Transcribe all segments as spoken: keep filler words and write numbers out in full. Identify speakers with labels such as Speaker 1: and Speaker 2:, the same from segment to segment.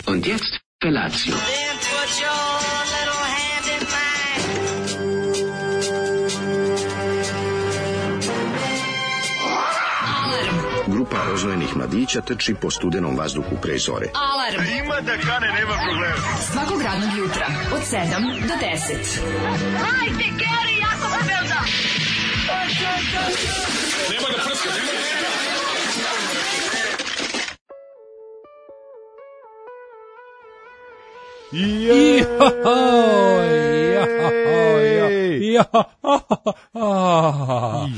Speaker 1: Und jetzt Felatio.
Speaker 2: Then put your little hand in mine.
Speaker 3: Grupa oznojenih mladića trči po studenom vazduhu pre zore.
Speaker 4: Alarm.
Speaker 5: Ima da kane, nema problema.
Speaker 4: Svakog radnog jutra od sedam do deset.
Speaker 2: Hajde, Geri, jako se velda.
Speaker 5: Nema da prska, nema da prska.
Speaker 6: Jej!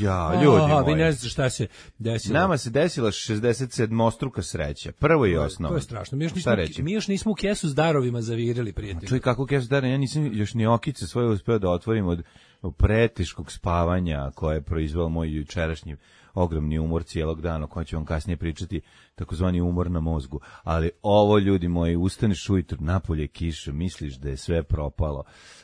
Speaker 6: Ja, ljudi moji.
Speaker 7: Vi ne znate šta se desilo.
Speaker 6: Nama se desila šezdeset sedmostruka sreća. Prvo i osnovno.
Speaker 7: To je strašno. Mi još nismo, mi još nismo u kesu s darovima zavirili, prijatelji.
Speaker 6: Čuj, kako kesu darovima? Ja nisam još ni okice svoje uspeo da otvorim od preteškog spavanja koje je proizveo moj jučerašnji ogromni umor cijelog dana, o kojem ću vam kasnije pričati, takozvani umor na mozgu. Ali ovo, ljudi moji, ustaneš ujutru, napolje kiša, misliš da je sve propalo,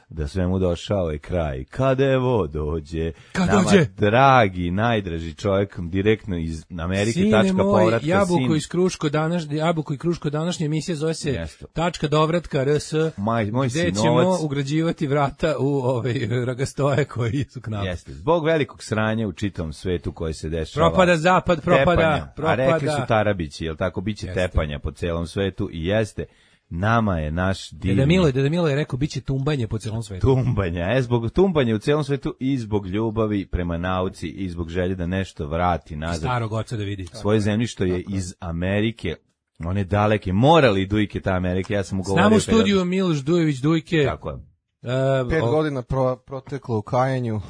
Speaker 6: da svemu došao je kraj. Kada evo dođe,
Speaker 7: Kad
Speaker 6: nama
Speaker 7: dođe?
Speaker 6: dragi, najdraži čovjek, direktno iz Amerike,
Speaker 7: Sine
Speaker 6: tačka
Speaker 7: moj,
Speaker 6: povratka,
Speaker 7: jabuko
Speaker 6: sin.
Speaker 7: iz Kruško današnje, jabuko i Kruško današnje emisije zove se
Speaker 6: Jeste.
Speaker 7: tačka dovratka rs,
Speaker 6: Maj, moj
Speaker 7: gde ćemo
Speaker 6: sinovac.
Speaker 7: ugrađivati vrata u ove ragastoje koji su k nama.
Speaker 6: Jeste, zbog velikog sranja u čitavom svetu koje se dešava.
Speaker 7: Propada zapad, propada,
Speaker 6: tepanja.
Speaker 7: propada.
Speaker 6: A rekli su Tarabići, jel tako, biće
Speaker 7: Jeste.
Speaker 6: tepanja po celom svetu i jeste. Nama je naš divni
Speaker 7: Deda Milo, Deda Milo je rekao biće tumbanje po celom svetu.
Speaker 6: tumbanja, e, zbog tumbanja u celom svetu i zbog ljubavi prema nauci i zbog želje da nešto vrati nazad
Speaker 7: Starog oca da vidi.
Speaker 6: svoje zemlje što je iz Amerike, one daleke, morali dujke ta Amerike, ja sam mu govorio.
Speaker 7: Znamo u
Speaker 6: kada-
Speaker 7: studiju Miloš Dujević Dujke.
Speaker 6: Tako je.
Speaker 7: Uh,
Speaker 8: Pet
Speaker 7: o-
Speaker 8: godina pro, proteklo u kajanju.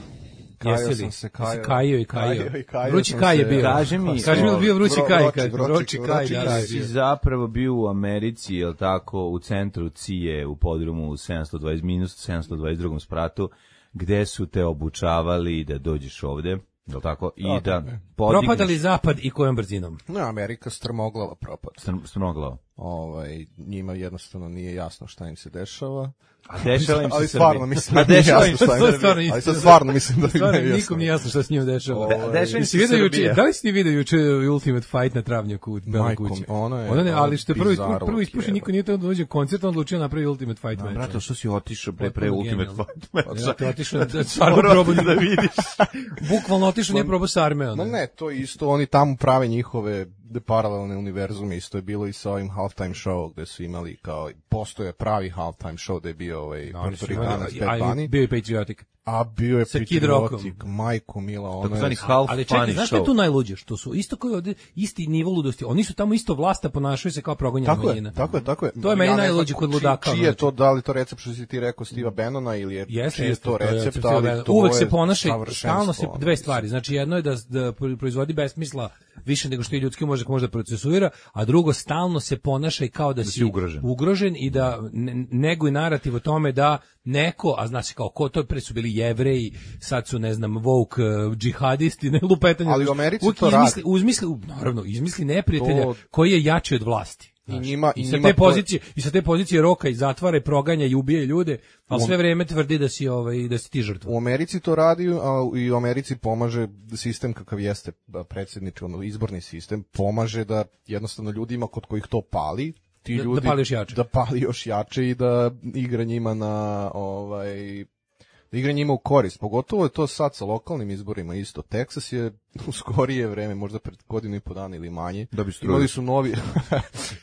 Speaker 8: Kajao
Speaker 7: Jesi li?
Speaker 8: sam se, kajao.
Speaker 7: Kajio i kajio.
Speaker 8: Kajao i kajao
Speaker 7: Vrući
Speaker 8: sam
Speaker 7: kaj je
Speaker 8: se.
Speaker 7: bio.
Speaker 6: Kaži mi,
Speaker 7: Kaži mi, je li bio vrući
Speaker 8: Vro-
Speaker 7: kaj?
Speaker 8: vroči,
Speaker 7: Kaj?
Speaker 8: vroči,
Speaker 7: Vrući kaj,
Speaker 8: vroči
Speaker 7: da,
Speaker 8: kaj.
Speaker 7: da,
Speaker 6: si
Speaker 7: da.
Speaker 6: zapravo bio u Americi, jel tako, u centru C I E, u podrumu u sedamsto dvadeset minus sedamsto dvadeset drugom spratu, gde su te obučavali da dođeš ovde, jel tako, i
Speaker 8: Da,
Speaker 6: da
Speaker 8: tako je.
Speaker 6: podigneš
Speaker 7: Propadali zapad i kojom brzinom?
Speaker 8: No, Amerika strmoglava propad.
Speaker 6: str- strmoglavo.
Speaker 8: Ovaj, njima jednostavno nije jasno šta im se dešava.
Speaker 6: A dešava im se
Speaker 8: Ali
Speaker 6: Srbiji.
Speaker 8: stvarno mislim
Speaker 6: A
Speaker 8: da nije
Speaker 6: dešava
Speaker 8: jasno
Speaker 6: im se
Speaker 8: šta im
Speaker 7: To
Speaker 8: se
Speaker 7: stvarno
Speaker 8: Ali
Speaker 7: isto.
Speaker 8: sad stvarno mislim da im
Speaker 7: Stvarno,
Speaker 8: nije jasno.
Speaker 7: nikom nije jasno šta s njim dešava.
Speaker 8: Ovaj,
Speaker 6: Da- dešava im
Speaker 7: Jesi
Speaker 6: se
Speaker 7: vidio juče,
Speaker 6: Srbija.
Speaker 7: da li si ti vidio juče Ultimate Fight na Travnjaku u Beloj
Speaker 8: Majko
Speaker 7: kući?
Speaker 8: mi, ono je-
Speaker 7: Ono ne,
Speaker 8: ono
Speaker 7: ali što je prvo,
Speaker 8: bizarluk
Speaker 7: prvo ispušio,
Speaker 8: je,
Speaker 7: niko nije to da dođe koncert, on odlučio napravi Ultimate Fight meč.
Speaker 6: Brate, što si otišao pre, pre
Speaker 7: Potpuno
Speaker 6: Ultimate
Speaker 7: genijalno.
Speaker 6: Fight meča?
Speaker 7: Ja, to je otišao da stvarno
Speaker 6: Morao
Speaker 7: probao
Speaker 6: da vidiš.
Speaker 7: Bukvalno otišao, nije probao sa arme.
Speaker 8: Ma ne, to je isto, oni tamo prave njihove de paralelne univerzume, isto je bilo i sa ovim halftime show gde su imali kao, postoje pravi halftime show gde je bio ovaj Puertoricanac Bad Bunny,
Speaker 7: Bio je Patriotic.
Speaker 8: a bio je
Speaker 7: Sa Kid Rockom.
Speaker 8: Patriotic, majko mila, ono
Speaker 6: Takozvani
Speaker 8: je...
Speaker 6: half
Speaker 7: Ali čekaj,
Speaker 6: funny
Speaker 7: znaš što je
Speaker 6: show.
Speaker 7: tu najluđe? Što su isto koji ovde, isti nivo ludosti. Oni su tamo isto vlasta, ponašaju se kao progonjena
Speaker 8: Tako
Speaker 7: manjina.
Speaker 8: je, tako je, tako je.
Speaker 7: To je meni
Speaker 8: Ja ne znam
Speaker 7: najluđe kod
Speaker 8: či-
Speaker 7: ludaka.
Speaker 8: Čiji je
Speaker 7: znači.
Speaker 8: to, da li to recept što si ti rekao Steva Bannona ili je,
Speaker 7: Jeste,
Speaker 8: čiji je
Speaker 7: jeste,
Speaker 8: to recept,
Speaker 7: recept,
Speaker 8: ali
Speaker 7: da,
Speaker 8: to
Speaker 7: uvek
Speaker 8: je
Speaker 7: se ponaša,
Speaker 8: savršenstvo,
Speaker 7: stalno se
Speaker 8: ono,
Speaker 7: dve
Speaker 8: mislim.
Speaker 7: stvari. Znači jedno je da da proizvodi besmisla više nego što i ljudski može može da procesuira, a drugo stalno se ponaša i kao da,
Speaker 6: si
Speaker 7: si
Speaker 6: ugrožen.
Speaker 7: ugrožen i da ne- neguje narativ o tome da neko, a zna se kao ko, to pre su bili Jevreji, sad su ne znam woke uh, džihadisti, ne lupetanje.
Speaker 8: Ali u Americi
Speaker 7: Uvijek
Speaker 8: to
Speaker 7: izmisli,
Speaker 8: radi.
Speaker 7: uzmisli, naravno, izmisli neprijatelja
Speaker 8: To-
Speaker 7: koji je jači od vlasti.
Speaker 8: I
Speaker 7: Znaš,
Speaker 8: njima-
Speaker 7: i
Speaker 8: i
Speaker 7: sa
Speaker 8: njima
Speaker 7: te
Speaker 8: to-
Speaker 7: pozicije i sa te pozicije roka i zatvara i proganja i ubija ljude, ali sve vreme tvrdi da si ovaj da si ti žrtva.
Speaker 8: U Americi to radi, a i u Americi pomaže sistem kakav jeste predsjednički, ono, izborni sistem, pomaže da jednostavno ljudima kod kojih to pali, ti
Speaker 7: Da- da
Speaker 8: ljudi
Speaker 7: pali još jače.
Speaker 8: da pali još jače i da igra njima na ovaj da igra njima u korist. Pogotovo je to sad sa lokalnim izborima isto. Teksas je u skorije vreme, možda pred godinu i po dana ili manje,
Speaker 6: Da bi struju.
Speaker 8: imali su novi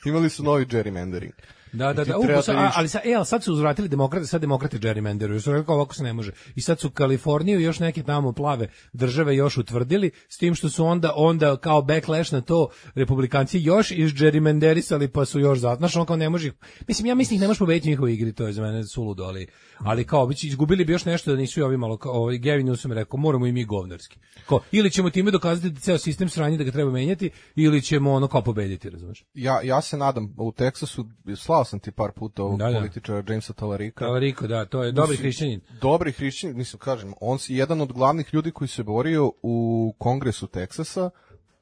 Speaker 8: imali su novi gerrymandering.
Speaker 7: Da, da,
Speaker 8: I ti
Speaker 7: da. U,
Speaker 8: treba
Speaker 7: sa-
Speaker 8: da
Speaker 7: a-
Speaker 8: vidiš-
Speaker 7: ali sad, e, ali sad su uzvratili demokrate, sad demokrate gerrymanderuju. Su rekao ovako se ne može. I sad su Kaliforniju i još neke tamo plave države još utvrdili, s tim što su onda onda kao backlash na to republikanci još iz gerrymanderisali pa su još za. Znaš, on kao ne može. ih- Mislim, ja mislim ih ne možeš pobediti u njihovoj igri, to je za mene suludo, ali ali kao biće izgubili bi još nešto da nisu i ovi malo kao ovaj Gavin Newsom je rekao moramo i mi govnarski. Kao ili ćemo time dokazati da ceo sistem sranje da ga treba menjati ili ćemo ono kao pobediti, razumeš?
Speaker 8: Ja, ja se nadam, u Teksasu, slao sam ti par puta ovog
Speaker 7: Da, da.
Speaker 8: političara Jamesa Talarika.
Speaker 7: Talariko, da, to je dobri hrišćanin.
Speaker 8: Dobri hrišćanin, mislim, kažem, on si jedan od glavnih ljudi koji se borio u Kongresu Teksasa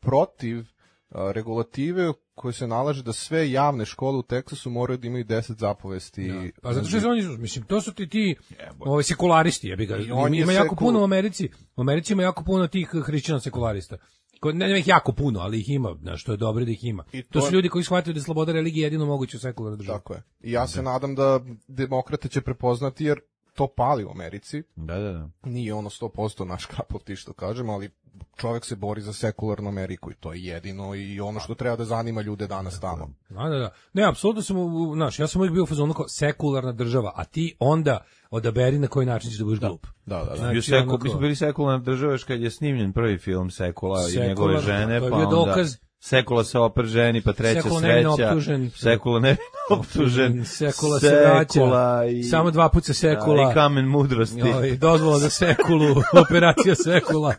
Speaker 8: protiv a, regulative koje se nalaže da sve javne škole u Teksasu moraju da imaju deset zapovesti.
Speaker 7: Pa zato što su oni, mislim, to su ti ti ovaj sekularisti, jebi ga.
Speaker 8: I on
Speaker 7: Ima,
Speaker 8: je
Speaker 7: ima jako
Speaker 8: sekul-
Speaker 7: puno u Americi. U Americi ima jako puno tih hrišćana sekularista. ko, ne, nema ih jako puno, ali ih ima, znaš, što je dobro da ih ima.
Speaker 8: I
Speaker 7: To
Speaker 8: to
Speaker 7: su
Speaker 8: je-
Speaker 7: ljudi koji shvataju da je sloboda religije jedino moguće u sekularnoj državi.
Speaker 8: Tako je. I ja se nadam da demokrate će prepoznati, jer to pali u Americi.
Speaker 6: Da, da, da.
Speaker 8: Nije ono sto posto naš kapov ti što kažem, ali čovjek se bori za sekularnu Ameriku i to je jedino i ono što treba da zanima ljude danas tamo.
Speaker 7: Da, da, da. Ne, apsolutno sam, u- znaš, ja sam uvijek bio u fazonu kao sekularna država, a ti onda odaberi na koji način ćeš da budeš glup.
Speaker 8: Da, da, da.
Speaker 7: Znači,
Speaker 6: Bio sekul,
Speaker 7: ono kao-
Speaker 6: mi smo bili sekularna država još kad je snimljen prvi film Sekula i
Speaker 7: Sekular,
Speaker 6: njegove žene,
Speaker 7: to je
Speaker 6: pa
Speaker 7: bio
Speaker 6: onda
Speaker 7: dokaz.
Speaker 6: Sekula se oper ženi, pa treća
Speaker 7: Sekula nevino
Speaker 6: sreća.
Speaker 7: optužen.
Speaker 6: Sekula nevino optužen.
Speaker 7: Sekula se vraća.
Speaker 6: Sekula i...
Speaker 7: Samo dva puta sekula.
Speaker 6: Da, i kamen mudrosti.
Speaker 7: Joj, dozvola za sekulu, operacija sekula.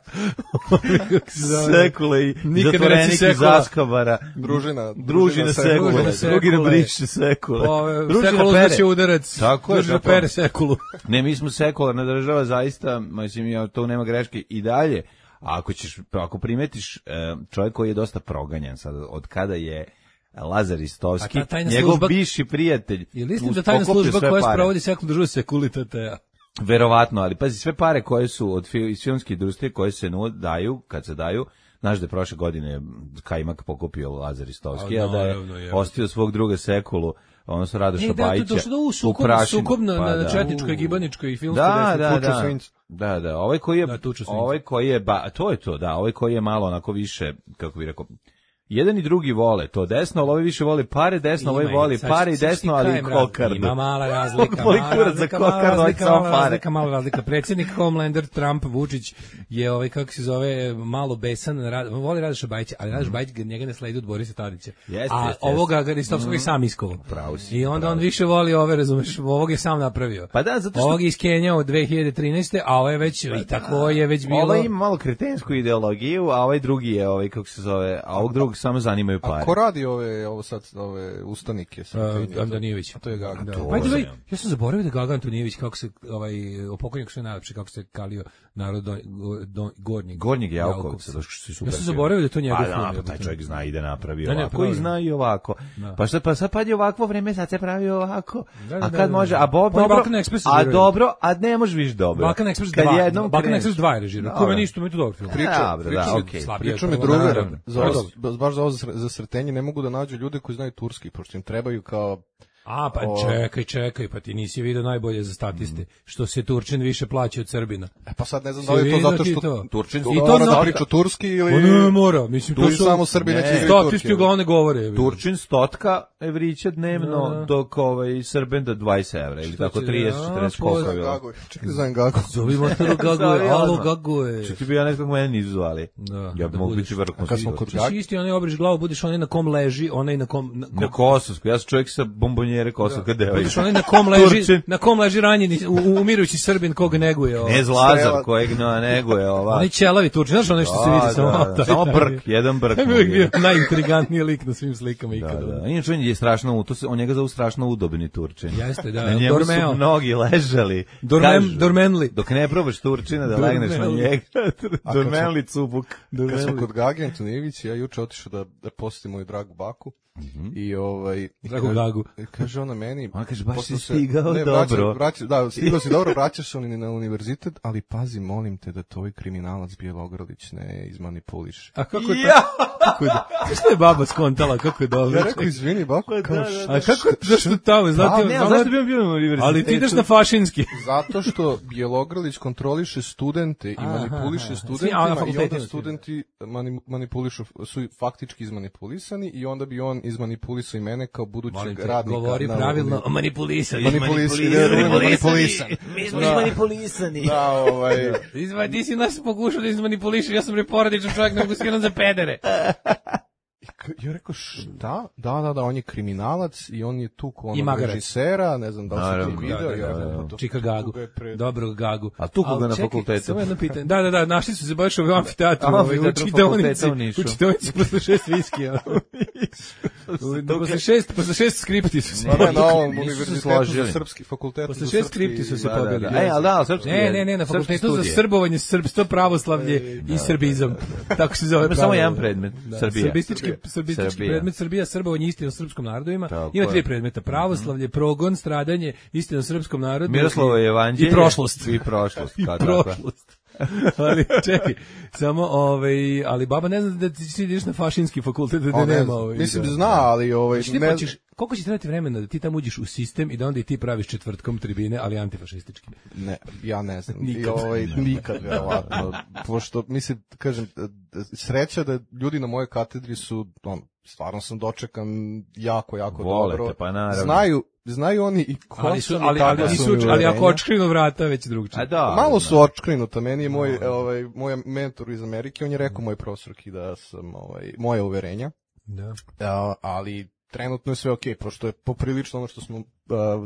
Speaker 7: Kako se zove?
Speaker 6: Sekula i
Speaker 7: Nikad ne reci
Speaker 6: zatvorenik iz
Speaker 7: sekula.
Speaker 6: Askabara.
Speaker 8: Družina,
Speaker 6: Družina Sekula.
Speaker 7: Družina
Speaker 6: Drugi
Speaker 7: Sekule.
Speaker 6: na briše Sekule.
Speaker 7: Ove,
Speaker 6: Družina
Speaker 7: sekulu
Speaker 6: Pere.
Speaker 7: znači udarac.
Speaker 6: Tako je,
Speaker 7: Družina
Speaker 6: zapravo.
Speaker 7: pere sekulu.
Speaker 6: Ne, mi smo sekularna država, zaista, mislim, ja, to nema greške i dalje. A ako ćeš, ako primetiš e, čovjek koji je dosta proganjan sad, od kada je Lazar Istovski,
Speaker 7: A ta tajna
Speaker 6: njegov
Speaker 7: služba-
Speaker 6: bivši prijatelj,
Speaker 7: Ili istina
Speaker 6: uz-
Speaker 7: da tajna
Speaker 6: pokupio
Speaker 7: služba
Speaker 6: sve
Speaker 7: koja
Speaker 6: pare.
Speaker 7: sprovodi sekulu državu sekulitatea.
Speaker 6: Verovatno, ali pazi, sve pare koje su od fil, iz filmske industrije koje se nud, daju, kad se daju, znaš da je prošle godine Kajmak pokupio Lazar Istovski,
Speaker 7: A,
Speaker 6: a da je
Speaker 7: naravno, je.
Speaker 6: ostio svog druga Sekulu, odnosno Radoša
Speaker 7: Ne, da, to
Speaker 6: Bajića,
Speaker 7: došlo do u
Speaker 6: u
Speaker 7: sukob,
Speaker 6: prašinu.
Speaker 7: sukob na,
Speaker 6: Pa
Speaker 7: na
Speaker 6: da.
Speaker 7: četničkoj, gibaničkoj i filmskoj
Speaker 6: Da,
Speaker 7: desnici.
Speaker 6: da,
Speaker 8: Tuču
Speaker 6: da.
Speaker 8: svinjcu.
Speaker 6: Da, da, ovaj koji je
Speaker 7: Da, tuču svinjcu.
Speaker 6: ovaj koji je ba, to je to, da, ovaj koji je malo onako više, kako bih rekao, jedan i drugi vole to desno, ali ovaj više voli pare, desno, ovaj
Speaker 7: Ima i-
Speaker 6: voli
Speaker 7: sad-
Speaker 6: pare i
Speaker 7: sad ću ti
Speaker 6: desno, ali i
Speaker 7: kažem, razlika.
Speaker 6: kokardu.
Speaker 7: Ima mala razlika.
Speaker 6: Voli
Speaker 7: mala
Speaker 6: kurac za
Speaker 7: razlika, mala
Speaker 6: kokardu, hoće
Speaker 7: razlika,
Speaker 6: samo
Speaker 7: mala
Speaker 6: pare.
Speaker 7: razlika, mala razlika. Predsjednik Homelander Trump Vučić je ovaj kako se zove malo besan, rad, voli Radoša Bajića, ali Radoš Bajić ga- njega ne sledi od Borisa Tadića.
Speaker 6: Jeste,
Speaker 7: A
Speaker 6: jeste,
Speaker 7: ovoga
Speaker 6: jeste.
Speaker 7: Garistovskog je sam iskovao.
Speaker 6: Pravo si,
Speaker 7: I onda
Speaker 6: pravo
Speaker 7: on
Speaker 6: si.
Speaker 7: više voli ove, razumeš, ovog je sam napravio.
Speaker 6: Pa da, zato što-
Speaker 7: Ovog je iskenjao dve hiljade trinaeste, a ovo je već, i tako je već bilo.
Speaker 6: Ovaj ima malo kretensku ideologiju, a ovaj drugi je ovaj, kako se zove, a ovog drugog samo zanimaju
Speaker 8: A
Speaker 6: pare.
Speaker 8: ko radi ove, ovo sad, ove ustanike? Sa
Speaker 7: Uh, Antonijević.
Speaker 8: A to je Gaga.
Speaker 7: Da.
Speaker 8: To
Speaker 7: Pa,
Speaker 8: je-
Speaker 7: ovaj, ja sam zaboravio da Gaga Antonijević, kako se, ovaj, pokojnik sve najlepše, kako se kalio narod do, do, gornjeg.
Speaker 6: Gornjeg Javkovca,
Speaker 7: Javkovca.
Speaker 6: da što si super.
Speaker 7: Ja sam
Speaker 6: film.
Speaker 7: zaboravio da je to njegov
Speaker 6: Pa
Speaker 7: film,
Speaker 6: da, pa
Speaker 7: jebote.
Speaker 6: taj čovjek zna i da napravi
Speaker 7: Da, ne,
Speaker 6: ovako
Speaker 7: pa
Speaker 6: i
Speaker 7: dobro.
Speaker 6: zna i ovako.
Speaker 7: Da.
Speaker 6: Pa šta, pa sad pa je ovakvo vreme, sad se pravi ovako.
Speaker 7: Da, da,
Speaker 6: a
Speaker 7: da,
Speaker 6: kad
Speaker 7: da,
Speaker 6: može,
Speaker 7: da.
Speaker 6: a bo,
Speaker 7: Pa
Speaker 6: dobro,
Speaker 7: Balkan Express
Speaker 6: a
Speaker 7: režirao.
Speaker 6: dobro, a ne možeš više dobro.
Speaker 7: Balkan Express
Speaker 6: Kad
Speaker 7: dva,
Speaker 6: jednom
Speaker 7: Balkan
Speaker 6: kreneš-
Speaker 7: Express dva je režirao.
Speaker 6: Dobro.
Speaker 7: Ko meni isto, mi je to dobro film.
Speaker 8: Priča,
Speaker 6: Dobro,
Speaker 8: priča,
Speaker 6: da,
Speaker 8: mi-
Speaker 6: okej.
Speaker 7: Slabije
Speaker 8: priča
Speaker 7: od
Speaker 8: mi
Speaker 7: prvog,
Speaker 8: drugar,
Speaker 7: naravno.
Speaker 8: za,
Speaker 7: Dobro.
Speaker 8: ovo- baš za ovo za, za srtenje ne mogu da nađu ljude koji znaju turski, pošto im trebaju kao...
Speaker 7: A, pa
Speaker 8: O-
Speaker 7: čekaj, čekaj, pa ti nisi vidio najbolje za statiste, što se Turčin više plaća od Srbina.
Speaker 8: E pa sad ne znam
Speaker 7: Si
Speaker 8: da li je to
Speaker 7: vidio
Speaker 8: zato
Speaker 7: ti
Speaker 8: što
Speaker 7: to?
Speaker 8: Turčin
Speaker 7: I
Speaker 8: to
Speaker 7: to
Speaker 8: mora
Speaker 7: na-
Speaker 8: da priča turski ili...
Speaker 7: Pa ne mora, mislim, to
Speaker 8: Ili
Speaker 7: su...
Speaker 8: samo Srbi neće
Speaker 6: Ne.
Speaker 8: igrati
Speaker 7: Statisti
Speaker 8: turski.
Speaker 7: uglavnom govore.
Speaker 6: Turčin stotka evrića dnevno,
Speaker 7: Da, da.
Speaker 6: dok ovaj Srben da dvadeset evra, ili tako
Speaker 7: će-
Speaker 6: trideset,
Speaker 7: a,
Speaker 6: četrdeset
Speaker 7: po-
Speaker 6: koliko je bilo.
Speaker 8: Gago, čekaj, zovem Gago.
Speaker 7: Zovi motoru Gaguje,
Speaker 6: Zovi
Speaker 7: alo
Speaker 6: odmah.
Speaker 7: Gaguje.
Speaker 6: Što ti bi ja nekako mene nisu zvali.
Speaker 7: Da,
Speaker 6: Ja bi
Speaker 7: da
Speaker 6: mogu
Speaker 7: budeš.
Speaker 6: biti vrhunski.
Speaker 8: A kad smo kod
Speaker 7: Ti si isti, onaj obriš glavu, budeš onaj na kom leži, onaj na kom... Na,
Speaker 6: Na Kosovsku, ja sam čovjek sa bombonjere Kosovska devojka.
Speaker 7: budeš onaj na kom leži,
Speaker 6: Turčin.
Speaker 7: na kom leži ranjeni, u, u- umirujući Srbin koga neguje. Ovo.
Speaker 6: Ne Zlazar,
Speaker 8: Strela.
Speaker 6: kojeg no, neguje ova.
Speaker 7: Onaj ćelavi Turčin, znaš ono što se
Speaker 6: Da,
Speaker 7: vidi samo...
Speaker 6: da, da. Samo brk, jedan brk.
Speaker 7: To mi je uvijek bio najintrigantniji lik na svim slikama
Speaker 6: Da,
Speaker 7: ikada.
Speaker 6: da. Inače on je strašno, u- to se, on njega zovu strašno udobni Turčin.
Speaker 7: Jeste, da.
Speaker 6: Na njemu
Speaker 7: Dormeo.
Speaker 6: su mnogi ležali.
Speaker 7: Dormem-
Speaker 6: Kažu,
Speaker 7: dormenli.
Speaker 6: Dok ne probaš Turčina da legneš na
Speaker 7: Dormenli.
Speaker 6: njega.
Speaker 8: kad
Speaker 6: Dormenli cubuk.
Speaker 8: Kad smo kod Gage Antonijević, ja juče otišao da, da posjetim moju dragu baku. I ovaj... i
Speaker 7: Dragu
Speaker 8: kaže-
Speaker 7: Gagu.
Speaker 8: i kaže ona meni...
Speaker 6: Ona kaže, baš
Speaker 8: pošto
Speaker 6: si
Speaker 8: se-
Speaker 6: stigao
Speaker 8: ne, vraća-
Speaker 6: dobro.
Speaker 8: vraća- da, stigao si dobro, vraćaš se na univerzitet, ali pazi, molim te da tvoj kriminalac Bjelogrlić ne izmanipuliš.
Speaker 7: A kako je ja! Kako je, što je baba skontala, kako je dobro.
Speaker 8: Ja rekao, izvini, bako, kao,
Speaker 7: A kako je, zašto tamo, znate,
Speaker 6: Ne,
Speaker 7: znate-
Speaker 6: zašto bi on bio na univerzitetu?
Speaker 7: ali ti ideš na fašinski.
Speaker 8: zato što Bjelogrlić kontroliše studente i
Speaker 7: Aha,
Speaker 8: manipuliše
Speaker 7: aha.
Speaker 8: studentima
Speaker 7: Svi, a, na
Speaker 8: i onda
Speaker 7: fakultetima su.
Speaker 8: studenti mani, manipulišu, su faktički izmanipulisani i onda bi on izmanipulisao i mene kao budućeg
Speaker 7: Molim te,
Speaker 8: radnika.
Speaker 7: govori
Speaker 8: na
Speaker 7: pravilno, manipulisani.
Speaker 8: Manipulisani,
Speaker 6: Manipulisani.
Speaker 7: Mi smo
Speaker 8: Da.
Speaker 7: izmanipulisani.
Speaker 8: Da, ovaj...
Speaker 7: Izva, ti si nas pokušao da izmanipulišeš, ja sam reporadičan čovjek, ne mogu se za pedere.
Speaker 8: I ja rekao, šta? Da, da, da, on je kriminalac i on je tu ko
Speaker 7: I
Speaker 8: onog
Speaker 7: magarac.
Speaker 8: režisera, ne znam da li si
Speaker 6: Naravno,
Speaker 8: ti video.
Speaker 6: da,
Speaker 8: ja
Speaker 6: da,
Speaker 8: rekao,
Speaker 6: da.
Speaker 8: pa to-
Speaker 7: Čika Gagu,
Speaker 8: tuga je pred-
Speaker 7: dobrog Gagu.
Speaker 6: A tu koga
Speaker 7: Al
Speaker 6: na
Speaker 7: čekaj,
Speaker 6: fakultetu?
Speaker 7: Samo jedno pitanje. Da, da, da, našli su se baš u amfiteatru,
Speaker 6: A,
Speaker 7: ovaj, na
Speaker 6: amfiteatru
Speaker 7: čitaonici,
Speaker 6: fakulteta u Nišu.
Speaker 7: u čitaonici posle šest viskija. Posle šest, posle šest skripti su se
Speaker 8: Pa ne, na ovom
Speaker 6: Nisu se
Speaker 8: univerzitetu
Speaker 6: složili.
Speaker 8: za srpski fakultet.
Speaker 7: Posle
Speaker 8: za
Speaker 7: šest
Speaker 8: srpski-
Speaker 7: skripti su se
Speaker 6: Da, da,
Speaker 7: pobili.
Speaker 6: da. E, ali da, srpski
Speaker 7: Ne,
Speaker 6: je-
Speaker 7: ne, ne, na
Speaker 6: srpski
Speaker 7: fakultetu za
Speaker 6: studije.
Speaker 7: srbovanje, srbstvo, pravoslavlje i srbizam. Tako se zove.
Speaker 6: Ima samo
Speaker 7: pravilo.
Speaker 6: jedan predmet, Srbija.
Speaker 7: Srbistički, srbistički
Speaker 6: Srbija.
Speaker 7: predmet Srbija, srbovanje, istina o srpskom narodu ima.
Speaker 6: Tako
Speaker 7: Ima
Speaker 6: je.
Speaker 7: tri predmeta: pravoslavlje, progon, stradanje, istina o srpskom narodu
Speaker 6: Miroslovo je evanđelje.
Speaker 7: i prošlost.
Speaker 6: I prošlost,
Speaker 7: I
Speaker 6: kao takva.
Speaker 7: prošlost. Ali čekaj, samo ovaj, ali baba ne zna da ti si ideš na fašinski fakultet, da
Speaker 8: O,
Speaker 7: ne
Speaker 8: ne
Speaker 7: nema
Speaker 8: znam.
Speaker 7: ovaj.
Speaker 8: Mislim
Speaker 7: da.
Speaker 8: da zna, ali ovaj
Speaker 7: Znači, ti
Speaker 8: ne
Speaker 7: počeš, koliko će trebati vremena da ti tamo uđeš u sistem i da onda i ti praviš četvrtkom tribine, ali antifašistički?
Speaker 8: Ne, ja ne znam. I
Speaker 7: Nikad.
Speaker 8: ovaj, nikad, verovatno. Pošto, mislim, kažem, sreća da ljudi na mojoj katedri su, on, stvarno sam dočekan jako, jako
Speaker 6: Volete,
Speaker 8: dobro.
Speaker 6: pa naravno.
Speaker 8: Znaju, znaju oni i ko
Speaker 7: Ali su,
Speaker 8: sam i
Speaker 7: ali,
Speaker 8: kakva
Speaker 7: ali,
Speaker 8: su
Speaker 7: nisu,
Speaker 8: mi
Speaker 7: ali ako
Speaker 8: uverenja.
Speaker 7: očkrinu vrata, već drugčije.
Speaker 6: A da.
Speaker 8: Malo
Speaker 6: da.
Speaker 8: su očkrinuta, meni je moj, ovaj, moj mentor iz Amerike, on je rekao moj profesorki da sam, ovaj, moje uverenja,
Speaker 7: Da.
Speaker 8: a, ali trenutno je sve okej, pošto je poprilično ono što smo, uh,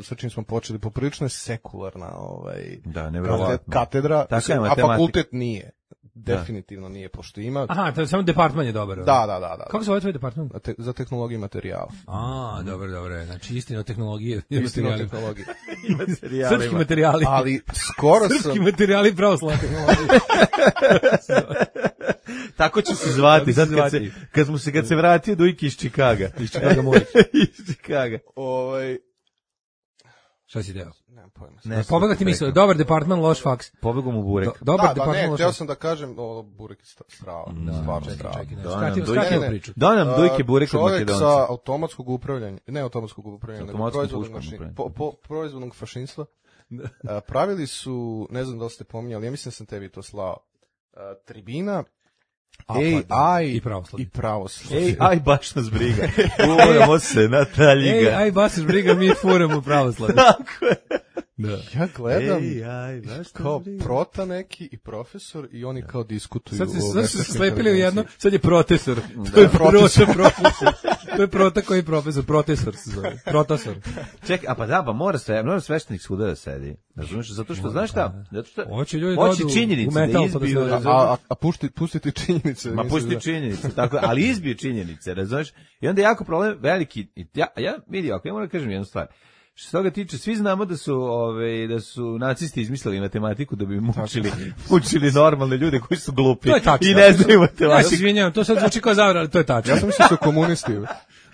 Speaker 8: sa čim smo počeli, poprilično je sekularna ovaj,
Speaker 6: Da, nevjerovatno.
Speaker 8: kate- katedra,
Speaker 6: Takva je
Speaker 8: mislim, a
Speaker 6: matematika.
Speaker 8: fakultet nije. Definitivno nije, pošto ima...
Speaker 7: Aha, to je samo departman je dobar.
Speaker 8: Da, da, da. da.
Speaker 7: Kako se zove tvoj departman?
Speaker 8: Te, za tehnologiju i materijal.
Speaker 7: A, dobro, dobro. Znači, istina o tehnologiji. i
Speaker 8: Istina o
Speaker 7: materijalima.
Speaker 8: tehnologiji.
Speaker 7: Srpski materijali.
Speaker 8: Ali skoro sam...
Speaker 7: Srpski materijali pravoslavne tehnologije.
Speaker 6: Tako će se zvati,
Speaker 7: Tako će
Speaker 6: sad
Speaker 7: se
Speaker 6: kad se,
Speaker 7: zvati.
Speaker 6: kad smo se, kad se vratio Dujki iz Čikaga.
Speaker 7: Iz Čikaga moj.
Speaker 6: iz Čikaga.
Speaker 8: Ovaj...
Speaker 7: Šta si deo?
Speaker 8: Nemam pojma.
Speaker 6: Ne,
Speaker 7: Pobega ti misle, dobar departman, loš faks.
Speaker 6: Pobegom u burek.
Speaker 7: Do- Dobar
Speaker 8: Da, da,
Speaker 7: departman,
Speaker 8: ne,
Speaker 7: loš
Speaker 8: htio
Speaker 7: faks.
Speaker 8: sam da kažem, o, burek je sta- strava, stvarno
Speaker 7: Čekaj,
Speaker 8: strava.
Speaker 7: čekaj, ne,
Speaker 6: Da,
Speaker 7: skratimo,
Speaker 6: nam
Speaker 7: skratimo
Speaker 8: dojke-
Speaker 7: priču.
Speaker 6: Da nam Dujke burek od
Speaker 8: Čovjek
Speaker 6: Makedonca.
Speaker 8: sa automatskog upravljanja, ne automatskog upravljanja, nego
Speaker 6: Automatskom
Speaker 8: proizvodnog,
Speaker 6: puškom
Speaker 8: mašin,
Speaker 6: upravljanja.
Speaker 8: po, po, proizvodnog fašinstva. A, pravili su, ne znam da li ste pominjali, ja mislim da sam tebi to slao, a, tribina,
Speaker 7: A, pa da.
Speaker 8: A I
Speaker 7: I pravoslavlje.
Speaker 8: I pravoslavlje.
Speaker 6: Ej, aj, baš nas briga. Uvojamo se na ta
Speaker 7: Ej,
Speaker 6: liga.
Speaker 7: aj, baš briga, mi furamo pravoslavlje.
Speaker 6: Tako je.
Speaker 7: Da.
Speaker 8: Ja gledam
Speaker 6: Ej, aj, baš nas
Speaker 8: kao
Speaker 6: briga.
Speaker 8: prota neki i profesor i oni kao diskutuju.
Speaker 7: Sad se,
Speaker 8: o
Speaker 7: sad su se
Speaker 8: veštačkoj
Speaker 7: slepili u jedno,
Speaker 8: inteligenciji.
Speaker 7: sad je protesor. To je prota
Speaker 8: Protesor.
Speaker 7: profesor. To je prota koji je profesor, protesor se zove. Protesor.
Speaker 6: Čekaj, a pa da, pa mora sve, mora sveštenik svuda da sedi. Razumiješ, zato što, znaš šta? Zato što,
Speaker 7: Hoće ljudi da
Speaker 6: hoće
Speaker 7: odu
Speaker 6: činjenice
Speaker 7: u metal
Speaker 6: da
Speaker 7: pa da
Speaker 6: izbiju,
Speaker 7: se-
Speaker 6: razumiješ?
Speaker 8: A, a, a pušti, pustiti činjenice.
Speaker 6: Ma
Speaker 8: mislim
Speaker 6: pusti
Speaker 8: da-
Speaker 6: činjenice, tako, ali izbiju činjenice, razumiješ? I onda je jako problem veliki, i ja, ja vidi, ako ja moram da kažem jednu stvar, što se toga tiče, svi znamo da su, ove, da su nacisti izmislili matematiku da bi mučili, mučili normalne ljude koji su glupi
Speaker 7: To je tačno.
Speaker 6: i ne znaju
Speaker 7: Ja se
Speaker 6: matematiku.
Speaker 7: izvinjavam, to sad zvuči kao zavra, ali to je tačno.
Speaker 8: Ja sam mislio da su komunisti.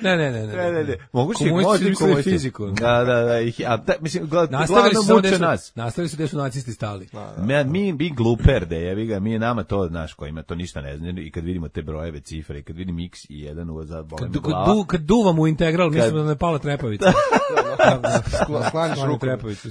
Speaker 7: Ne, ne, ne, ne.
Speaker 6: Ne, ne, ne. Moguće
Speaker 7: Komunisti
Speaker 6: možda i
Speaker 7: izmislili
Speaker 6: komunisti.
Speaker 7: fiziku.
Speaker 6: Da, da, da. Ih, a da, mislim, gled,
Speaker 7: Nastavili
Speaker 6: glavno
Speaker 7: su samo
Speaker 6: muče
Speaker 7: gde su,
Speaker 6: nas.
Speaker 7: nastavili su gde su nacisti stali.
Speaker 6: Mi, mi, mi gluper, da jevi ga, mi nama to, znaš, kojima to ništa ne zna, i kad vidimo te brojeve, cifre, i kad vidim x i jedan u za bole
Speaker 7: Kad,
Speaker 6: me
Speaker 7: kad,
Speaker 6: glava.
Speaker 7: du, kad duvam u integral, mislim da ne pala trepavica.
Speaker 8: Skla- Sklaniš
Speaker 7: Sklanjam
Speaker 8: ruku.
Speaker 7: trepavicu.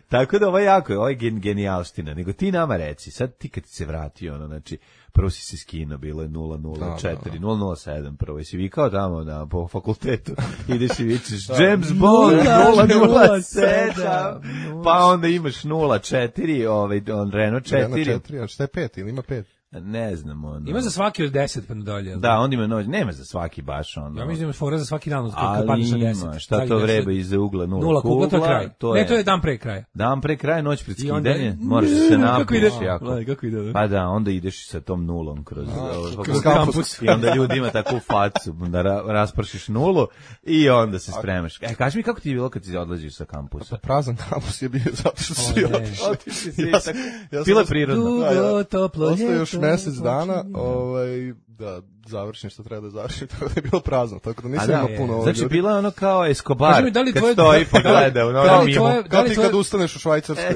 Speaker 6: Tako da ovo je jako, ovo je gen, genijalština. Nego ti nama reci, sad ti kad ti se vratio, ono, znači, prvo si se skinuo, bilo je nula nula četiri, nula nula sedam, prvo si vikao tamo na, po fakultetu, ideš i vičeš James Bond, nula nula sedam, pa onda imaš nula četiri, ovaj, on Renault
Speaker 8: Renault
Speaker 6: četiri,
Speaker 8: četiri, a šta je pet ili ima pet?
Speaker 6: ne znam, ono.
Speaker 7: Ima za svaki od deset pa nadalje.
Speaker 6: Da, onda ima noć, nema za svaki baš, ono.
Speaker 7: Ja mislim da ima fora za svaki dan, kad
Speaker 6: ali
Speaker 7: padneš na
Speaker 6: ima,
Speaker 7: deset.
Speaker 6: šta to vreba iza ugla, nula,
Speaker 7: Nula kugla, to je kraj.
Speaker 6: to
Speaker 7: Ne,
Speaker 6: je,
Speaker 7: to je dan pre kraja.
Speaker 6: dan pre kraja, noć pred
Speaker 7: I onda-
Speaker 6: skidanje, moraš da se
Speaker 7: Kako ide?
Speaker 6: napiješ jako.
Speaker 7: Gledaj, kako ide, da.
Speaker 6: Pa da, onda ideš sa tom nulom kroz, ovaj,
Speaker 8: kroz
Speaker 6: kampus.
Speaker 8: kampus.
Speaker 6: I onda ljudi ima takvu facu, da ra, raspršiš nulu i onda se spremaš. E, kaži mi kako ti je bilo kad si odlaziš sa kampusa?
Speaker 8: Prazan kampus je bio zato što su svi
Speaker 7: O, ne.
Speaker 8: otišli.
Speaker 6: Otišli svi,
Speaker 8: Ja sam-
Speaker 6: tako-
Speaker 8: ja sam
Speaker 6: Bilo je
Speaker 8: ostao-
Speaker 6: prirodno.
Speaker 7: Dugo, toplo
Speaker 8: Ostaje još
Speaker 7: ljeto,
Speaker 8: mesec dana,
Speaker 7: počinje.
Speaker 8: ovaj, da završim što treba da završim, tako da je bilo prazno, tako da
Speaker 6: A
Speaker 8: nisam
Speaker 6: da,
Speaker 8: imao
Speaker 6: je.
Speaker 8: puno
Speaker 6: Znači,
Speaker 8: ljudi.
Speaker 6: bilo je ono kao Escobar,
Speaker 7: Kaži mi, da li
Speaker 6: kad
Speaker 7: tvoje-
Speaker 6: stoji pa
Speaker 7: da li-
Speaker 6: gleda, ono,
Speaker 7: da li
Speaker 6: mimo.
Speaker 7: tvoje-
Speaker 8: Kao ti
Speaker 7: tvoje-
Speaker 8: kad ustaneš u Švajcarskoj.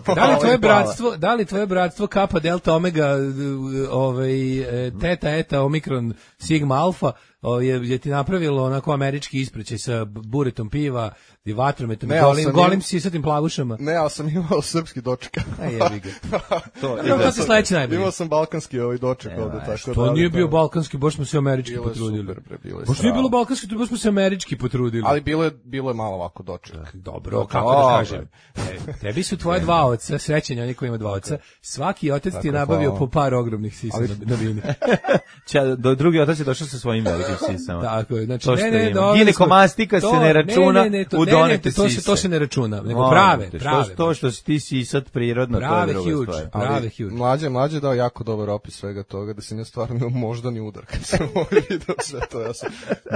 Speaker 7: Da li tvoje
Speaker 8: Ovaj,
Speaker 7: bratstvo, da li tvoje bratstvo Kappa Delta Omega ovaj e, Teta Eta Omikron Sigma Alfa o, je, je ti napravilo onako američki ispraćaj sa buretom piva i vatrometom i
Speaker 8: Ne, ali
Speaker 7: golim,
Speaker 8: sam
Speaker 7: golim
Speaker 8: im-
Speaker 7: sisatim plavušama.
Speaker 8: Ne, ali sam imao srpski doček.
Speaker 7: Aj, jebi ga.
Speaker 6: To,
Speaker 7: Dobro, to se sledeće najbolje.
Speaker 8: Imao sam balkanski ovaj doček
Speaker 6: Evo,
Speaker 8: ovde,
Speaker 6: e,
Speaker 8: tako da.
Speaker 7: To
Speaker 8: ali
Speaker 7: nije bio
Speaker 8: to-
Speaker 7: balkanski, baš smo se američki
Speaker 8: Bilo je
Speaker 7: potrudili.
Speaker 8: super, bre, bilo je
Speaker 7: Baš nije
Speaker 8: strava.
Speaker 7: bilo balkanski, to baš smo se američki potrudili.
Speaker 8: Ali bilo je, bilo je malo ovako doček.
Speaker 7: Dobro, kako da kažem. E, tebi su tvoje dva oca, srećen je oni koji ima dva oca. Svaki otac ti je
Speaker 8: Tako,
Speaker 7: nabavio
Speaker 8: hvala.
Speaker 7: po par ogromnih sisa
Speaker 8: Ali-
Speaker 7: na, na vini.
Speaker 6: Ča, do, drugi otac je došao sa svojim velikim sisama.
Speaker 7: Tako je, znači
Speaker 6: To što
Speaker 7: ne, ne,
Speaker 6: ima.
Speaker 7: dobro,
Speaker 6: Ginekomastika se
Speaker 7: to-
Speaker 6: ne računa
Speaker 7: ne, ne, ne, to,
Speaker 6: u
Speaker 7: ne, ne,
Speaker 6: donete
Speaker 7: to se
Speaker 6: sise.
Speaker 7: to se ne računa, nego
Speaker 6: Molim
Speaker 7: prave,
Speaker 6: te,
Speaker 7: prave.
Speaker 6: Što, to što si ti sisat prirodno, to je
Speaker 7: Prave
Speaker 6: druga
Speaker 7: huge.
Speaker 6: stvar.
Speaker 7: Prave
Speaker 8: Ali
Speaker 7: huge.
Speaker 8: mlađe, mlađe dao jako dobar opis svega toga, da se ne stvarno imao moždani udar kad sam ovaj video sve to. Ja sam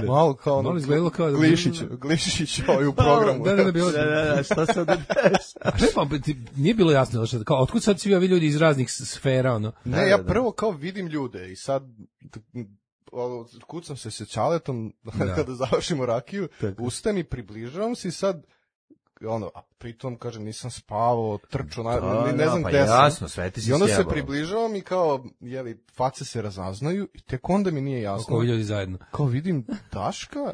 Speaker 8: malo kao ono,
Speaker 7: Malo izgledalo kao da-
Speaker 8: Glišić, Glišić ovaj u programu.
Speaker 7: Da, da, da, bilo.
Speaker 6: Da, da, da, šta se ovdje
Speaker 7: A šta pa ti- nije bilo jasno, znači kao otkud sad svi ovi ljudi iz raznih s- sfera, ono.
Speaker 8: Ne, ja prvo kao vidim ljude i sad ono, kucam se sa Ćaletom kada završimo rakiju, ustani, približavam se i sad ono, a pritom, kažem, nisam spavao, trčao, na,
Speaker 6: Da,
Speaker 8: ne, ne
Speaker 6: da,
Speaker 8: znam
Speaker 6: pa
Speaker 8: gde sam.
Speaker 6: jasno, sve ti si
Speaker 8: I onda se
Speaker 6: sjebalo.
Speaker 8: približavam i kao, jeli, face se razaznaju i tek onda mi nije jasno.
Speaker 7: Oko ljudi zajedno.
Speaker 8: Kao vidim Daška,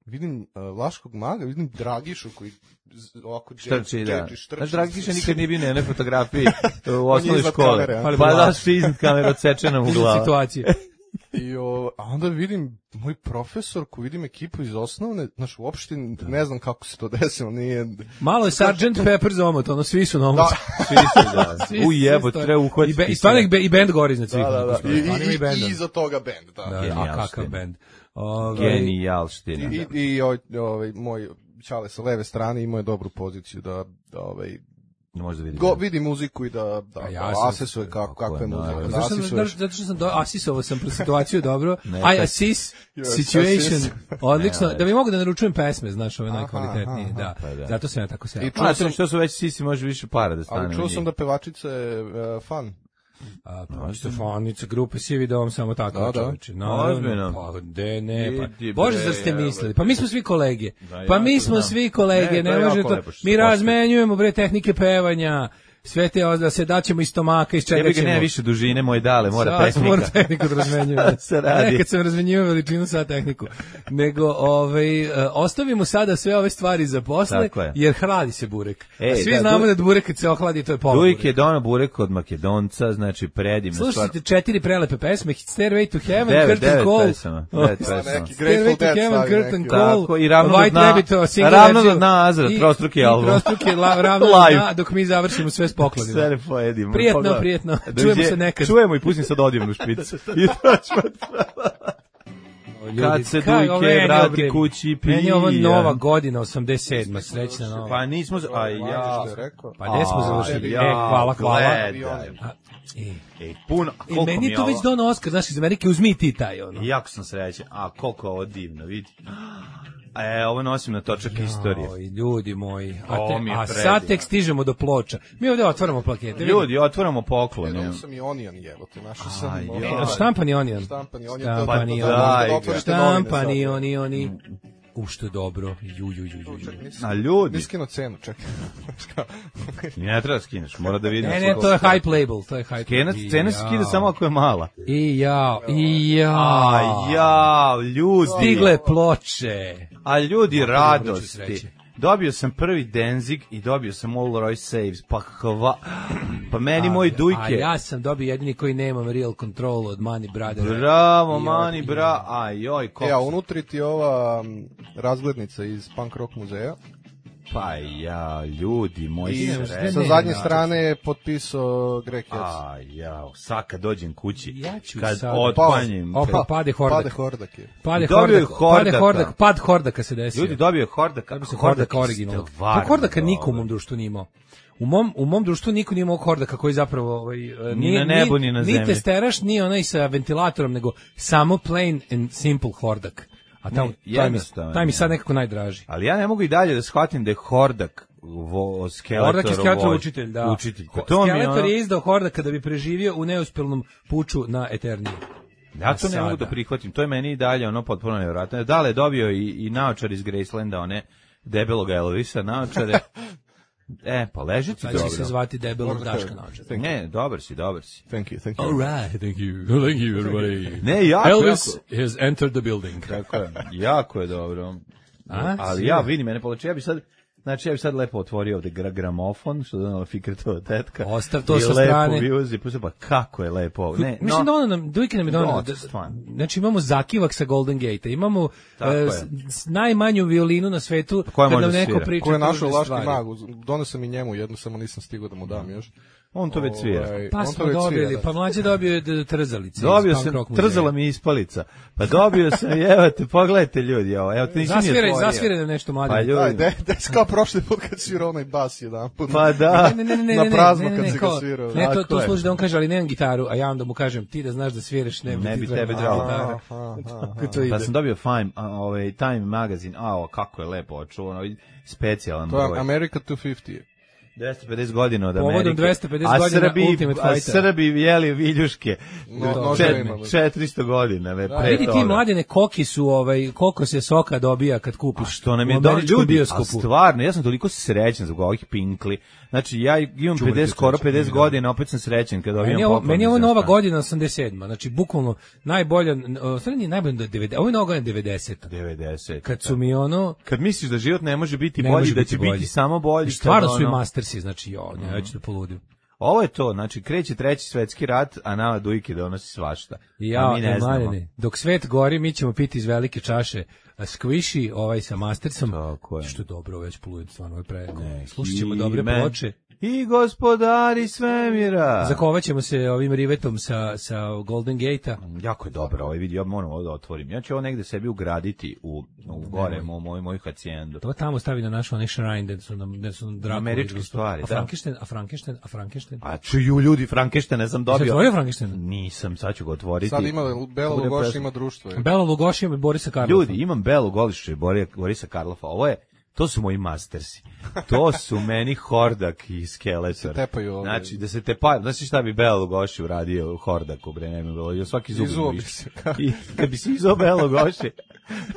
Speaker 8: vidim uh, Vlaškog maga, vidim Dragišu koji z- ovako
Speaker 6: Štrči, da.
Speaker 8: džedži, štrči.
Speaker 6: Znaš, Dragiša nikad nije bio na jednoj fotografiji u
Speaker 8: On je
Speaker 6: osnovnoj
Speaker 8: iznad
Speaker 6: školi.
Speaker 8: kamere, a?
Speaker 7: Pa
Speaker 6: Pa da su iznad kamere odsečena mu
Speaker 7: Iznad
Speaker 6: glava.
Speaker 7: situacije.
Speaker 8: I o, a onda vidim moj profesor, ko vidim ekipu iz osnovne, znaš, uopšte ne znam kako se to desilo, nije...
Speaker 7: Malo je sergeant Pepper za omot, ono, svi su na omot.
Speaker 6: Svi su, da.
Speaker 7: Svi-
Speaker 6: U
Speaker 7: svi
Speaker 6: jebo,
Speaker 7: stoje.
Speaker 6: treba
Speaker 7: I,
Speaker 6: uhvatiti.
Speaker 7: be, i, stvarno ih be- i band gori iznad svih.
Speaker 8: Da, da, da. I,
Speaker 7: Stvarno ima
Speaker 8: i,
Speaker 7: benda.
Speaker 8: i iza toga band, da.
Speaker 7: Da, a
Speaker 6: Genijalština.
Speaker 7: kakav band. Ove,
Speaker 6: Genijalština.
Speaker 8: I, i, i ovaj, ovaj, moj Ćale sa leve strane imao je dobru poziciju da, da ovaj,
Speaker 6: Možda vidi.
Speaker 8: go, vidi muziku i da, da,
Speaker 7: A ja
Speaker 8: da
Speaker 7: sam-
Speaker 8: asesuje kako, kako je
Speaker 6: naravno.
Speaker 8: muzika. Da
Speaker 7: Zašto sam,
Speaker 8: asesuješ.
Speaker 7: zato što sam do, asisovao sam pro situaciju dobro.
Speaker 6: Neka.
Speaker 7: I assist
Speaker 8: Yes,
Speaker 7: situation.
Speaker 8: assist.
Speaker 7: Odlično.
Speaker 6: Ne,
Speaker 7: Da bi mogu da naručujem pesme, znaš, ove
Speaker 8: Aha,
Speaker 7: najkvalitetnije.
Speaker 8: aha,
Speaker 7: Da.
Speaker 6: pa da.
Speaker 7: Zato sam ja tako se.
Speaker 8: I čuo
Speaker 6: Ma,
Speaker 8: sam,
Speaker 6: što su već sisi, može više para da stane.
Speaker 8: ali čuo
Speaker 6: u
Speaker 8: sam
Speaker 6: njih.
Speaker 8: da pevačica je uh, fan.
Speaker 7: A, pa, Stefanica, grupe Sivi dom, samo tako,
Speaker 8: Da, da.
Speaker 7: čoveče. Naravno,
Speaker 6: Ozbiljno.
Speaker 7: pa, de, ne, pa.
Speaker 6: Vidi,
Speaker 7: Bože,
Speaker 6: bre,
Speaker 7: zar ste
Speaker 6: evo,
Speaker 7: mislili? Pa mi smo svi kolege.
Speaker 6: Da,
Speaker 7: Pa
Speaker 6: ja
Speaker 7: mi
Speaker 6: to
Speaker 7: smo
Speaker 6: znam.
Speaker 7: svi kolege,
Speaker 6: Ne, to
Speaker 7: ne
Speaker 6: je
Speaker 7: može
Speaker 6: jako
Speaker 7: to.
Speaker 6: lepo što
Speaker 7: Mi
Speaker 6: se
Speaker 7: razmenjujemo, bre, tehnike pevanja, sve te, da se daćemo iz stomaka, iz čega
Speaker 6: Jebi ga,
Speaker 7: ćemo.
Speaker 6: nema više dužine, moj dale, mora
Speaker 7: Sad
Speaker 6: tehnika.
Speaker 7: Mora tehniku da razmenjujem.
Speaker 6: Se radi.
Speaker 7: Nekad sam razmenjivao veličinu sad tehniku. Nego, ovaj, e, ostavimo sada sve ove stvari za posle,
Speaker 6: Tako je.
Speaker 7: jer hladi se burek.
Speaker 6: Ej,
Speaker 7: A svi
Speaker 6: da,
Speaker 7: znamo
Speaker 6: du-
Speaker 7: da burek kad se ohladi, to je pola
Speaker 6: Dujk
Speaker 7: bureka.
Speaker 6: je dono burek od Makedonca, znači predivna stvar.
Speaker 7: Slušajte četiri prelepe pesme, Stairway to Heaven,
Speaker 6: Devet,
Speaker 7: Curtain
Speaker 6: devet
Speaker 7: Call,
Speaker 6: pesama, devet pesama.
Speaker 8: neki
Speaker 7: Stairway
Speaker 8: Grateful
Speaker 7: to
Speaker 8: Dead
Speaker 7: Heaven,
Speaker 8: stavi
Speaker 7: Curtain
Speaker 8: neki.
Speaker 7: Call,
Speaker 6: Tako, i ravno
Speaker 7: White
Speaker 6: do dna-
Speaker 7: Rabbit, single
Speaker 6: ravno do
Speaker 7: verziju,
Speaker 6: dna Azra,
Speaker 7: i-
Speaker 6: trostruki
Speaker 7: i
Speaker 6: album.
Speaker 7: trostruki la- ravno do
Speaker 6: Live.
Speaker 7: dna, dok mi završimo sve s poklonima.
Speaker 6: Sve ne pojedimo.
Speaker 7: Prijetno,
Speaker 6: Pogledaj.
Speaker 7: prijetno.
Speaker 6: Dođe-
Speaker 7: Čujemo se nekad.
Speaker 6: Čujemo i pustim sad odjevnu špicu. I to ćemo
Speaker 7: Ljudi,
Speaker 6: Kad se
Speaker 7: kako
Speaker 6: Dujke
Speaker 7: meni
Speaker 6: vrati
Speaker 7: obre-
Speaker 6: kući
Speaker 7: Meni je ovo
Speaker 6: pija.
Speaker 7: nova godina, osamdeset sedma, srećna nova.
Speaker 6: Pa nismo... z- A ja...
Speaker 8: Što je rekao?
Speaker 7: Pa gde smo završili?
Speaker 6: ja,
Speaker 7: E, hvala, hvala.
Speaker 6: gledaj.
Speaker 7: A, e,
Speaker 6: Ej, puno... a
Speaker 7: E,
Speaker 6: koliko
Speaker 7: meni
Speaker 6: mi
Speaker 7: je
Speaker 6: je
Speaker 7: to već
Speaker 6: ovo-
Speaker 7: dono Oskar, znaš, iz Amerike, uzmi ti taj, ono.
Speaker 6: Jako sam srećan. A koliko je ovo divno, vidi. E, ovo nosim na točak istorije.
Speaker 7: Oj, ljudi moji. A,
Speaker 6: Ovo
Speaker 7: te,
Speaker 6: mi je
Speaker 7: a
Speaker 6: predivno.
Speaker 7: sad tek stižemo do ploča. Mi ovdje otvaramo plakete. vidi.
Speaker 6: Ljudi, otvaramo poklone.
Speaker 8: Jednom sam i Onion jebote, našao sam...
Speaker 6: Aj,
Speaker 8: ovaj,
Speaker 6: ja.
Speaker 7: Štampani onion.
Speaker 8: Štampani Onion.
Speaker 7: Štampani
Speaker 8: da- da- da-
Speaker 6: onion.
Speaker 8: da otvorite novine
Speaker 7: Štampani
Speaker 8: sad.
Speaker 7: oni, oni. U, što je dobro. Ju, ju, ju, ju, ju.
Speaker 8: Nisam-
Speaker 6: A ljudi,
Speaker 8: Niskino cenu, čekaj.
Speaker 6: ne treba skineš, mora da vidim.
Speaker 7: Ne, ne, to je hype label, to je hype.
Speaker 6: Cena,
Speaker 7: I
Speaker 6: cena se
Speaker 7: jao.
Speaker 6: skida samo ako je mala.
Speaker 7: I jao, i jao.
Speaker 6: A ja, ljudi.
Speaker 7: Stigle ploče.
Speaker 6: A ljudi,
Speaker 7: Vruće
Speaker 6: radosti.
Speaker 7: sreće.
Speaker 6: Dobio sam prvi Danzig i dobio sam All Roy Saves. Pa hva... Pa meni moj
Speaker 7: A
Speaker 6: Dujke.
Speaker 7: ja sam dobio jedini koji nemam real control od Money Brothera.
Speaker 6: Bravo,
Speaker 7: I
Speaker 6: mani,
Speaker 7: od-
Speaker 6: bra. Aj, joj,
Speaker 8: E, a
Speaker 6: koliko...
Speaker 8: unutri ti ova m, razglednica iz Punk Rock muzeja.
Speaker 6: Pa ja, ljudi, moj
Speaker 8: I
Speaker 7: ne,
Speaker 6: sreće.
Speaker 8: sa
Speaker 7: ne,
Speaker 8: zadnje
Speaker 7: ne,
Speaker 8: strane je potpisao Greg Hess.
Speaker 6: A ja, sad kad dođem kući,
Speaker 7: Ja ću
Speaker 6: kad
Speaker 7: sad-
Speaker 6: otpanjim...
Speaker 7: Opa, pade hordak.
Speaker 8: Pade Hordak je.
Speaker 7: Pade
Speaker 6: Dobio je
Speaker 7: hordak, pade
Speaker 6: hordaka.
Speaker 7: hordak, pad hordaka se desio.
Speaker 6: Ljudi, dobio je Hordaka.
Speaker 7: Dobio se hordaka originalnog. Pa hordaka niko u mom društvu nije imao. U mom, u mom društvu niko nije imao hordaka koji zapravo ovaj,
Speaker 6: Ni na nebu, ni na
Speaker 7: Ni
Speaker 6: zemlji.
Speaker 7: testeraš, ni onaj sa ventilatorom, nego samo plain and simple hordak. A tamo,
Speaker 6: Ne,
Speaker 7: taj, mi,
Speaker 6: jednostavan
Speaker 7: taj mi
Speaker 6: je.
Speaker 7: sad nekako najdraži.
Speaker 6: Ali ja ne mogu i dalje da shvatim da je Hordak vo, Skeletor.
Speaker 7: Hordak je Skeletor
Speaker 6: vođ-
Speaker 7: učitelj, da.
Speaker 6: Učitelj. Pa to mi je
Speaker 7: Skeletor
Speaker 6: ono...
Speaker 7: je izdao Hordaka da bi preživio u neuspjelnom puču na Eterniji.
Speaker 6: Ja to ne
Speaker 7: Sada.
Speaker 6: mogu da prihvatim. To je meni i dalje ono potpuno nevjerojatno. Dale je dobio i, i naočar iz Gracelanda, one debelog Elvisa naočare. E, pa leži ti
Speaker 7: Sad će se
Speaker 6: dobro.
Speaker 7: zvati debelog Daška naočar.
Speaker 6: Ne, dobar si, dobar si.
Speaker 8: Thank you, thank you.
Speaker 7: All right, thank you. Thank you, everybody.
Speaker 6: Ne, jako,
Speaker 7: Elvis
Speaker 6: jako.
Speaker 7: has entered the building.
Speaker 6: Tako je, jako je dobro.
Speaker 7: A,
Speaker 6: Ali
Speaker 7: si
Speaker 6: ja
Speaker 7: je.
Speaker 6: vidim mene polače, ja bi sad, znači ja bi sad lepo otvorio ovde gra gramofon, što je donala Fikretova tetka.
Speaker 7: Ostav to
Speaker 6: i
Speaker 7: sa
Speaker 6: lepo
Speaker 7: strane.
Speaker 6: Viuzi, pusti, pa kako je lepo ovo. Ne,
Speaker 7: Mislim
Speaker 6: no,
Speaker 7: da ono nam, Dujke nam je donao,
Speaker 6: No,
Speaker 7: da-
Speaker 6: stvarno.
Speaker 7: znači imamo zakivak sa Golden Gate-a, imamo
Speaker 6: Tako
Speaker 7: e,
Speaker 6: je.
Speaker 7: s- s- najmanju violinu na svetu,
Speaker 6: koja
Speaker 7: kad
Speaker 6: može
Speaker 7: nam
Speaker 6: da
Speaker 7: neko
Speaker 6: svira?
Speaker 7: priča
Speaker 8: Ko je našao
Speaker 7: tužne
Speaker 8: Laški
Speaker 7: stvari.
Speaker 8: mag, donio sam i njemu jednu, samo nisam stigao da mu dam još.
Speaker 6: on to već svira.
Speaker 8: Ovaj,
Speaker 7: Pa
Speaker 8: on to
Speaker 7: smo
Speaker 8: već
Speaker 7: dobili,
Speaker 8: svira, da.
Speaker 7: pa mlađe dobio je d- trzalice.
Speaker 6: Dobio
Speaker 7: iz Punk
Speaker 6: sam,
Speaker 7: Rock muzeja.
Speaker 6: trzala mi ispalica. Pa dobio sam, evo te, pogledajte ljudi, ovo, evo te nisam ni
Speaker 7: Zasviraj,
Speaker 6: otvorio.
Speaker 7: zasviraj nam nešto mlađe.
Speaker 6: Pa ljudi,
Speaker 8: Daj, de, de, kao prošli put kad svirao onaj bas jedan put.
Speaker 6: pa da.
Speaker 7: Ne, ne, ne, ne,
Speaker 8: Na
Speaker 7: ne,
Speaker 8: prazno
Speaker 7: ne, ne,
Speaker 8: kad
Speaker 7: ne,
Speaker 8: si ga
Speaker 7: kao-
Speaker 8: svirao.
Speaker 7: Ne, to,
Speaker 6: Tako
Speaker 7: to
Speaker 6: je.
Speaker 7: služi da on kaže, ali nemam gitaru, a ja onda mu kažem, ti da znaš da sviraš, ne,
Speaker 6: Ne
Speaker 7: ti
Speaker 6: bi
Speaker 7: treba
Speaker 6: tebe
Speaker 7: da
Speaker 6: trebalo.
Speaker 7: gitara.
Speaker 8: Aha, aha.
Speaker 7: Kako to ide?
Speaker 6: Pa sam dobio Fime, a, ovaj, Time magazin, a, o, kako je lepo očuvano, ovaj specijalan
Speaker 8: To je
Speaker 6: broj.
Speaker 8: America dvesta pedeset.
Speaker 6: dvesta pedeset godina od
Speaker 7: Povodom
Speaker 6: Amerike.
Speaker 7: dvesta pedeset
Speaker 6: a
Speaker 7: godina
Speaker 6: Srbi,
Speaker 7: Ultimate
Speaker 6: a
Speaker 7: Fighter.
Speaker 6: Srbi jeli viljuške.
Speaker 8: No,
Speaker 6: Čet-
Speaker 8: noževima.
Speaker 6: četiristo godina. Ve, pre
Speaker 7: Vidi ti
Speaker 6: toga.
Speaker 7: mladene koki su, ovaj, koliko se soka dobija kad kupiš
Speaker 6: A što nam
Speaker 7: u
Speaker 6: je do
Speaker 7: američkom
Speaker 6: ljudi, a
Speaker 7: bioskopu.
Speaker 6: stvarno, ja sam toliko srećan zbog ovih pinkli. Znači, ja imam
Speaker 7: Čuvajte
Speaker 6: pedeset, skoro
Speaker 7: srećan,
Speaker 6: pedeset
Speaker 7: da.
Speaker 6: godina, opet sam srećan kad
Speaker 7: Meni
Speaker 6: dobijam
Speaker 7: je ovo,
Speaker 6: poklon
Speaker 7: meni je ovo
Speaker 6: iz
Speaker 7: nova
Speaker 6: inostranstva.
Speaker 7: godina osamdeset sedma. Znači, bukvalno najbolja, o, stvarno nije najbolja do devedeset, ovo je nova godina devedeseta.
Speaker 6: devedeset.
Speaker 7: Kad su mi ono,
Speaker 6: Kad misliš da život ne može biti
Speaker 7: ne
Speaker 6: bolji,
Speaker 7: može
Speaker 6: da
Speaker 7: biti
Speaker 6: će
Speaker 7: bolji.
Speaker 6: biti samo bolji.
Speaker 7: stvarno
Speaker 6: kad
Speaker 7: su i
Speaker 6: ono-
Speaker 7: mastersi, znači, jo, ne, ja ću da poludim.
Speaker 6: Ovo je to, znači kreće treći svetski rat, a nama Dujke donosi svašta.
Speaker 7: I
Speaker 6: a
Speaker 7: ja,
Speaker 6: mi ne znamo.
Speaker 7: Mladene, dok svet gori, mi ćemo piti iz velike čaše a squishy, ovaj sa mastersom.
Speaker 6: Tako je.
Speaker 7: Što je dobro, već poludim, stvarno, ovo je preko. Slušat ćemo dobre
Speaker 6: Ime
Speaker 7: ploče.
Speaker 6: I gospodari svemira.
Speaker 7: Zakovat ćemo se ovim rivetom sa, sa Golden Gate-a.
Speaker 6: Jako je dobro, ovaj vidi, ja moram ovo da otvorim. Ja ću ovo negde sebi ugraditi u, u gore, moj, moj, moju hacijendu.
Speaker 7: To tamo stavi na naš onaj shrine, gde su nam, gde su nam Drakula
Speaker 6: Američke
Speaker 7: i
Speaker 6: stvari,
Speaker 7: a
Speaker 6: da.
Speaker 7: Frankenstein, a Frankenstein, a Frankenstein.
Speaker 6: A čuju ljudi, Frankensteina sam
Speaker 7: Jesi
Speaker 6: dobio.
Speaker 7: otvorio Frankensteina?
Speaker 6: Nisam, sad ću ga otvoriti.
Speaker 8: Sad ima, Bela
Speaker 6: Bude
Speaker 8: Lugoš
Speaker 6: pesma.
Speaker 8: ima društvo. je.
Speaker 7: Bela Lugoši i Borisa Karlofa.
Speaker 6: Ljudi, imam Belu Golišu i Bori- Borisa Karlofa. Ovo je, to su moji mastersi. To su meni Hordak i Skeletor.
Speaker 8: Se tepaju ovaj.
Speaker 6: Znači, da se tepaju. Znači šta bi Bela Lugoši uradio u Hordaku, bre, ne mi bilo. I svaki zub
Speaker 8: Izuo
Speaker 6: mu
Speaker 8: bi
Speaker 6: više.
Speaker 8: se.
Speaker 6: I kad bi se izuo Bela Lugoši,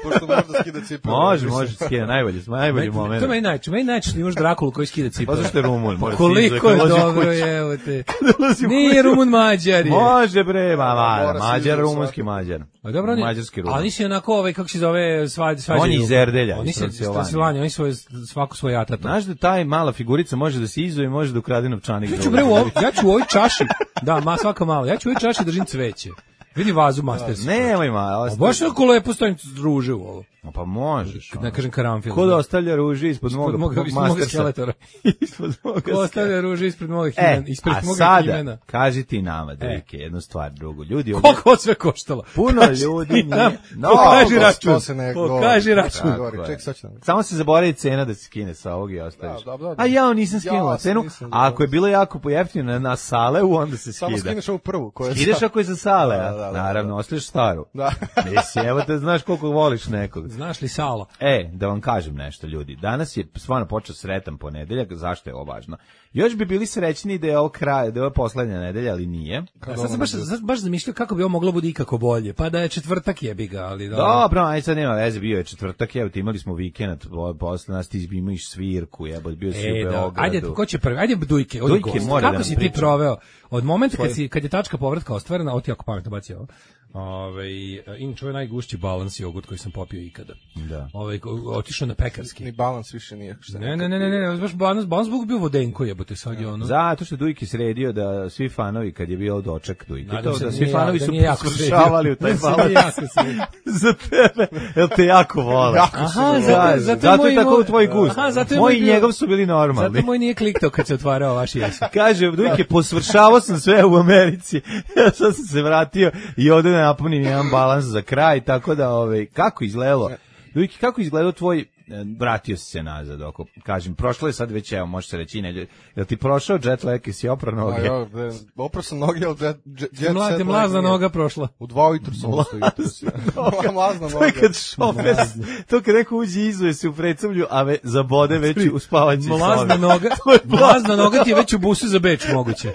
Speaker 8: Pošto možda skida cipele.
Speaker 6: može, može, skida, najbolji, najbolji
Speaker 7: Meni-
Speaker 6: moment.
Speaker 7: To je meni najče, meni najče što imaš Drakulu koji skida
Speaker 6: Pa
Speaker 7: cipele.
Speaker 6: zašto je Rumun? Mora se
Speaker 7: Koliko
Speaker 6: izuje,
Speaker 7: je
Speaker 6: kad ulazi u
Speaker 7: dobro,
Speaker 6: kuću.
Speaker 7: evo te.
Speaker 6: Ulazi u
Speaker 7: Nije
Speaker 6: kuću.
Speaker 7: Rumun Mađar je.
Speaker 6: Može bre, ma, ma,
Speaker 8: Mora se
Speaker 6: Mađar,
Speaker 8: izuje
Speaker 6: rumunski
Speaker 8: svakako.
Speaker 6: Mađar.
Speaker 7: A dobro, oni,
Speaker 6: Mađarski Rumun.
Speaker 7: a oni su onako, ovaj, kako se zove, svađa, svađaju.
Speaker 6: On je iz Erdelja,
Speaker 7: Oni
Speaker 6: iz
Speaker 7: su iz
Speaker 6: Transilvanije.
Speaker 7: Transilvanije, oni su svako svoj atato.
Speaker 6: Znaš da taj mala figurica može da se izuje i može da ukrade novčanik.
Speaker 7: Ja ću, bre, u ovoj, ja ću u ovoj čaši, da, ma svaka malo, ja ću u ovoj čaši držim cveće. Vidi vazu Masters.
Speaker 6: Nemoj ma,
Speaker 7: A
Speaker 6: ostavi.
Speaker 7: baš ako lepo stojim ruže u ovo.
Speaker 6: Pa možeš.
Speaker 7: Ne kažem karanfil.
Speaker 6: Ko da ostavlja ruže ispod
Speaker 7: Ispod
Speaker 6: moga,
Speaker 7: moga, ispod moga
Speaker 6: Mastersa?
Speaker 7: skeletora.
Speaker 6: Ispod moga
Speaker 7: Ko ostavlja ruže ispred moga
Speaker 6: E,
Speaker 7: himena, ispred
Speaker 6: a
Speaker 7: moga
Speaker 6: sada,
Speaker 7: himena.
Speaker 6: kaži ti nama, Dejke, jednu stvar, drugu. Ljudi, ovdje,
Speaker 7: Koliko ovo sve koštalo?
Speaker 6: puno
Speaker 7: Kaži
Speaker 6: ljudi
Speaker 7: ti
Speaker 6: nije...
Speaker 7: nam,
Speaker 6: No,
Speaker 7: pokaži
Speaker 8: to-
Speaker 7: račun.
Speaker 8: to se ne govori.
Speaker 7: Pokaži račun.
Speaker 8: Govori,
Speaker 6: Tako je.
Speaker 8: ček, sad ću nam-
Speaker 6: Samo se zaboravi cena da se skine sa ovog i ostaviš.
Speaker 8: Da, da, da.
Speaker 6: A ja nisam skinula
Speaker 8: Ja
Speaker 6: cenu,
Speaker 8: nisam,
Speaker 6: a ako je bilo jako pojeftino na Saleu, onda se
Speaker 8: Samo
Speaker 6: skida.
Speaker 8: skineš ovu prvu. Koja je
Speaker 6: Ideš
Speaker 8: sad-
Speaker 6: ako je za Sale,
Speaker 8: Da,
Speaker 6: a?
Speaker 8: da, da,
Speaker 6: Naravno, ostaviš staru.
Speaker 8: Da.
Speaker 6: Mislim, evo te znaš koliko voliš nekog.
Speaker 7: Znaš li Sala?
Speaker 6: E, da vam kažem nešto, ljudi. Danas je stvarno počeo sretan ponedeljak, zašto je ovo važno? Još bi bili srećni da je ovo kraj, da je ovo poslednja nedelja, ali nije.
Speaker 7: Ja, sad sam baš, sad baš zamišljao kako bi ovo moglo biti ikako bolje. Pa da je četvrtak jebi ga, ali da.
Speaker 6: Dobro, aj sad nema veze, bio je četvrtak, evo ti imali smo vikend, po- posle nas ti imaš svirku, jebo, bio si
Speaker 7: E,
Speaker 6: u
Speaker 7: da.
Speaker 6: Beogradu.
Speaker 7: Ajde, ko će prvi? Ajde Dujke, odi
Speaker 6: Dujke
Speaker 7: gost.
Speaker 6: mora da
Speaker 7: Kako
Speaker 6: nam
Speaker 7: si ti
Speaker 6: priča.
Speaker 7: proveo? Od momenta kad, si, kad je tačka povratka ostvarena, ovo ti jako pametno bacio ovo. Ove, inače, ovo je najgušći balans jogurt koji sam popio ikada.
Speaker 6: Da.
Speaker 7: Ove, otišao na pekarski.
Speaker 8: Ni balans više nije. Šta
Speaker 7: Ne, ne, ne, ne, ne, baš balans, balans Bog bio vodenko jebote, sad je ono.
Speaker 6: Zato što je Dujke sredio da svi fanovi, kad je bio doček Dujke,
Speaker 7: Nadam
Speaker 6: to
Speaker 7: se
Speaker 6: da
Speaker 7: da
Speaker 6: svi
Speaker 7: nije
Speaker 6: fanovi
Speaker 7: ja- da
Speaker 6: su
Speaker 7: nije jako
Speaker 6: posvršavali u taj
Speaker 7: sredio. Da nije
Speaker 6: balans.
Speaker 7: jako sredio.
Speaker 6: Za tebe, jel te jako vole?
Speaker 8: Jako
Speaker 7: Aha,
Speaker 8: se
Speaker 7: zato,
Speaker 8: vole.
Speaker 7: zato,
Speaker 6: Zato
Speaker 7: moj,
Speaker 6: je tako
Speaker 7: moj-
Speaker 6: u tvoj gust.
Speaker 7: Aha, zato je
Speaker 6: Moj
Speaker 7: moj
Speaker 6: i
Speaker 7: bio-
Speaker 6: njegov su bili normalni.
Speaker 7: Zato moj nije kliktao kad se otvarao vaš jesen.
Speaker 6: Kaže, Dujke, posvršavao sam sve u Americi, ja sad sam se vratio i ovde da napunim jedan balans za kraj, tako da, ovaj, kako izgledalo? Dujke, kako izgledao tvoj, e, vratio si se nazad, oko, kažem, prošlo je sad već, evo, može se reći, ne, jel ti prošao jet lag i si oprao
Speaker 8: A
Speaker 6: noge?
Speaker 8: ja, bre, oprao sam noge, ali jet, jet, jet
Speaker 7: Mlad,
Speaker 8: set
Speaker 7: mlazna
Speaker 8: nije.
Speaker 7: noga prošla.
Speaker 8: U dva ujutru sam ustao jutros. Mlazna
Speaker 6: To je
Speaker 8: noga.
Speaker 6: kad šofer, to kad neko uđe i izuje se u predsamlju, a ve, zabode već u spavaćoj
Speaker 7: Mlazna
Speaker 6: sobi.
Speaker 7: noga, mlazna noga ti je već u busu za Beč moguće.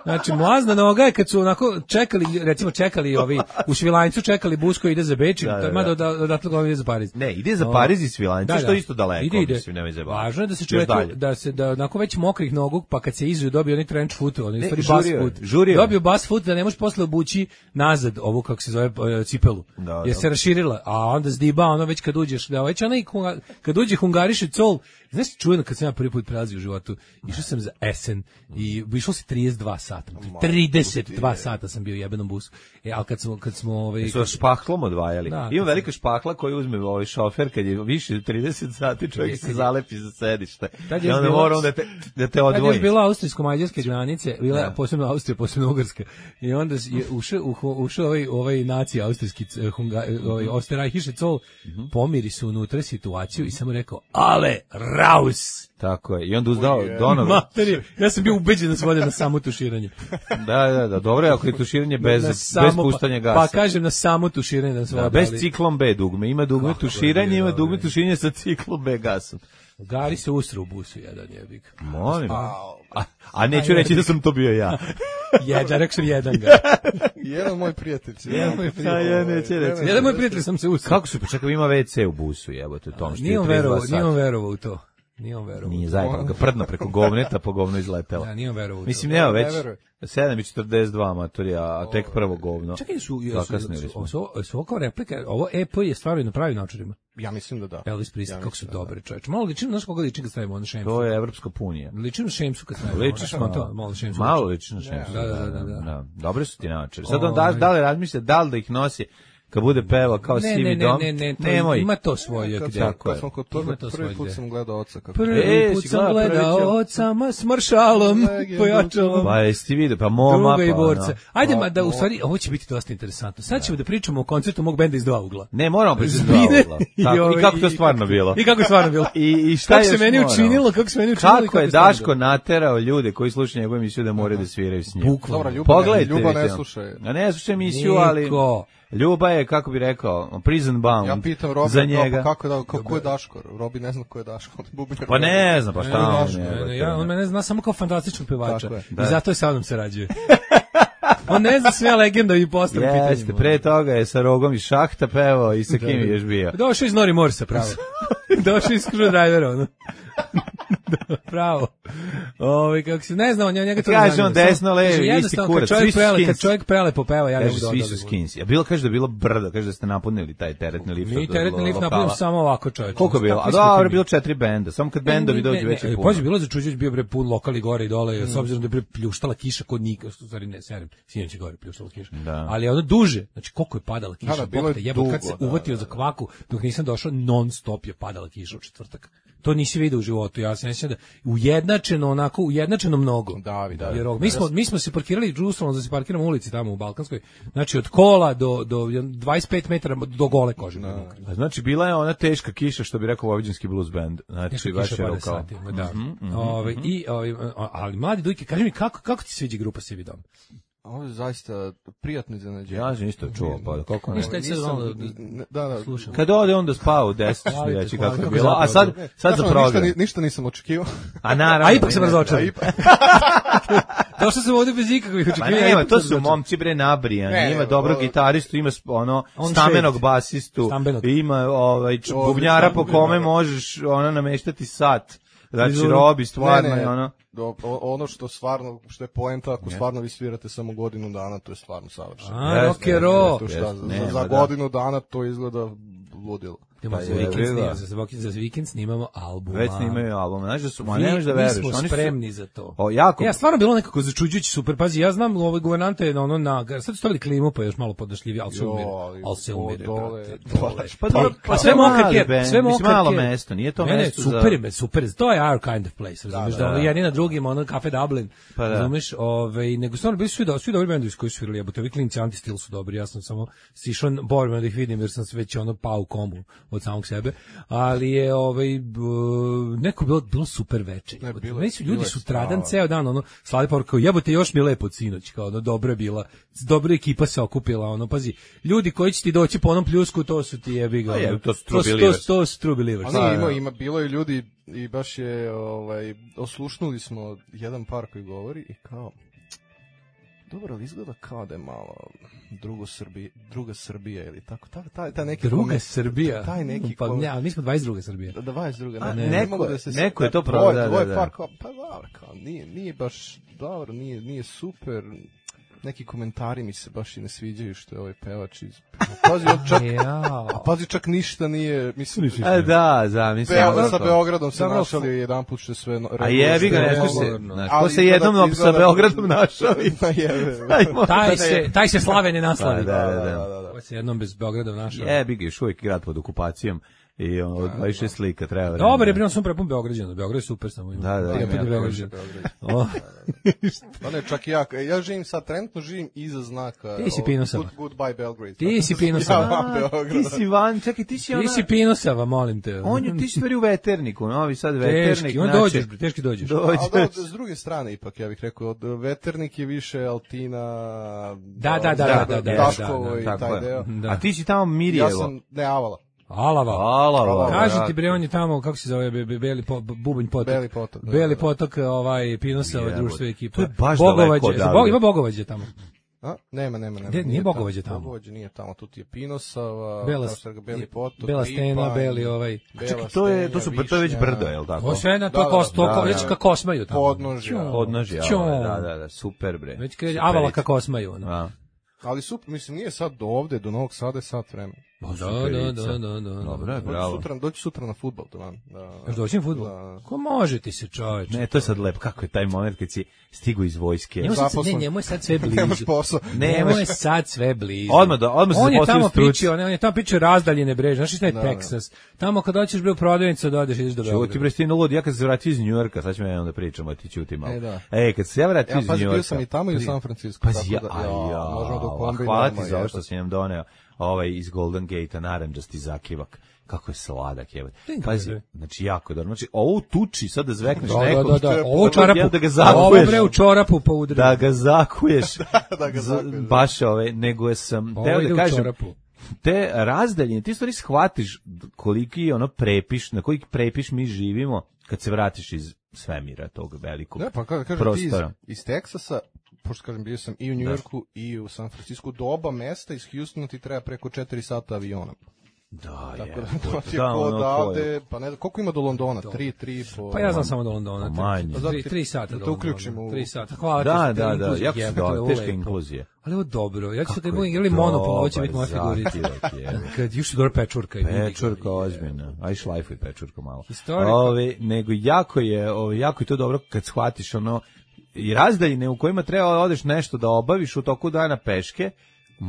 Speaker 7: Znači, mlazna noga je kad su onako čekali, recimo čekali ovi, u Švilanjcu čekali bus koji ide za Beč,
Speaker 6: Da, da, da.
Speaker 7: mada da, odatle ga ide za Pariz.
Speaker 6: Ne, ide za Pariz i Svilanjca, što je isto daleko,
Speaker 7: Ide, ide.
Speaker 6: mislim, nemoj zajebavati.
Speaker 7: Važno je da se
Speaker 6: Još
Speaker 7: čovjek,
Speaker 6: dalje.
Speaker 7: da se, da onako već mokrih nogu, pa kad se izuju dobije onaj trench foot, onaj
Speaker 6: Ne,
Speaker 7: stvari
Speaker 6: žurio
Speaker 7: bas
Speaker 6: je,
Speaker 7: foot.
Speaker 6: žurio je.
Speaker 7: Dobio bas foot da ne možeš posle obući nazad ovu, kako se zove, e, cipelu.
Speaker 6: Da,
Speaker 7: Jer
Speaker 6: da.
Speaker 7: se raširila, a onda zdiba, ono već kad uđeš, da već onaj, hunga- kad uđe hungariše col, znaš, čujeno kad sam ja prvi put prelazio u životu, išao sam za Essen i išao se trideset dva sata. trideset dva sata sam bio u jebenom busu. E, ali kad smo, kad smo, ovaj,
Speaker 6: Su vas špahlom odvajali.
Speaker 7: Da,
Speaker 6: Ima
Speaker 7: kad
Speaker 6: velika špahla koju uzme ovaj šofer kad je više od trideset sati, čovjek se zalepi za sedište.
Speaker 7: Tad je
Speaker 6: I onda
Speaker 7: bilo-
Speaker 6: mora onda te, da te
Speaker 7: kad je
Speaker 6: odvoji.
Speaker 7: još bila austrijsko-mađarske granice, bila
Speaker 6: Da.
Speaker 7: posebno Austrija, posebno Ugarska. I onda je ušao u- ušao ovaj ovaj naci austrijski c- hunga, ovaj Osterreichiše Zoll, pomiri su unutra situaciju i samo rekao: "Ale raus!"
Speaker 6: Tako je. I onda uzdao Donovan.
Speaker 7: Materi, ja sam bio ubeđen da se vode na samo tuširanje. tuširanje.
Speaker 6: Da, da, da, dobro je ako je tuširanje bez,
Speaker 7: Na
Speaker 6: bez
Speaker 7: samo-
Speaker 6: puštanja gasa.
Speaker 7: Pa kažem na samo tuširanje da se
Speaker 6: Da,
Speaker 7: vodi,
Speaker 6: bez
Speaker 7: ali-
Speaker 6: ciklom B dugme. Ima dugme
Speaker 7: Kako
Speaker 6: tuširanje,
Speaker 7: je
Speaker 6: ima
Speaker 7: dobro.
Speaker 6: dugme tuširanje sa ciklom B gasom.
Speaker 7: Gari se usre u busu jedan jebik.
Speaker 6: Molim. A, a neću reći da sam to bio ja.
Speaker 7: Jedan, rekao sam jedan ga.
Speaker 8: Jedan moj prijatelj.
Speaker 7: Jedan moj prijatelj.
Speaker 6: A ja neću reći.
Speaker 7: Jedan moj prijatelj sam se usre.
Speaker 6: Kako su, pa čekaj, ima ve ce u busu, jebote, tom što
Speaker 7: Nije
Speaker 6: je
Speaker 7: on
Speaker 6: trideset dva
Speaker 7: verovao, nije on
Speaker 6: sata.
Speaker 7: verovao u to. Nije on verovao.
Speaker 6: Nije zajebano, ga prdno preko govneta, pa govno izletelo.
Speaker 7: Da, nije on verovao u to.
Speaker 6: Mislim, nema
Speaker 8: Ne
Speaker 6: već
Speaker 8: veruje.
Speaker 6: sedam i četrdeset dva matorija, a tek prvo govno.
Speaker 7: Čekaj, su, su,
Speaker 6: Zakasnili
Speaker 7: su,
Speaker 6: smo.
Speaker 7: su, su, su ovo kao replika, ovo E P je stvarno na pravim načinima.
Speaker 8: Ja mislim da da.
Speaker 7: Elvis Presley,
Speaker 8: Ja
Speaker 7: kako su
Speaker 8: mislim da
Speaker 7: dobri čoveče. Malo ličim, znaš koga ličim kad stavimo ono šemsu?
Speaker 6: To je Evropska punija.
Speaker 7: Ličim na šemsu kad stavimo.
Speaker 6: Ličiš
Speaker 7: ono,
Speaker 6: malo.
Speaker 7: to, malo šemsu.
Speaker 6: Malo ličiš na šemsu.
Speaker 7: Da, da, da, da, da.
Speaker 6: Dobre su ti naočare. Sad on da,
Speaker 7: Ovaj.
Speaker 6: da li razmišlja, da li da ih nosi kad bude pevao kao
Speaker 7: Ne,
Speaker 6: sivi
Speaker 7: ne, ne,
Speaker 6: dom?
Speaker 7: ne, ne, to
Speaker 6: Nemoj.
Speaker 7: ima to svoje
Speaker 8: Kad,
Speaker 7: gde.
Speaker 8: sam,
Speaker 6: Tako je.
Speaker 8: kad sam kod
Speaker 7: Ima
Speaker 8: toga,
Speaker 7: to
Speaker 8: prvi
Speaker 7: svoje
Speaker 8: put
Speaker 7: gde.
Speaker 8: sam gledao oca kako...
Speaker 7: Prvi
Speaker 6: E,
Speaker 7: put
Speaker 6: si
Speaker 7: sam
Speaker 6: gledao
Speaker 7: gledao
Speaker 6: prvi
Speaker 7: od sama s maršalom,
Speaker 8: Legendu.
Speaker 7: pojačalom.
Speaker 6: Pa jesi ti vidio, pa moma,
Speaker 7: Druga i
Speaker 6: pa
Speaker 7: borca.
Speaker 6: ono.
Speaker 7: Ajde, ma da, u stvari, ovo će biti dosta interesantno. Sad ćemo da pričamo o koncertu mog benda iz dva ugla.
Speaker 6: Ne, moramo pričati
Speaker 7: Zbine
Speaker 6: dva ugla. Tako,
Speaker 7: ovaj-
Speaker 6: I kako to stvarno bilo.
Speaker 7: I kako je stvarno bilo.
Speaker 6: I, i šta
Speaker 7: Kako
Speaker 6: još
Speaker 7: se meni
Speaker 6: moramo?
Speaker 7: učinilo, kako se meni učinilo i
Speaker 6: Kako je
Speaker 7: stvarno
Speaker 6: Daško naterao ljude koji slušaju njegovu emisiju da moraju da sviraju s njim.
Speaker 7: Bukvalno.
Speaker 8: Dobra, Ljuba,
Speaker 6: Pogledajte.
Speaker 8: Ljuba ne
Speaker 6: vidite.
Speaker 8: slušaj.
Speaker 6: A ne slušaj emisiju, ali
Speaker 7: Niko.
Speaker 6: Ljuba je, kako bi rekao, prison bound
Speaker 8: Ja pitam Robi,
Speaker 6: za njega.
Speaker 8: kako, kako, da, kako je Daško? Robi ne zna ko je Daško. Bubnjar.
Speaker 6: Pa ne znam, pa
Speaker 7: Ne,
Speaker 6: šta
Speaker 7: ne,
Speaker 6: on
Speaker 7: ne,
Speaker 6: je.
Speaker 7: ne, ja, on mene zna samo kao fantastičnog pevača.
Speaker 8: Tako je.
Speaker 7: I zato je sa mnom sarađuje. On ne zna sve legenda i postavim pitanjima.
Speaker 6: Jeste, pre toga je sa Rogom iz Šahta pevao i sa kim je još bio.
Speaker 7: Došao iz Nori Morsa, pravo. Došao iz Screwdrivera, ono. Da, pravo. Ovi, kako se, ne znam, njega to ne
Speaker 6: Kaže
Speaker 7: zanima.
Speaker 6: on desno,
Speaker 7: Samo-
Speaker 6: levi,
Speaker 7: kaže,
Speaker 6: isti
Speaker 7: jednostavno,
Speaker 6: kurac,
Speaker 7: kad
Speaker 6: svi
Speaker 7: čovjek
Speaker 6: su
Speaker 7: prele, kad
Speaker 6: skinsi.
Speaker 7: čovjek prelepo peva, ja ne
Speaker 6: Kaže,
Speaker 7: mogu
Speaker 6: svi
Speaker 7: da
Speaker 6: su
Speaker 7: odavim.
Speaker 6: skinsi. A bilo, kaže da je bilo brdo, kaže da ste napunili taj teretni lift.
Speaker 7: Mi
Speaker 6: od
Speaker 7: teretni lift
Speaker 6: lokala.
Speaker 7: napravimo samo ovako, čovječe.
Speaker 6: Koliko je bilo? A dobro, bilo četiri benda, samo kad bendovi dođu već je puno.
Speaker 7: Pazi, bilo za Čuđević bio bre pun lokali gore i dole, s obzirom da je bre pljuštala kiša kod Nika, što stvari ne, serim, sinoć je gore pljuštala kiša.
Speaker 6: Da.
Speaker 7: Ali ono duže, znači koliko je padala kiša,
Speaker 8: Da, da, bilo je
Speaker 7: bog te jebo, kad se
Speaker 8: dugo, da,
Speaker 7: uvatio za kvaku, dok nisam došao, non stop je padala kiša u četvrtak. To nisi vidio u životu, ja se ne sjećam da ujednačeno onako, ujednačeno mnogo.
Speaker 8: Davi, da.
Speaker 7: Jer ovo- mi smo mi smo se parkirali džusom da se parkiramo u ulici tamo u Balkanskoj. Znači od kola do do dvadeset pet metara do gole kože.
Speaker 6: A znači bila je ona teška kiša što bi rekao Vojvođanski blues band. Znači
Speaker 7: Teška
Speaker 6: baš
Speaker 7: kiša
Speaker 6: je
Speaker 7: pada
Speaker 6: rokao.
Speaker 7: satima, da. Ovaj, i, ovaj, ali mladi Dujke, kaži mi kako, kako ti se sviđa grupa Sivi dom?
Speaker 8: Ovo je zaista prijatno iznenađenje.
Speaker 6: Ja sam isto čuo, pa kako ne.
Speaker 7: Ništa, ja sad malo da-
Speaker 8: Ne, da, da.
Speaker 7: slušam.
Speaker 6: Kad ode onda spava u deset,
Speaker 7: Hvalite,
Speaker 6: reći
Speaker 7: hvalite,
Speaker 6: kako je
Speaker 7: kako
Speaker 6: bilo. A
Speaker 7: zapravo
Speaker 6: sad, sad za
Speaker 8: Znaš, ono,
Speaker 6: program.
Speaker 8: Ništa, ni- ništa nisam očekivao.
Speaker 6: A naravno.
Speaker 7: A ipak sam
Speaker 6: ne,
Speaker 7: razočaran.
Speaker 8: A ipak-
Speaker 7: Došao sam ovdje bez ikakvih
Speaker 6: Pa
Speaker 7: očekivanja.
Speaker 6: nema,
Speaker 7: ipak
Speaker 6: to
Speaker 7: sam
Speaker 6: su
Speaker 7: razočaran.
Speaker 6: momci bre nabrijani,
Speaker 8: Ne,
Speaker 6: ima dobrog
Speaker 8: ovo-
Speaker 6: gitaristu, ima sp- ono
Speaker 7: On
Speaker 6: stamenog
Speaker 7: shade.
Speaker 6: basistu,
Speaker 7: Stambenog.
Speaker 6: ima ovaj č-
Speaker 8: Ovo,
Speaker 6: bubnjara po
Speaker 8: stambenog.
Speaker 6: kome možeš ono nameštati sat. Znači
Speaker 7: Izvoli.
Speaker 6: Robi stvarno
Speaker 8: Ne, ne,
Speaker 6: je ono.
Speaker 8: do- o- ono što stvarno, što je poenta, ako stvarno vi svirate samo godinu dana, to je stvarno savršeno.
Speaker 7: A,
Speaker 6: Jeste,
Speaker 7: rock and roll.
Speaker 8: To šta,
Speaker 6: jeste,
Speaker 8: za,
Speaker 6: nema,
Speaker 8: za
Speaker 6: da.
Speaker 8: godinu dana to izgleda ludilo.
Speaker 7: Idemo
Speaker 6: Pa
Speaker 7: za
Speaker 6: je,
Speaker 7: vikend
Speaker 6: vidi,
Speaker 7: snimamo,
Speaker 6: da.
Speaker 7: za, vikend- za vikend snimamo album.
Speaker 6: Već snimaju album. Znaš da su, ma
Speaker 7: Mi,
Speaker 6: ne možeš da
Speaker 7: mi
Speaker 6: veruješ.
Speaker 7: smo
Speaker 6: Oni su-
Speaker 7: spremni za to.
Speaker 6: O, jako.
Speaker 7: Ja stvarno bilo nekako začuđujući super. Pazi, ja znam ove guvernante na ono na sad su stavili klimu pa je još malo podašljivije, al se
Speaker 8: Jo,
Speaker 7: umire.
Speaker 8: ali
Speaker 7: Al se
Speaker 8: o,
Speaker 7: umire,
Speaker 8: dole,
Speaker 7: brate.
Speaker 8: dole.
Speaker 7: Dole.
Speaker 6: Pa dobro,
Speaker 7: Pa
Speaker 6: pa
Speaker 7: sve
Speaker 6: to
Speaker 7: mokar
Speaker 6: mali
Speaker 7: kjer,
Speaker 6: band,
Speaker 7: sve
Speaker 6: mislim,
Speaker 7: mokar
Speaker 6: malo
Speaker 7: kjer.
Speaker 6: mesto, nije to
Speaker 7: Ne, ne,
Speaker 6: mesto za-
Speaker 7: super je, super je. To je our kind of place, razumeš,
Speaker 6: da,
Speaker 7: da,
Speaker 6: da.
Speaker 7: jedni na drugim, ono Cafe Dublin,
Speaker 6: Pa da.
Speaker 7: razumeš, ovaj, nego stvarno bili su svi, do, svi dobri bendovi koji su svirali, jebote, ovi klinci Anti-Stil su dobri, ja sam samo sišao borben da ih vidim, jer sam se već ono pao u komu od samog sebe, ali je, ovaj, b- neko bilo, bilo super veče.
Speaker 8: Ne,
Speaker 7: jebote.
Speaker 8: bilo je-
Speaker 7: Meni su
Speaker 8: bilo
Speaker 7: ljudi
Speaker 8: je
Speaker 7: sutradan
Speaker 8: strava.
Speaker 7: ceo dan, ono, slali poruku, kao, jebote, još mi je lepo od sinoć, kao, ono, dobro je bila, dobra ekipa se okupila, ono, pazi, ljudi koji će ti doći po onom pljusku, to su ti jebi ga,
Speaker 6: Pa je,
Speaker 7: ono,
Speaker 6: to su
Speaker 7: to,
Speaker 6: true
Speaker 7: to,
Speaker 6: believers.
Speaker 7: to su true believers.
Speaker 8: Ali
Speaker 6: Da,
Speaker 8: ima,
Speaker 6: da.
Speaker 8: ima, bilo je ljudi i baš je, ovaj, oslušnuli smo jedan par koji govori i kao, dobro, ali izgleda kao da je malo drugo Srbije, druga Srbija ili tako, tako taj, taj neki
Speaker 7: Druga
Speaker 8: komen-
Speaker 7: Srbija.
Speaker 8: taj neki
Speaker 7: pa
Speaker 8: kom-
Speaker 7: ne, ali mi smo dvadeset druga Srbija.
Speaker 8: Da, dvadeset druga,
Speaker 6: A,
Speaker 8: ne,
Speaker 6: neko
Speaker 8: ne mogu
Speaker 6: je-
Speaker 8: da se
Speaker 6: neko je to
Speaker 8: dvoje-
Speaker 6: probao, da,
Speaker 8: dvoje
Speaker 6: da, da.
Speaker 8: par kao, pa dobro, kao, nije, nije baš dobro, nije, nije super, neki komentari mi se baš i ne sviđaju što je ovaj pevač iz... Pazi, on čak,
Speaker 7: Jao.
Speaker 8: a pazi, čak ništa nije, mislim,
Speaker 6: A da, zamislim.
Speaker 8: Beo, sa Beogradom se
Speaker 7: Dobro,
Speaker 8: našali jedan put što je sve... no-
Speaker 6: A jebi ga,
Speaker 8: što je
Speaker 6: nešto
Speaker 8: moglo-
Speaker 6: se, znaš,
Speaker 8: Ali
Speaker 6: ko se
Speaker 8: izgleda-
Speaker 6: jednom sa
Speaker 8: izgleda-
Speaker 6: Beogradom našao i...
Speaker 8: Pa jebe.
Speaker 6: Ajmo.
Speaker 7: Taj se, taj se slave ne naslavi.
Speaker 6: Da, da, da.
Speaker 7: Ko se jednom bez Beograda našao.
Speaker 6: Jebi ga, još uvijek grad pod okupacijom. i ono, dvadeset šest slika treba.
Speaker 7: Dobar je, bilo sam prepun Beograđana, Beograd je super samo ima.
Speaker 6: Da, da,
Speaker 7: ja
Speaker 6: ima
Speaker 7: put
Speaker 6: jako
Speaker 7: Beograđana.
Speaker 6: O,
Speaker 8: Pa ne, čak i ja, ja živim sad, trenutno živim iza znaka.
Speaker 7: Ti si
Speaker 8: o,
Speaker 7: Pinosava.
Speaker 8: Good, goodbye Belgrade.
Speaker 7: Ti si
Speaker 8: Ja
Speaker 7: Pinosava.
Speaker 8: van
Speaker 6: a,
Speaker 8: Beograda.
Speaker 6: ti si van, čekaj, ti si ona...
Speaker 7: Ti si Pinosava, molim te.
Speaker 6: On je, ti si stvari u Veterniku, Novi Sad Veternik.
Speaker 7: Teški, on
Speaker 6: znači,
Speaker 7: dođeš, bre, teški dođeš.
Speaker 8: Ali da,
Speaker 6: Dođeš.
Speaker 8: s druge strane ipak, ja bih rekao, od Veternik je više Altina,
Speaker 7: Da, da, da, da, da, da,
Speaker 8: Daškovo
Speaker 7: da, da,
Speaker 8: i
Speaker 6: tako
Speaker 8: taj
Speaker 6: je.
Speaker 8: deo.
Speaker 7: Da.
Speaker 6: A ti si tamo
Speaker 8: Ja
Speaker 6: Mirjevo.
Speaker 8: sam, ne, Avala.
Speaker 7: Alava.
Speaker 6: Alava.
Speaker 7: Kaži
Speaker 6: da.
Speaker 7: ti bre, on je tamo, kako se zove, be, be, Beli po, Bubanj potok.
Speaker 8: Beli potok, da,
Speaker 7: Beli
Speaker 8: da.
Speaker 7: potok, ovaj, Pinosava,
Speaker 6: Jebote.
Speaker 7: društvo ekipa.
Speaker 6: To je baš
Speaker 7: Bogovađe,
Speaker 6: daleko
Speaker 7: za
Speaker 6: odavde.
Speaker 7: Bog- ima Bogovađe tamo.
Speaker 8: A? Nema, nema, nema.
Speaker 7: Gde, nije Bogovađe tamo?
Speaker 8: Bogovađe nije tamo, tu ti je Pinosava,
Speaker 7: Bela,
Speaker 8: kao što je Beli potok,
Speaker 7: Bela stena,
Speaker 8: Lipanj,
Speaker 7: Beli ovaj.
Speaker 8: Bela
Speaker 6: Čekaj, to je, to su,
Speaker 8: Stenja,
Speaker 6: to je već
Speaker 8: Višnja,
Speaker 6: brdo, je li tako?
Speaker 7: To sve na to
Speaker 8: Da,
Speaker 7: kos,
Speaker 8: da,
Speaker 7: to,
Speaker 6: da,
Speaker 7: ko-
Speaker 6: da.
Speaker 7: već kako kosmaju tamo.
Speaker 8: Podnožja.
Speaker 6: Podnožja,
Speaker 7: Ćom.
Speaker 6: ovaj, da, da, da, super bre.
Speaker 7: Već kreće,
Speaker 6: Super.
Speaker 7: avala kako osmaju. Ono.
Speaker 6: Da.
Speaker 8: Ali super, mislim, nije sad do ovde, do Novog Sada je sat vremena.
Speaker 7: Da, da,
Speaker 6: superica.
Speaker 7: da, da, da.
Speaker 6: Dobro je,
Speaker 8: Dođi
Speaker 6: bravo.
Speaker 8: sutra, dođi sutra na fudbal, to vam. Da,
Speaker 7: Još doći na fudbal?
Speaker 8: Da.
Speaker 7: Ko može ti se, čoveč?
Speaker 6: Ne, to je sad lepo, kako je taj moment kad si stigu iz vojske.
Speaker 7: Njemu sad, ne,
Speaker 8: zaposlen.
Speaker 7: njemu je sad sve
Speaker 8: Nemaš
Speaker 7: blizu.
Speaker 8: posao.
Speaker 7: Njemu je sad sve blizu.
Speaker 6: Odmah da- odmah se
Speaker 7: on je
Speaker 6: zaposlio
Speaker 7: tamo
Speaker 6: u struci.
Speaker 7: pičio, on je tamo pičio razdaljene breže. Znaš šta je
Speaker 8: Da, da.
Speaker 7: Teksas? Tamo kad hoćeš bre u prodavnicu da odeš ideš do
Speaker 6: Čuti
Speaker 7: Beograda.
Speaker 6: bre, stino lud, ja kad se vratio iz Njujorka, sad ćemo jednom da pričamo, a ti ćuti malo.
Speaker 8: E, da.
Speaker 6: E, kad se ja vratio
Speaker 8: Ja,
Speaker 6: iz
Speaker 8: pazi,
Speaker 6: Njujorka.
Speaker 8: bio sam i tamo i u San Francisco.
Speaker 6: Pazi, ja,
Speaker 8: tako
Speaker 6: a
Speaker 8: da,
Speaker 6: ja,
Speaker 8: možemo da
Speaker 6: a
Speaker 8: kombinujemo.
Speaker 6: hvala ti za ovo
Speaker 8: jebote.
Speaker 6: što si nam doneo ovaj iz Golden Gate-a, naranđasti zakivak. Kako je sladak, jebote.
Speaker 7: Dingo,
Speaker 6: Pazi,
Speaker 7: bre.
Speaker 6: znači jako dobro. Znači, ovo u tuči, sad da zvekneš
Speaker 7: Da, da,
Speaker 6: nekog,
Speaker 7: da, da. Ovo u čorapu.
Speaker 6: da ga
Speaker 7: Ovo
Speaker 6: zakuješ.
Speaker 7: bre u čorapu pa udri.
Speaker 6: Da ga zakuješ.
Speaker 8: Da ga
Speaker 6: Z-
Speaker 8: zakuješ.
Speaker 6: Baš ove, nego sam,
Speaker 7: Ovo
Speaker 6: teo
Speaker 7: ide
Speaker 6: da
Speaker 7: u
Speaker 6: kažem,
Speaker 7: čorapu.
Speaker 6: te razdaljine, ti stvari shvatiš koliki ono prepiš, na koji prepiš mi živimo kad se vratiš iz svemira tog velikog
Speaker 8: Ne, pa kada kažem ti iz,
Speaker 6: prostora.
Speaker 8: iz Teksasa, pošto kažem bio sam i u Njujorku i u San Francisco, do oba mesta iz Houstona ti treba preko četiri sata avionom.
Speaker 6: Da, je.
Speaker 8: Tako da to ti je
Speaker 6: Da,
Speaker 8: ko
Speaker 6: ono,
Speaker 8: odavde,
Speaker 6: to je.
Speaker 8: pa ne znam, koliko ima do Londona? Tri, tri i po...
Speaker 7: Pa ja znam samo do Londona.
Speaker 6: Pa manje.
Speaker 7: Tri- Tri, tri sata
Speaker 8: Da
Speaker 7: do
Speaker 8: to
Speaker 7: Londona.
Speaker 8: uključimo u-
Speaker 7: Tri sata. Hvala ti
Speaker 6: Da,
Speaker 7: što te
Speaker 6: da, da,
Speaker 7: inkluzija
Speaker 6: jako su
Speaker 7: jebate, ovo
Speaker 6: da,
Speaker 7: je
Speaker 6: teška
Speaker 7: lepo.
Speaker 6: inkluzija.
Speaker 7: Ali ovo je dobro. Ja ću
Speaker 6: Kako
Speaker 7: da
Speaker 6: je
Speaker 7: budem igrali Monopol, ovo će
Speaker 6: dobar
Speaker 7: biti moja figurica.
Speaker 6: zakivak, je.
Speaker 7: Kad još su dobro pečurka. i vidi ga.
Speaker 6: Pečurka ozbiljna, aj šlajfuj pečurku malo.
Speaker 7: Historika.
Speaker 6: Ove, nego jako je, ove, jako je to dobro kad shvatiš ono, i razdaljine u kojima treba da odeš nešto da obaviš u toku dana peške,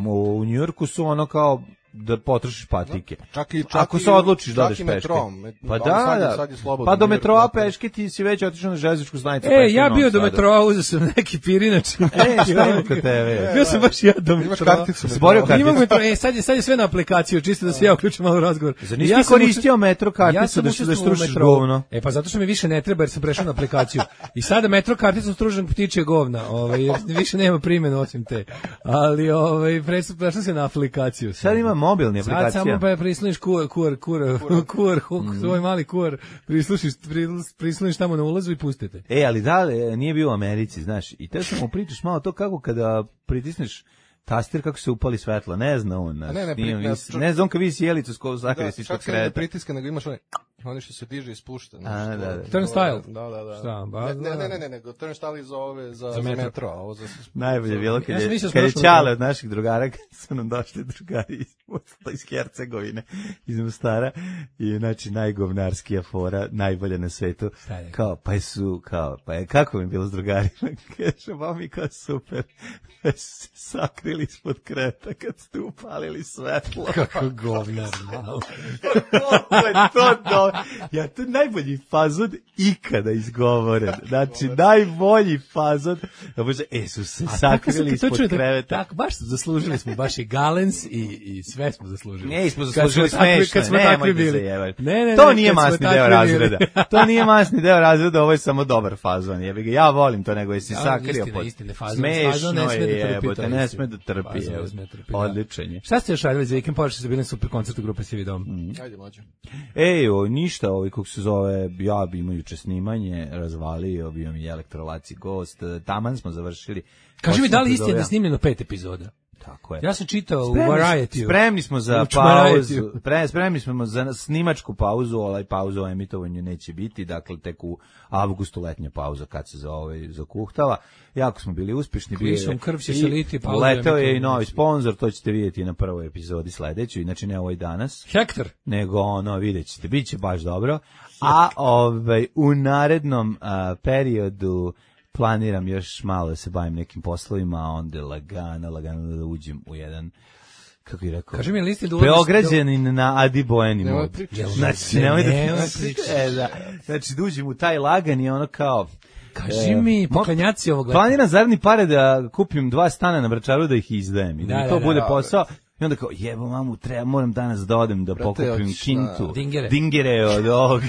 Speaker 6: u Njujorku su ono kao da potrošiš patike.
Speaker 8: Čak i, čak
Speaker 6: Ako
Speaker 8: i-
Speaker 6: se odlučiš da
Speaker 8: čak
Speaker 6: odeš
Speaker 8: i
Speaker 6: peške.
Speaker 8: metrom. Met-
Speaker 6: Pa
Speaker 8: ali
Speaker 6: da,
Speaker 8: sad je-
Speaker 6: da.
Speaker 8: sad je slobodno
Speaker 6: Pa do
Speaker 8: New York,
Speaker 6: metroa
Speaker 8: dakle.
Speaker 6: peške ti si već otišao na železničku stanicu.
Speaker 7: E,
Speaker 6: peške
Speaker 7: ja
Speaker 6: u
Speaker 7: bio
Speaker 6: Novom
Speaker 7: do
Speaker 6: Sadu.
Speaker 7: metroa, uzeo sam neki pirinač.
Speaker 6: E, šta ima kod tebe?
Speaker 7: Bio sam baš ja do
Speaker 8: Imaš
Speaker 7: metroa.
Speaker 8: karticu
Speaker 6: Zborio
Speaker 8: metroa.
Speaker 6: karticu.
Speaker 7: Imam metro, e, sad je, sad je sve na aplikaciju, čisto da se ja uključim malo u razgovor.
Speaker 6: Zar nisi
Speaker 7: Ja
Speaker 6: ti
Speaker 7: sam
Speaker 6: koristio
Speaker 7: učest-
Speaker 6: metro karticu
Speaker 7: ja sam
Speaker 6: da, da
Speaker 7: učestvovao u
Speaker 6: strušiš
Speaker 7: metrou.
Speaker 6: govno?
Speaker 7: E pa zato što mi više ne treba jer sam prešao na aplikaciju. I sada metro karticu stružem ptičje govna, ovaj jer više nema primjene osim te. Ali ovaj prešao prešao se na aplikaciju.
Speaker 6: Sad ima mobilni
Speaker 7: Sad
Speaker 6: aplikacija.
Speaker 7: samo pa prisloniš kur kur kur kur huk,
Speaker 6: Mhm.
Speaker 7: svoj mali kur, prislušiš prisloniš tamo na ulazu i pustite.
Speaker 6: E, ali da, e, nije bio u Americi, znaš, i te sam mu pričaš malo to kako kada pritisneš tastir kako se upali svetla, ne zna on, znaš,
Speaker 8: Ne, ne,
Speaker 6: nije,
Speaker 8: pri-
Speaker 6: vis-
Speaker 8: čak-
Speaker 6: ne zna on kad visi jelicu s koju zakrije
Speaker 8: Da,
Speaker 6: si
Speaker 8: čak
Speaker 6: kod
Speaker 8: se ne
Speaker 6: kreta.
Speaker 8: pritiska, nego imaš onaj, onaj što se diže i spušta. znaš,
Speaker 6: A,
Speaker 8: to-
Speaker 6: da, da.
Speaker 8: to-
Speaker 7: Turnstile?
Speaker 8: Da, da, da.
Speaker 7: Šta, ba-
Speaker 8: ne, ne, ne, ne, ne, nego turnstile za ove, za, za
Speaker 7: metro.
Speaker 8: metro, a ovo za...
Speaker 6: Najbolje je bilo kad
Speaker 7: Ja sam
Speaker 6: je,
Speaker 7: mislio da smo
Speaker 6: kad je
Speaker 7: došli
Speaker 6: Ćale
Speaker 7: do-
Speaker 6: od naših drugara, kad su nam došli drugari iz, iz Hercegovine, iz Mostara, i znači najgovnarskija fora, najbolja na svetu,
Speaker 7: Šta je?
Speaker 6: kao, pa su, kao, pa je, kako mi je bilo s drugarima, kaže, ba mi kao super, pa su se sakrili ispod kreta kad ste upalili svetlo.
Speaker 7: Kako govnar, malo.
Speaker 6: Kako je to dobro. Ja, to je najbolji fazon ikada izgovoren. Znači, najbolji fazon. Da bože, e, su se sakrili ispod kreveta.
Speaker 7: Tako, baš zaslužili smo, baš i Galens i, i sve smo zaslužili.
Speaker 6: Ne, smo
Speaker 7: Kad
Speaker 6: zaslužili
Speaker 7: smo takvi-
Speaker 6: smešno.
Speaker 7: kad smo
Speaker 6: Ne,
Speaker 7: takvi
Speaker 6: nemoj da
Speaker 7: bili.
Speaker 6: zajebati.
Speaker 7: Ne, ne,
Speaker 6: To
Speaker 7: ne,
Speaker 6: nije
Speaker 7: kad smo
Speaker 6: masni
Speaker 7: takvi
Speaker 6: deo
Speaker 7: bili.
Speaker 6: razreda. To nije masni deo razreda, ovo je samo dobar fazon. Jebi ga, ja volim to, nego jesi
Speaker 7: Ja,
Speaker 6: sakrio
Speaker 7: istina,
Speaker 6: pod...
Speaker 7: istina, fazon-
Speaker 6: Smešno
Speaker 7: fazon ne sme da
Speaker 6: je,
Speaker 7: trpi,
Speaker 6: jebote,
Speaker 7: to je
Speaker 6: ne
Speaker 7: istina.
Speaker 6: sme da trpi.
Speaker 7: Fazon ne
Speaker 6: evo.
Speaker 7: sme da trpi, da.
Speaker 6: Odličan je.
Speaker 7: Šta ste još radili za vikend? Pošto ste bili na super koncertu grupe Sivi dom.
Speaker 8: Ajde, mlađe.
Speaker 6: Ej, o, ništa, ovaj, kako se zove, ja bi imao juče snimanje, razvalio, bio mi elektrolaci gost, taman smo završili.
Speaker 7: Kaži mi, da li
Speaker 6: Osam
Speaker 7: istina da je
Speaker 6: epizoda.
Speaker 7: snimljeno pet epizoda?
Speaker 6: Tako je.
Speaker 7: Ja sam čitao u
Speaker 6: Spremni,
Speaker 7: Variety.
Speaker 6: spremni smo za
Speaker 7: U
Speaker 6: pauzu,
Speaker 7: Variety.
Speaker 6: pre, spremni smo za snimačku pauzu, ovaj pauza o emitovanju neće biti, dakle tek u avgustu letnja pauza kad se za ovaj zakuhtava. Jako smo bili uspešni, bio
Speaker 7: Klisom
Speaker 6: je
Speaker 7: krv će
Speaker 6: i
Speaker 7: se liti, pauza
Speaker 6: letao je i
Speaker 7: emitovanja
Speaker 6: novi
Speaker 7: neće biti.
Speaker 6: sponzor, to ćete vidjeti na prvoj epizodi sledećoj, znači ne ovoj danas,
Speaker 7: Hektor.
Speaker 6: nego ono, vidjet ćete, bit će baš dobro. A ovaj, u narednom a, periodu planiram još malo da se bavim nekim poslovima, a onda lagano, lagano da uđem u jedan kako je rekao?
Speaker 7: Kaži mi, listi da ulaziš...
Speaker 6: Beograđanin na Adi Bojani
Speaker 8: Nemoj
Speaker 6: mod.
Speaker 8: pričati.
Speaker 6: Znači, nemoj da
Speaker 7: Nemoj
Speaker 6: pričaš.
Speaker 7: pričati.
Speaker 6: E, da. Znači, da uđem u taj lagan i ono kao...
Speaker 7: Kaži
Speaker 6: e,
Speaker 7: mi,
Speaker 6: mo-
Speaker 7: poklanjaci ovog leta.
Speaker 6: Planiram zarni pare da kupim dva stana na Vračaru da ih izdajem. I da,
Speaker 7: Da,
Speaker 6: mi
Speaker 7: da,
Speaker 6: to
Speaker 7: da,
Speaker 6: bude
Speaker 8: da,
Speaker 6: posao. I onda kao, jebo mamu, treba, moram danas da odem da
Speaker 8: Brate,
Speaker 6: pokupim
Speaker 8: hoćeš
Speaker 6: kintu.
Speaker 8: na-
Speaker 7: Dingere.
Speaker 6: Dingere od ovog.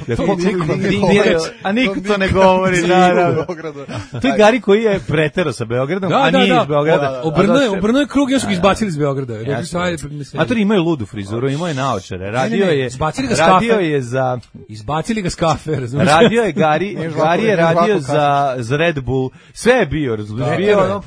Speaker 6: Da
Speaker 8: To
Speaker 6: kupim
Speaker 8: niko ne
Speaker 6: dingere.
Speaker 8: govori.
Speaker 6: A niko
Speaker 8: To
Speaker 6: to ne
Speaker 8: niko
Speaker 6: govori,
Speaker 8: ne
Speaker 6: naravno.
Speaker 8: govori u Beogradu.
Speaker 6: To je Gari koji je pretero sa Beogradom, a nije iz Beograda.
Speaker 7: Obrnuo je,
Speaker 6: A došao-
Speaker 7: obrnuo je krug i još su ga izbacili iz Beograda. Rekli su,
Speaker 6: Jasno.
Speaker 7: ajde, mislim,
Speaker 6: Matori imaju ludu frizuru, imao je naočare. Radio
Speaker 7: ne,
Speaker 6: je,
Speaker 7: izbacili ga s
Speaker 6: radio
Speaker 7: kafe.
Speaker 6: je za...
Speaker 7: izbacili ga s kafe, razumiješ?
Speaker 6: Radio je Gari,
Speaker 8: Nije žvako-
Speaker 6: Gari je
Speaker 8: nije
Speaker 6: radio
Speaker 8: žvako
Speaker 6: za, za Red Bull. Sve je bio, razumiješ?
Speaker 7: Da,
Speaker 6: Bio
Speaker 7: da,
Speaker 6: ono...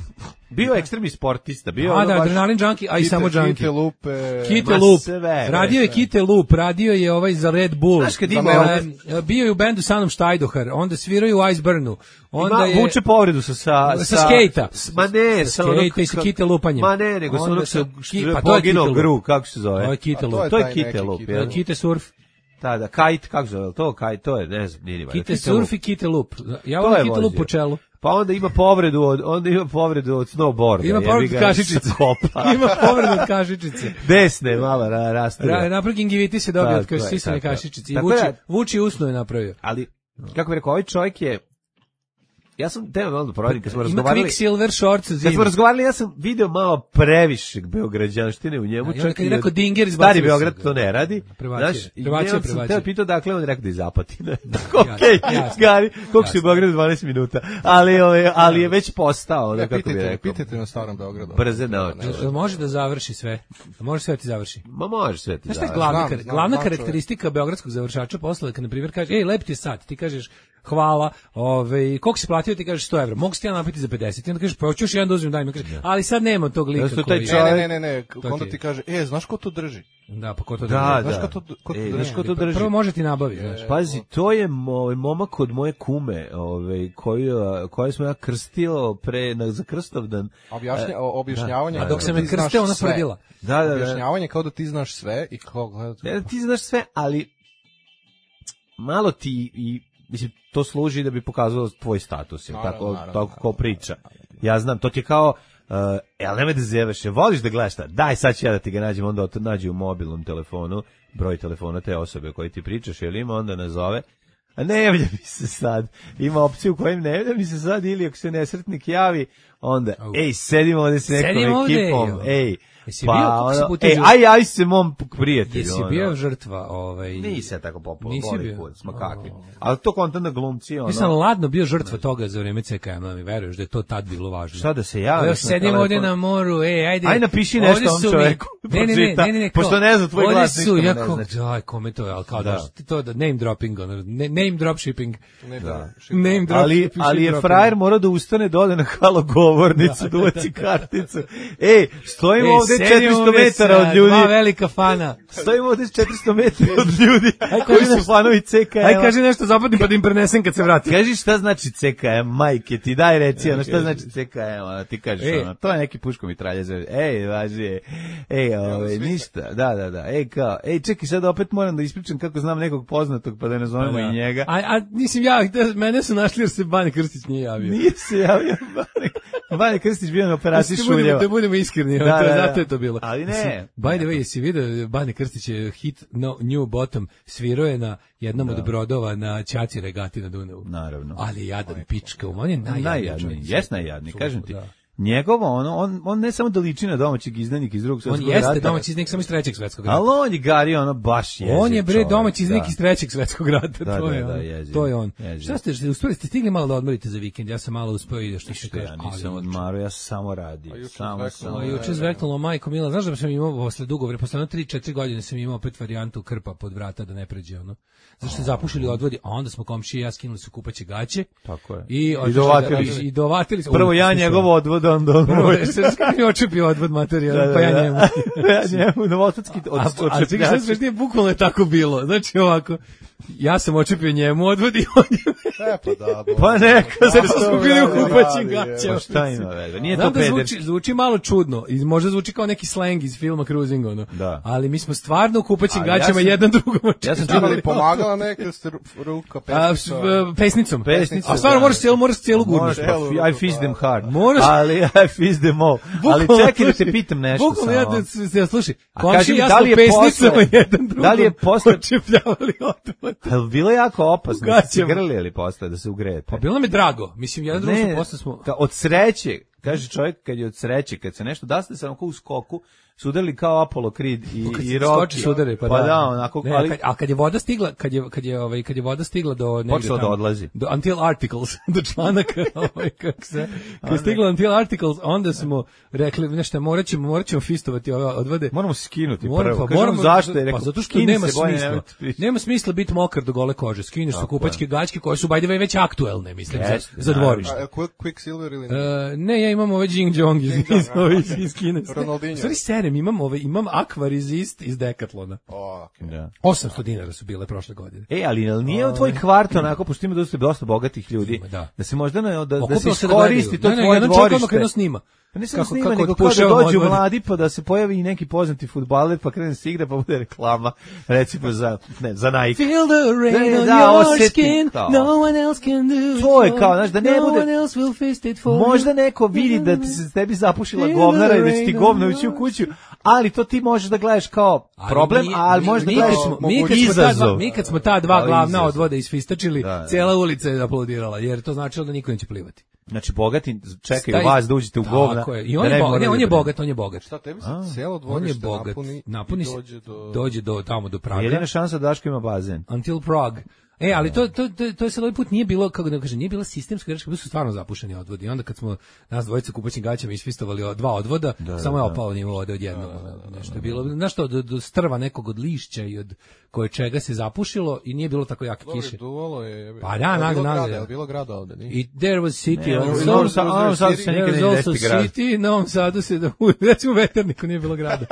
Speaker 6: Bio je ekstremni sportista, bio
Speaker 7: A
Speaker 6: ono
Speaker 7: da,
Speaker 6: baš...
Speaker 7: adrenalin junkie, a i
Speaker 8: Kite-
Speaker 7: samo junkie.
Speaker 8: Kite lupe.
Speaker 7: Kite
Speaker 6: Ma
Speaker 7: Loop.
Speaker 6: sve,
Speaker 7: Radio je Kite Loop, radio je ovaj za Red Bull.
Speaker 6: Znaš kad
Speaker 8: ima
Speaker 7: E,
Speaker 8: ovdje-
Speaker 7: bio je u bendu sa Anom Štajdohar, onda sviraju u Iceburnu. Onda
Speaker 6: Ima,
Speaker 7: je
Speaker 6: vuče povredu sa... Sa,
Speaker 7: sa skejta.
Speaker 6: s- Ma ne,
Speaker 7: Sa
Speaker 6: sa onog...
Speaker 7: skejta i sa Kite lupanjem.
Speaker 6: Ma ne, nego sa
Speaker 7: Onda
Speaker 6: onog
Speaker 7: sa-
Speaker 6: sa...
Speaker 7: ki-
Speaker 6: što
Speaker 7: pa
Speaker 6: je
Speaker 7: to je
Speaker 6: poginuo
Speaker 7: Kite
Speaker 6: gru, kako se zove?
Speaker 7: To je Kite
Speaker 8: A to
Speaker 7: Loop.
Speaker 8: je
Speaker 6: To je
Speaker 8: taj
Speaker 6: Kite
Speaker 8: neki
Speaker 6: Loop,
Speaker 8: Kite
Speaker 6: jel?
Speaker 8: Loop.
Speaker 7: Kite surf.
Speaker 6: Da, da, kite, kako se zove? To, kite, to je, ne znam, nije ni valjda.
Speaker 7: Kite
Speaker 6: Loop.
Speaker 7: surf i Kite Loop. Ja
Speaker 6: To
Speaker 7: volim
Speaker 6: je
Speaker 7: Kite Loop
Speaker 6: vozio.
Speaker 7: po čelu.
Speaker 6: Pa onda ima povredu od, onda ima povredu od snowboarda.
Speaker 7: Ima
Speaker 6: jebi
Speaker 7: povredu
Speaker 6: ga,
Speaker 7: od kašičice.
Speaker 6: sa kopa.
Speaker 7: Ima povredu od kašičice.
Speaker 6: Desne, malo ra, rastura.
Speaker 7: Ra, napred gingivitis se dobio od
Speaker 6: Tako je,
Speaker 7: sisane
Speaker 6: tako je.
Speaker 7: kašičice. I
Speaker 6: Tako
Speaker 7: Vuči,
Speaker 6: da-
Speaker 7: Vuči usno je napravio.
Speaker 6: Ali, kako bih rekao, ovaj čovjek je... Ja sam teo malo da proverim, kad smo
Speaker 7: Ima
Speaker 6: razgovarali...
Speaker 7: Quicksilver shorts
Speaker 6: Kad smo
Speaker 7: zima.
Speaker 6: razgovarali, ja sam video malo previše beograđanštine u njemu.
Speaker 7: A i onda
Speaker 6: čak
Speaker 7: kad je
Speaker 6: i
Speaker 7: rekao
Speaker 6: od-
Speaker 7: Dinger, izbacili
Speaker 6: Stari
Speaker 7: su
Speaker 6: Beograd
Speaker 7: ga.
Speaker 6: to ne radi.
Speaker 7: Prebacio je.
Speaker 6: Znaš, i
Speaker 7: Prebacio je,
Speaker 6: njemu sam
Speaker 7: prebacio.
Speaker 6: teo pitao dakle, on je rekao da je iz Zapatina. Okej,
Speaker 7: jasno.
Speaker 6: Gari, koliko si u
Speaker 7: Jasno.
Speaker 6: Beogradu dvanaest minuta. Ali, ove, ali je već postao, da
Speaker 8: Ja,
Speaker 6: kako bi
Speaker 8: pitajte,
Speaker 6: rekao.
Speaker 8: pitajte na starom Beogradu.
Speaker 6: Brze noći.
Speaker 7: Jel može da završi sve? Može sve ti završi.
Speaker 6: Ma može sve ti
Speaker 7: Znaš šta je
Speaker 6: da.
Speaker 7: glavna,
Speaker 8: Znam,
Speaker 7: kar-
Speaker 8: znam,
Speaker 7: glavna
Speaker 8: znam
Speaker 7: karakteristika beogradskog završača posla je kad, na primjer, kaže, ej, lep ti je sat, ti kažeš, hvala, ovaj, koliko si platio, ti kažeš sto evra, mogu si ti ja napiti za pedeset, i onda kažeš, pa hoću još jedan da uzmem, daj mi, kaže, ali sad nema tog lika
Speaker 6: Zato taj
Speaker 7: koji...
Speaker 6: čovjek-
Speaker 8: Ne, ne, ne, ne, ne.
Speaker 7: To
Speaker 8: Onda
Speaker 7: ti-
Speaker 8: ti kaže, e, znaš ko to drži?
Speaker 7: Da, pa ko to
Speaker 6: Da,
Speaker 7: drži?
Speaker 8: Znaš
Speaker 6: da.
Speaker 8: ko to- ko to
Speaker 6: Ej,
Speaker 8: drži?
Speaker 6: znaš ko to drži?
Speaker 7: Prvo može ti nabavi, znaš.
Speaker 6: Pazi, to je ovaj momak od moje kume, ovaj koju koju smo ja krstio pre na za Krstovdan.
Speaker 8: Objašnja,
Speaker 6: E,
Speaker 8: o- objašnjavanje.
Speaker 6: da,
Speaker 7: A dok
Speaker 8: kao
Speaker 7: se
Speaker 8: da
Speaker 7: me
Speaker 8: ti znaš
Speaker 7: krsteo, ona
Speaker 8: sve.
Speaker 7: tvrdila.
Speaker 6: Da, da, da.
Speaker 8: Objašnjavanje kao da ti znaš sve i kao gledati.
Speaker 6: Ne, ti znaš sve, ali malo ti i mislim to služi da bi pokazalo tvoj status, je
Speaker 8: Naravno,
Speaker 6: tako
Speaker 8: naravno,
Speaker 6: tako kao priča. Ja znam, to ti je kao Uh, jel nemoj da zevaš, jel voliš da gledaš šta? Daj, sad ću ja da ti ga nađem, onda to nađi u mobilnom telefonu, broj telefona te osobe o kojoj ti pričaš, jel ima, onda nazove. A ne javlja mi se sad. Ima opciju u kojim ne javlja mi se sad, ili ako se nesretnik javi, onda,
Speaker 7: Au.
Speaker 6: ej, sedimo ovde s nekom
Speaker 7: Sedim ovde,
Speaker 6: ekipom,
Speaker 7: jo.
Speaker 6: ej,
Speaker 7: Jesi
Speaker 6: pa,
Speaker 7: bio, kako si
Speaker 6: ono,
Speaker 7: puta
Speaker 6: ej,
Speaker 7: žu-
Speaker 6: aj, aj se mom prijatelju.
Speaker 7: Jesi
Speaker 6: ono.
Speaker 7: bio žrtva, ovaj...
Speaker 6: Nisi ja tako popularno,
Speaker 7: Nisi
Speaker 6: boli
Speaker 7: bio?
Speaker 6: put, smo kakvi. Ali to kontent na glumci, ono.
Speaker 7: Ja sam ladno bio žrtva toga za vreme C K M-a, mi veruješ da je to tad bilo važno.
Speaker 6: Šta da se
Speaker 7: Evo,
Speaker 6: javiš na
Speaker 7: sedim ovde
Speaker 6: telefon?
Speaker 7: na moru, ej, ajde.
Speaker 6: Aj, napiši
Speaker 7: ovde
Speaker 6: nešto ovom
Speaker 7: su mi-
Speaker 6: čoveku,
Speaker 7: Ne, ne, ne,
Speaker 6: pročita,
Speaker 7: ne, ne, ne, kao,
Speaker 6: pošto ne zna tvoj
Speaker 7: ovde
Speaker 6: glas,
Speaker 7: su,
Speaker 6: ništa mu
Speaker 7: ja
Speaker 6: ne
Speaker 7: kao,
Speaker 6: znači.
Speaker 7: aj, kome to je, ali kao
Speaker 6: Da.
Speaker 7: da, to da name dropping, ono, ne- name drop shipping.
Speaker 8: Ne, da.
Speaker 7: Name drop
Speaker 6: Ali,
Speaker 7: shipping,
Speaker 6: ali je
Speaker 7: dropping.
Speaker 6: frajer morao da ustane, da ode na halo govornicu, da uvaci karticu. Ej, stojimo
Speaker 7: Ej,
Speaker 6: ovde
Speaker 7: sedim
Speaker 6: četiristo
Speaker 7: ovde
Speaker 6: metara
Speaker 7: sa
Speaker 6: od ljudi.
Speaker 7: Dva velika fana.
Speaker 6: Stojimo ovde četiristo metara od ljudi
Speaker 7: kaži
Speaker 6: koji su
Speaker 7: nešto.
Speaker 6: fanovi C K M-a.
Speaker 7: Aj, kaži nešto zapadni pa da im prenesem kad se vratim.
Speaker 6: Kaži šta znači C K M, majke ti, daj reci, ono šta znači C K M, ono, ti kažeš,
Speaker 7: Ej.
Speaker 6: ono, to je neki puško mitralje zove, ej, važi, ej, ove, ništa, da, da, da, ej, kao, ej, čekaj, sad opet moram da ispričam kako znam nekog poznatog, pa da ne zovemo i njega.
Speaker 7: A, a mislim ja, da- mene su našli jer se Bane Krstić nije javio.
Speaker 6: Nije se javio Bane, Bane Krstić bio na operaciji
Speaker 7: Da budemo,
Speaker 6: šuljeva.
Speaker 7: da budemo iskreni,
Speaker 6: Da,
Speaker 7: da,
Speaker 6: da, da.
Speaker 7: zato je to bilo.
Speaker 6: Ali ne.
Speaker 7: Mislim, by the way, jesi vidio, Bane Krstić je hit no, New Bottom, svirao je na jednom od brodova na Ćaći regati na Dunavu.
Speaker 6: Naravno.
Speaker 7: Ali jadan pička, on je najjadniji.
Speaker 6: Najjadniji,
Speaker 7: čovjek.
Speaker 6: jes najjadniji, kažem ti.
Speaker 7: Da.
Speaker 6: Njegovo, ono, on, on ne samo da liči na domaćeg izdanika iz drugog
Speaker 7: On
Speaker 6: svjetskog
Speaker 7: jeste
Speaker 6: rata,
Speaker 7: domaći iznik samo iz trećeg svetskog rata.
Speaker 6: ali on je Gari, ono, baš jeziv
Speaker 7: On je bre
Speaker 6: čovjek,
Speaker 7: domaći iznik
Speaker 6: da.
Speaker 7: iz trećeg svetskog rata,
Speaker 6: Da,
Speaker 7: to
Speaker 6: da,
Speaker 7: je
Speaker 6: da,
Speaker 7: on.
Speaker 6: jeziv.
Speaker 7: To je on.
Speaker 6: Jeziv.
Speaker 7: Šta ste, uspeli ste stigli malo da odmorite za vikend? Ja sam malo uspeo i što se
Speaker 6: Što
Speaker 7: kaže.
Speaker 6: ja nisam
Speaker 7: ali-
Speaker 6: odmarao, ja sam samo radio.
Speaker 8: juče
Speaker 6: Samo,
Speaker 8: zveknulo,
Speaker 6: samo.
Speaker 7: A juče zveknulo majko Mila, znaš da sam imao posle dugo vremena, posle tri četiri godine sam imao opet varijantu krpa pod vrata da ne pređe ono. Zašto ste zapušili odvodi, a onda smo komšije i ja skinuli su kupaće gaće.
Speaker 6: Tako je.
Speaker 7: I,
Speaker 6: I dovatili se.
Speaker 7: I dovatili se.
Speaker 6: Prvo
Speaker 7: U,
Speaker 6: ja
Speaker 7: slušaj,
Speaker 6: njegov odvod, onda on
Speaker 7: Prvo,
Speaker 6: moj.
Speaker 7: se kako mi očepio odvod materijal,
Speaker 6: Da, da,
Speaker 7: pa ja
Speaker 6: da.
Speaker 7: njemu.
Speaker 6: Ja njemu, novosadski od
Speaker 7: A, a čekaj, šta sve je bukvalno je tako bilo. Znači ovako, Ja sam očepio njemu odvodi, on je
Speaker 8: E, pa da, bo.
Speaker 6: Pa neka
Speaker 7: zato
Speaker 6: se
Speaker 7: smo
Speaker 6: to
Speaker 7: bili u
Speaker 8: radi,
Speaker 7: kupaćim
Speaker 8: radi,
Speaker 7: gaćama.
Speaker 6: Pa šta ima veze? Nije
Speaker 7: Znam
Speaker 6: to
Speaker 7: da zvuči,
Speaker 6: pederski.
Speaker 7: zvuči malo čudno i možda zvuči kao neki slang iz filma Cruising, ono.
Speaker 6: Da.
Speaker 7: Ali mi smo stvarno u kupaćim
Speaker 6: A ja
Speaker 7: gaćama
Speaker 6: sam-
Speaker 7: jedan drugom.
Speaker 6: Ja sam
Speaker 8: Ima li
Speaker 6: čuo
Speaker 8: pomagala neka ste ru- ruka
Speaker 7: A, s-
Speaker 8: pesnica?
Speaker 7: v- pesnicom.
Speaker 6: Pesnicom,
Speaker 7: A stvarno
Speaker 6: da.
Speaker 7: moraš cijelu, moraš cijelu
Speaker 6: Moraš,
Speaker 7: gurnuti.
Speaker 6: pa, I fist them hard.
Speaker 7: Moraš-
Speaker 6: Ali I fist them all. Ali
Speaker 7: Bukvalno,
Speaker 6: čekaj da te
Speaker 7: slušaj,
Speaker 6: pitam nešto
Speaker 7: Bukvalno ja
Speaker 6: samo.
Speaker 7: da se ja slušaj.
Speaker 6: A kaži
Speaker 7: Komši
Speaker 6: mi,
Speaker 7: ja
Speaker 6: da
Speaker 7: smo
Speaker 6: li je
Speaker 7: pesnicama
Speaker 6: posle-
Speaker 7: jedan drugom.
Speaker 6: da li je posle-
Speaker 7: očepljavali odmah.
Speaker 6: Jel bilo jako opasno da ste se
Speaker 7: gaćama.
Speaker 6: grlili posle, da se ugrejete?
Speaker 7: Pa bilo nam je drago. Mislim, jedan drugom smo posle smo...
Speaker 6: ka- od sreće, kaže čovjek kad je od sreće, kad se nešto, da ste se onako u skoku, su udarili kao Apollo Creed i,
Speaker 7: Kad
Speaker 6: i
Speaker 7: se
Speaker 6: Rocky.
Speaker 7: skoči sudare, pa,
Speaker 6: pa da, onako,
Speaker 7: ne,
Speaker 6: ali
Speaker 7: kad, a kad je voda stigla, kad je kad je ovaj kad je voda stigla do negde
Speaker 6: Počelo da
Speaker 7: tamo,
Speaker 6: odlazi.
Speaker 7: do until articles, do članaka, ovaj kako se kad je stigla until articles, onda smo rekli nešto moraćemo moraćemo fistovati ove odvode.
Speaker 6: moramo se skinuti
Speaker 7: Moram-
Speaker 6: prvo.
Speaker 7: pa
Speaker 6: Kažem,
Speaker 7: moramo-
Speaker 6: zašto je
Speaker 7: pa
Speaker 6: rekao,
Speaker 7: zato što
Speaker 6: skini
Speaker 7: nema
Speaker 6: se, bolje
Speaker 7: smisla.
Speaker 6: nemojte pričati.
Speaker 7: Nema smisla biti mokar do gole kože. Skineš sa
Speaker 6: Tako
Speaker 7: kupačke gaćke koje su by the way već aktuelne, mislim, za,
Speaker 6: Jeste,
Speaker 7: za dvorište.
Speaker 8: A, Quick, Quicksilver ili ne?
Speaker 7: E, ne, ja imam ove Jing Jong iz, iz, iz, iz Kine.
Speaker 8: Ronaldinho.
Speaker 7: U stvari serem, imam, ove, imam Aqua Resist iz Decathlona.
Speaker 8: O, okej.
Speaker 6: Da.
Speaker 7: osamsto dinara su bile prošle godine.
Speaker 6: E, ali jel nije u tvoj kvart onako, pošto ima dosta, dosta bogatih ljudi,
Speaker 7: Ima, da.
Speaker 6: da se možda ne, da, da se
Speaker 7: Okupilo se da
Speaker 6: iskoristi
Speaker 7: gledaju.
Speaker 6: to
Speaker 7: Ne, ne,
Speaker 6: tvoje
Speaker 7: jedan čovjek odmah
Speaker 6: dvorište.
Speaker 7: krenuo snima.
Speaker 6: Pa ne samo
Speaker 7: Kako-
Speaker 6: snima,
Speaker 7: kako
Speaker 6: nego kao da
Speaker 7: otpušava
Speaker 6: dođu
Speaker 7: odvode.
Speaker 6: mladi, pa da se pojavi i neki poznati fudbaler, pa krene se igra, pa bude reklama, recimo za, ne, za Nike.
Speaker 7: Feel the rain
Speaker 6: Da,
Speaker 7: on
Speaker 6: da,
Speaker 7: your
Speaker 6: osjeti
Speaker 7: skin,
Speaker 6: to.
Speaker 7: no one else can do it
Speaker 6: To je
Speaker 7: for
Speaker 6: kao,
Speaker 7: you.
Speaker 6: znaš, da ne
Speaker 7: No
Speaker 6: bude-
Speaker 7: one else will fist it for
Speaker 6: Možda
Speaker 7: you.
Speaker 6: neko vidi da ti se tebi zapušila
Speaker 7: Feel
Speaker 6: govnara i
Speaker 7: the
Speaker 6: da će ti
Speaker 7: rain
Speaker 6: govno
Speaker 7: on
Speaker 6: ući u
Speaker 7: your-
Speaker 6: kuću, ali to ti možeš da gledaš kao problem,
Speaker 7: mi-
Speaker 6: ali
Speaker 7: mi-
Speaker 6: možeš da
Speaker 7: mi
Speaker 6: gledaš
Speaker 7: kad smo- mi kad smo ta dva-
Speaker 6: izazov.
Speaker 7: Mi kad smo ta dva
Speaker 6: Ali
Speaker 7: glavna
Speaker 6: izazov.
Speaker 7: odvoda isfistačili,
Speaker 6: Da, da.
Speaker 7: cijela ulica je aplaudirala, jer to značilo da niko neće plivati.
Speaker 6: Znači, bogati čekaju
Speaker 7: Taj-
Speaker 6: vas da uđete u govna.
Speaker 7: Tako je. I on
Speaker 6: da
Speaker 7: je,
Speaker 6: ne bi
Speaker 7: bogat,
Speaker 6: morali
Speaker 7: ne, on
Speaker 6: da
Speaker 7: je
Speaker 6: brinu.
Speaker 7: bogat, on je bogat.
Speaker 8: Šta, tebi se cijelo
Speaker 7: On je
Speaker 8: dvorište
Speaker 7: bogat,
Speaker 8: napuni,
Speaker 7: napuni
Speaker 8: i
Speaker 7: se-
Speaker 8: dođe do...
Speaker 7: dođe do tamo do Praga.
Speaker 6: Jedina šansa da Daško ima bazen.
Speaker 7: Until Prague. E, ali to to to to je sad ovaj put nije bilo, kako da kažem, nije bila sistemska greška, bili su stvarno zapušeni odvodi. I onda kad smo nas dvojica kupaćim gaćama isfistovali od dva odvoda, samo je opao nivo vode od jednog. Nešto je bilo, znaš što, do, do strva nekog od lišća i od koje čega se zapušilo i nije bilo tako jake
Speaker 8: Dobro,
Speaker 7: kiše.
Speaker 8: duvalo je...
Speaker 7: Pa da,
Speaker 8: Je li
Speaker 7: nag-
Speaker 8: bilo
Speaker 7: nag-
Speaker 8: grada, je li bilo grada ovde, nije?
Speaker 7: I there was city
Speaker 6: Ne,
Speaker 7: also.
Speaker 6: u Novom Sadu- u Novom Sadu se
Speaker 7: There
Speaker 6: nikad
Speaker 7: was
Speaker 6: ne
Speaker 7: also
Speaker 6: desiti grad.
Speaker 7: city, na Novom Sadu se da, recimo u Veterniku nije bilo grada.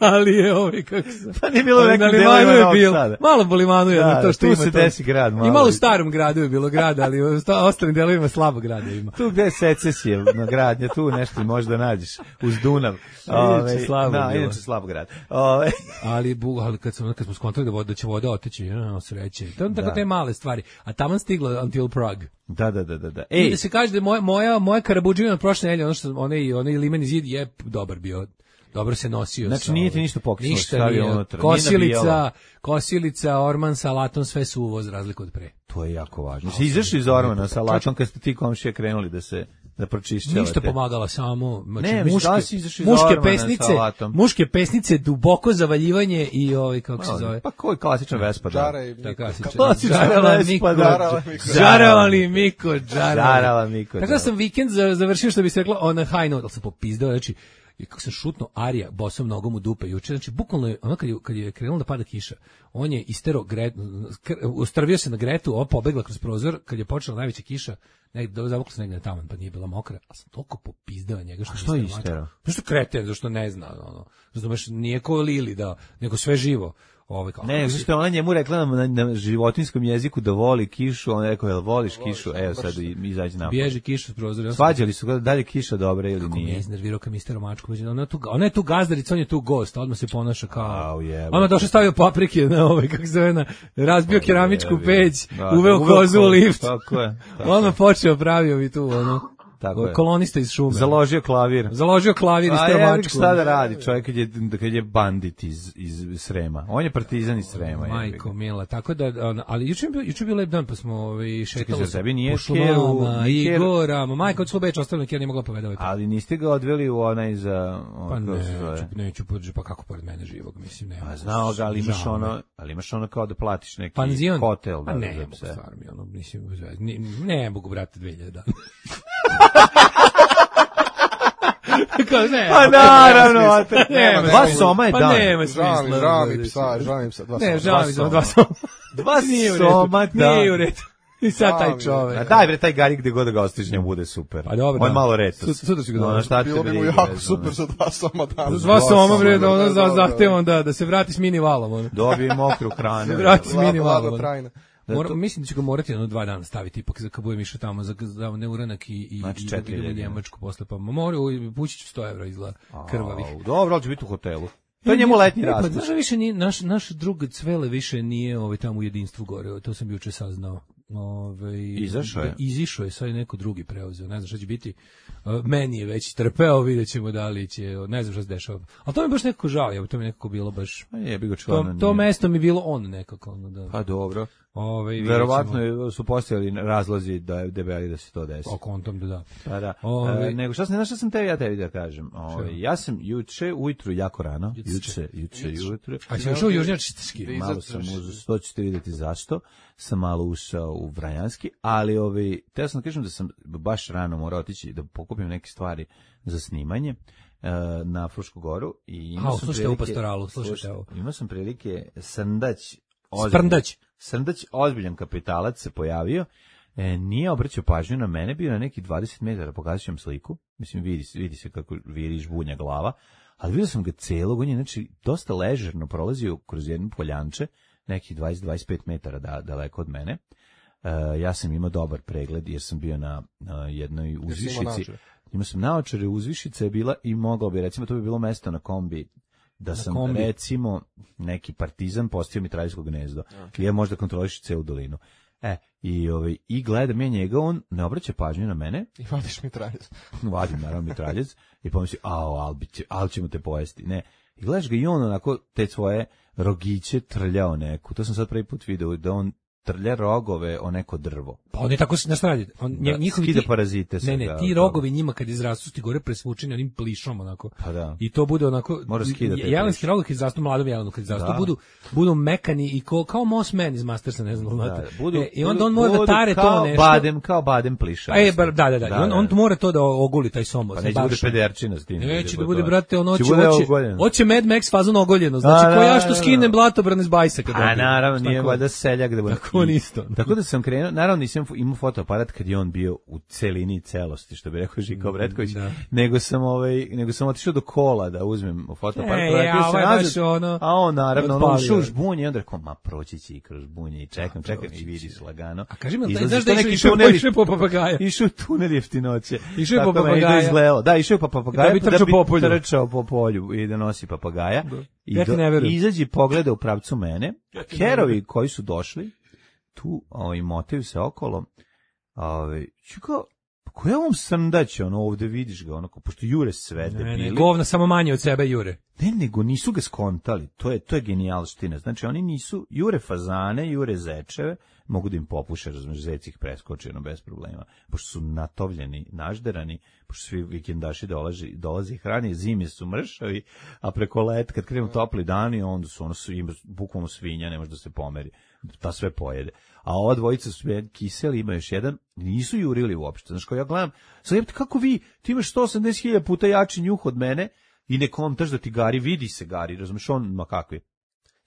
Speaker 7: Ali je ovaj kako se.
Speaker 6: Pa nije bilo u
Speaker 7: Ali
Speaker 6: nekim
Speaker 7: na
Speaker 6: delovima
Speaker 7: Limanu je
Speaker 6: Novog
Speaker 7: bilo.
Speaker 6: Sada.
Speaker 7: Malo po Limanu je
Speaker 6: Da,
Speaker 7: na to što
Speaker 6: tu
Speaker 7: ima.
Speaker 6: se
Speaker 7: to.
Speaker 6: desi grad malo.
Speaker 7: I malo u starom gradu je bilo grada, ali u sta- ostalim delovima slabo grada ima.
Speaker 6: Tu gde je secesija na gradnja, tu nešto možda nađeš uz Dunav. Ove,
Speaker 7: slabo
Speaker 6: da,
Speaker 7: bilo.
Speaker 6: inače slabo grad. Ove,
Speaker 7: Ali, bu, ali kad, smo, kad smo skontali da, voda, da će voda oteći, ja, sreće. To je tako
Speaker 6: Da.
Speaker 7: te male stvari. A tamo stigla Until Prague.
Speaker 6: da, da, da, da. da.
Speaker 7: I
Speaker 6: Ej,
Speaker 7: da se kaže da je moja, moja, moja Karabuđevina od prošle nedelje, ono što, onaj, onaj limeni zid je dobar bio. Dobro se nosio.
Speaker 6: Znači,
Speaker 7: sa,
Speaker 6: nije ti
Speaker 7: ovaj,
Speaker 6: ništa pokislo,
Speaker 7: Ništa
Speaker 6: stavio
Speaker 7: nije.
Speaker 6: unutra, nije
Speaker 7: Kosilica,
Speaker 6: nabijalo.
Speaker 7: kosilica, orman sa alatom, sve su uvoz razliku od pre.
Speaker 6: to je jako važno. Si izašli iz Ormana sa lačom kad ste ti komšije krenuli da se da pročišćavate.
Speaker 7: Ništa pomagala samo, znači
Speaker 6: Ne, mislim,
Speaker 7: muške,
Speaker 6: da li si izašao iz
Speaker 7: muške
Speaker 6: Ormana
Speaker 7: pesnice,
Speaker 6: sa alatom?
Speaker 7: muške pesnice, duboko zavaljivanje i ovaj kako se zove.
Speaker 6: Pa koji klasičan Vespa da?
Speaker 8: Čara i
Speaker 7: Tako
Speaker 8: Miko.
Speaker 7: klasičan.
Speaker 6: Klasičan
Speaker 7: Žarala
Speaker 6: Vespa,
Speaker 7: Miko,
Speaker 6: da.
Speaker 8: Žarala Miko.
Speaker 7: žaravali Miko, žarala.
Speaker 6: Žarala Miko,
Speaker 7: Tako
Speaker 6: da.
Speaker 7: da sam vikend za- završio što bi se reklo on a high note, ali sam popizdao, znači i kako sam šutno Arija bosom nogom u dupe juče, znači bukvalno je ono kad je, kad je krenula da pada kiša, on je istero Gret, kr- ustrvio se na Gretu, ova pobegla kroz prozor, kad je počela najveća kiša, negde zavukla se negde na taman, pa nije bila mokra, a sam toliko popizdao njega što,
Speaker 6: što
Speaker 7: je
Speaker 6: je isterao?
Speaker 7: Zašto kreten, zašto ne zna, ono, razumeš, nije ko Lili, da, nego sve živo. Ovaj kao,
Speaker 6: Ne, zašto je ona njemu rekla na, na životinskom jeziku da voli kišu, on je rekao, jel voliš kišu? Evo sad i- izađi napad.
Speaker 7: bježi kiša s prozora.
Speaker 6: Svađali su ga da li je kiša dobra ili
Speaker 7: Kako me je
Speaker 6: nije.
Speaker 7: iznervirao kad mister Mačko, ona je tu, ona je tu gazdarica, on je tu gost, odmah se ponaša kao.
Speaker 6: Au, jebote.
Speaker 7: Ona došao stavio paprike na ovaj kako se zove, na razbio keramičku
Speaker 6: jebi.
Speaker 7: peć,
Speaker 6: Da,
Speaker 7: uveo
Speaker 6: uveo
Speaker 7: kozu u
Speaker 6: kozu,
Speaker 7: lift.
Speaker 6: tako je, tako
Speaker 7: Odmah počeo pravio mi tu ono.
Speaker 6: Tako je.
Speaker 7: Kolonista iz šume.
Speaker 6: Založio klavir.
Speaker 7: Založio klavir i
Speaker 6: A
Speaker 7: stavio
Speaker 6: ja
Speaker 7: Mačku.
Speaker 6: šta da radi čovjek kad je, kad je bandit iz, iz Srema. On je partizan iz Srema. jebi ga.
Speaker 7: Majko mila, tako da, on- ali juče je bio, juče je bio lep dan, pa smo ovaj, šetali
Speaker 6: zar tebi nije
Speaker 7: po šumama,
Speaker 6: Keru-
Speaker 7: i
Speaker 6: Keru-
Speaker 7: gorama, majko, od Slobeća ostavljeno, Kjera nije mogla povedavati.
Speaker 6: Ali niste ga odveli u onaj za...
Speaker 7: Pa
Speaker 6: on, kako se
Speaker 7: neću,
Speaker 6: zove?
Speaker 7: neću, pođe, pa kako pored mene živog, mislim, nema.
Speaker 6: Pa znao ga, ali imaš
Speaker 7: Žao mi je.
Speaker 6: ono, ali imaš ono kao da platiš neki
Speaker 7: Panzion?
Speaker 6: hotel.
Speaker 7: Pa
Speaker 6: Da,
Speaker 7: ne,
Speaker 6: da,
Speaker 7: mogu
Speaker 6: se-
Speaker 7: stvarno mi ono, mislim, bez veze. Ni- ne mogu, brate, dve hiljade dana. Kao, ne,
Speaker 6: Pa naravno, a te-
Speaker 7: nema
Speaker 6: dva
Speaker 7: smisla.
Speaker 6: soma je
Speaker 7: pa
Speaker 6: dan.
Speaker 7: nema
Speaker 8: Žao mi,
Speaker 7: smisla.
Speaker 8: žao mi psa, žao mi psa, dva
Speaker 7: Ne,
Speaker 8: soma.
Speaker 7: žao mi
Speaker 6: soma.
Speaker 7: za dva soma.
Speaker 6: Dva
Speaker 7: Nije u redu.
Speaker 6: soma dan.
Speaker 7: Nije u redu. I sad taj čovek.
Speaker 6: A daj bre, taj Gari gde god da ga ostiš, njemu bude super.
Speaker 7: Pa dobro,
Speaker 6: On je
Speaker 7: da.
Speaker 6: malo retos.
Speaker 7: Sud- sutra ću ga
Speaker 6: No,
Speaker 7: dobro.
Speaker 6: šta te
Speaker 8: Bilo bi mu
Speaker 6: briga,
Speaker 8: jako
Speaker 6: ne znam,
Speaker 8: super za dva soma dana.
Speaker 7: Za dva soma, bre, da ono
Speaker 8: Da,
Speaker 7: za
Speaker 8: da, da.
Speaker 7: zahtevom da, da se vrati s mini valom. Ono.
Speaker 6: Dobije mokru hranu.
Speaker 7: Vrati s
Speaker 8: Vlada-
Speaker 7: mini
Speaker 8: vlada
Speaker 7: valom. ono.
Speaker 8: trajna.
Speaker 7: Mora, mislim da ću ga morati jedno dva dana staviti, ipak za kad budem išao tamo za, za neuranak i, i,
Speaker 6: Znači
Speaker 7: i
Speaker 6: četiri
Speaker 7: idem u
Speaker 6: hiljade.
Speaker 7: Njemačku posle, pa moraju, pući ću sto evra izgleda krvavih.
Speaker 6: Au, dobro, ali će biti u hotelu. To je njemu letnji
Speaker 7: E, pa,
Speaker 6: raspust.
Speaker 7: znaš da više nije, naš, naš drug Cvele više nije ovaj, tamo u jedinstvu gore, to sam juče saznao. Ovaj,
Speaker 6: Izašao je?
Speaker 7: da, Izišao je, sad je neko drugi preuzeo, ne znam šta će biti. Uh, meni je već trpeo, vidjet ćemo da li će, ne znam šta se dešava. Ali to mi je baš nekako žao, je, to mi je nekako bilo baš...
Speaker 6: Pa je, bi ga
Speaker 7: To,
Speaker 6: člano
Speaker 7: to
Speaker 6: nije.
Speaker 7: mesto mi je bilo on nekako. Ono, da,
Speaker 6: Pa dobro.
Speaker 7: ovaj, vidjet
Speaker 6: Verovatno
Speaker 7: ćemo.
Speaker 6: je- su postojali razlozi da je debeli da se to desi.
Speaker 7: O kontom da da.
Speaker 6: Pa da.
Speaker 7: Ovaj-
Speaker 6: E, nego šta sam, znaš šta sam te ja tebi da kažem. Ovaj, ja sam juče ujutru jako rano, juče, juče ujutru.
Speaker 7: A si ušao u Južnjački?
Speaker 8: Da
Speaker 6: Malo sam uzeo, to ćete vidjeti zašto, sam malo ušao u Vrajanski, ali ovaj, teo sam da kažem da sam baš rano morao otići da pokupim neke stvari za snimanje e, na Frušku goru. I imao
Speaker 7: A,
Speaker 6: sam
Speaker 7: slušajte u
Speaker 6: prilike-
Speaker 7: pastoralu, slušajte
Speaker 6: slušajte,
Speaker 7: ovo.
Speaker 6: Imao sam prilike Srndać, ozbiljan-
Speaker 7: Sprndać.
Speaker 6: Srndać, ozbiljan kapitalac se pojavio, e, nije obraćao pažnju na mene, bio na neki dvadeset metara, pokazat ću vam sliku, mislim vidi, se- vidi se kako viri žbunja glava, ali vidio sam ga celog, on je znači dosta ležerno prolazio kroz jednu poljanče, nekih dvadeset do dvadeset pet metara da, daleko od mene. E, ja sam imao dobar pregled jer sam bio na, na jednoj
Speaker 8: imao
Speaker 6: uzvišici.
Speaker 8: naočare?
Speaker 6: Imao sam naočare, uzvišica je bila i mogao bi, recimo to bi bilo mesto na kombi da sam
Speaker 7: kombi.
Speaker 6: recimo neki partizan postio mitraljsko gnezdo. Okay. Ja možda kontroliš celu dolinu. E, i, ovaj, i gledam ja njega, on ne obraća pažnju na mene,
Speaker 8: I vadiš mitraljez.
Speaker 6: vadim naravno mitraljec i pomisli, ao, al, bi će, al ćemo te pojesti. Ne, i gledaš ga i on onako te svoje rogiće trljao neku. To sam sad prvi put video, da on trlja rogove o neko drvo.
Speaker 7: Pa on je tako na strani. On
Speaker 6: Da,
Speaker 7: njihovi
Speaker 6: skida
Speaker 7: ti-
Speaker 6: parazite sa
Speaker 7: Ne, ne,
Speaker 6: ga,
Speaker 7: ti
Speaker 6: da.
Speaker 7: rogovi njima kad izrastu ti gore presvučeni onim plišom onako.
Speaker 6: Pa da.
Speaker 7: I to bude onako
Speaker 6: Mora skidati te
Speaker 7: jelenski
Speaker 6: pliše.
Speaker 7: rog kad izrastu mladom jelenu kad izrastu
Speaker 6: Da.
Speaker 7: budu budu mekani i ko, kao Moss Man iz Mastersa, ne znam,
Speaker 6: Da,
Speaker 7: znate.
Speaker 6: budu,
Speaker 7: E, i onda
Speaker 6: budu-
Speaker 7: on mora da
Speaker 6: budu
Speaker 7: tare to
Speaker 6: kao
Speaker 7: nešto.
Speaker 6: Badem, kao badem pliša.
Speaker 7: E, bar, da, da, da. I on, on mora to da oguli taj somos.
Speaker 6: Pa neće bude pederčina s tim.
Speaker 7: Neće da bude, brate, ono
Speaker 6: će
Speaker 7: hoće,
Speaker 6: bude
Speaker 7: hoće,
Speaker 6: ogoljeno.
Speaker 7: hoće Mad Max fazon ogoljeno. Znači,
Speaker 6: Da,
Speaker 7: ko
Speaker 6: da,
Speaker 7: ja
Speaker 6: da,
Speaker 7: što
Speaker 6: da.
Speaker 7: skinem blatobran iz bajsa kad
Speaker 6: A
Speaker 7: dobijem.
Speaker 6: naravno nije
Speaker 7: Tako.
Speaker 6: valjda seljak da bude.
Speaker 7: Tako on
Speaker 6: I-
Speaker 7: isto.
Speaker 6: Tako da sam krenuo, naravno nisam fo- imao fotoaparat kad je on bio u celini i celosti, što bi rekao Žika Obretković,
Speaker 7: Da.
Speaker 6: nego sam ovaj nego sam otišao do kola da uzmem fotoaparat,
Speaker 7: E,
Speaker 6: vratio
Speaker 7: a
Speaker 6: se
Speaker 7: ovaj
Speaker 6: nazad,
Speaker 7: baš ono,
Speaker 6: a on naravno ono
Speaker 7: odpalio.
Speaker 6: ušao u žbunje i onda rekao, ma proći će i kroz žbunje i čekam, čekam i vidiš lagano.
Speaker 7: A kaži mi,
Speaker 6: Izlazi
Speaker 7: znaš da
Speaker 6: što
Speaker 7: je
Speaker 6: neki
Speaker 7: išao
Speaker 6: tuneli-
Speaker 7: išao po papagaja?
Speaker 6: Išao u tunel jeftinoće.
Speaker 7: Išao je po
Speaker 6: Tako meni to
Speaker 7: papagaja.
Speaker 6: izgledalo. Da, išao je po papagaja.
Speaker 7: Da bi trčao po polju.
Speaker 6: trčao po polju i da nosi papagaja. I
Speaker 7: Ja ti
Speaker 6: do-
Speaker 7: ne verujem.
Speaker 6: izađe i pogleda u pravcu mene. Kerovi koji su došli, tu ovaj, motaju se okolo. Ovaj, čuka, ko je ovom Srndać, ono ovde vidiš ga, onako, pošto jure sve
Speaker 7: Ne, ne,
Speaker 6: debili.
Speaker 7: govna samo manje od sebe jure.
Speaker 6: Ne, nego nisu ga skontali. To je to je genijalština. Znači oni nisu jure fazane, jure zečeve, mogu da im popuše, razumeš, zec ih preskoči ono bez problema. Pošto su natovljeni, nažderani, pošto svi vikendaši dolazi dolazi hrani, zimi su mršavi, a preko let kad krenu topli dani, onda su ono su im bukvalno svinja, ne može da se pomeri. Ta sve pojede. A ova dvojica su sve kiseli, ima još jedan, nisu jurili uopšte. Znaš, kao ja gledam, sad jebate, kako vi, ti imaš sto osamdeset hiljada puta jači njuh od mene, i nekom taš da ti gari, vidi se gari, razumeš, on, ma kakvi.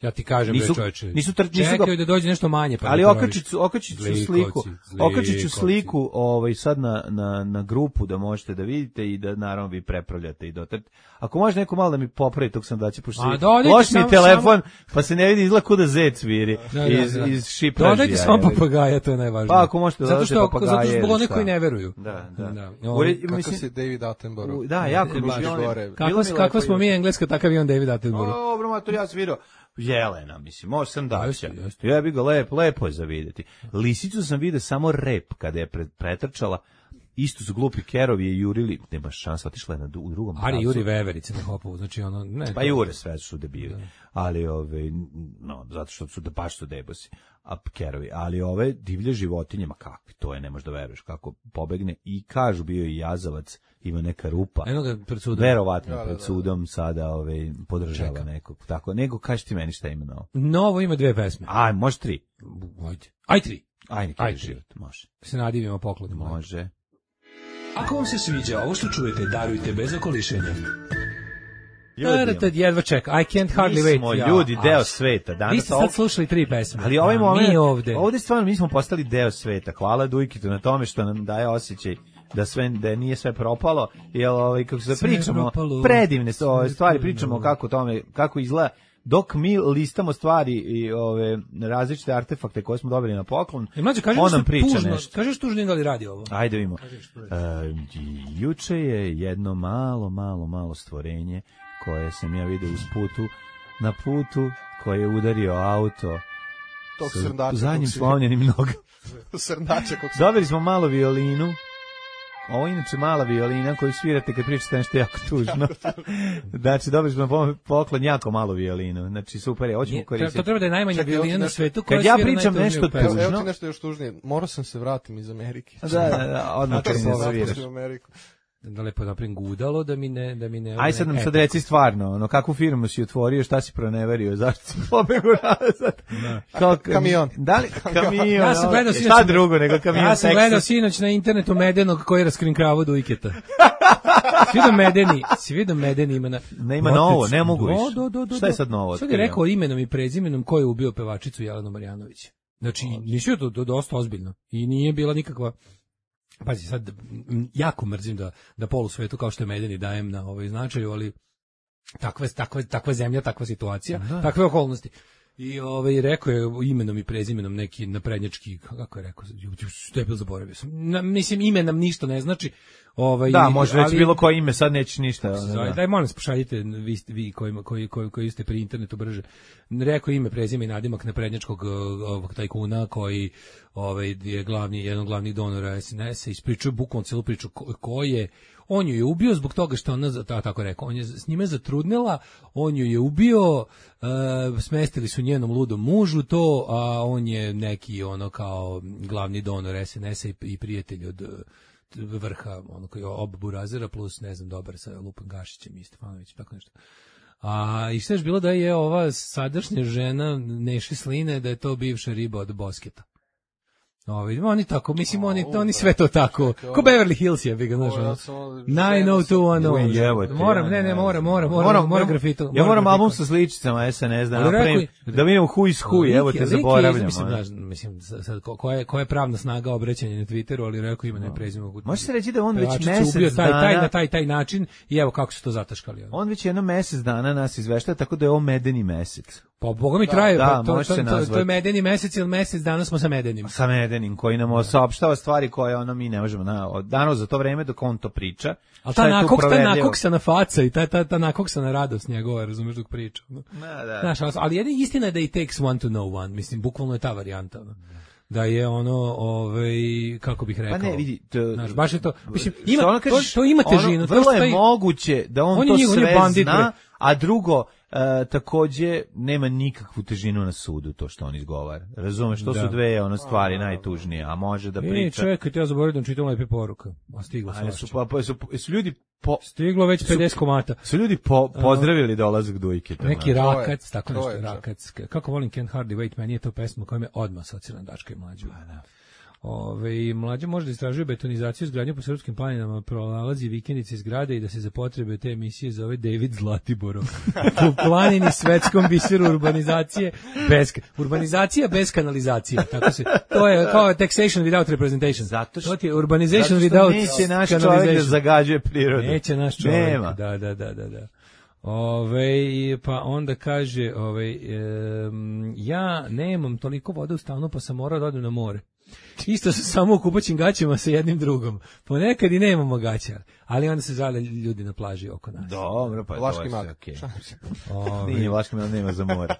Speaker 7: Ja ti kažem,
Speaker 6: Nisu-
Speaker 7: bre čoveče.
Speaker 6: nisu tr- nisu ga-
Speaker 7: Čekaju da dođe nešto manje. Pa
Speaker 6: Ali
Speaker 7: da
Speaker 6: okačit ću, okačit ću
Speaker 7: Zlikovci,
Speaker 6: sliku, okačit ću
Speaker 7: zlikovci.
Speaker 6: sliku ovaj, sad na, na, na grupu da možete da vidite i da naravno vi prepravljate i dotrete. Ako može neko malo da mi popravi tog sandaća, pošto
Speaker 7: A,
Speaker 6: si
Speaker 7: dodajte
Speaker 6: loš mi
Speaker 7: samo-
Speaker 6: telefon, pa se ne vidi izgleda kuda zec viri
Speaker 7: Da, da,
Speaker 6: iz,
Speaker 7: da.
Speaker 6: iz šipražija.
Speaker 7: Dodajte samo
Speaker 6: je li.
Speaker 7: papagaja, to je najvažnije.
Speaker 6: Pa ako možete
Speaker 7: zato
Speaker 6: dodati
Speaker 7: što,
Speaker 6: papagaje
Speaker 7: zato što zbog
Speaker 6: ili
Speaker 7: onih
Speaker 6: šta.
Speaker 7: koji ne veruju.
Speaker 6: Da, da.
Speaker 7: Da.
Speaker 6: Ure-
Speaker 7: Ovaj,
Speaker 8: Kakav
Speaker 6: mislim,
Speaker 8: si David Attenborough.
Speaker 6: u- da, jako mi
Speaker 8: baš
Speaker 6: je ono-
Speaker 8: gore.
Speaker 6: bilo
Speaker 7: Kakva,
Speaker 6: mi
Speaker 7: kakva
Speaker 6: lepo
Speaker 7: smo
Speaker 6: i-
Speaker 7: mi engleska, takav i on David Attenborough.
Speaker 6: Dobro, ma to ja sam vidio Jelena, mislim, može sam daća.
Speaker 7: Jeste, jeste.
Speaker 6: Ja bih ga lep, lepo je za vidjeti. Lisicu sam vidio samo rep kada je pre, pretrčala. Isto su glupi kerovi je jurili, nema šansa, otišla je na, u drugom
Speaker 7: Ari
Speaker 6: pravcu.
Speaker 7: Juri Veverice na hopovu, znači ono, ne.
Speaker 6: Pa jure sve su debili, ali ove, no, zato što su da baš su debosi, a kerovi, ali ove divlje životinje, ma kakvi, to je, ne možeš da veruješ kako pobegne i kažu bio je i jazavac, ima neka rupa.
Speaker 7: Eno ga pred sudom.
Speaker 6: Verovatno
Speaker 8: Da, da,
Speaker 6: pred
Speaker 8: da.
Speaker 6: sudom sada ove, podržava
Speaker 7: Čeka.
Speaker 6: nekog. Tako, nego kaži ti meni šta ima novo.
Speaker 7: Novo ima dve pesme.
Speaker 6: Aj, može tri.
Speaker 7: Ajde. Aj tri.
Speaker 6: Aj, neki
Speaker 7: Ajde.
Speaker 6: život, može.
Speaker 7: Se nadivimo poklonima.
Speaker 6: Može.
Speaker 4: Ako vam se sviđa ovo što čujete, darujte bez okolišenja.
Speaker 6: Ljudi,
Speaker 7: jedva ček, I can't hardly wait.
Speaker 6: Mi smo ljudi,
Speaker 7: Ja,
Speaker 6: deo
Speaker 7: a,
Speaker 6: sveta. Danas
Speaker 7: Vi ste sad slušali tri pesme.
Speaker 6: Ali ovaj
Speaker 7: a
Speaker 6: moment,
Speaker 7: mi ovde.
Speaker 6: ovde stvarno mi smo postali deo sveta. Hvala Dujkitu na tome što nam daje osjećaj da sve da nije sve propalo, jel ovaj kako se
Speaker 7: Sve
Speaker 6: pričamo
Speaker 7: propalo.
Speaker 6: predivne su ove
Speaker 7: Sve
Speaker 6: stvari,
Speaker 7: propalo.
Speaker 6: pričamo kako tome kako izgleda dok mi listamo stvari i ove različite artefakte koje smo dobili na poklon.
Speaker 7: E, mlađe, kaži
Speaker 6: on
Speaker 7: nešto
Speaker 6: nam priča
Speaker 7: tužno,
Speaker 6: nešto.
Speaker 7: Kažeš tužno da li radi ovo?
Speaker 6: Ajde vidimo. E, juče je jedno malo, malo, malo stvorenje koje sam ja vidio uz putu, na putu koje je udario auto
Speaker 8: Tog
Speaker 6: sa
Speaker 8: srndača.
Speaker 6: zadnjim slomljenim nogama.
Speaker 8: Srndača kog se...
Speaker 6: Dobili smo malo violinu. Ovo je inače mala violina koju svirate kad pričate nešto jako tužno. Znači, dobili smo po- poklon jako malu violinu. Znači, super je, hoćemo
Speaker 7: Nije,
Speaker 6: koristiti.
Speaker 7: to treba da je najmanja
Speaker 8: Čekaj,
Speaker 7: violina
Speaker 8: ovdje
Speaker 7: na
Speaker 8: nešto-
Speaker 7: svetu koja
Speaker 6: Kad ja
Speaker 7: svira
Speaker 6: pričam
Speaker 7: najtužniju
Speaker 6: nešto
Speaker 7: pesmu.
Speaker 8: Evo, evo
Speaker 6: tužno.
Speaker 8: ti nešto još tužnije. Morao sam se vratim iz Amerike.
Speaker 6: Da, da, da, odmah kad
Speaker 8: Zato
Speaker 6: mi
Speaker 8: sam
Speaker 6: ne zaviraš.
Speaker 8: napustio Ameriku.
Speaker 7: Da lepo napravim gudalo da mi ne da mi ne.
Speaker 6: Aj sad nam
Speaker 7: ne-
Speaker 6: sad reci stvarno, ono, kakvu firmu si otvorio, šta si proneverio, zašto si pobegao nazad? Kao,
Speaker 8: Kamion.
Speaker 6: Da li, kamion,
Speaker 7: Ja sam
Speaker 6: ono,
Speaker 7: gledao
Speaker 6: šta
Speaker 7: sinoć-
Speaker 6: drugo nego kamion
Speaker 7: Ja sam
Speaker 6: Texas?
Speaker 7: gledao sinoć na internetu Medenog koji je raskrinkravao Dujketa. Svi do Medeni, svi do Medeni ima na...
Speaker 6: Ne, ima novo, ne mogu
Speaker 7: Do,
Speaker 6: više.
Speaker 7: do, do, do,
Speaker 6: Šta je
Speaker 7: do.
Speaker 6: sad novo
Speaker 7: Sad je
Speaker 6: otkrio?
Speaker 7: rekao imenom i prezimenom ko je ubio pevačicu Jelenu Marjanović. Znači, nisu to, to dosta ozbiljno. I nije bila nikakva... Pazi, sad m, jako mrzim da, da polu svetu kao što je Medeni dajem na ovaj značaju, ali takva, takva, takva zemlja, takva situacija, takve okolnosti. I ovaj rekao je imenom i prezimenom neki naprednjački, kako je rekao, što je bilo zaboravio sam. Na, mislim, ime nam ništa ne znači. Ovaj,
Speaker 6: Da, može reći
Speaker 7: ali-
Speaker 6: bilo koje ime, sad nećeš ništa. ono,
Speaker 7: Zove,
Speaker 6: da.
Speaker 7: daj molim vas pošaljite vi, vi koji, koji, koji, koji ste pri internetu brže. Rekao ime, prezime i nadimak naprednjačkog uh, ovog tajkuna koji ovaj, je glavni, jedan od glavnih donora S N S-a, ispričao bukvalno celu priču ko, ko je. On ju je ubio zbog toga što ona, za- ta- tako rekao, on je s njime zatrudnila, on ju je ubio, uh, smestili su njenom ludom mužu to, a on je neki ono kao glavni donor S N S-a i, i prijatelj od uh, vrha, ono koji je ob Burazera plus, ne znam, dobar sa Lupom Gašićem i Stefanovićem, tako nešto. A i šta je bilo da je ova sadašnja žena Neši Sline, da je to bivša riba od Bosketa. Ovi, oni tako, mislim, oni, oni sve to tako. Ko Beverly Hills je, bi ga znaš.
Speaker 8: O, ja
Speaker 7: ono.
Speaker 8: sam ono-
Speaker 7: nine oh two one oh.
Speaker 6: Uj, evo te,
Speaker 7: Moram,
Speaker 6: ja
Speaker 7: ne, ne,
Speaker 6: ne
Speaker 7: moram, moram,
Speaker 6: znam.
Speaker 7: moram, moram grafito.
Speaker 6: Ja moram
Speaker 7: grafito.
Speaker 6: album sa sličicama S N S da
Speaker 7: Ali
Speaker 6: napravim,
Speaker 7: rekao-
Speaker 6: da vidimo who is who, evo
Speaker 7: Lik je-
Speaker 6: te
Speaker 7: lik je-
Speaker 6: zaboravljamo.
Speaker 7: Mislim,
Speaker 6: ono.
Speaker 7: znaš, mislim, sad, ko, ko je, ko je pravna snaga obraćanja na Twitteru, ali rekao ima ne prezime.
Speaker 6: Može se reći da on već
Speaker 7: Pevačicu
Speaker 6: mesec
Speaker 7: ubio taj, taj,
Speaker 6: dana-
Speaker 7: na taj, taj način i evo kako su to zataškali. ono.
Speaker 6: On već jedno mesec dana nas izvešta, tako da je ovo medeni mesec.
Speaker 7: Pa boga mi traje,
Speaker 6: da,
Speaker 7: pa to,
Speaker 6: može
Speaker 7: to,
Speaker 6: se
Speaker 7: to, to je
Speaker 6: nazvati.
Speaker 7: medeni mesec ili mesec danas smo sa medenim.
Speaker 6: Sa medenim, koji nam saopštava stvari koje ono mi ne možemo na od danas za to vreme dok on to priča.
Speaker 7: Ali
Speaker 6: Šta
Speaker 7: ta
Speaker 6: je tu
Speaker 7: nakok, ta
Speaker 6: proverljivo?
Speaker 7: nakoksana faca i ta, ta, ta nakoksana radost njegova, razumeš dok priča. ono.
Speaker 6: Da, da.
Speaker 7: Znaš, ali- ali jedina istina je da i takes one to know one, mislim, bukvalno je ta varijanta. ono. Da je ono, ovaj, kako bih rekao.
Speaker 6: Pa ne, vidi, to,
Speaker 7: Znaš, baš je to, mislim,
Speaker 6: što
Speaker 7: ima,
Speaker 6: ono
Speaker 7: to,
Speaker 6: kažeš,
Speaker 7: to ima težinu.
Speaker 6: ono,
Speaker 7: to
Speaker 6: vrlo
Speaker 7: što
Speaker 6: je
Speaker 7: taj-
Speaker 6: moguće da on,
Speaker 7: On je
Speaker 6: to
Speaker 7: njegov- on je
Speaker 6: sve
Speaker 7: bandit, bre.
Speaker 6: zna, a drugo, e, takođe nema nikakvu težinu na sudu to što on izgovara. Razumeš, to
Speaker 7: Da.
Speaker 6: su dve ono stvari najtužnije, a može da
Speaker 7: E,
Speaker 6: priča.
Speaker 7: čekaj, ja zaboravio da vam čitam lepe poruka. A stiglo
Speaker 6: A su,
Speaker 7: svašta.
Speaker 6: pa, pa, su, su ljudi po,
Speaker 7: Stiglo već pedeset komata.
Speaker 6: su ljudi po, pozdravili dolazak Dujke.
Speaker 7: Neki
Speaker 8: To je-
Speaker 7: rakac, tako
Speaker 8: to
Speaker 7: nešto,
Speaker 8: je čak.
Speaker 7: rakac. Kako volim Can't Hardly Wait, meni je to pesma koja me odmah asocira na Daška i Mlađu. Ove, mlađa može da istražuje betonizaciju izgradnju po srpskim planinama, prolazi vikendice iz grada i da se za potrebe te emisije zove David Zlatiborov. Po planini svetskom biseru urbanizacije bez, urbanizacija bez kanalizacije. Tako se, to je kao taxation without representation.
Speaker 6: Zato što-
Speaker 7: to ti je urbanization
Speaker 6: Zato što
Speaker 7: without
Speaker 6: neće naš čovjek da
Speaker 7: canalization.
Speaker 6: zagađuje prirodu.
Speaker 7: Neće naš čovjek.
Speaker 6: Nema.
Speaker 7: Da, da, da, da, da. Ove, pa onda kaže, ove, em, ja nemam toliko vode u stanu, pa sam morao da odem na more. Isto sam samo u kupaćim gaćama sa jednim drugom. Ponekad i nemamo gaća, ali onda se žale ljudi na plaži oko nas.
Speaker 6: Dobro, pa
Speaker 8: Vlaški
Speaker 6: to je sve
Speaker 8: mak.
Speaker 6: okej.
Speaker 7: Ove,
Speaker 6: Nije, Vlaški mak nema za more.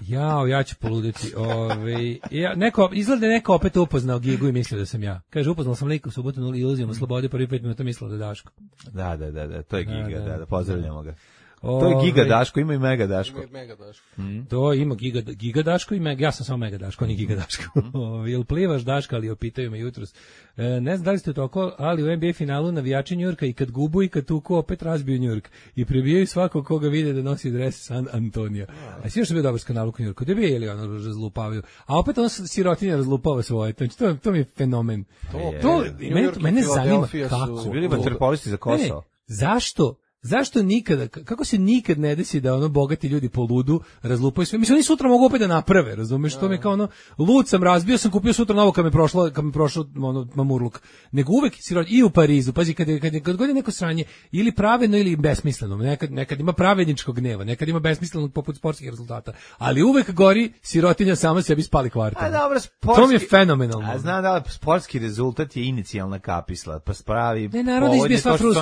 Speaker 7: jao, ja ću poluditi. Ove, ja, neko, izgleda da je neko opet upoznao Gigu i mislio da sam ja. Kaže, upoznao sam lika u subotu na iluzijama slobode, prvi pet minuta mislila da je Daško.
Speaker 6: Da, da, da, da, to je Giga,
Speaker 7: da,
Speaker 6: da,
Speaker 7: da.
Speaker 6: da, pozdravljamo ga. To je Giga
Speaker 7: Ove,
Speaker 6: Daško, ima i Mega Daško.
Speaker 8: Ima i Mega Daško.
Speaker 7: To ima Giga, Giga Daško i Mega, ja sam samo Mega Daško, ni Giga Daško. Ove, jel plivaš Daška, ali opitaju me jutros. E, ne znam da li ste to oko, ali u N B A finalu navijači Njurka i kad gubu i kad tuku opet razbiju Njurk i prebijaju svakog koga vide da nosi dres San Antonija. A svi još je bio dobar skandal u Njurku, da bi je ili ono razlupavaju. A opet on sirotinja razlupava svoje, znači to, to mi je fenomen.
Speaker 8: To,
Speaker 7: To,
Speaker 8: New
Speaker 7: mene,
Speaker 8: York i
Speaker 7: mene zanima
Speaker 8: Philadelphia su-
Speaker 7: kako.
Speaker 6: Su bili
Speaker 7: to-
Speaker 6: vaterpolisti za
Speaker 7: Ne, ne,
Speaker 6: Kosovo.
Speaker 7: zašto Zašto nikada, kako se nikad ne desi da ono bogati ljudi po ludu razlupaju sve? Mislim, oni sutra mogu opet da naprave, razumeš? To mi je kao ono, lud sam razbio, sam kupio sutra novo kad mi prošlo, kad mi prošlo ono, mamurluk. Nego uvek sirot, i u Parizu, pazi, kad, kad, kad god je neko sranje, ili pravedno ili besmisleno, nekad, nekad ima pravedničkog gneva, nekad ima besmislenog poput sportskih rezultata, ali uvek gori sirotinja sama sebi spali kvarta.
Speaker 6: A dobro, sportski...
Speaker 7: To mi je fenomenalno.
Speaker 6: A znam da sportski rezultat je inicijalna kapisla, pa spravi
Speaker 7: ne, narod izbije sva frust,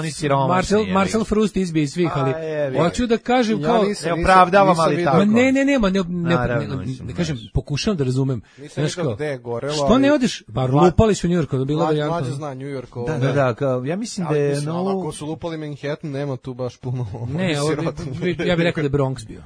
Speaker 7: Marcel, Marcel Frust izbije svih, ali hoću da kažem kao...
Speaker 8: Ja nisam,
Speaker 6: ne opravdavam, ali
Speaker 8: nisam
Speaker 6: tako.
Speaker 7: Ne, ne, nema, ne, ne,
Speaker 6: Naravno,
Speaker 7: ne,
Speaker 6: mislim,
Speaker 7: ne kažem,
Speaker 6: znaš.
Speaker 7: pokušavam da razumem.
Speaker 8: Nisam rekao gde je gorelo,
Speaker 7: što ne odeš? Pa lupali su u Njujorku, da bilo
Speaker 8: Mlađa,
Speaker 7: varijantno.
Speaker 8: mlađa zna New York.
Speaker 6: Da, da, da, kao, ja mislim da je...
Speaker 8: No,
Speaker 6: no...
Speaker 8: ako su lupali Manhattan, nema tu baš puno
Speaker 7: Ne, ovo, ja bih rekao da je Bronx bio.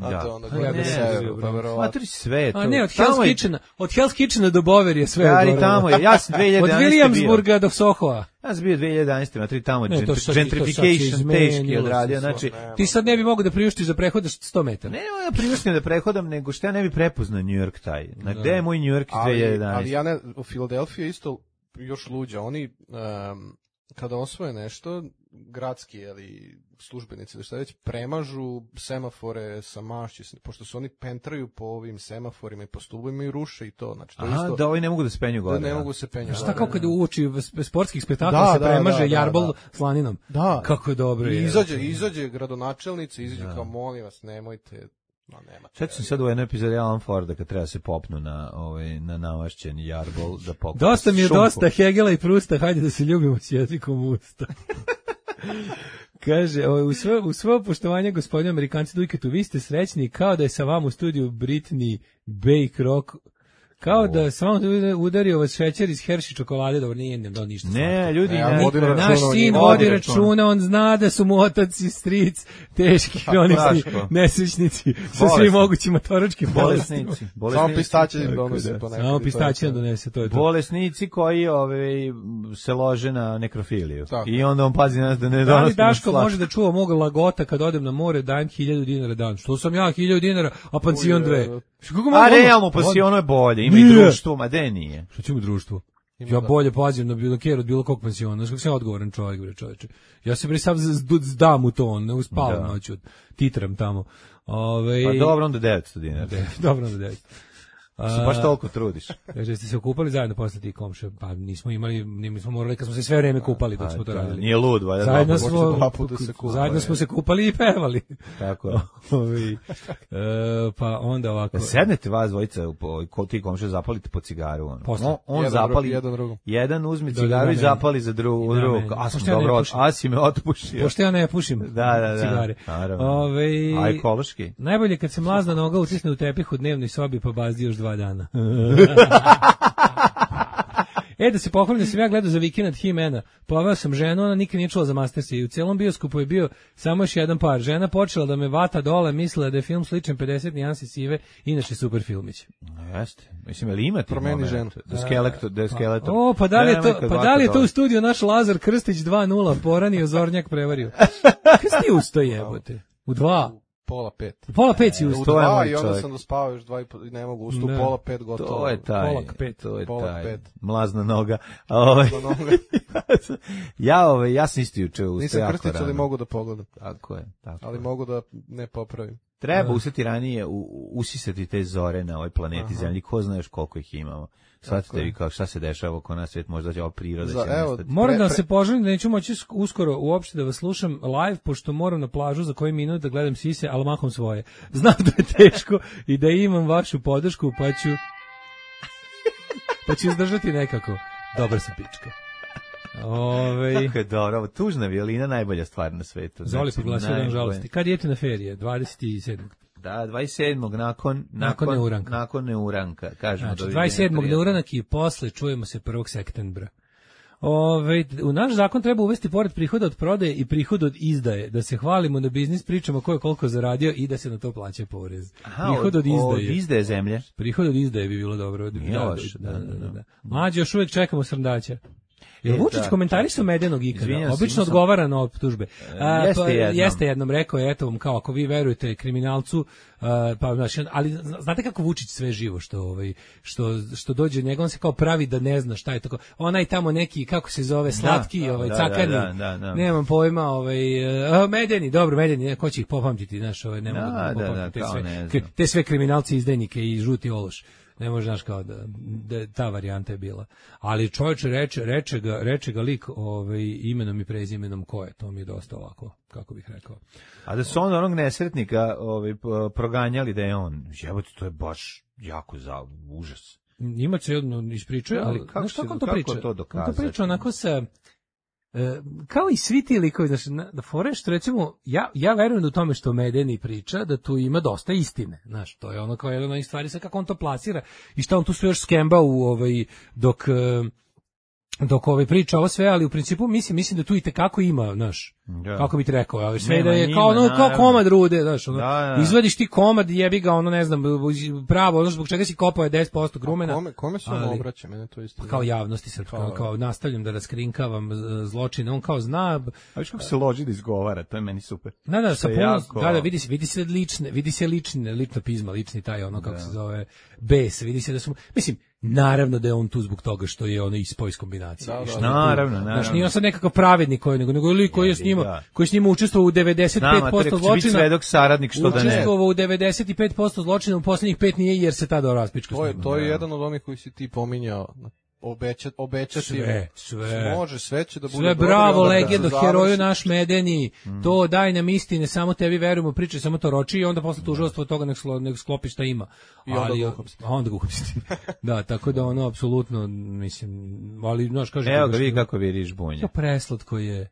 Speaker 8: A
Speaker 6: Da.
Speaker 8: to onda
Speaker 7: Ja
Speaker 8: gleda
Speaker 7: ne,
Speaker 8: severu,
Speaker 7: ne,
Speaker 8: pa
Speaker 7: ne,
Speaker 8: verovatno.
Speaker 6: Matri sve je to.
Speaker 7: A ne, od
Speaker 6: Tamo
Speaker 7: Hell's
Speaker 6: je-
Speaker 7: Kitchena, od Hell's Kitchena do Bover je sve.
Speaker 6: Stari,
Speaker 7: gore.
Speaker 6: tamo je, ja sam dve hiljade
Speaker 7: Od
Speaker 6: jedanaeste bio.
Speaker 7: Williamsburga do Sohoa.
Speaker 6: Ja sam bio dve hiljade jedanaeste matri tamo,
Speaker 7: Ne, to
Speaker 6: gentri-
Speaker 7: sad- to sad se
Speaker 6: gentrification teški
Speaker 7: izmenilo
Speaker 6: odradio,
Speaker 7: se,
Speaker 6: znači,
Speaker 7: Ti sad ne bi mogao da priuštiš za prehodaš sto metara.
Speaker 6: ne, ne, ja priuštim da prehodam, nego što ja ne bi prepoznao New York taj. Na gde je moj New York iz
Speaker 8: Ali,
Speaker 6: dve hiljade
Speaker 8: ali
Speaker 6: jedanaeste?
Speaker 8: ja ne, u Filadelfiji je isto još luđa. Oni, um, kada osvoje nešto, gradski, ali službenici, da šta već, premažu semafore sa mašći, pošto su oni pentraju po ovim semaforima i po stubovima i ruše i to. Znači, to je
Speaker 6: Aha,
Speaker 8: isto,
Speaker 6: da ovi ne mogu da se penju
Speaker 8: da
Speaker 6: gore.
Speaker 8: ne
Speaker 6: ja.
Speaker 8: mogu se penjati.
Speaker 7: Šta kao kad uoči sportskih spektakla
Speaker 8: Da,
Speaker 7: se
Speaker 8: da,
Speaker 7: premaže
Speaker 8: da, da,
Speaker 7: jarbol
Speaker 8: da.
Speaker 7: slaninom.
Speaker 8: Da.
Speaker 7: Kako je dobro
Speaker 8: I
Speaker 7: je.
Speaker 8: izađe, izađe gradonačelnica, izađe kao, molim vas, nemojte, no nema.
Speaker 6: Sad sam sad u jednoj epizodi Alan Forda kad treba se popnu na, ovaj, na namašćen jarbol da pokupa
Speaker 7: Dosta mi je
Speaker 6: šunku.
Speaker 7: dosta Hegela i Prusta, hajde da se ljubimo s jezikom usta. Kaže, o, u sve, u sve poštovanje gospodine Amerikanci Dujketu, vi ste srećni kao da je sa vama u studiju Britney Bake Rock, kao da sa vama udario vas šećer iz Hershey čokolade, dobro, nije nem dao ništa.
Speaker 6: Ne, ljudi,
Speaker 8: Ne, ja
Speaker 6: ne,
Speaker 8: vodim računa
Speaker 7: Naš
Speaker 8: o
Speaker 7: sin
Speaker 8: njima.
Speaker 7: vodi
Speaker 6: Vodi
Speaker 7: računa, on zna da su mu otac i stric teški hronični
Speaker 6: Daško.
Speaker 7: nesrećnici sa svim
Speaker 6: Bolesni.
Speaker 7: mogućim motoričkim bolestima.
Speaker 6: bolesnici,
Speaker 8: Samo
Speaker 6: bolesnici,
Speaker 8: pistaće im
Speaker 7: Tako
Speaker 8: donose
Speaker 7: da,
Speaker 8: ponekad.
Speaker 7: Samo
Speaker 8: i to je
Speaker 7: pistaće
Speaker 8: to.
Speaker 7: nam donese, to je to.
Speaker 6: bolesnici koji ovaj, se lože na nekrofiliju.
Speaker 8: Tako.
Speaker 6: I onda on pazi nas da ne
Speaker 7: Da li
Speaker 6: donosimo
Speaker 7: Daško
Speaker 6: slatko.
Speaker 7: može da čuva mog lagota kad odem na more, dajem hiljadu dinara dan. Što sam ja, hiljadu dinara, a pansion dve. Što kako
Speaker 6: A
Speaker 7: mogu-
Speaker 6: realno, pa si ono je bolje, ima i
Speaker 7: Nije.
Speaker 6: društvo, ma de nije.
Speaker 7: Što ćemo društvo? Ja bolje pazim na bilo kjer od bilo kog pensiona. Znaš kako sam ja odgovoran čovjek, bre čovječe. Ja se bre sam z- zdam u to, ne uspavam
Speaker 6: Da.
Speaker 7: noću, titram tamo. Ove,
Speaker 6: Pa dobro, onda devetsto dinara.
Speaker 7: dobro onda devet.
Speaker 6: Se baš toliko trudiš.
Speaker 7: Kaže, ste se okupali zajedno posle ti komše? Pa nismo imali, nismo morali, kad smo se sve vreme kupali dok
Speaker 6: Pa,
Speaker 7: smo to
Speaker 6: da,
Speaker 7: radili.
Speaker 6: Nije lud, valjda.
Speaker 7: Zajedno
Speaker 6: dva puta.
Speaker 7: smo,
Speaker 8: dva puta se kupali.
Speaker 7: zajedno smo se kupali i pevali.
Speaker 6: Tako je.
Speaker 7: Ovi, e, pa onda ovako.
Speaker 6: Sednete vas dvojica, po- ko ti komše zapalite po cigaru. Ono.
Speaker 7: Posle.
Speaker 6: On, on
Speaker 8: Jedan
Speaker 6: zapali,
Speaker 8: dru- jedan drugom.
Speaker 6: jedan uzme
Speaker 7: Da,
Speaker 6: cigaru
Speaker 7: da,
Speaker 6: i
Speaker 7: da,
Speaker 6: zapali za drugu.
Speaker 7: Da,
Speaker 6: drugu.
Speaker 7: meni.
Speaker 6: A sam
Speaker 7: Pošto ja ne
Speaker 6: dobro,
Speaker 7: pušim.
Speaker 6: a si me otpušio.
Speaker 7: Pošto ja ne pušim
Speaker 6: Da, da, da.
Speaker 7: cigare.
Speaker 6: Naravno.
Speaker 7: Ove,
Speaker 6: A ekološki.
Speaker 7: najbolje kad se mlazna noga utisne u tepih u dnevnoj sobi pa bazdi još dva dana. E, da se pohvalim da sam ja gledao za vikend He-Mana. Poveo sam ženu, ona nikad nije čula za Mastersa i u celom bioskopu je bio samo još jedan par. Žena počela da me vata dole, mislila da je film sličan pedeset nijansi sive, inače super filmić.
Speaker 6: Jeste. Mislim, ali ima ti
Speaker 8: Promeni
Speaker 6: moment
Speaker 8: ženu.
Speaker 6: Da skeletor, da je skeletor.
Speaker 7: O, pa da li je
Speaker 6: Nemoj
Speaker 7: to,
Speaker 6: kad
Speaker 7: pa
Speaker 6: vata
Speaker 7: da li je to
Speaker 6: dole.
Speaker 7: u studiju naš Lazar Krstić dva nula, poranio Zornjak prevario. Kad si usto jebote? U dva?
Speaker 8: Pola pet.
Speaker 7: U pola pet si
Speaker 8: U
Speaker 7: usto.
Speaker 6: to je
Speaker 8: dva
Speaker 6: moj
Speaker 8: i onda
Speaker 6: čovjek.
Speaker 8: sam dospavao još dva i po, i ne mogu, ustu
Speaker 7: Da.
Speaker 8: pola pet gotovo.
Speaker 6: To je taj,
Speaker 7: Polak pet.
Speaker 6: to je
Speaker 8: Polak
Speaker 6: taj,
Speaker 8: pet.
Speaker 6: mlazna noga. A ovaj,
Speaker 8: Na noge.
Speaker 6: ja, ovaj, ja sam isto juče ustao
Speaker 8: Nisam
Speaker 6: jako
Speaker 8: krstić, ali
Speaker 6: rano.
Speaker 8: mogu da pogledam.
Speaker 6: Tako je, tako
Speaker 8: Ali
Speaker 6: je.
Speaker 8: mogu da ne popravim.
Speaker 6: Treba useti ranije, u, u- usisati te zore na ovoj planeti Zemlji, ko zna još koliko ih imamo. Shvatite vi kao šta se dešava oko nas, svijet, možda će ova priroda
Speaker 8: Za-
Speaker 6: će
Speaker 8: evo,
Speaker 6: nestati.
Speaker 7: Moram
Speaker 8: Pre-
Speaker 7: da vam
Speaker 8: pre-
Speaker 7: se poželim da neću moći sk- uskoro uopšte da vas slušam live, pošto moram na plažu za koji minut da gledam sise, ali mahom svoje. Znam da je teško i da imam vašu podršku, pa ću pa ću izdržati nekako. Dobar sam pička. Ove,
Speaker 6: Kako je dobro, ovo tužna violina, najbolja stvar na svetu.
Speaker 7: Zoli
Speaker 6: Znači,
Speaker 7: proglasio dan
Speaker 6: najbolje.
Speaker 7: žalosti. Kad idete na ferije? dvadeset sedmog
Speaker 6: Da, dvadeset sedmog nakon,
Speaker 7: Nakon neuranka.
Speaker 6: Nakon neuranka, kažemo.
Speaker 7: Znači,
Speaker 6: doviđenja,
Speaker 7: dvadeset sedmog
Speaker 6: prijatno.
Speaker 7: neuranak i posle čujemo se prvog septembra. Ove, u naš zakon treba uvesti pored prihoda od prodaje i prihod od izdaje, da se hvalimo na biznis, pričamo ko je koliko zaradio i da se na to plaća porez.
Speaker 6: Aha,
Speaker 7: Prihod od izdaje.
Speaker 6: Od izdaje zemlje.
Speaker 7: Prihod od izdaje bi bilo dobro.
Speaker 6: Nije
Speaker 7: Da,
Speaker 6: loše,
Speaker 7: da,
Speaker 6: da,
Speaker 7: da,
Speaker 6: da,
Speaker 7: da, da. Mlađe, još uvijek čekamo srndaća. Jel
Speaker 6: E,
Speaker 7: Vučić
Speaker 6: da,
Speaker 7: komentarisao Medenog ikada?
Speaker 6: Izvinjam se,
Speaker 7: Obično
Speaker 6: imao sam-
Speaker 7: odgovara na optužbe. A,
Speaker 6: jeste
Speaker 7: pa,
Speaker 6: jednom.
Speaker 7: Jeste jednom, rekao je, eto vam, kao ako vi verujete kriminalcu pa znači, ali znate kako Vučić sve živo što ovaj što što dođe njega, on se kao pravi da ne zna šta je tako. Onaj tamo neki kako se zove slatki, da, ovaj
Speaker 6: da,
Speaker 7: cakani.
Speaker 6: Da, da, da.
Speaker 7: Nemam pojma, ovaj uh, Medeni, dobro Medeni, ko će ih popamtiti, znaš, ovaj ne mogu da, da, da, te, sve, k, te sve kriminalci, izdajnike i žuti ološ. Ne može, znaš, kao da, da ta varijanta je bila. Ali čovječe reče, reče ga, reče ga lik ovaj, imenom i prezimenom ko je, to mi je dosta ovako, kako bih rekao.
Speaker 6: A da su on onog nesretnika ovaj, proganjali da je on, jebote, to je baš jako za užas.
Speaker 7: Ima se jedno ispričuje, ali kako, znaš, kako on to
Speaker 6: kako
Speaker 7: priča?
Speaker 6: To dokazati?
Speaker 7: On to priča onako sa... E, kao i svi ti likovi, znači, da fore što recimo, ja, ja verujem u tome što Medeni priča, da tu ima dosta istine, znaš, to je ono kao jedna od stvari, sad kako on to plasira i šta on tu sve još skemba u ovaj, dok, dok ovaj priča ovo sve, ali u principu mislim, mislim da tu i tekako ima, znaš, da. Kako bi ti rekao, ali sve nema, da je njima, kao, ono, kao komad rude, znaš, ono, da, da. Izvadiš ti komad, jebi ga, ono, ne znam, pravo, ono zbog čega si kopao je deset posto grumena.
Speaker 8: Kome, kome se on obraća, mene to isto.
Speaker 7: Kao javnosti srpska, kao, kao nastavljam da raskrinkavam zločine, on kao zna.
Speaker 6: A viš kako se loži da izgovara, to je meni super.
Speaker 7: Da, da, sa puno, jako... da, da, vidi se, vidi se lične, vidi se lične, lično pizma, lični taj, ono, kako da. Se zove, bes, vidi se da su, mislim, naravno da je on tu zbog toga što je ono ispao iz kombinacije. Da, da,
Speaker 6: naravno, naravno.
Speaker 7: Znaš, nije on sad nekakav pravednik koji, nego, nego lik koji je s njima, da. Koji s njima učestvovao u devedeset pet posto zločina.
Speaker 6: Svedok, saradnik, što da ne.
Speaker 7: Učestvovao u devedeset pet posto zločina, u poslednjih pet nije jer se tada raspička.
Speaker 8: To je, to je jedan od onih koji si ti pominjao. Obećati, obećati.
Speaker 7: Sve, sve.
Speaker 8: Može, sve će da bude
Speaker 7: sve,
Speaker 8: dobro.
Speaker 7: Bravo, legendo, heroju naš Medeni, mm. to daj nam istine, samo tebi verujemo, priče, samo to roči i onda posle tužilaštvo od toga nek, slo, nek sklopi šta ima.
Speaker 8: I onda
Speaker 7: ali,
Speaker 8: ga uhapsti.
Speaker 7: Onda ga uhapsti. Da, tako da ono, apsolutno, mislim, ali, znaš, kaže...
Speaker 6: Evo ga, vidi kako viriš bunje.
Speaker 7: To preslatko je.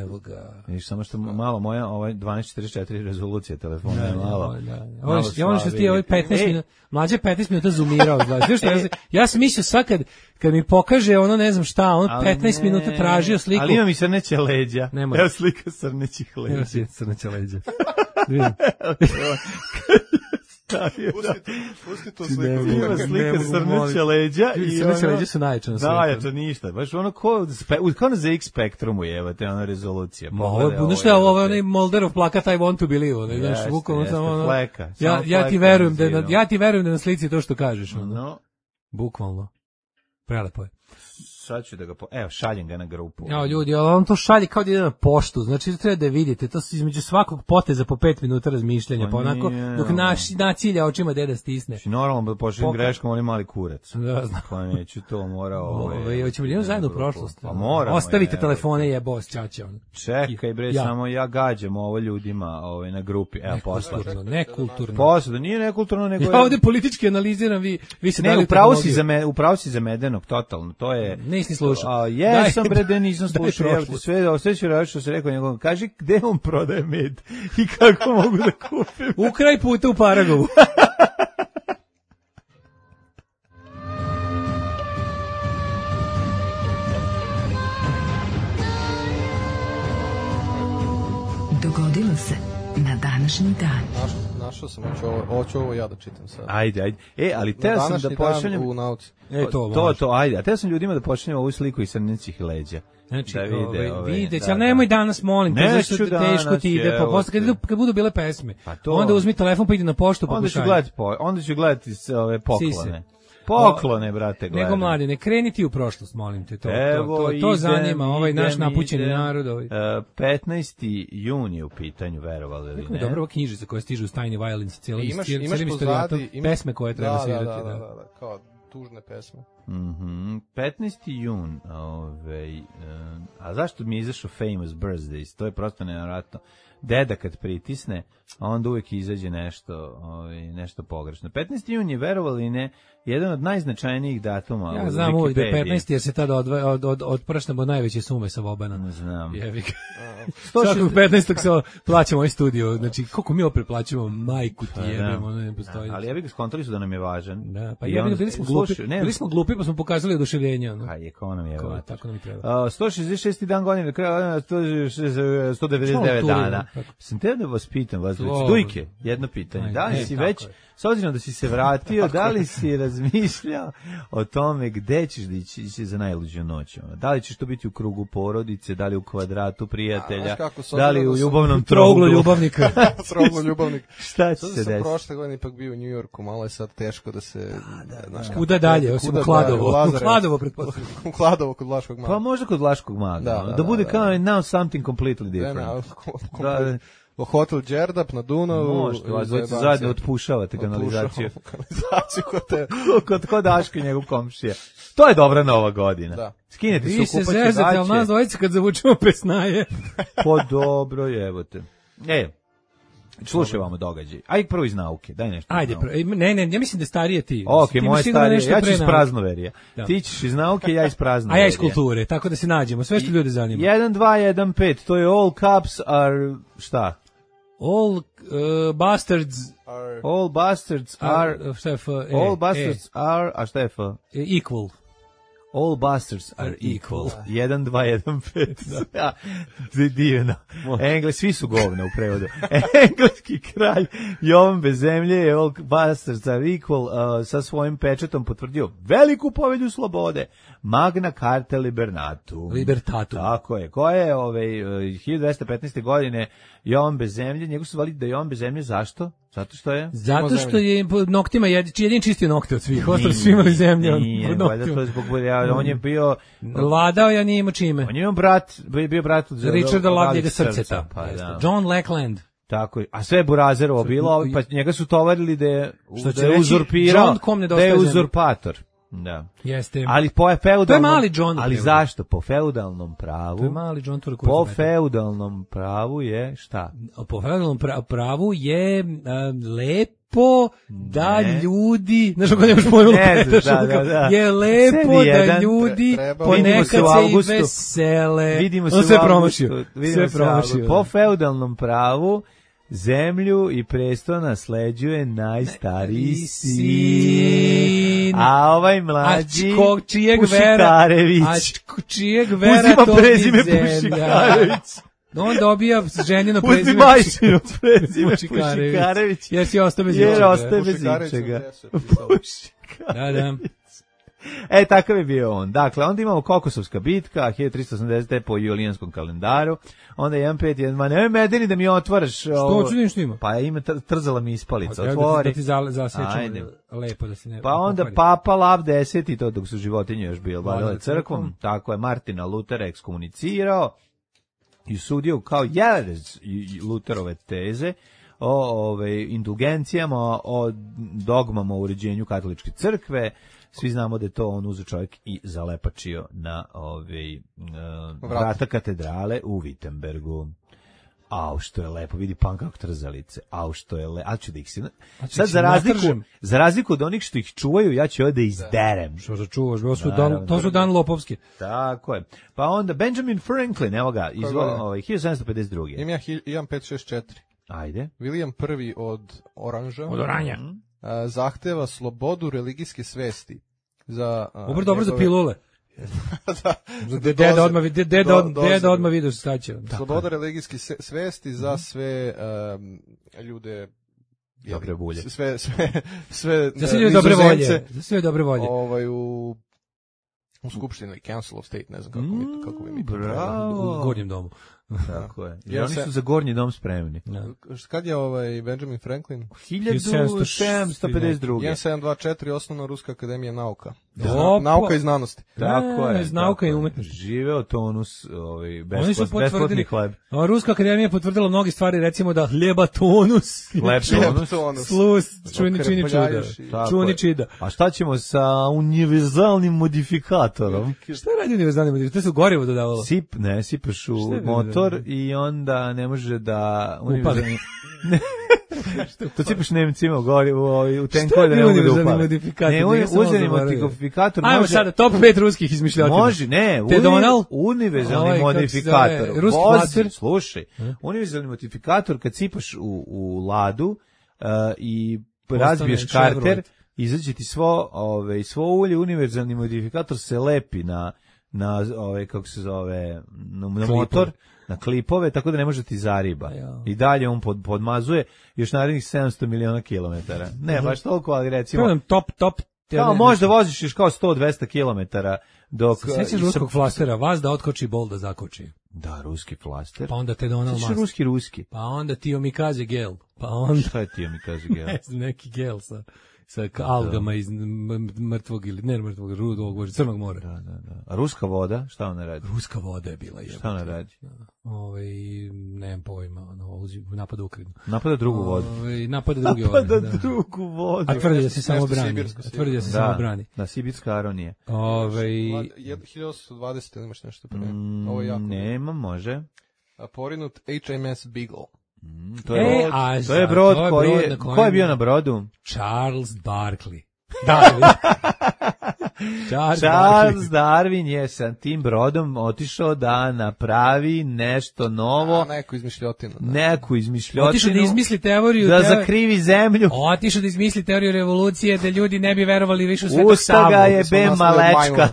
Speaker 7: Evo ga.
Speaker 6: Vidiš, samo što malo moja ovaj dvanaest četrdeset četiri rezolucija telefona je malo.
Speaker 7: Ja ono što ti ovaj petnaest minuta, mlađe petnaest minuta zoomirao, znači što ja, ja sam mislio sad kad kad mi pokaže ono ne znam šta, on petnaest minuta tražio sliku.
Speaker 6: Ali ima mi srneće leđa.
Speaker 7: Nemoj.
Speaker 6: Evo slika srnećih leđa.
Speaker 7: Evo si srneće leđa.
Speaker 8: Pusti, pusti tu sliku.
Speaker 6: Ima slika srneće leđa i
Speaker 7: srneće leđa su najjače na svijetu.
Speaker 6: Da, ja to ništa. Baš ono ko, kao na Z X Spektrumu je, te ona rezolucija.
Speaker 7: Ovo je, znaš šta, ovo je onaj Molderov plakat I want to believe. Znaš, bukvalno samo ono. Ja, ja ti verujem da, ja ti verujem da na slici to što kažeš. Ono. Bukvalno. Prelepo je.
Speaker 6: Sad ću da ga, po... evo, šaljem ga na grupu.
Speaker 7: Ja, ljudi, ali on to šalje kao da ide na poštu, znači treba da vidite, to su između svakog poteza po pet minuta razmišljanja, pa onako, dok naš, nacilja očima deda stisne.
Speaker 6: Znači, normalno da pošaljem Poka... greškom, on je mali kurac.
Speaker 7: Da, znam.
Speaker 6: Pa neću to, mora ovaj...
Speaker 7: Ove, hoćemo li zajedno u prošlost?
Speaker 6: Pa moramo.
Speaker 7: Ostavite je, telefone, je boss, čače. On.
Speaker 6: Čekaj, bre, ja. Samo ja gađam ovo ljudima ovaj, na grupi, evo, posla.
Speaker 7: Nekulturno, nekulturno.
Speaker 6: Posla, da nije nekulturno, nego...
Speaker 7: Ja ovde politički analiziram, vi, vi se
Speaker 6: ne,
Speaker 7: dali
Speaker 6: upravo si, za me, upravo si za Medenog, totalno, to je...
Speaker 7: Nisi slušao.
Speaker 6: Jesam, bre, da nisam slušao, evo ti sve, sve ću raditi što se rekao njegovom, kaži gde on prodaje med i kako mogu da kupim.
Speaker 7: U kraj puta u Paragovu.
Speaker 4: Dogodilo se na današnji dan.
Speaker 8: Našao, našao sam, hoću ovo, hoću ovo ja da čitam sad.
Speaker 6: Ajde, ajde. E, ali teo sam da pošaljem...
Speaker 8: u nauci.
Speaker 7: E, to,
Speaker 6: to, to, ajde. A teo sam ljudima da pošaljem ovu sliku iz srnećih leđa.
Speaker 7: Znači,
Speaker 6: da vide,
Speaker 7: ove, videć, ali nemoj danas, molim, te, zašto teško ti ide, pa posle, kad, kad budu bile pesme, pa to, onda uzmi telefon pa ide na poštu, pa
Speaker 6: onda ću gledati, po, onda ću gledati ove poklone. Poklone, brate, gledam.
Speaker 7: Nego mladi, ne kreni ti u prošlost, molim te, to, Evo, to, to, to idem, zanima, ovaj idem, naš napućeni idem, narod. Ovaj.
Speaker 6: Uh, petnaesti jun je u pitanju, verovali ili ne?
Speaker 7: Kako je dobro ova knjižica koja stiže u Tiny Violence, cijelim
Speaker 8: imaš,
Speaker 7: cijelim
Speaker 8: imaš pozadi,
Speaker 7: imaš, pesme koje treba
Speaker 8: da,
Speaker 7: svirati.
Speaker 8: Da, da, da, da, da, kao tužne pesme.
Speaker 6: Mhm, petnaesti jun, ovaj, uh, a zašto mi je izašao Famous Birthdays? To je prosto nevjerojatno. Deda kad pritisne, a onda uvijek izađe nešto, ovaj, nešto pogrešno. petnaesti jun je, verovali ne, jedan od najznačajnijih datuma u Wikipediji.
Speaker 7: Ja znam uvijek da je petnaesti jer se tada od, od, od, odpršnemo najveće sume sa Vobana.
Speaker 6: Ne znam.
Speaker 7: Jevik. Svakog petnaestog se plaćamo ovaj studio, znači koliko mi opet plaćamo, majku ti jebimo, ono ne postoji.
Speaker 6: Ali Jevik skontali su da nam je važan.
Speaker 7: Da, pa jebik, bili smo glupi, sluši, bili smo glupi pa smo pokazali oduševljenje. Ono.
Speaker 6: A je, kao nam je.
Speaker 7: Tako nam i treba.
Speaker 6: Uh, sto šezdeset šesti dan godine, do kraja sto devedeset devet dana. Sam te da vas pitam, vas već,
Speaker 7: Slobodno.
Speaker 6: Dujke, jedno pitanje.
Speaker 7: Ajde,
Speaker 6: Da li
Speaker 7: e,
Speaker 6: si
Speaker 7: tako
Speaker 6: već,
Speaker 7: je.
Speaker 6: s obzirom da si se vratio, da li si razmišljao o tome gde ćeš da ići ići za najluđu noć? ono? Da li ćeš to biti u krugu porodice, da li u kvadratu prijatelja,
Speaker 8: znaš kako, s
Speaker 6: da li
Speaker 8: obzirom
Speaker 6: u
Speaker 8: da sam
Speaker 6: ljubavnom
Speaker 7: Trouglu
Speaker 6: trouglu?
Speaker 7: ljubavnika.
Speaker 8: Troglo ljubavnik.
Speaker 6: Šta će
Speaker 8: Sada
Speaker 6: se
Speaker 8: sam
Speaker 6: desiti?
Speaker 8: prošle godine ipak bio u New Yorku, malo je sad teško da se... znaš kako,
Speaker 7: Kuda dalje, osim
Speaker 8: kuda
Speaker 7: u Kladovo.
Speaker 8: dalje,
Speaker 7: U
Speaker 8: Lazarevac.
Speaker 7: Kladovo, pretpostavljam.
Speaker 8: U Kladovo kod Vlaškog
Speaker 6: Pa
Speaker 8: maga.
Speaker 6: možda kod Vlaškog maga.
Speaker 8: Da,
Speaker 6: ono,
Speaker 8: da,
Speaker 6: da
Speaker 8: da,
Speaker 6: bude
Speaker 8: da.
Speaker 6: kao now something completely
Speaker 8: Ne,
Speaker 6: different.
Speaker 8: ne,
Speaker 6: Da, da.
Speaker 8: u hotel Đerdap na Dunavu.
Speaker 6: Možete, vas dvojica
Speaker 8: zajebanci.
Speaker 6: zajedno otpušavate kanalizaciju.
Speaker 8: Otpušavamo kanalizaciju kod te...
Speaker 6: kod, kod Daška i njegov komšija. To je dobra nova godina.
Speaker 8: Da.
Speaker 6: Skinete se,
Speaker 7: Vi se
Speaker 6: okupaće
Speaker 7: zezate, ali nas
Speaker 6: gaće.
Speaker 7: dvojica kad zavučemo pesnaje.
Speaker 6: Po dobro, jebote. E, slušaj vamo događaj. Aj prvo iz nauke, daj nešto. iz
Speaker 7: Ajde,
Speaker 6: nauke.
Speaker 7: pro- ne, ne, ja mislim da starije ti.
Speaker 6: Ok,
Speaker 7: Ti imaš
Speaker 6: moje
Speaker 7: sigurno
Speaker 6: starije,
Speaker 7: nešto
Speaker 6: ja ću
Speaker 7: pre
Speaker 6: iz
Speaker 7: nauke.
Speaker 6: praznoverija.
Speaker 7: Da.
Speaker 6: Ti ćeš iz nauke, ja iz
Speaker 7: A
Speaker 6: praznoverija.
Speaker 7: ja iz kulture, tako da se nađemo. Sve što ljude zanima.
Speaker 6: jedan dva jedan pet, to je all caps are, šta?
Speaker 7: All uh, bastards
Speaker 6: All bastards are,
Speaker 7: are, šta je F, e,
Speaker 6: all bastards are, a šta je F?
Speaker 7: e, equal.
Speaker 6: All bastards are
Speaker 7: Are
Speaker 6: equal.
Speaker 7: equal.
Speaker 6: jedan dva jedan pet. Ja, divno. Engles, svi su govna u prevodu. Engleski kralj Jovan Bezemlje je All bastards are equal uh, sa svojim pečetom potvrdio veliku povelju slobode. Magna Carta Libertatum.
Speaker 7: Libertatum.
Speaker 6: Tako je. Koja je ovaj, hiljadu dvesta petnaeste. godine Jovan Bezemlje, njegu su zvali da je Jovan Bezemlje, zašto? Zato što je...
Speaker 7: Zato što je po noktima jed, jedin čistio nokte od svih, ostali su imali zemlje. on-
Speaker 6: Nije,
Speaker 7: pod
Speaker 6: valjda
Speaker 7: noktima.
Speaker 6: to je zbog, ja, on je bio...
Speaker 7: Vladao, ja nije imao čime.
Speaker 6: On je imao brat, bio bio brat od
Speaker 7: Richarda
Speaker 6: od
Speaker 7: Lavljega
Speaker 6: srca,
Speaker 7: srceta.
Speaker 6: pa da.
Speaker 7: John Lackland.
Speaker 6: Tako je. A sve je Burazerovo bilo, pa njega su tovarili da je,
Speaker 7: Što će
Speaker 6: da je
Speaker 7: reći,
Speaker 6: uzurpirao,
Speaker 7: John kom
Speaker 6: da
Speaker 7: nedostaje
Speaker 6: je
Speaker 7: zemlje.
Speaker 6: uzurpator. Da.
Speaker 7: Jeste.
Speaker 6: Ali po feudalnom...
Speaker 7: To je mali John.
Speaker 6: Ali zašto? Po feudalnom pravu...
Speaker 7: To je mali John Turek.
Speaker 6: Po feudalnom pravu je šta?
Speaker 7: Po feudalnom pra- pravu je uh, lepo da
Speaker 6: Ne.
Speaker 7: ljudi, znaš kako nemaš pojma,
Speaker 6: Ne znaš,
Speaker 7: znaš,
Speaker 6: da, da, da.
Speaker 7: je lepo
Speaker 6: Sedi
Speaker 7: da
Speaker 6: jedan,
Speaker 7: ljudi
Speaker 8: tre- treba-
Speaker 7: ponekad
Speaker 6: Vidimo se u
Speaker 7: se i
Speaker 6: avgustu.
Speaker 7: vesele.
Speaker 6: Vidimo se
Speaker 7: On
Speaker 6: u
Speaker 7: sve
Speaker 6: avgustu,
Speaker 7: promašio.
Speaker 6: vidimo
Speaker 7: Sve
Speaker 6: se u avgustu.
Speaker 7: promašio.
Speaker 6: Po feudalnom pravu zemlju i presto nasleđuje najstariji sin. A ovaj mlađi
Speaker 7: A ko, čijeg vera, a
Speaker 6: Pušikarević.
Speaker 7: č- čijeg vera
Speaker 6: Uzima
Speaker 7: to
Speaker 6: prezime
Speaker 7: bi zemlja.
Speaker 6: Pušikarević.
Speaker 7: On dobija ženjeno
Speaker 6: Uzmi
Speaker 7: prezime
Speaker 6: majčino prezime
Speaker 7: Pušikarević.
Speaker 6: Pušikarević.
Speaker 7: Jer si ostao bez
Speaker 6: Jer
Speaker 7: ičega.
Speaker 6: ostaje bez
Speaker 8: Pušikarević sam
Speaker 6: ičega.
Speaker 8: deset pisao.
Speaker 7: Da, da.
Speaker 6: E, takav je bio on. Dakle, onda imamo Kokosovska bitka, hiljadu tristo osamdesete. po julijanskom kalendaru. Onda jedan pet jedan, ma nemoj medeni da mi otvaraš.
Speaker 7: Što
Speaker 6: ovo.
Speaker 7: hoću da vidim što ima?
Speaker 6: Pa ima, tr- trzala mi ispalica,
Speaker 7: Da ti,
Speaker 6: otvori.
Speaker 7: da ti za, zasečemo
Speaker 6: Ajde.
Speaker 7: lepo da se ne...
Speaker 6: Pa onda
Speaker 7: pokvari.
Speaker 6: Papa Lav deset i to dok su životinje još bile
Speaker 7: Vladale
Speaker 6: vladale crkvom.
Speaker 7: crkvom.
Speaker 6: Tako je Martina Lutera ekskomunicirao i sudio kao jelez Luterove teze o ove, indulgencijama, o dogmama o uređenju katoličke crkve. Svi znamo da je to on uzeo čovjek i zalepačio na ove, uh, vrata katedrale u Wittenbergu. Au, što je lepo, vidi pan kako trzalice. Au, što je lepo. A ću da ih si... Sad,
Speaker 7: ih
Speaker 6: za
Speaker 7: si
Speaker 6: razliku,
Speaker 7: natržem.
Speaker 6: za razliku od onih što ih čuvaju, ja ću ovdje da izderem.
Speaker 7: Što za čuvaš, to su,
Speaker 6: Naravno.
Speaker 7: dan, to su dan lopovski.
Speaker 6: Tako je. Pa onda Benjamin Franklin, evo ga, izvoli,
Speaker 8: godine?
Speaker 6: ovaj, hiljadu sedamsto pedeset druge.
Speaker 8: Imam ja hil- imam pet šest četiri.
Speaker 6: Ajde.
Speaker 8: William prvi od Oranža
Speaker 7: Od oranja.
Speaker 8: a, zahteva slobodu religijske svesti. Za, a,
Speaker 7: Dobro, dobro za
Speaker 8: njegove-
Speaker 7: pilule.
Speaker 8: da,
Speaker 7: Za de- Deda odmah, vidi- deda,
Speaker 8: Do-
Speaker 7: od-
Speaker 8: doze.
Speaker 7: deda odmah vidio se staće.
Speaker 8: Sloboda religijske se- svesti za sve um, ljude
Speaker 6: Dobre bulje.
Speaker 8: sve sve sve
Speaker 7: Za sve ljude dobre volje.
Speaker 8: nizozemce,
Speaker 7: Za sve dobre volje.
Speaker 8: ovaj u u skupštini ili Council of State, ne znam kako mi to, kako bi mi to
Speaker 6: Bravo.
Speaker 7: U gornjem domu.
Speaker 6: Tako je. I
Speaker 8: Ja
Speaker 6: oni
Speaker 8: se-
Speaker 6: su za gornji dom spremni.
Speaker 8: trebalo. Kad je ovaj Benjamin Franklin?
Speaker 6: hiljadu sedamsto pedeset druge.
Speaker 8: jedan sedam dva četiri osnovna Ruska akademija nauka.
Speaker 7: Opa.
Speaker 8: Nauka i znanosti.
Speaker 6: Tako
Speaker 7: E,
Speaker 6: je.
Speaker 7: iz nauka
Speaker 6: tako
Speaker 7: i
Speaker 6: je.
Speaker 7: umetnosti.
Speaker 6: Živeo tonus, ovaj,
Speaker 7: Oni su
Speaker 6: besplat, besplatni
Speaker 7: potvrdili,
Speaker 6: hleb.
Speaker 7: a Ruska akademija je potvrdila mnogi stvari, recimo da hljeba tonus,
Speaker 6: Hleb tonus.
Speaker 8: Tonus.
Speaker 7: slus, čuni čini čuda.
Speaker 8: Okrepljaješ i-
Speaker 6: Tako
Speaker 7: Čuni
Speaker 6: je.
Speaker 7: čida.
Speaker 6: A šta ćemo sa univerzalnim modifikatorom?
Speaker 7: Šta radi univerzalni model? To su gorivo dodavalo.
Speaker 6: Sip, ne, sipaš u
Speaker 7: Šta je
Speaker 6: motor
Speaker 7: univerzalni?
Speaker 6: i onda ne može da... univerzalni- Ne. To sipaš Nemcima u gori, u, u, u tenkove da
Speaker 7: je
Speaker 6: ne mogu da
Speaker 7: univerzalni
Speaker 6: upale.
Speaker 7: modifikator?
Speaker 6: Ne,
Speaker 7: Njega sam malo
Speaker 6: uzeli
Speaker 7: zaboravio.
Speaker 6: modifikator
Speaker 7: Ajmo
Speaker 6: može...
Speaker 7: sada, top pet ruskih izmišljotina.
Speaker 6: Može, ne, uni,
Speaker 7: Donald?
Speaker 6: univerzalni
Speaker 7: Ovaj, kako se
Speaker 6: modifikator.
Speaker 7: zove, ruski
Speaker 6: Vozi,
Speaker 7: flaster?
Speaker 6: slušaj, univerzalni modifikator kad sipaš u, u ladu uh, i
Speaker 7: Postane
Speaker 6: razbiješ karter,
Speaker 7: Chevrolet.
Speaker 6: izađe ti svo, ove, svo ulje, univerzalni modifikator se lepi na na ove, kako se zove, na, na motor, na klipove, tako da ne može ti zariba.
Speaker 7: Ja.
Speaker 6: I dalje on pod, podmazuje još narednih sedamsto miliona kilometara. Ne, baš toliko, ali recimo...
Speaker 7: Pogledam top, top.
Speaker 6: Kao možda voziš još kao sto do dvesta kilometara dok...
Speaker 7: Se sećaš ruskog flastera, vas da otkoči, bol da zakoči.
Speaker 6: Da, ruski flaster.
Speaker 7: Pa onda te Donald
Speaker 6: Sećaš
Speaker 7: Musk.
Speaker 6: ruski, ruski.
Speaker 7: Pa onda ti omikaze gel. Pa onda...
Speaker 6: Šta je ti mi kaže gel?
Speaker 7: Ne znam, neki gel sa, sa algama iz mrtvog ili ne mrtvog, rudog, crnog mora.
Speaker 6: Da, da, da. A ruska voda, šta ona radi?
Speaker 7: Ruska voda je bila jebote.
Speaker 6: Šta ona radi?
Speaker 7: Ovaj nemam pojma, ono napada Ukrajinu.
Speaker 6: Napada drugu vodu.
Speaker 7: Ovaj napada drugi
Speaker 6: Napada
Speaker 7: da.
Speaker 6: drugu vodu.
Speaker 7: A tvrdi da se samo
Speaker 8: nešto
Speaker 7: brani.
Speaker 8: sibirsko,
Speaker 7: A tvrdi da se
Speaker 6: Da,
Speaker 7: samo brani.
Speaker 6: da, sibirska aronija.
Speaker 7: Ovaj
Speaker 8: hiljadu osamsto dvadeset imaš nešto pre.
Speaker 6: Mm,
Speaker 8: Ovo je jako.
Speaker 6: nema, može.
Speaker 8: A porinut H M S Beagle.
Speaker 6: Mm, to
Speaker 7: E,
Speaker 6: je,
Speaker 7: a
Speaker 6: to je
Speaker 7: za-
Speaker 6: brod
Speaker 7: to je
Speaker 6: koji
Speaker 7: brod
Speaker 6: je,
Speaker 7: na kojem-
Speaker 6: ko je bio na brodu?
Speaker 7: Charles Barkley. Da, Charles,
Speaker 6: Charles
Speaker 7: Barkley.
Speaker 6: Darwin je sa tim brodom otišao da napravi nešto novo,
Speaker 8: A, neko izmišljotinu. Da.
Speaker 6: neku izmišljotinu,
Speaker 7: Otišao da izmisli teoriju.
Speaker 6: da
Speaker 7: teo-
Speaker 6: zakrivi zemlju.
Speaker 7: Otišao da izmisli teoriju revolucije, da ljudi ne bi verovali više u Svetog
Speaker 6: Usta
Speaker 7: Savu.
Speaker 6: ga je
Speaker 8: smo
Speaker 6: be
Speaker 8: nastali od
Speaker 6: malečka.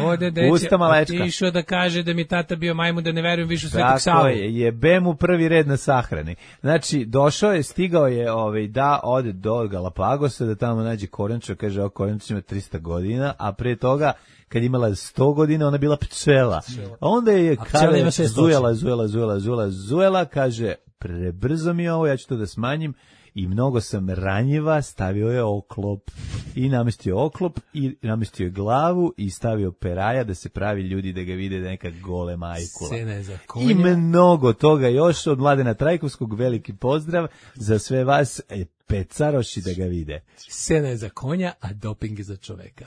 Speaker 7: Ode deće,
Speaker 6: Usta malečka.
Speaker 7: otišao da kaže da mi tata bio majmun, da ne verujem više u Svetog
Speaker 6: Tako
Speaker 7: Savu.
Speaker 6: je, jebe mu prvi red na sahrani. Znači, došao je, stigao je ovaj, da ode do Galapagosa, da tamo nađe korenča, kaže, ovo korenča ima trista godina, a pre toga, kad je imala sto godina, ona je bila pčela. A onda je,
Speaker 7: A pčela
Speaker 6: kada
Speaker 7: ima
Speaker 6: je
Speaker 7: šest
Speaker 6: zujela, zujela, zujela, zujela, zujela, kaže, prebrzo mi je ovo, ja ću to da smanjim, i mnogo sam ranjiva, stavio je oklop i namestio oklop i namestio je glavu i stavio peraja da se pravi ljudi da ga vide da je neka gole majkula.
Speaker 7: Sene za
Speaker 6: I
Speaker 7: konja.
Speaker 6: mnogo toga još od Mladena Trajkovskog, veliki pozdrav za sve vas e, pecaroši da ga vide.
Speaker 7: Sena je za konja, a doping je za čoveka.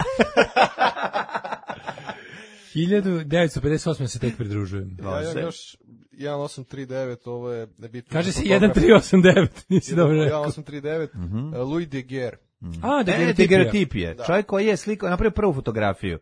Speaker 7: hiljadu devetsto pedeset osme se tek pridružujem.
Speaker 8: Ja, ja još jedan osam tri devet, ovo je nebitno.
Speaker 7: Kaže se jedan tri osam devet, nisi dobro rekao.
Speaker 8: jedan osam tri devet, uh, Louis Daguerre.
Speaker 7: A, da
Speaker 6: E,
Speaker 7: ga
Speaker 6: daguerreotipije. Čovjek koji je slikao, napravio prvu fotografiju.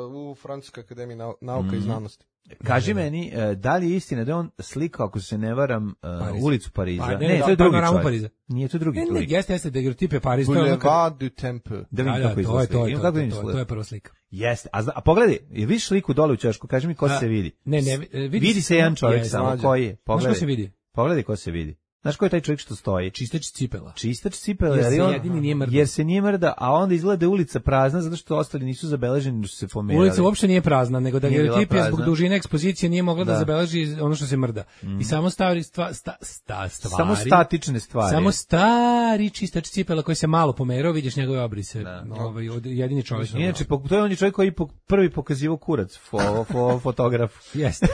Speaker 8: Uh, u Francuskoj akademiji nau- nauka i znanosti.
Speaker 6: Kaži meni, e, da li je istina da je on slikao, ako se ne varam, e,
Speaker 7: Pariz.
Speaker 6: ulicu Pariza?
Speaker 7: Pa, ne,
Speaker 6: ne,
Speaker 7: da,
Speaker 6: to je drugi
Speaker 7: panoramu
Speaker 6: čovjek.
Speaker 7: Pariza.
Speaker 6: Nije, to je drugi
Speaker 7: Ne, ne,
Speaker 6: čovjek.
Speaker 7: jeste, jeste, daguerreotip Paris. to je ono kad-
Speaker 8: Boulevard du Temple.
Speaker 6: Da vidim
Speaker 7: Da, da,
Speaker 6: kako
Speaker 7: to
Speaker 6: izgleda
Speaker 7: je to,
Speaker 6: slika.
Speaker 7: je
Speaker 6: Ima
Speaker 7: to,
Speaker 6: kako
Speaker 7: to,
Speaker 6: izgleda.
Speaker 7: to, to je prva slika.
Speaker 6: Jeste. A, zna- a pogledaj, je vidiš sliku dole u ćošku, kaži mi ko
Speaker 7: A,
Speaker 6: se vidi.
Speaker 7: Ne, ne, vidi,
Speaker 6: Vidi se jedan čovjek
Speaker 7: Jeste.
Speaker 6: samo,
Speaker 8: mlađe.
Speaker 6: koji je?
Speaker 7: Znaš
Speaker 6: Pogledaj.
Speaker 7: ko se vidi?
Speaker 6: Pogledaj ko se vidi. Znaš ko je taj čovjek što stoji?
Speaker 7: Čistač cipela.
Speaker 6: Čistač cipele,
Speaker 7: Jer
Speaker 6: ali
Speaker 7: se
Speaker 6: on,
Speaker 7: jedini nije mrda.
Speaker 6: jer se nije mrda, a onda izgleda da je ulica prazna zato što ostali nisu zabeleženi, da su se pomerali.
Speaker 7: Ulica uopšte nije prazna, nego da
Speaker 6: Nije bila
Speaker 7: daguerreotip je zbog
Speaker 6: prazna.
Speaker 7: dužine ekspozicije nije mogla da,
Speaker 6: Da.
Speaker 7: zabeleži ono što se mrda. I samo stvari stva, sta, sta, stvari.
Speaker 6: Samo statične stvari.
Speaker 7: Samo stari čistač cipela koji se malo pomerao, vidiš njegove obrise. Ovaj od jedini čovjek.
Speaker 6: Inače, po- to je on je čovjek koji po, prvi pokazivao kurac, fo, fo, fotograf.
Speaker 7: Jeste.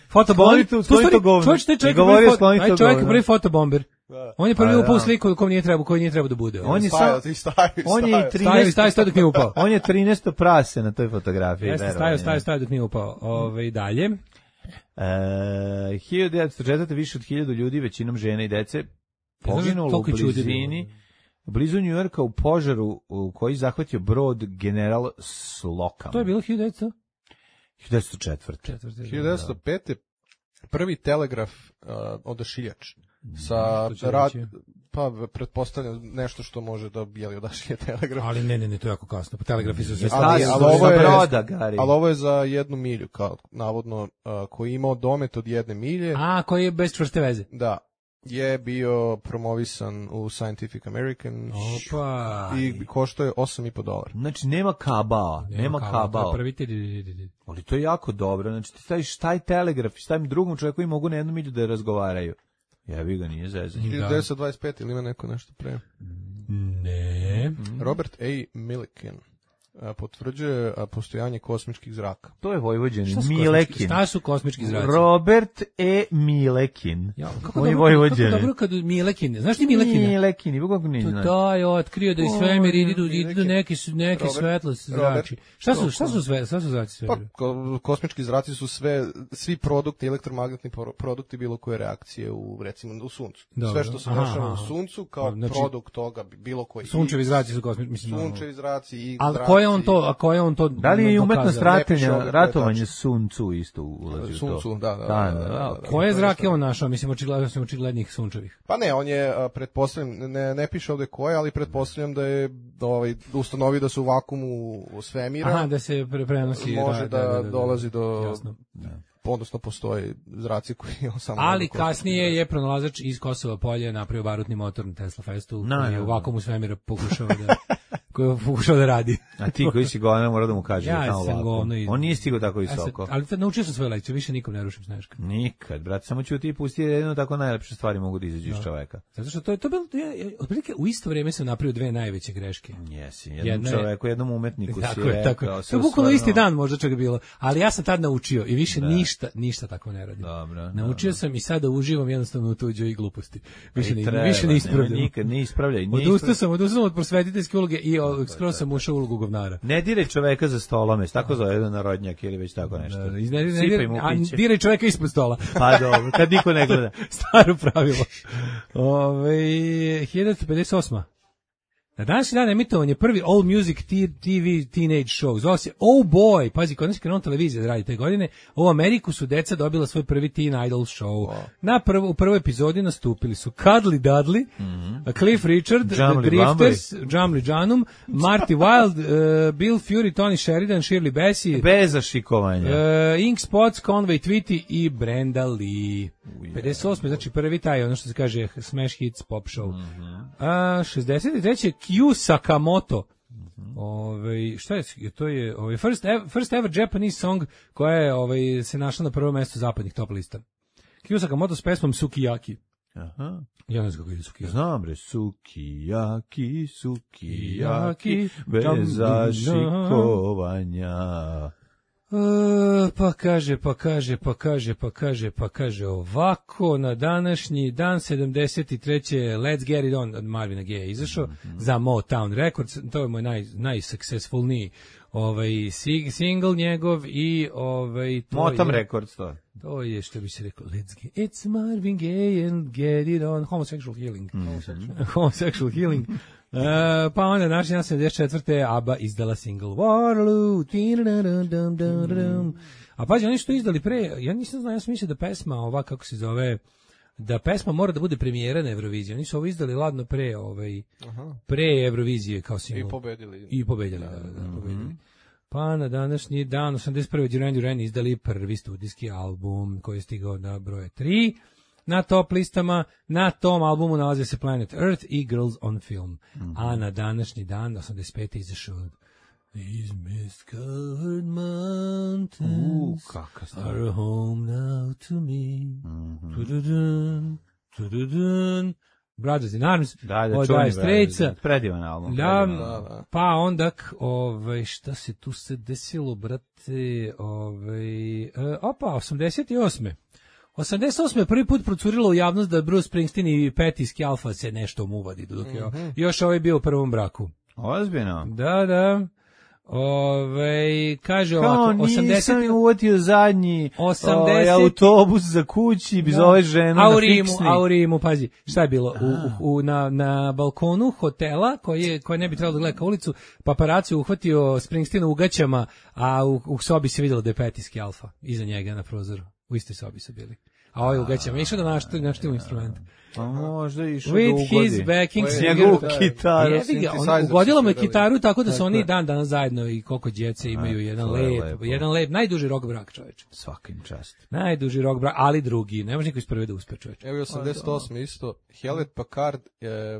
Speaker 7: Fotobomber.
Speaker 6: Skloni to- skloni to govno.
Speaker 7: Čovjek, taj čovjek,
Speaker 6: I
Speaker 7: je
Speaker 6: govorio,
Speaker 7: prvi,
Speaker 6: skloni
Speaker 7: fo-
Speaker 6: to
Speaker 7: taj čovjek je
Speaker 6: govno.
Speaker 7: prvi fotobomber. On je prvi
Speaker 6: Pa,
Speaker 7: upao u
Speaker 6: da.
Speaker 7: sliku kom nije trebao, koji nije trebao da bude.
Speaker 6: On je
Speaker 8: Stajao,
Speaker 6: sam,
Speaker 8: ti stajao,
Speaker 6: on je i
Speaker 8: stajao.
Speaker 7: Stavi,
Speaker 6: trinaesto
Speaker 7: stavi, stavi dok nije upao.
Speaker 6: On je trinaesto prase na toj fotografiji.
Speaker 7: Jeste,
Speaker 6: verovanje.
Speaker 7: stavio, stavio, stavio dok nije upao. Ove, dalje.
Speaker 6: E, hiljadu devetsto četvrte više od hiljadu ljudi, većinom žene i dece, poginulo u
Speaker 7: toliko ljudi
Speaker 6: blizini, blizu Njujorka u požaru u koji zahvatio brod General Slocum.
Speaker 7: To je bilo hiljadu devetsto
Speaker 6: hiljadu devetsto četvrte.
Speaker 8: hiljadu devetsto pete. prvi telegraf uh, odašiljač sa
Speaker 7: što će
Speaker 8: rad,
Speaker 7: reći?
Speaker 8: pa pretpostavljam nešto što može da jeli odašilje telegraf.
Speaker 7: Ali ne, ne, ne, to je jako kasno. Pa telegrafi su sve
Speaker 8: Ali-
Speaker 7: stari.
Speaker 8: ali ovo je-
Speaker 6: broda, Gari.
Speaker 8: Ali ovo je za jednu milju, kao navodno, uh, koji je imao domet od jedne milje.
Speaker 7: A, koji je bez čvrste veze.
Speaker 8: Da, je bio promovisan u Scientific American
Speaker 7: Opa.
Speaker 8: i koštao je osam i po dolara.
Speaker 6: Znači, nema kabao, nema
Speaker 7: kao,
Speaker 6: kabao.
Speaker 7: to je prvi ti-
Speaker 6: Ali to je jako dobro. Znači, ti staviš taj telegraf i stavim drugom čovjeku i mogu na jednu milju da razgovaraju. Jebi ga, nije zezanje.
Speaker 8: hiljadu devetsto dvadeset pete ili ima neko nešto pre.
Speaker 7: Ne.
Speaker 8: Robert A. Millikan a, potvrđuje a, postojanje kosmičkih zraka.
Speaker 6: To je Vojvođanin,
Speaker 7: Šta su
Speaker 6: Milekin.
Speaker 7: kosmički- Šta su kosmički zraci?
Speaker 6: Robert E. Milekin.
Speaker 7: Ja, kako
Speaker 6: On je
Speaker 7: dobro, kako
Speaker 6: Vojvođanin.
Speaker 7: dobro kad Milekin, znaš ti Milekina?
Speaker 6: Milekin, i kako ne
Speaker 7: To
Speaker 6: znaš.
Speaker 7: taj otkrio da i svemir idu, idu
Speaker 8: Milekin.
Speaker 7: neki, su- neki
Speaker 8: Robert-
Speaker 7: svetlo zrači. Šta su, šta su sve, šta su zraci
Speaker 8: Pa,
Speaker 7: svemira?
Speaker 8: ko- kosmički zraci su sve, svi produkti, elektromagnetni pro- produkti bilo koje reakcije u, recimo, u suncu.
Speaker 7: Dobro.
Speaker 8: Sve što se
Speaker 7: Aha,
Speaker 8: dešava u
Speaker 7: aha.
Speaker 8: suncu kao
Speaker 7: Pa, znači,
Speaker 8: produkt toga, bilo koji.
Speaker 7: Sunčevi
Speaker 8: i-
Speaker 7: zraci su kosmički, mislim. ono.
Speaker 8: Sunčevi zraci i
Speaker 7: Ali
Speaker 8: zraci.
Speaker 7: koje on to, a koje on to
Speaker 6: Da li je i umetnost
Speaker 7: dokazao?
Speaker 8: Ne piše
Speaker 6: ratenja,
Speaker 8: ovdje, to je
Speaker 6: ratovanje
Speaker 8: tačno.
Speaker 6: Sun Tzu isto ulazi u to?
Speaker 8: Sun Tzu, da, da, da,
Speaker 6: Da,
Speaker 8: da,
Speaker 6: da,
Speaker 8: da, da.
Speaker 7: Koje zrake on našao? Mislim, očigledno sam očiglednih sunčevih.
Speaker 8: Pa ne, on je, a, pretpostavljam, ne, ne piše ovde koje, ali pretpostavljam da je ovaj, ustanovio da se u vakuumu svemira
Speaker 7: Aha, da se pre prenosi.
Speaker 8: može da, dolazi do,
Speaker 7: Jasno.
Speaker 8: odnosno postoje zraci koji on samo...
Speaker 7: Ali
Speaker 8: mogu
Speaker 7: kasnije je pronalazač iz Kosova polja napravio barutni motor na Tesla Festu,
Speaker 6: No,
Speaker 7: koji je
Speaker 6: no,
Speaker 7: u
Speaker 6: no.
Speaker 7: vakuumu svemira pokušao da, koji je pokušao da radi.
Speaker 6: A ti koji si govno mora da mu kaže
Speaker 7: Ja
Speaker 6: da je tamo
Speaker 7: sam
Speaker 6: ovako.
Speaker 7: govno i-
Speaker 6: On nije stigao tako
Speaker 7: Ja sam-
Speaker 6: visoko.
Speaker 7: ali tad naučio sam svoju lekciju, više nikom ne rušim Sneška.
Speaker 6: Nikad, brate, samo ću ti pustiti jedno tako najlepše stvari mogu da izađu iz čoveka.
Speaker 7: Zato što to je to bilo, ja, ja, otprilike u isto vrijeme sam napravio dve najveće greške.
Speaker 6: Jesi, jednom
Speaker 7: Jedna je-
Speaker 6: čoveku, jednom umetniku si
Speaker 7: Tako je,
Speaker 6: rekao.
Speaker 7: tako je.
Speaker 6: sve
Speaker 7: To je bukvalno
Speaker 6: stvarno-
Speaker 7: isti dan možda čak bilo, ali ja sam tad naučio i više ništa, ništa tako ne radim.
Speaker 6: Dobro,
Speaker 7: Naučio
Speaker 6: dobro.
Speaker 7: sam i sada uživam jednostavno u tuđoj gluposti. Više
Speaker 6: I
Speaker 7: ne,
Speaker 6: treba,
Speaker 7: više ne
Speaker 6: nema
Speaker 7: ispravljam.
Speaker 6: Nikad ne ispravljaj. nije
Speaker 7: Odustao
Speaker 6: ispravljaj.
Speaker 7: sam, odustao sam od prosvetiteljske uloge i o, skoro sam ušao u ulogu govnara.
Speaker 6: Ne diraj čoveka za stolom, jest tako zove jedan narodnjak ili već tako nešto.
Speaker 7: Da, iz- ne, ne,
Speaker 6: Sipaj
Speaker 7: ne,
Speaker 6: mu
Speaker 7: a
Speaker 6: piće.
Speaker 7: diraj čoveka ispod stola.
Speaker 6: Pa dobro, kad niko ne gleda.
Speaker 7: Staro pravilo. Ove, hiljadu pedeset osma. Na današnji dan emitovan je prvi All Music T V Teenage Show. Zvao se Oh Boy. Pazi, kod nas je krenuo televizija da radi te godine. U Ameriku su deca dobila svoj prvi Teen Idol show. Na prvo, u prvoj epizodi nastupili su Cuddly Dudley, Cliff Richard,
Speaker 6: Jamli
Speaker 7: The Drifters, Jamli Janum, Marty Wilde, uh, Bill Fury, Tony Sheridan, Shirley Bassey,
Speaker 6: Bez zašikovanja.
Speaker 7: Uh, Ink Spots, Conway Twitty i Brenda Lee. pedeset osme znači prvi taj, ono što se kaže Smash Hits Pop Show. A, šezdeset treće Q Sakamoto. Ovaj šta je to je ovaj first ever, first ever Japanese song koja je ovaj se našla na prvom mjestu zapadnih top lista. Q Sakamoto s pesmom Sukiyaki.
Speaker 6: Aha.
Speaker 7: Ja ne znam kako ide Sukiyaki.
Speaker 6: Znam bre, sukiyaki, sukiyaki,
Speaker 7: Dam,
Speaker 6: bez zašikovanja.
Speaker 7: E, pa kaže, pa kaže, pa kaže, pa kaže, pa kaže ovako, na današnji dan sedamdeset treće Let's Get It On od Marvina Gaye izašao mm-hmm. za Motown Records, to je moj naj, najsuccessfulniji ovaj, sing, single njegov i ovaj, to
Speaker 6: Motown
Speaker 7: je,
Speaker 6: Records to.
Speaker 7: to je što bi se rekao, let's get, it's Marvin Gaye and get it on, homosexual healing, mm-hmm. homosexual healing. Uh, pa onda naši dan sedamdeset četvrte ABBA izdala single Waterloo. A pađe, oni što izdali pre, ja nisam znao, ja sam mislio da pesma ova, kako se zove, da pesma mora da bude premijera na Euroviziji. Oni su ovo izdali ladno pre, ovaj, pre Eurovizije kao single.
Speaker 8: I pobedili.
Speaker 7: I pobedili, da, da, da, pobedili. Pa na današnji dan, osamdeset prve Duran Duran izdali prvi studijski album koji je stigao na broje tri. Na top listama, na tom albumu nalaze se Planet Earth i Girls on Film. Mm-hmm. A na današnji dan, osamdeset pete izašao These mist-covered mountains
Speaker 6: U, kaka stvar.
Speaker 7: are home now to me. Mm-hmm. Tududun, tududun. Brothers in Arms,
Speaker 6: Da, da,
Speaker 7: od
Speaker 6: čuveni
Speaker 7: Dire Straitsa.
Speaker 6: Predivan album.
Speaker 7: Da,
Speaker 6: predivan album.
Speaker 7: pa onda, ovaj, šta se tu se desilo, brate, ovaj, e, opa, osamdeset osme osamdeset osme prvi put procurilo u javnost da Bruce Springsteen i Patti Scialfa se nešto muvadi, dok je mm-hmm. još ovaj bio u prvom braku.
Speaker 6: Ozbiljno.
Speaker 7: Da, da. Ove, kaže
Speaker 6: Kao
Speaker 7: ovako,
Speaker 6: nisam
Speaker 7: osamdeset
Speaker 6: im uvatio zadnji
Speaker 7: osamdeset
Speaker 6: ovaj, autobus za kući, bi zove ženu
Speaker 7: a u
Speaker 6: na
Speaker 7: Rimu,
Speaker 6: fiksni.
Speaker 7: a u Rimu, pazi, šta je bilo? U, u, na, na balkonu hotela, koji, je, koji ne bi trebalo da gleda ka ulicu, paparaci uhvatio Springsteen u gaćama, a u, u sobi se vidjelo da je Patti Scialfa, iza njega na prozoru. U istoj sobi su bili. A ovaj u gaćama išao da našti našti instrument.
Speaker 6: Pa možda išao da
Speaker 7: With
Speaker 6: ugodi.
Speaker 7: his backing
Speaker 6: S
Speaker 7: singer.
Speaker 6: njegovu kitaru.
Speaker 7: Jebi ga, on
Speaker 8: synthesizer
Speaker 7: ugodila mu je
Speaker 8: su svirali.
Speaker 7: kitaru tako da su
Speaker 6: Tako
Speaker 7: oni
Speaker 6: je.
Speaker 7: dan danas zajedno i koliko djece imaju jedan
Speaker 6: to je
Speaker 7: lep,
Speaker 6: lepo.
Speaker 7: jedan lep, najduži rock brak, čoveče.
Speaker 6: Svakim čast.
Speaker 7: Najduži rock brak, ali drugi, ne može niko iz prve da uspe, čoveče.
Speaker 8: Evo i osamdeset osme isto, Hewlett Packard e,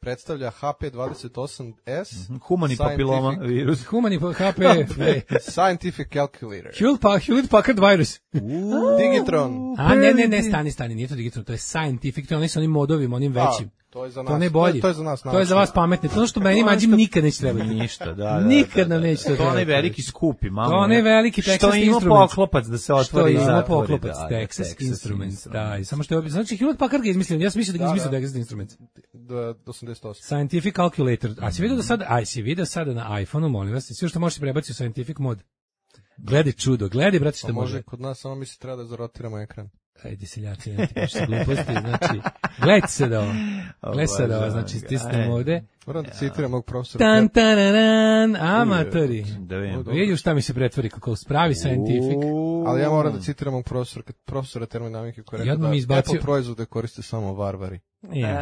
Speaker 8: predstavlja H P dvadeset osam S,
Speaker 6: Humani
Speaker 8: Scientific-
Speaker 6: papiloma virus.
Speaker 7: Humani H P,
Speaker 8: Scientific Calculator.
Speaker 7: Hewlett Pa- Hewlett Packard virus.
Speaker 8: Digitron.
Speaker 7: A ne, ne, ne, stani, stani, nije to Digitron, to je Scientific, to je oni sa onim modovima, onim većim.
Speaker 8: A, to je za nas.
Speaker 7: To ne bolji.
Speaker 8: To je za nas.
Speaker 7: To je za vas pametni. To što meni mađim nikad neće trebati.
Speaker 6: Ništa, da, da.
Speaker 7: Nikad
Speaker 6: da,
Speaker 7: nam
Speaker 6: da,
Speaker 7: neće
Speaker 6: da.
Speaker 7: to
Speaker 6: To onaj
Speaker 7: trebati.
Speaker 6: veliki skupi, malo.
Speaker 7: To onaj veliki Texas
Speaker 6: Što ima
Speaker 7: Instruments.
Speaker 6: poklopac da se
Speaker 7: Što
Speaker 6: otvori i
Speaker 7: ima
Speaker 6: zatvori.
Speaker 7: poklopac,
Speaker 6: da,
Speaker 7: Texas Instruments, da, i samo što je, znači Hewlett Packard ga izmislio, ja sam mislio da ga izmislio Texas Instruments.
Speaker 8: Do osamdeset osam.
Speaker 7: Scientific Calculator, a si vidio da sad, aj si vidio sada na iPhone-u, molim vas, sve što možeš prebaciti u Scientific mod. Gledaj čudo, gledaj, brate, što
Speaker 8: Pa
Speaker 7: može.
Speaker 8: može kod nas, samo mi se treba da zarotiramo ekran.
Speaker 7: Ajde, seljaci, ne ti piši gluposti, znači, gledajte se da ovo, gledajte se da ovo, znači, stisnemo ovde.
Speaker 8: Moram da citiram mog profesora.
Speaker 7: Tan, tanaran, amatori.
Speaker 6: Da vidim.
Speaker 7: Vidi šta mi se pretvori kako spravi scientific.
Speaker 8: Ali ja moram da citiram mog profesora, profesora termodinamike koji je
Speaker 7: I
Speaker 8: rekao
Speaker 7: odmah mi
Speaker 8: da
Speaker 7: izbacio-
Speaker 8: Apple proizvode koriste samo varvari.
Speaker 7: Je.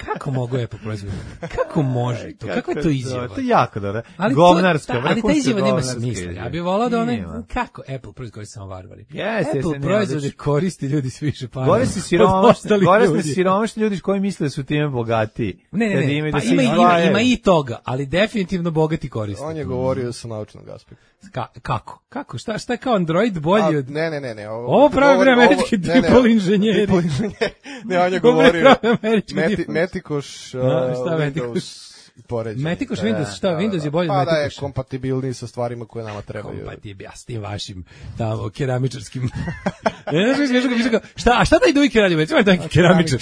Speaker 7: Kako mogu Apple proizvodi? Kako može to? Kako je to izjava?
Speaker 6: To je jako dobro.
Speaker 7: Ali
Speaker 6: Govnarska.
Speaker 7: to, ta, ali ta
Speaker 6: vrhunska
Speaker 7: izjava nema
Speaker 6: govnarska
Speaker 7: smisla.
Speaker 6: izjava.
Speaker 7: Ja bih volao da one,
Speaker 6: Nema.
Speaker 7: kako Apple proizvodi koriste samo varvari?
Speaker 6: Jeste,
Speaker 7: Apple
Speaker 6: jeste, ne,
Speaker 7: proizvode
Speaker 6: odlično.
Speaker 7: koristi ljudi s više para.
Speaker 6: Gore su
Speaker 7: od
Speaker 6: siromašni,
Speaker 7: ostalih
Speaker 6: gore su
Speaker 7: ljudi.
Speaker 6: siromašni ljudi koji misle da su time bogatiji.
Speaker 7: Ne, ne,
Speaker 6: Kad
Speaker 7: ne,
Speaker 6: imaju
Speaker 7: pa
Speaker 6: da se
Speaker 7: ima, ima,
Speaker 6: izdvajaju.
Speaker 7: ima i toga, ali definitivno bogati koriste.
Speaker 8: On je govorio sa naučnog aspekta.
Speaker 7: Ka, kako? Kako? Šta, šta je kao Android bolji
Speaker 8: A,
Speaker 7: od...
Speaker 8: ne, ne, ne, ne.
Speaker 7: Ovo pravi
Speaker 8: govori-
Speaker 7: američki
Speaker 8: ovo- ne, ne,
Speaker 7: triple inženjeri.
Speaker 8: triple inženjeri. Ne, on je
Speaker 7: Ovo
Speaker 8: govorio
Speaker 7: pravi američki
Speaker 8: Meti,
Speaker 7: triple-
Speaker 8: Metikoš, uh,
Speaker 7: A, šta
Speaker 8: Windows
Speaker 7: Metikoš?
Speaker 8: poređenje.
Speaker 7: Metikoš
Speaker 8: Da,
Speaker 7: Windows, šta,
Speaker 8: da, da,
Speaker 7: Windows je bolji od
Speaker 8: Pa da je
Speaker 7: Metikoša?
Speaker 8: kompatibilniji sa stvarima koje nama trebaju.
Speaker 7: Kompatibil, ja s tim vašim tamo keramičarskim. Ne znaš, znaš, znaš, znaš, šta, a šta taj Dujke radi? Već ima taki keramičar.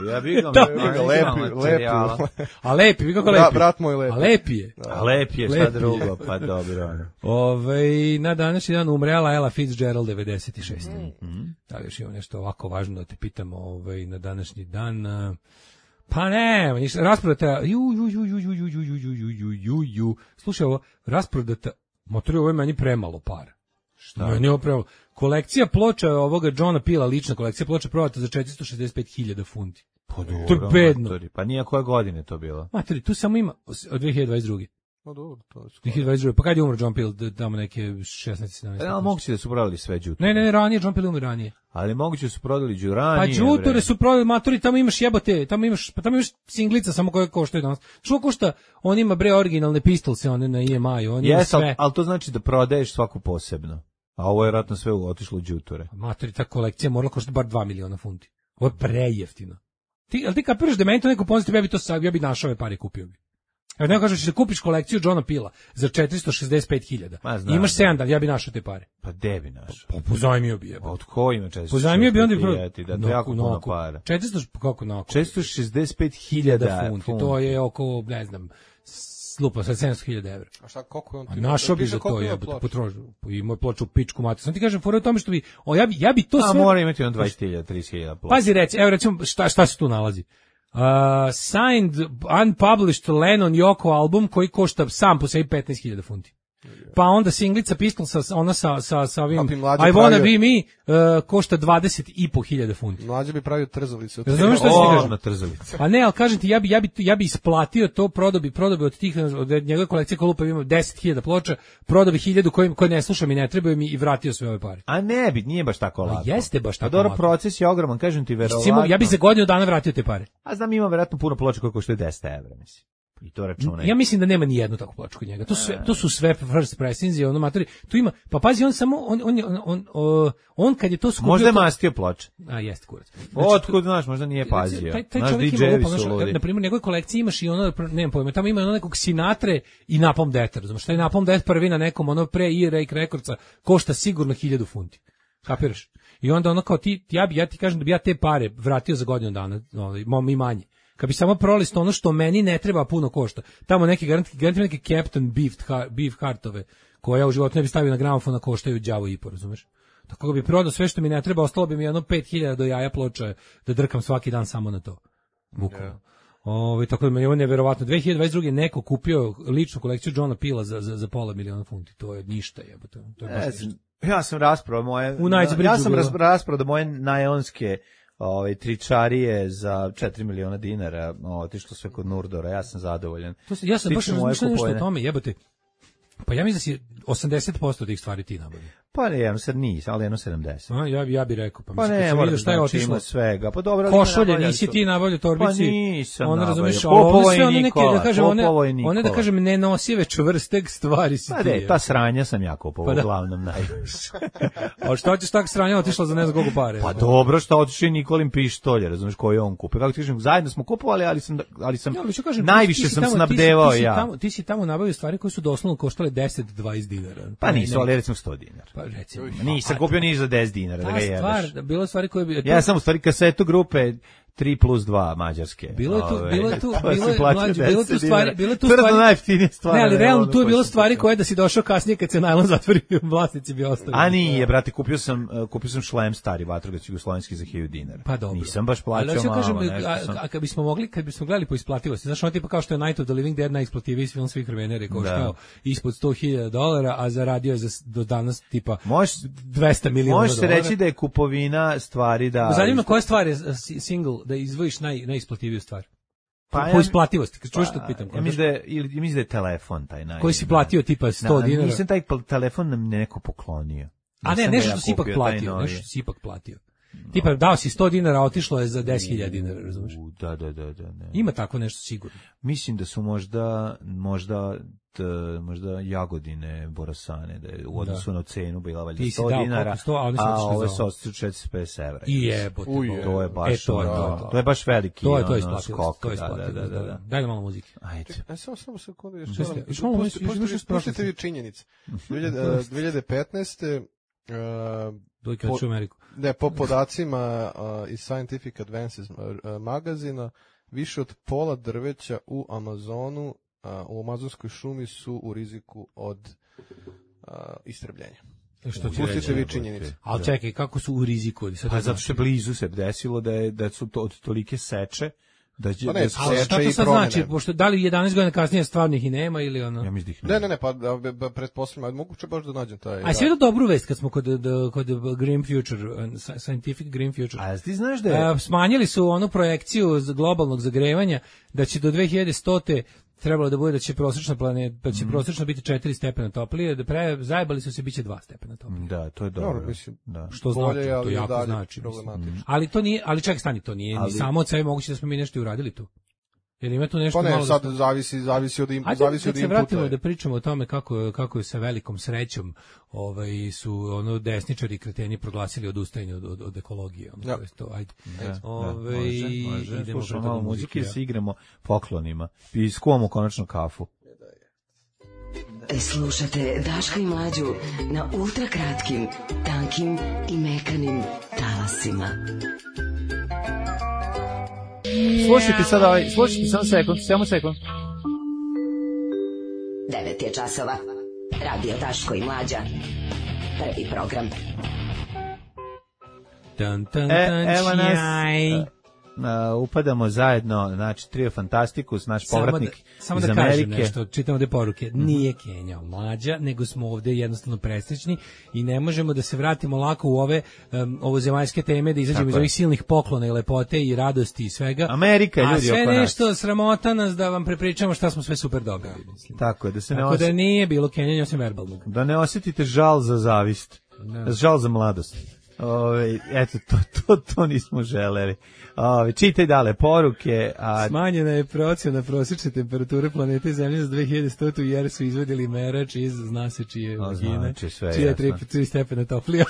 Speaker 6: Ja bih ga
Speaker 7: Da.
Speaker 8: Lepi, lepi.
Speaker 7: A lepi, vi kako
Speaker 8: Bra-
Speaker 7: lepi.
Speaker 8: brat moj lepi.
Speaker 7: A lepi je.
Speaker 6: A lep je, šta
Speaker 7: Lep je.
Speaker 6: drugo, pa dobro. ono.
Speaker 7: Ove, na današnji dan umrela Ella Fitzgerald devedeset šest. Da li još imam nešto ovako važno da te pitam ovaj, na današnji dan? a, Pa ne, ništa, rasprodata, ju, ju, ju, ju, ju, ju, ju, ju, ju, ju, ju, ju, slušaj ovo, rasprodata, motori, ovo je meni premalo para. Šta? Meni je ovo premalo. Kolekcija ploča ovoga Johna Pila, lična kolekcija ploča prodata za četiristo šezdeset pet hiljada funti.
Speaker 6: Pa
Speaker 7: To je
Speaker 6: dobro,
Speaker 7: bedno.
Speaker 6: matori. Pa nije koje godine to bilo.
Speaker 7: Materi, tu samo ima od dve hiljade dvadeset druge.
Speaker 8: No dobro, to je skoro.
Speaker 7: dve hiljade dvadeset druge. Pa kad je umro John Peel? Tamo neke šesnaest sedamnaest.
Speaker 6: E, ali moguće da su prodali sve đuture.
Speaker 7: Ne, ne, ne, ranije, John Peel umro ranije.
Speaker 6: Ali moguće da su prodali
Speaker 7: Pa
Speaker 6: đuranije.
Speaker 7: đuture
Speaker 6: bre.
Speaker 7: su prodali, matori, tamo imaš jebote, tamo imaš, pa tamo imaš singlica samo koje koštaju danas. Što košta? On ima bre originalne pistolse, one na I M I-u, on ima
Speaker 6: Jes, ali,
Speaker 7: sve.
Speaker 6: ali to znači da prodaješ svaku posebno. A ovo je vjerojatno sve otišlo u đuture.
Speaker 7: Matori, ta kolekcija morala koštati bar dva miliona funti. Ovo je prejeftino. Ti, ali ti kapiraš da meni to neko pozitiv, ja bi to sad, ja bi našao ove pare i kupio bi. Evo neko kažeš da kupiš kolekciju Johna Pila za četiristo šezdeset pet hiljada.
Speaker 6: Ma, znam,
Speaker 7: Imaš
Speaker 6: da.
Speaker 7: sedam dana, ja bi našao te pare.
Speaker 6: Pa debi naš.
Speaker 7: Pa pozajmio bi je.
Speaker 6: A od ko ima četiristo
Speaker 7: Pozajmio bi onda bi
Speaker 6: šezdeset pet hiljada? Da, to je jako puno
Speaker 7: nakup.
Speaker 6: para.
Speaker 7: četiristo, kako nakup?
Speaker 6: četiristo šezdeset pet
Speaker 7: hiljada
Speaker 6: hiljada
Speaker 7: funti.
Speaker 6: funti.
Speaker 7: To je oko, ne znam, slupa sa sedamsto hiljada evra.
Speaker 8: A šta, koliko je on
Speaker 7: A
Speaker 8: ti?
Speaker 7: našao bi
Speaker 8: Piše
Speaker 7: za to
Speaker 8: koliko ima
Speaker 7: je
Speaker 8: ploča.
Speaker 7: potrošio. I moj ploču u pičku matu. Sam ti kažem, fora je u tome što bi, o, ja bi, ja bi to
Speaker 6: A
Speaker 7: sve...
Speaker 6: mora imati on dvadeset hiljada, trideset hiljada plus.
Speaker 7: Pazi, reci, evo recimo, šta, šta se tu nalazi? Uh, signed, unpublished Lennon Yoko album koji košta sam po sebi petnaest hiljada funti. Pa onda singlica Pistol sa, ona sa, sa, sa ovim
Speaker 8: Pa bi
Speaker 7: I
Speaker 8: mlađe
Speaker 7: Wanna
Speaker 8: pravio-
Speaker 7: Be Me uh, košta dvadeset i po hiljada funti.
Speaker 8: Mlađe bi pravio trzalice. od
Speaker 7: Razumeš
Speaker 8: toga.
Speaker 7: šta si ti
Speaker 6: O,
Speaker 7: kažem?
Speaker 6: na trzalicu.
Speaker 7: Pa ne, ali kažem ti, ja bi, ja bi, ja bi isplatio to, prodao bi, prodao bi od tih, od njegove kolekcije Kolupa ima deset hiljada ploča, prodao bi hiljadu koje, koje ne slušam i ne trebaju mi i vratio sve ove pare.
Speaker 6: A ne bi, nije baš tako lako.
Speaker 7: jeste baš tako
Speaker 6: A dobro,
Speaker 7: lako.
Speaker 6: proces je ogroman, kažem ti, verovatno.
Speaker 7: Simo, ja bi za godinu dana vratio te pare.
Speaker 6: A znam, ima verovatno puno ploča koje koštaju deset evra, mislim. I to računaj.
Speaker 7: Ja mislim da nema ni jednu takvu ploču kod njega. To su sve, to su sve first pressings i ono matori. Tu ima, pa pazi, on samo on on on on, on, on kad je to skupio.
Speaker 6: Možda je
Speaker 7: to-
Speaker 6: mastio ploče.
Speaker 7: A jeste kurac.
Speaker 6: Otkud, znaš, možda nije pazio.
Speaker 7: Taj, taj
Speaker 6: Znaš,
Speaker 7: čovjek ima
Speaker 6: D J-evi
Speaker 7: lupa,
Speaker 6: su
Speaker 7: znaš,
Speaker 6: ludi.
Speaker 7: na primjer, u njegovoj kolekciji imaš i ono, nemam pojma, tamo ima ono nekog Sinatre i Napalm Death, razumiješ, taj Napalm Death prvi na nekom, ono pre i Rake Recordsa, košta sigurno hiljadu funti. Kapiraš? I onda ono kao ti, ja, bi, ja ti kažem da bi ja te pare vratio za godinu dana, ono, mom i manje. Kad bi samo prolisto ono što meni ne treba puno košta. Tamo neki garanti, garanti neke Captain Beef, beef Heartove, koje ja u životu ne bi stavio na gramofon, a koštaju đavo i po, razumeš? Tako da bi prodao sve što mi ne treba, ostalo bi mi jedno pet hiljada do jaja ploča da drkam svaki dan samo na to. Bukvalno. Ovaj tako da meni je ovo neverovatno. dve hiljade dvadeset druge neko kupio ličnu kolekciju Johna Pila za za za pola miliona funti. To je ništa, jebote. To je baš
Speaker 6: Ne
Speaker 7: ništa.
Speaker 6: znam, Ja sam rasprodao moje
Speaker 7: U Knightsbridgeu
Speaker 6: ja sam
Speaker 7: bilo.
Speaker 6: ras- rasprodao moje najonske ovaj tričarije za četiri miliona dinara, otišlo sve kod Nurdora, ja sam zadovoljan.
Speaker 7: To se, ja sam
Speaker 6: Stiču
Speaker 7: baš
Speaker 6: moje
Speaker 7: razmišljao nešto o
Speaker 6: kupovine.
Speaker 7: tome, jebote. Pa ja mislim da si osamdeset posto tih stvari ti nabavio.
Speaker 6: Pa ne, ja sad nisam, ali jedno sedamdeset.
Speaker 7: A, ja, bi- ja bih rekao, pa,
Speaker 6: Pa
Speaker 7: mislim, kad
Speaker 6: ne,
Speaker 7: sam
Speaker 6: moram
Speaker 7: vidio
Speaker 6: da
Speaker 7: šta je
Speaker 6: znači
Speaker 7: otišlo.
Speaker 6: ima svega. Pa dobro, ali ima
Speaker 7: Košulje,
Speaker 6: nabavljali
Speaker 7: nisi
Speaker 6: su-
Speaker 7: ti nabavljao torbici.
Speaker 6: Pa nisam
Speaker 7: Ona,
Speaker 6: nabavljao.
Speaker 7: razumeš,
Speaker 6: Kupovao
Speaker 7: ovo sve
Speaker 6: je
Speaker 7: one neke,
Speaker 6: Nikola,
Speaker 7: da kažem, one,
Speaker 6: kupovao je
Speaker 7: one da
Speaker 6: Nikola.
Speaker 7: kažem nenosive čvrste stvari si
Speaker 6: Pa
Speaker 7: ti.
Speaker 6: ne,
Speaker 7: je.
Speaker 6: ta sranja sam ja kupovao,
Speaker 7: Pa da.
Speaker 6: uglavnom najviše.
Speaker 7: A šta ćeš tak sranja otišla za ne znam koliko pare?
Speaker 6: Pa dobro, šta otišao i Nikolin pištolje, razumeš, koji je on kupio. Kako ti kažem, zajedno smo kupovali, ali sam, ali sam
Speaker 7: Ja, ali ću kažem,
Speaker 6: najviše
Speaker 7: ti si
Speaker 6: sam
Speaker 7: tamo-
Speaker 6: snabdevao
Speaker 7: ti si, ti si
Speaker 6: ja.
Speaker 7: Tamo, ti si tamo nabavio stvari koje su doslovno koštale deset do dvadeset dinara.
Speaker 6: Pa nisu,
Speaker 7: ne,
Speaker 6: ali recimo sto dinara.
Speaker 7: Pa recimo.
Speaker 6: Nisam kupio ni za deset dinara, da
Speaker 7: Ta
Speaker 6: ga jebeš.
Speaker 7: stvar, bilo stvari koje bi...
Speaker 6: Ja sam u stvari kasetu grupe tri plus dva Mađarske.
Speaker 7: Bilo je tu,
Speaker 6: Ove,
Speaker 7: bilo je tu,
Speaker 6: to si
Speaker 7: bilo je
Speaker 6: platio
Speaker 7: mlađe, bilo je tu
Speaker 6: deset
Speaker 7: stvari,
Speaker 6: dinara.
Speaker 7: bilo je tu
Speaker 6: Tvrdo
Speaker 7: stvari.
Speaker 6: najjeftinije stvari.
Speaker 7: Ne, ali realno tu je bilo
Speaker 6: ono
Speaker 7: stvari
Speaker 6: početi.
Speaker 7: koje da si došao kasnije kad se najlon zatvori, vlasnici bi ostali.
Speaker 6: A nije, brate, kupio sam uh, kupio sam šlem stari vatrogasni jugoslovenski za hiljadu dinara.
Speaker 7: Pa dobro.
Speaker 6: Nisam baš plaćao
Speaker 7: ali
Speaker 6: malo,
Speaker 7: kažem,
Speaker 6: nešto
Speaker 7: a,
Speaker 6: sam.
Speaker 7: a kad bismo mogli, kad bismo gledali po isplativosti, znaš, ono tipa kao što je Night of the Living Dead najisplativiji film svih vremena, rekao
Speaker 6: Da.
Speaker 7: kao ispod sto hiljada dolara, a zaradio je za, do danas tipa
Speaker 6: Možeš
Speaker 7: dvesta miliona
Speaker 6: Može se
Speaker 7: dolara.
Speaker 6: reći da je kupovina stvari da...
Speaker 7: Zanima koja stvar je a, si- single, da izdvojiš naj, najisplativiju stvar.
Speaker 6: Pa
Speaker 7: po
Speaker 6: ja-
Speaker 7: isplativosti, kad čuješ što te pitam.
Speaker 6: Ja mislim da je, ili mislim da je telefon taj naj...
Speaker 7: Koji si platio tipa sto
Speaker 6: Na-
Speaker 7: dinara?
Speaker 6: Nisam taj pl- telefon nam neko poklonio.
Speaker 7: A ne,
Speaker 6: Nisam ga
Speaker 7: nešto
Speaker 6: ja
Speaker 7: si ipak
Speaker 6: kupio, taj
Speaker 7: platio,
Speaker 6: novi.
Speaker 7: nešto si ipak platio. Tipa dao si sto dinara, a otišlo je za deset hiljada dinara, razumeš?
Speaker 6: U, Da, da, da, da. da.
Speaker 7: Ima tako nešto sigurno.
Speaker 6: Mislim da su možda, možda, t, možda jagodine borosane, da je u odnosu na cenu bila valjda
Speaker 7: Ti si
Speaker 6: sto
Speaker 7: dao
Speaker 6: dinara,
Speaker 7: koliko, sto, a oni su
Speaker 6: a
Speaker 7: otišli
Speaker 6: ove
Speaker 7: za
Speaker 6: su
Speaker 7: ovo.
Speaker 6: otišli četiristo pedeset evra.
Speaker 7: I jebote.
Speaker 8: Uj,
Speaker 7: Bog.
Speaker 6: To je baš,
Speaker 7: E, to je
Speaker 6: ono,
Speaker 7: to, to.
Speaker 6: to je baš veliki
Speaker 7: To je to
Speaker 6: ono,
Speaker 7: isplativost,
Speaker 6: skok,
Speaker 7: to je
Speaker 6: da, da,
Speaker 7: isplativost.
Speaker 6: da, da, da.
Speaker 7: Daj nam malo muzike.
Speaker 6: Ajde.
Speaker 8: E, samo, samo sekundu, još
Speaker 7: Šta ste-
Speaker 8: moram-
Speaker 7: još malo
Speaker 8: pusti-
Speaker 7: misliš, još
Speaker 8: pusti-
Speaker 7: misliš
Speaker 8: Pustite
Speaker 7: prošlosti?
Speaker 8: vi činjenice. dve hiljade petnaeste. uh,
Speaker 7: Doj kad
Speaker 8: Po-
Speaker 7: ću u Ameriku.
Speaker 8: Ne, po podacima uh, iz Scientific Advances uh, magazina, više od pola drveća u Amazonu, uh, u amazonskoj šumi su u riziku od uh, istrebljenja.
Speaker 7: Što ti
Speaker 8: Pustite
Speaker 7: reći?
Speaker 8: vi činjenice.
Speaker 7: Ali čekaj, kako su u riziku? Sad
Speaker 6: Pa
Speaker 7: to
Speaker 6: zato
Speaker 7: znači.
Speaker 6: što je blizu se desilo da je da su to od tolike seče da će
Speaker 8: Pa ne,
Speaker 6: da su-
Speaker 7: Ali
Speaker 8: seče
Speaker 7: šta to
Speaker 8: i
Speaker 7: sad
Speaker 8: promene.
Speaker 7: znači? Pošto da li jedanaest godina kasnije stvarnih i nema ili ono?
Speaker 6: ja mislim da ih
Speaker 8: Ne, ne, ne, pa da, ba- pretpostavljam, moguće baš da nađem taj...
Speaker 7: A si vidio dobru vest kad smo kod, da- kod Green Future, uh, Scientific Green Future?
Speaker 6: A ti znaš da je
Speaker 7: A, smanjili su onu projekciju z- globalnog zagrevanja da će do dve hiljade stote trebalo da bude da će prosječna planeta, da će prosječno biti četiri stepena toplije, da pre zajebali su se biće dva stepena toplije.
Speaker 6: da, to je dobro.
Speaker 8: Dobro, mislim,
Speaker 6: da.
Speaker 7: Što
Speaker 8: bolje,
Speaker 7: znači, to
Speaker 8: ali
Speaker 7: jako
Speaker 8: dalje
Speaker 7: znači. mislim.
Speaker 8: problematično.
Speaker 7: Ali to nije, ali ček stani, to nije
Speaker 6: Ali-
Speaker 7: ni samo od sebe moguće da smo mi nešto i uradili tu. Jer ima tu nešto
Speaker 8: Pa ne,
Speaker 7: malo...
Speaker 8: sad
Speaker 7: da smo-
Speaker 8: zavisi, zavisi od, im,
Speaker 7: Ajde,
Speaker 8: zavisi
Speaker 7: kad
Speaker 8: od
Speaker 7: se
Speaker 8: inputa.
Speaker 7: vratimo da pričamo o tome kako, kako je sa velikom srećom ovaj, su ono desničari i kreteni proglasili odustajanje od, od, od ekologije. Ono,
Speaker 8: Ja.
Speaker 7: to je to, ajde.
Speaker 6: Da,
Speaker 7: Ovaj,
Speaker 6: da, može, može.
Speaker 7: idemo
Speaker 6: Slušamo
Speaker 7: pre toga
Speaker 6: malo
Speaker 7: muzike,
Speaker 6: muzike i
Speaker 7: ja.
Speaker 6: se igramo poklonima. I skuvamo konačno kafu.
Speaker 4: Slušate Daška i Mlađu na ultrakratkim, tankim i mekanim talasima.
Speaker 6: Slušajte sad ovaj, slušajte samo sekund, samo sekund.
Speaker 4: devet je časova. Radio Daško i Mlađa. Prvi program.
Speaker 7: Tan, tan,
Speaker 6: E,
Speaker 7: tan,
Speaker 6: evo nas,
Speaker 7: čijaj.
Speaker 6: Uh, upadamo zajedno, znači Trio Fantastikus, naš
Speaker 7: Samo da,
Speaker 6: povratnik
Speaker 7: samo
Speaker 6: iz
Speaker 7: da kažem
Speaker 6: Amerike.
Speaker 7: nešto, čitamo te poruke. Nije Kenjao Mlađa, nego smo ovde jednostavno presrećni i ne možemo da se vratimo lako u ove um, ovozemaljske teme, da izađemo
Speaker 6: Tako
Speaker 7: iz
Speaker 6: je.
Speaker 7: ovih silnih poklona i lepote i radosti i svega.
Speaker 6: Amerika je,
Speaker 7: A
Speaker 6: ljudi,
Speaker 7: sve
Speaker 6: oko nas.
Speaker 7: nešto sramota nas da vam prepričamo šta smo sve super dobili, mislim.
Speaker 6: Tako je, da se ne,
Speaker 7: Tako da
Speaker 6: osjetite,
Speaker 7: nije bilo Kenjanja osim verbalnog.
Speaker 6: da ne osjetite žal za zavist, žal za mladost. Ove, eto, to, to, to nismo želeli. Ove, čitaj dale poruke. A,
Speaker 7: Smanjena je procjena prosječne temperature planete Zemlje za dve hiljade stotu jer su izvedili merač iz zna se čije
Speaker 6: A,
Speaker 7: vagine,
Speaker 6: znači, sve je
Speaker 7: čija je
Speaker 6: jasno.
Speaker 7: tri, tri stepena toplija.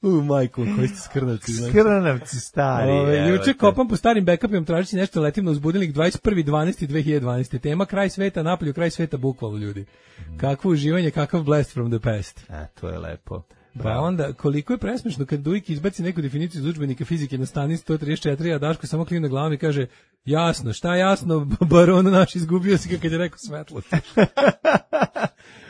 Speaker 7: U, majku, koji ste skrnavci. znači.
Speaker 6: Skrnavci stari.
Speaker 7: Ove,
Speaker 6: evo
Speaker 7: juče
Speaker 6: te.
Speaker 7: kopam po starim backupima tražeći nešto, letim na uzbudilnik dvadeset prvi decembar dve hiljade dvanaeste. Tema kraj sveta, napolju kraj sveta, bukvalno ljudi. Kakvo uživanje, kakav blast from the past.
Speaker 6: E, to je lepo.
Speaker 7: Pa onda, koliko je presmešno kad Dujik izbaci neku definiciju iz udžbenika fizike na strani sto trideset četiri, a Daško samo klimne glavom i kaže, jasno, šta jasno, baron naš izgubio si ga kad je rekao svetlo.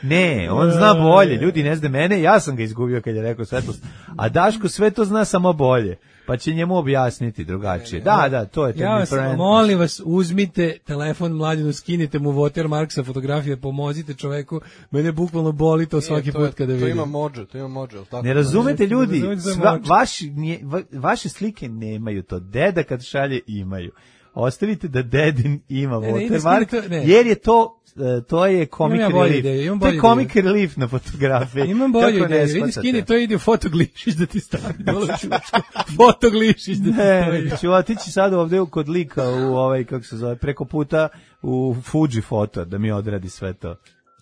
Speaker 6: Ne, on zna bolje. Ljudi ne zna mene, ja sam ga izgubio kad je rekao svetlost. A Daško sve to zna samo bolje. Pa će njemu objasniti drugačije. Da, da, to je
Speaker 7: Ja vas,
Speaker 6: different.
Speaker 7: molim vas, uzmite telefon Mladinu, skinite mu watermark sa fotografije, pomozite čoveku, mene bukvalno boli to svaki
Speaker 8: to je-
Speaker 7: put kada
Speaker 8: To
Speaker 7: vidim.
Speaker 8: ima mođe, to ima mođe, jel tako?
Speaker 6: Ne razumete
Speaker 7: Ne
Speaker 6: ljudi,
Speaker 7: razumete za
Speaker 6: sva,
Speaker 7: moć.
Speaker 6: vaši, nije- va- vaše slike nemaju to. Deda kad šalje imaju. Ostavite da dedin ima
Speaker 7: Ne, ne, ide
Speaker 6: watermark,
Speaker 7: skini to- ne.
Speaker 6: jer je to e, to je comic
Speaker 7: Imam ja bolju
Speaker 6: relief.
Speaker 7: ideju, imam
Speaker 6: to je
Speaker 7: bolju
Speaker 6: comic relief na fotografiji.
Speaker 7: Imam
Speaker 6: Kako
Speaker 7: bolju
Speaker 6: ne
Speaker 7: ideju, vidi
Speaker 6: shvatate?
Speaker 7: skini, to ide u fotoglišić da ti stavi dole u čučku. Fotoglišić da ti
Speaker 6: Ne,
Speaker 7: stavi.
Speaker 6: ću otići sad ovde kod lika u ovaj, kako se zove, preko puta u Fuji foto da mi odradi sve to.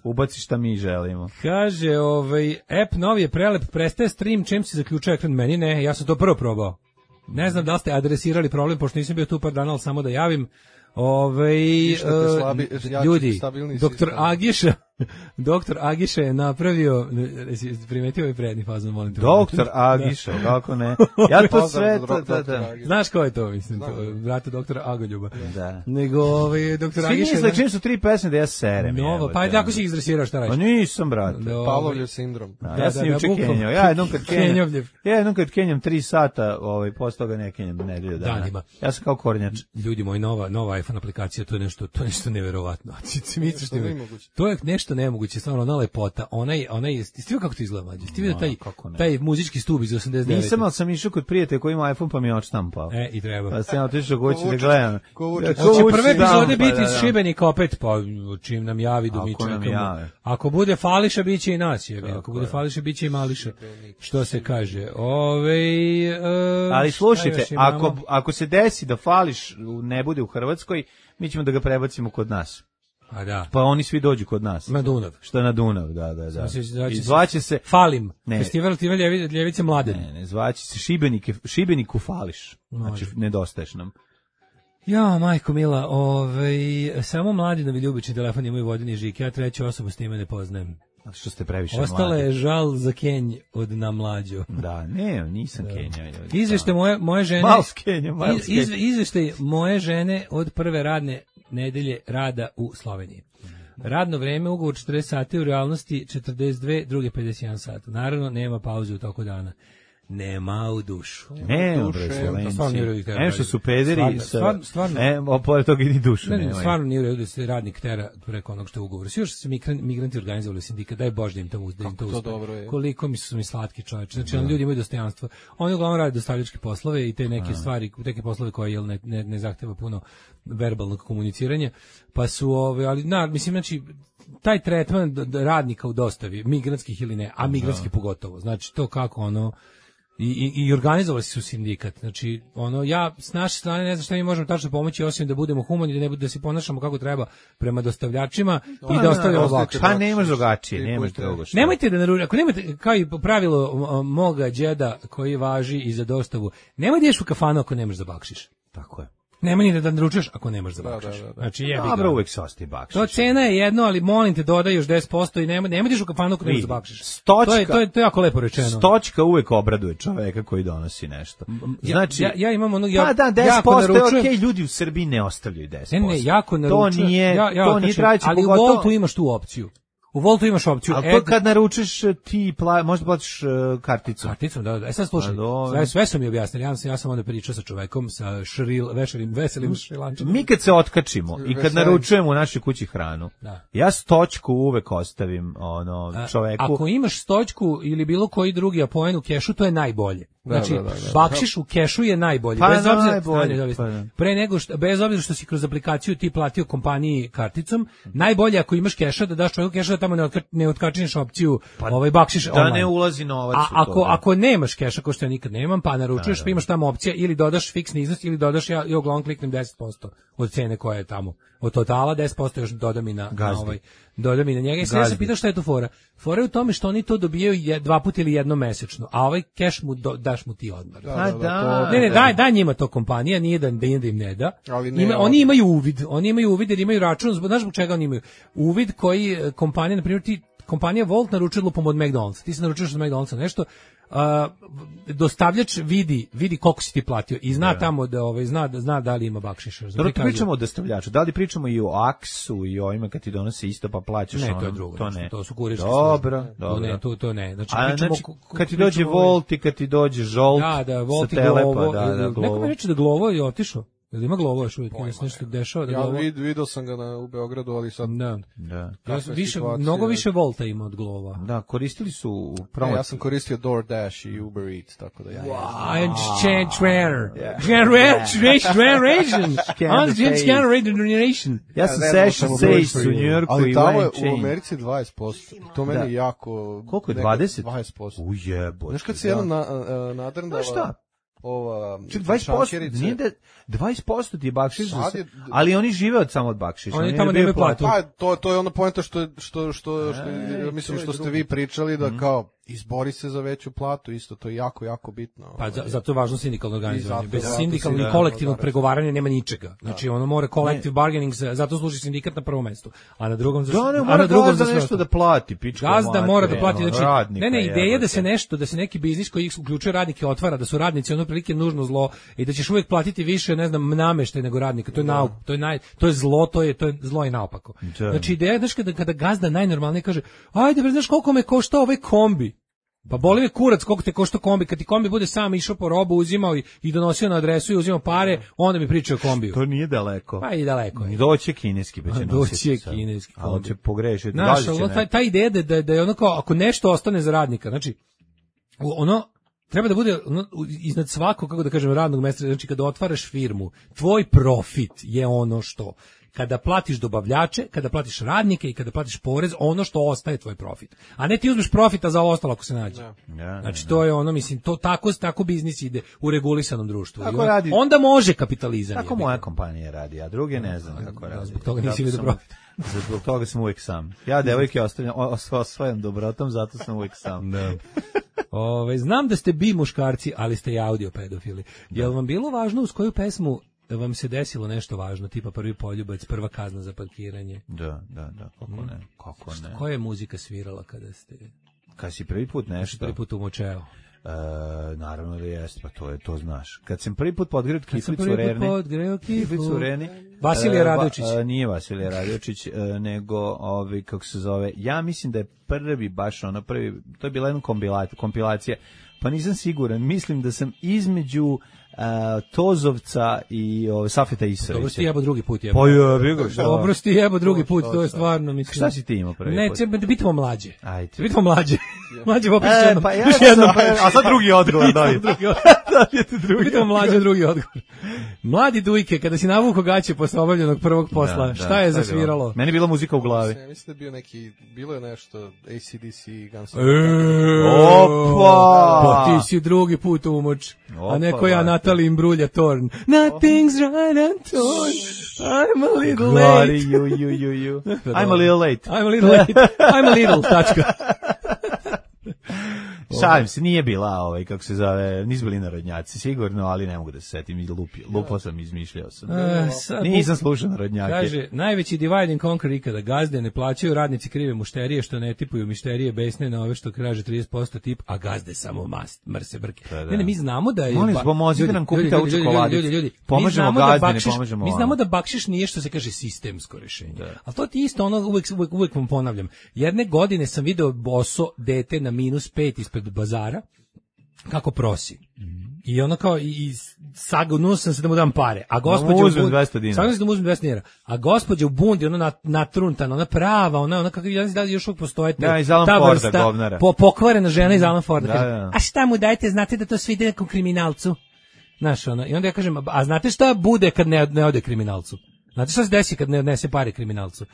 Speaker 6: Ubaci šta mi želimo.
Speaker 7: Kaže, ovaj, app novi je prelep, prestaje stream, čim se zaključuje ekran meni, ne, ja sam to prvo probao. Ne znam da li ste adresirali problem, pošto nisam bio tu par dana, ali samo da javim. Ove,
Speaker 8: Išta te slabi- jači,
Speaker 7: ljudi,
Speaker 8: stabilniji
Speaker 7: doktor
Speaker 8: sistem.
Speaker 7: Agiša Doktor Agiša je napravio, jesi primetio ovaj prednji fazon, molim te.
Speaker 6: Doktor Agiša, kako ne? Ja to sve, to, to, to.
Speaker 7: Znaš ko je to, mislim, to, brate doktora Agoljuba.
Speaker 6: Da.
Speaker 7: Nego, ovaj, doktor
Speaker 6: Svi
Speaker 7: Agiša...
Speaker 6: Svi misle čim su tri pesme da ja serem.
Speaker 7: Novo, pa tako si ih izresirao, šta radiš?
Speaker 6: Pa nisam, brate.
Speaker 8: Pavlovljev sindrom.
Speaker 6: Da, ja sam juče kenjao. Ja jednom kad kenjam, ja jednom kad kenjam tri sata, ovaj, posle toga ne kenjam nedelju dana.
Speaker 7: Danima.
Speaker 6: Ja sam kao kornjač.
Speaker 7: Ljudi moji, nova, nova iPhone aplikacija, to je nešto, to je nešto neverovatno. To je nešto nemoguće, stvarno, ona lepota, onaj, onaj, ti vidio kako to izgleda, mlađe? Ti vidio taj, taj muzički stub iz osamdeset devete.
Speaker 6: Nisam, ali sam išao kod prijatelja koji ima iPhone pa mi je odštampao.
Speaker 7: E, i treba.
Speaker 6: Pa sam otišao kući da gledam.
Speaker 7: Hoće prve epizode biti iz Šibenika opet, pa čim nam javi do mi čekamo. Ako bude Fališa, bit će i nas. Ako bude Fališa, bit će i Mališa. Što se kaže? Ove,
Speaker 6: ali slušajte, ako, ako se desi da Fališ ne bude u Hrvatskoj, mi ćemo da ga prebacimo kod nas.
Speaker 7: A da.
Speaker 6: Pa oni svi dođu kod nas.
Speaker 7: Na Dunav.
Speaker 6: Što na Dunav, da, da, da.
Speaker 7: I zvaće se Falim. Ne. Festival Tive Ljevice Mladen.
Speaker 6: Ne, ne, zvaće se Šibenike, Šibeniku Fališ. Znači, nedostaješ nam.
Speaker 7: Ja, majko mila, ovaj, samo Mladinovi ljubični telefon imaju vodeni žik, ja treću osobu s time ne poznajem.
Speaker 6: A što ste previše
Speaker 7: Ostala mladi. Je žal za Kenj od namlađo.
Speaker 6: Da, ne, nisam da. Kenja.
Speaker 7: Izvešte moje, moje žene...
Speaker 6: Mals Kenja, Mals Kenja.
Speaker 7: Iz, izvešte moje žene od prve radne nedelje rada u Sloveniji. Radno vreme, ugovor četrdeset sati, u realnosti četrdeset dve, druge pedeset jedan sat. Naravno, nema pauze u toku dana. Nema u dušu.
Speaker 6: Nema, bre, Slovenci. Em što su pederi,
Speaker 7: stvarno, stvarno.
Speaker 6: Em, opoje toga i ni dušu
Speaker 7: ne,
Speaker 6: nema.
Speaker 7: Stvarno nije u redu da se radnik tera preko onog što je ugovor. Svi još su migranti organizovali sindikat, daj Bož da im to uspe. Koliko mi su mi slatki čovječi. Znači, oni ljudi imaju dostojanstvo. Oni uglavnom rade dostavljačke poslove i te neke stvari, neke poslove koje jel, ne, ne, ne zahteva puno verbalnog komuniciranja. Pa su, ove, ali, na, mislim, znači, taj tretman radnika u dostavi, migrantskih ili ne, a migrantskih pogotovo. Znači, to kako ono... I, i, i organizovali su sindikat. Znači, ono, ja s naše strane ne znam šta mi možemo tačno pomoći, osim da budemo humani, da ne bude, da se ponašamo kako treba prema dostavljačima no, i da ostavljamo ovako.
Speaker 6: Pa nemaš drugačije, nemaš drugo što.
Speaker 7: Nemojte da naručite, ako nemate, kao i pravilo moga đeda koji važi i za dostavu, nemoj da ješ u kafanu ako nemaš da bakšiš.
Speaker 6: Tako je.
Speaker 7: Nema ni da naručuješ ako nemaš da bakšiš.
Speaker 6: Da, da, da.
Speaker 7: Znači, jebi
Speaker 6: dobro, uvek se ostaje bakšiš.
Speaker 7: To cena je jedno, ali molim te dodaj još deset posto i nema, nema diš u kafanu ako nemaš da bakšiš.
Speaker 6: Stočka,
Speaker 7: to, je, to, je, to je jako lepo rečeno.
Speaker 6: Stočka uvek obraduje čoveka koji donosi nešto. Znači,
Speaker 7: ja, ja imam ono, ja,
Speaker 6: pa da, deset posto je okej, okay, ljudi u Srbiji ne ostavljaju deset posto.
Speaker 7: Ne, ne, jako naručujem.
Speaker 6: To nije,
Speaker 7: ja, ja,
Speaker 6: to nije trajeće.
Speaker 7: Ali u Voltu imaš tu opciju. U Voltu imaš opciju.
Speaker 6: Ali to kad naručiš ti, pla, možda platiš uh, karticom.
Speaker 7: Karticom, da, da. E sad slušaj, sve, sve su mi objasnili. Ja sam, ja sam onda pričao sa čovekom, sa šril, vešelim, veselim šrilančanom.
Speaker 6: Mi kad se otkačimo i kad naručujemo u našoj kući hranu,
Speaker 7: da.
Speaker 6: Ja stočku uvek ostavim ono, čoveku.
Speaker 7: A, ako imaš stočku ili bilo koji drugi apoen u kešu, to je najbolje. Znači,
Speaker 8: da, da, da, da.
Speaker 7: bakšiš u kešu je najbolji.
Speaker 6: Pa
Speaker 7: bez obzira,
Speaker 6: najbolji, pa
Speaker 7: pre nego što, bez obzira što si kroz aplikaciju ti platio kompaniji karticom, najbolje ako imaš keša da daš čovjeku keša da tamo ne, otka, ne otkačiniš opciju
Speaker 6: pa,
Speaker 7: ovaj bakšiš
Speaker 6: da
Speaker 7: online.
Speaker 6: Ne ulazi novac.
Speaker 7: A ako, ako nemaš keša, ko što ja nikad nemam, pa naručuješ, da, da. Pa imaš tamo opcija ili dodaš fiksni iznos ili dodaš, ja, ja uglavnom kliknem deset posto od cene koja je tamo. Od totala deset posto još dodam i na, na ovaj, dodam i na njega. I sad ja se pitao šta je to fora. Fora je u tome što oni to dobijaju dva puta ili jednom mesečno, a ovaj keš mu do, daš mu ti odmah.
Speaker 8: Da, da, da, to,
Speaker 7: ne, ne, daj, daj njima to kompanija, nije da, da im ne da.
Speaker 8: Ne,
Speaker 7: Ima, oni imaju uvid, oni imaju uvid jer imaju račun, znaš zbog čega oni imaju? Uvid koji kompanija, na primjer ti, kompanija Volt naručuje lupom od McDonald'sa, ti se naručuješ od McDonald'sa nešto, Uh, dostavljač vidi vidi koliko si ti platio i zna da. Tamo da ovaj zna da zna da li ima bakšiša.
Speaker 6: Dobro, pričamo o dostavljaču. Da li pričamo i o aksu i o ovima kad ti donose isto pa plaćaš
Speaker 7: ne,
Speaker 6: ono?
Speaker 7: To je drugo.
Speaker 6: To ne.
Speaker 7: To su kurirske
Speaker 6: Dobro,
Speaker 7: službe.
Speaker 6: dobro.
Speaker 7: Ne, to to ne. Znači,
Speaker 6: a,
Speaker 7: pričamo,
Speaker 6: znači kad ti dođe Volt i kad ti dođe Žolt.
Speaker 7: Da, da, Volt i
Speaker 6: Glovo. Da, da,
Speaker 7: neko mi reče da Glovo je otišao. Jel ima Glovo još uvijek? Nije se nešto dešava da
Speaker 8: ja
Speaker 7: Glovo?
Speaker 8: Ja vidio sam ga na, u Beogradu, ali sad...
Speaker 7: Da.
Speaker 6: Da.
Speaker 7: Ja više, mnogo više Volta ima od Glova.
Speaker 6: Da, koristili su u promociju.
Speaker 8: Ja sam koristio DoorDash i Uber Eats, tako da ja...
Speaker 7: Wow, change rare. Generation. Generation.
Speaker 6: Ja sam session sejs u Njujorku i
Speaker 8: ali tamo je u Americi dvadeset posto. To meni jako...
Speaker 6: Koliko je? dvadeset?
Speaker 8: dvadeset posto.
Speaker 6: Ujebo.
Speaker 8: Znaš kad se jedno na, nadrndava...
Speaker 6: Znaš šta?
Speaker 8: Ova
Speaker 6: Ček, dvadeset posto, nije da dvadeset posto ti je bakšiš, je, ali oni žive od samo od bakšiša.
Speaker 7: Oni, oni tamo nemaju platu.
Speaker 8: Pa to to je ona poenta što što što što ja mislim što ste vi pričali da kao izbori se za veću platu, isto to je jako, jako bitno.
Speaker 7: Pa za, zato je važno sindikalno organizovanje. Bez
Speaker 8: zato-
Speaker 7: sindikalnog
Speaker 8: zato
Speaker 7: i
Speaker 8: si-
Speaker 7: kolektivnog
Speaker 8: da,
Speaker 7: pregovaranja nema ničega. Znači ono mora collective bargaining, za- zato služi sindikat na prvom mestu, a na drugom za
Speaker 6: Da, ne,
Speaker 7: a
Speaker 6: mora
Speaker 7: na drugom
Speaker 6: gazda
Speaker 7: za sve
Speaker 6: nešto
Speaker 7: ostalo.
Speaker 6: da plati, pička
Speaker 7: Gazda
Speaker 6: materina,
Speaker 7: mora da plati,
Speaker 6: ono,
Speaker 7: znači,
Speaker 6: radnika,
Speaker 7: ne, ne, ideja da
Speaker 6: jebote.
Speaker 7: se nešto, da se neki biznis koji uključuje radnike otvara, da su radnici ono prilike nužno zlo i da ćeš uvijek platiti više, ne znam, nameštaj nego radnika. To je nauk, to je naj, to je zlo, to je to je zlo i naopako.
Speaker 6: Da.
Speaker 7: Znači ideja je, znaš, kada, kada gazda najnormalnije kaže: "Ajde, bre, znaš koliko me košta ovaj kombi?" Pa boli me kurac koliko te košta kombi, kad ti kombi bude sam išao po robu, uzimao i, i donosio na adresu i uzimao pare, onda mi priča o kombiju.
Speaker 6: To nije daleko.
Speaker 7: Pa i daleko je.
Speaker 6: Doći je kineski, pa će
Speaker 7: Doći
Speaker 6: nositi
Speaker 7: je
Speaker 6: sad.
Speaker 7: kineski
Speaker 6: A on
Speaker 7: kombi.
Speaker 6: će pogrešiti.
Speaker 7: Znaš,
Speaker 6: gazit će
Speaker 7: ono, ta,
Speaker 6: neko.
Speaker 7: ta ideja da, da, da je ono kao, ako nešto ostane za radnika, znači, ono, treba da bude ono, iznad svakog, kako da kažem, radnog mesta, znači kada otvaraš firmu, tvoj profit je ono što, kada platiš dobavljače, kada platiš radnike i kada platiš porez, ono što ostaje tvoj profit. A ne ti uzmeš profita za ovo ostalo ako se nađe.
Speaker 6: Ja,
Speaker 7: Znači to je ono, mislim, to tako tako biznis ide u regulisanom društvu.
Speaker 6: Tako
Speaker 7: I on-
Speaker 6: radi-
Speaker 7: onda može kapitalizam.
Speaker 6: Tako
Speaker 7: jebi ga.
Speaker 6: moja kompanija radi, a druge ne znam kako radi.
Speaker 7: zbog toga nisi
Speaker 6: Zato
Speaker 7: vidio
Speaker 6: sam-
Speaker 7: profit.
Speaker 6: Zbog toga sam uvijek sam. Ja devojke ostavljam, o- osvajam dobrotom, zato sam uvijek sam. Da.
Speaker 7: Ove, znam da ste bi muškarci, ali ste i audio pedofili. Jel vam bilo važno uz koju pesmu vam se desilo nešto važno, tipa prvi poljubac, prva kazna za parkiranje?
Speaker 6: Da, da, da, kako ne, kako ne.
Speaker 7: Koja je muzika svirala kada ste
Speaker 6: Kad si prvi put nešto,
Speaker 7: prvi put umočeo?
Speaker 6: e, naravno da jeste, pa to je, to znaš. Kad sam prvi put podgreo
Speaker 7: Kad sam
Speaker 6: kiflicu
Speaker 7: prvi put
Speaker 6: Rerne,
Speaker 7: podgreo
Speaker 6: kiflicu
Speaker 7: kiflu.
Speaker 6: Reni,
Speaker 7: Vasilije
Speaker 6: e,
Speaker 7: Radojičić.
Speaker 6: va- e, nije Vasilije Radojičić, e, nego, ovi, kako se zove, ja mislim da je prvi, baš ono, prvi, to je bila jedna kompila- kompilacija, pa nisam siguran, mislim da sam između e, Tozovca i ove, Safeta Isavića.
Speaker 7: Dobro si ti jebo drugi put jebo.
Speaker 6: Pa jebi ga, šta?
Speaker 7: Dobro si ti jebo drugi put,
Speaker 8: Šta,
Speaker 7: to je
Speaker 8: šta?
Speaker 7: stvarno, mislim.
Speaker 6: Šta si ti imao prvi
Speaker 7: Ne,
Speaker 6: put?
Speaker 7: treba da bitimo mlađe.
Speaker 6: Ajde.
Speaker 7: Da bitimo mlađe. Mlađe opet
Speaker 6: E,
Speaker 7: jednom.
Speaker 6: pa ja
Speaker 7: još
Speaker 6: sam-
Speaker 7: jednom.
Speaker 6: a sad drugi odgovor, daj.
Speaker 7: Drugi odgovor. Bitimo mlađe drugi odgovor. Mladi Dujke, kada si navuko gaće posle obavljenog prvog posla,
Speaker 6: Da, da,
Speaker 7: šta je
Speaker 6: bilo?
Speaker 7: zasviralo?
Speaker 6: Meni je bila muzika u glavi.
Speaker 8: Ja mislim da je bio neki, bilo je nešto A C D C, Guns N'
Speaker 7: E,
Speaker 8: Roses.
Speaker 6: Opa!
Speaker 7: Pa ti si drugi put umoč, a
Speaker 6: Opa,
Speaker 7: neko ja
Speaker 6: brate.
Speaker 7: Natali Imbrulja Torn. Nothing's right and torn, I'm a little
Speaker 6: Glori,
Speaker 7: late.
Speaker 6: ju, ju, ju, ju. I'm a little late.
Speaker 7: I'm a little late, I'm a little, tačka.
Speaker 6: Šalim se, nije bila ovaj, kako se zove, nisu bili narodnjaci, sigurno, ali ne mogu da se setim, i lupi, lupo sam, izmišljao sam.
Speaker 7: E, sad
Speaker 6: Nisam slušao narodnjake.
Speaker 7: Kaže, najveći divide and conquer ikada, gazde ne plaćaju, radnici krive mušterije, što ne tipuju mišterije, besne na ove što kaže trideset posto tip, a gazde samo mast, mrse brke.
Speaker 6: Pa da.
Speaker 7: Ne, ne, mi znamo da je...
Speaker 6: Molim vas,
Speaker 7: ba-
Speaker 6: pomozite
Speaker 7: ljudi,
Speaker 6: nam kupiti
Speaker 7: ljudi,
Speaker 6: ovu
Speaker 7: ljudi,
Speaker 6: čokoladicu.
Speaker 7: Ljudi, ljudi, ljudi, mi
Speaker 6: Pomažemo
Speaker 7: znamo da
Speaker 6: gazdi, ne
Speaker 7: bakšiš-
Speaker 6: pomažemo
Speaker 7: Mi
Speaker 6: ono.
Speaker 7: znamo da bakšiš nije, što se kaže, sistemsko rešenje. Ali to ti isto, ono, uvek, uvek, uvek vam ponavljam. Jedne godine sam video boso dete na minus pet ispred bazara, kako prosi. I ono kao, i, i sagnuo sam se da mu dam pare. A gospođa
Speaker 6: mu
Speaker 7: u
Speaker 6: uzmem
Speaker 7: bund-
Speaker 6: dvesta dinara.
Speaker 7: Sagnuo sam da mu uzmem dvesta dinara. A gospođa u bundi, ono nat, natruntana, ona prava, ona, ona kako ja ne znam da li još uvijek postoje te-
Speaker 6: Da, iz Alan
Speaker 7: ta
Speaker 6: Forda,
Speaker 7: vrsta
Speaker 6: govnara.
Speaker 7: po, pokvarena žena iz Alan Forda.
Speaker 6: Da,
Speaker 7: kaže,
Speaker 6: da.
Speaker 7: a šta mu dajete, znate da to sve ide nekom kriminalcu? Znaš, ono, i onda ja kažem, a znate šta bude kad ne, ne ode kriminalcu? Znate šta se desi kad ne odnese pare kriminalcu?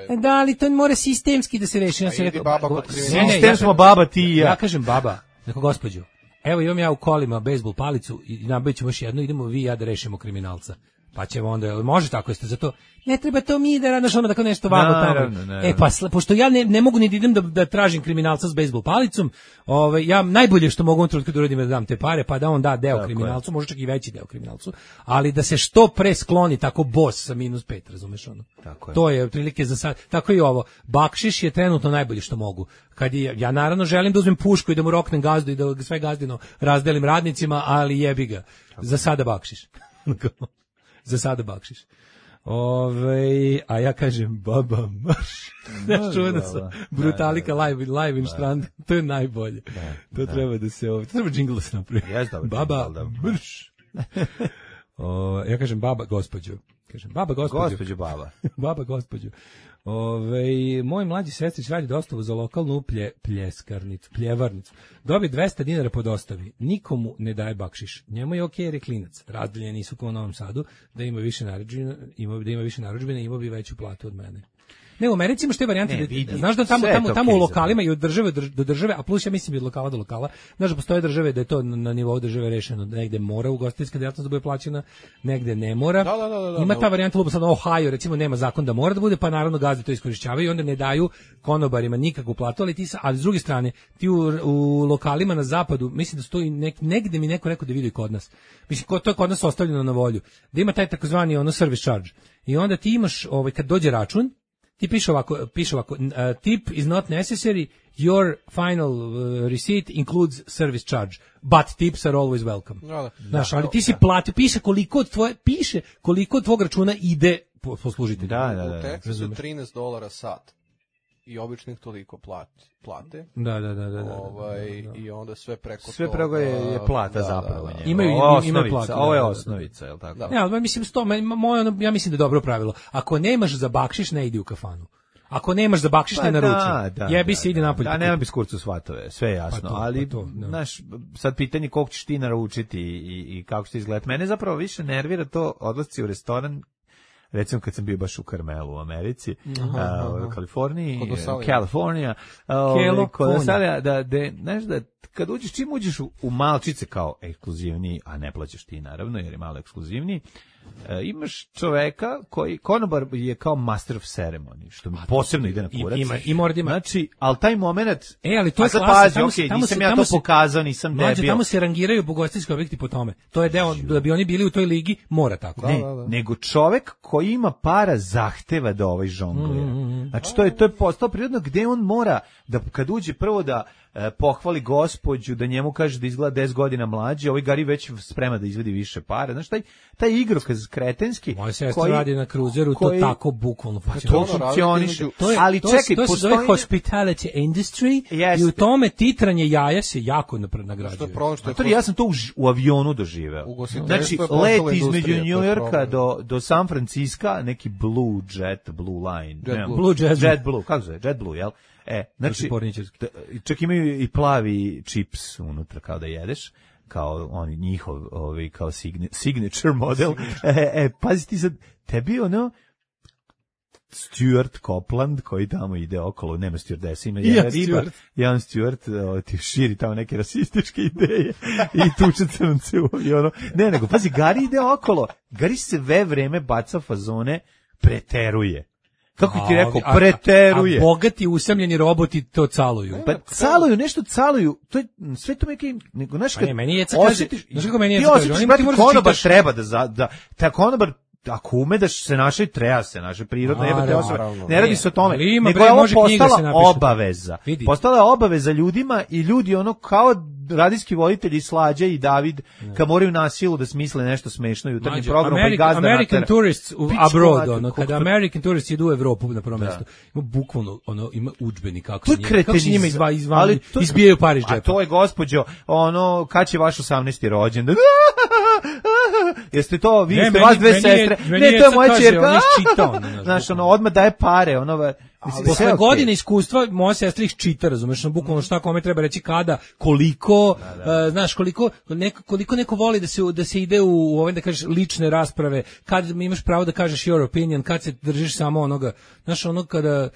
Speaker 7: E, da, ali to mora sistemski da se reši. Ja sam
Speaker 8: idi
Speaker 7: rekao,
Speaker 8: baba
Speaker 7: ba-
Speaker 8: kod
Speaker 7: ne,
Speaker 8: kriminalca.
Speaker 7: ne, ja
Speaker 6: Sistem
Speaker 7: kažem-
Speaker 6: smo baba, ti i ja.
Speaker 7: Ja kažem baba, neko gospođo, evo imam ja u kolima bejsbol palicu i nabavit ćemo još jednu, idemo vi i ja da rešimo kriminalca. Pa ćemo onda, jel može tako, jeste za to? Ne treba to mi da radaš ono tako nešto vamo
Speaker 6: Naravno,
Speaker 7: tamo.
Speaker 6: naravno.
Speaker 7: E pa, sl- pošto ja ne, ne mogu ni da idem da, da tražim kriminalca s bejsbol palicom, ovaj, ja najbolje što mogu u ovom trenutku da uradim je da dam te pare, pa da on da deo
Speaker 6: Tako
Speaker 7: kriminalcu, može čak i veći deo kriminalcu, ali da se što pre skloni tako bos sa minus pet, razumeš ono?
Speaker 6: Tako je.
Speaker 7: To je otprilike za sad, tako i ovo. Bakšiš je trenutno najbolje što mogu. Kad je, ja naravno želim da uzmem pušku i da mu roknem gazdu i da ga sve gazdino razdelim radnicima, ali jebi ga. Za sada bakšiš. Za sada bakšiš. Ove, a ja kažem baba marš. Znaš, čuvena sa Brutalika live, live in Strand. To je najbolje. To treba da se ovo, to treba džingl da se napravi.
Speaker 6: Jes, dobar
Speaker 7: Baba
Speaker 6: džingl, da.
Speaker 7: marš. O, ja kažem baba gospođo. Kažem baba gospođo.
Speaker 6: Gospođo baba.
Speaker 7: Baba gospođo. Ove, moj mlađi sestrić radi dostavu za lokalnu plje, pljeskarnicu, pljevarnicu. Dobi dvesta dinara po dostavi. Nikomu ne daje bakšiš. Njemu je okej jer je klinac. Razdeljeni nisu kao u Novom Sadu, da ima više narudžbina, ima, da ima više narudžbine, ima bi veću platu od mene. Ne, u Americi imaš te varijante,
Speaker 6: Ne,
Speaker 7: da-
Speaker 6: vidi,
Speaker 7: znaš da tamo,
Speaker 6: sve je
Speaker 7: tamo,
Speaker 6: to
Speaker 7: tamo u
Speaker 6: kriza,
Speaker 7: lokalima i od države do- do države, a plus ja mislim i od lokala do lokala, znaš da postoje države da je to na, na nivou države rešeno, da negde mora ugostiteljska djelatnost da bude plaćena, negde ne mora.
Speaker 8: Da, da, da, da,
Speaker 7: Ima
Speaker 8: da.
Speaker 7: ta varijanta, lupa sad Ohio, recimo nema zakon da mora da bude, pa naravno gazde to iskorišćavaju i onda ne daju konobarima nikakvu platu, ali ti sa, ali s druge strane, ti u, u lokalima na zapadu, mislim da su to i nek, negde mi neko rekao da vidi kod nas. Mislim, ko, to je kod nas ostavljeno na volju. Da ima taj takozvani ono service charge. I onda ti imaš, ovaj, kad dođe račun, ti piše ovako, piše ovako, uh, tip is not necessary, your final uh, receipt includes service charge, but tips are always welcome.
Speaker 8: Da, da.
Speaker 7: Znaš, ali ti si platio, piše koliko od tvoje, piše koliko od tvog računa ide po, po služitelju.
Speaker 6: Da, da,
Speaker 8: U
Speaker 6: da.
Speaker 8: Teksasu je trinaest dolara sat. I običnih toliko plati, plate.
Speaker 7: Da, da, da, da, da, da.
Speaker 8: Ovaj, i onda sve preko
Speaker 6: Sve
Speaker 8: toga-
Speaker 6: preko je, je plata
Speaker 8: da,
Speaker 6: zapravo.
Speaker 8: da, da.
Speaker 6: njegova.
Speaker 7: Imaju-
Speaker 6: Ovo je
Speaker 7: imaju
Speaker 6: osnovica,
Speaker 7: platu,
Speaker 6: ovo je
Speaker 7: da, da, da.
Speaker 6: osnovica, je li tako?
Speaker 8: Da.
Speaker 7: Ne, ali mislim sto, moje ono, ja mislim da je dobro pravilo. Ako nemaš za bakšiš, ne idi u kafanu. Ako nemaš za bakšiš, ne naruči. Jebi se, ide napolje.
Speaker 6: Da, nema bez kurcu svatove, sve je jasno,
Speaker 7: Pa to,
Speaker 6: ali,
Speaker 7: pa to, da.
Speaker 6: znaš, sad pitanje koliko ćeš ti naručiti i, i kako će ti izgledati. Mene zapravo više nervira to odlasci u restoran, recimo kad sam bio baš u Carmelu u Americi, a, u Kaliforniji,
Speaker 8: Kod Osalija.
Speaker 6: Kalifornija, a, ovaj, kod
Speaker 7: California.
Speaker 6: Osalija, da, da, znaš da, kad uđeš, čim uđeš u, u malčice kao ekskluzivniji, a ne plaćaš ti naravno, jer je malo ekskluzivniji, e, imaš čoveka koji, konobar je kao master of ceremony, što mi posebno ide na
Speaker 7: i-
Speaker 6: kurac.
Speaker 7: ima- i mora da ima-
Speaker 6: Znači, ali taj moment,
Speaker 7: E, ali to je
Speaker 6: a sad
Speaker 7: klasa,
Speaker 6: pazi,
Speaker 7: tamo
Speaker 6: okej,
Speaker 7: se- tamo
Speaker 6: nisam
Speaker 7: se-
Speaker 6: ja
Speaker 7: tamo
Speaker 6: to
Speaker 7: se-
Speaker 6: pokazao, nisam
Speaker 7: Mlađe,
Speaker 6: debil.
Speaker 7: tamo se rangiraju ugostiteljski objekti po tome. To je deo, da bi oni bili u toj ligi, mora tako.
Speaker 6: Ne, nego čovek koji ima para zahteva da ovaj žonglira. Znači, to je, to je postao prirodno gde on mora, da kad uđe prvo da e, pohvali gospođu, da njemu kaže da izgleda deset godina mlađe, ovaj Gari već sprema da izvedi više para. Znači, taj, taj igrokaz kretenski,
Speaker 7: Moja sestra
Speaker 6: koji-
Speaker 7: radi na kruzeru,
Speaker 6: koji-
Speaker 7: to tako bukvalno
Speaker 6: to
Speaker 7: funkcionira.
Speaker 8: ono,
Speaker 6: funkcioniše.
Speaker 7: To je,
Speaker 6: Ali
Speaker 7: to,
Speaker 6: čekaj,
Speaker 7: to se zove
Speaker 6: postoji...
Speaker 7: hospitality industry
Speaker 6: Jeste.
Speaker 7: i u tome titranje jaja se jako napred
Speaker 8: Što je
Speaker 7: nagrađuje.
Speaker 8: problem što je
Speaker 6: Matori, ja sam to u, ž- u avionu doživeo.
Speaker 8: Ugostiteljstvo
Speaker 6: Znači,
Speaker 8: je postala
Speaker 6: let
Speaker 8: industrija,
Speaker 6: između
Speaker 8: to je
Speaker 6: New Yorka
Speaker 8: problem.
Speaker 6: do, do San Francisca, neki Blue Jet, Blue Line.
Speaker 8: Jet
Speaker 6: ne,
Speaker 8: Blue.
Speaker 7: Blue Jet Blue.
Speaker 6: Jet Blue, kako se zove? Jet Blue, jel? E, znači,
Speaker 7: porničarski.
Speaker 6: da- čak imaju i plavi čips unutra kao da jedeš, kao oni njihov, ovaj, kao signi- signature model. E, e, pazi ti sad, tebi ono, Stuart Copeland koji tamo ide okolo, nema stewardesa, ima
Speaker 7: Ja,
Speaker 6: jedan riba,
Speaker 7: Stuart.
Speaker 6: jedan Stuart o, ti širi tamo neke rasističke ideje i tuče crnce u avionu. Ne, nego, pazi, Gari ide okolo, Gari sve vreme baca fazone, preteruje. Kako ti
Speaker 7: A,
Speaker 6: rekao,
Speaker 7: a-
Speaker 6: preteruje.
Speaker 7: A bogati usamljeni roboti to caluju.
Speaker 6: Pa caluju, nešto caluju, to je sve to neki, nego znaš
Speaker 7: Pa
Speaker 6: kad
Speaker 7: ne, meni Jeca kaže-
Speaker 6: osjetiš,
Speaker 7: znaš kako meni
Speaker 6: ti
Speaker 7: Jeca kaže,
Speaker 6: osjetiš,
Speaker 7: on ima-
Speaker 6: brate,
Speaker 7: ti moraš da
Speaker 6: konobar
Speaker 7: čitaš-
Speaker 6: treba da, za, da, ta konobar, ako ume da se naše, treba se naše prirodne, jebate
Speaker 7: Naravno,
Speaker 6: osobe,
Speaker 8: naravno.
Speaker 6: ne radi
Speaker 7: Ne,
Speaker 6: se o tome,
Speaker 7: ali ima,
Speaker 6: nego
Speaker 7: bre,
Speaker 6: je ovo
Speaker 7: može knjiga
Speaker 6: postala
Speaker 7: se napiše.
Speaker 6: obaveza.
Speaker 7: Vidi.
Speaker 6: Postala je obaveza ljudima i ljudi ono kao radijski voditelji Slađa i David, kad moraju na silu da smisle nešto smešno u jutarnjem
Speaker 7: Mlađe,
Speaker 6: programu, pa i
Speaker 7: American,
Speaker 6: gazda
Speaker 7: American
Speaker 6: natera.
Speaker 7: tourists u
Speaker 6: Pičku
Speaker 7: abroad,
Speaker 6: mater,
Speaker 7: ono,
Speaker 6: koliko
Speaker 7: kada
Speaker 6: to-
Speaker 7: American tourists idu u Evropu na prvo mesto, ima bukvalno, ono, ima udžbenik kako
Speaker 6: To
Speaker 7: se
Speaker 6: je
Speaker 7: njima, kako se
Speaker 6: kretenizam.
Speaker 7: njima izva, izva,
Speaker 6: Ali to-
Speaker 7: izbijaju par iz
Speaker 6: A
Speaker 7: džepa.
Speaker 6: to je, gospođo, ono, kad će vaš osamnaesti rođendan? Jeste to, vi
Speaker 7: Ne,
Speaker 6: ste
Speaker 7: meni-
Speaker 6: vas dve
Speaker 7: meni je-
Speaker 6: sestre.
Speaker 7: meni
Speaker 6: Ne,
Speaker 7: je
Speaker 6: to je
Speaker 7: sad
Speaker 6: moja
Speaker 7: kaže,
Speaker 6: ćerka.
Speaker 7: on je iščitao, ono, znaš,
Speaker 6: Znaš, ono, odmah daje pare, ono, va- mislim, sve
Speaker 7: Posle
Speaker 6: je okej.
Speaker 7: godine iskustva moja sestra ih čita, razumeš, no bukvalno šta kome treba reći kada, koliko, e, znaš, koliko neko, koliko neko voli da se da se ide u, u ove da kažeš lične rasprave, kad imaš pravo da kažeš your opinion, kad se držiš samo onoga, znaš, ono kada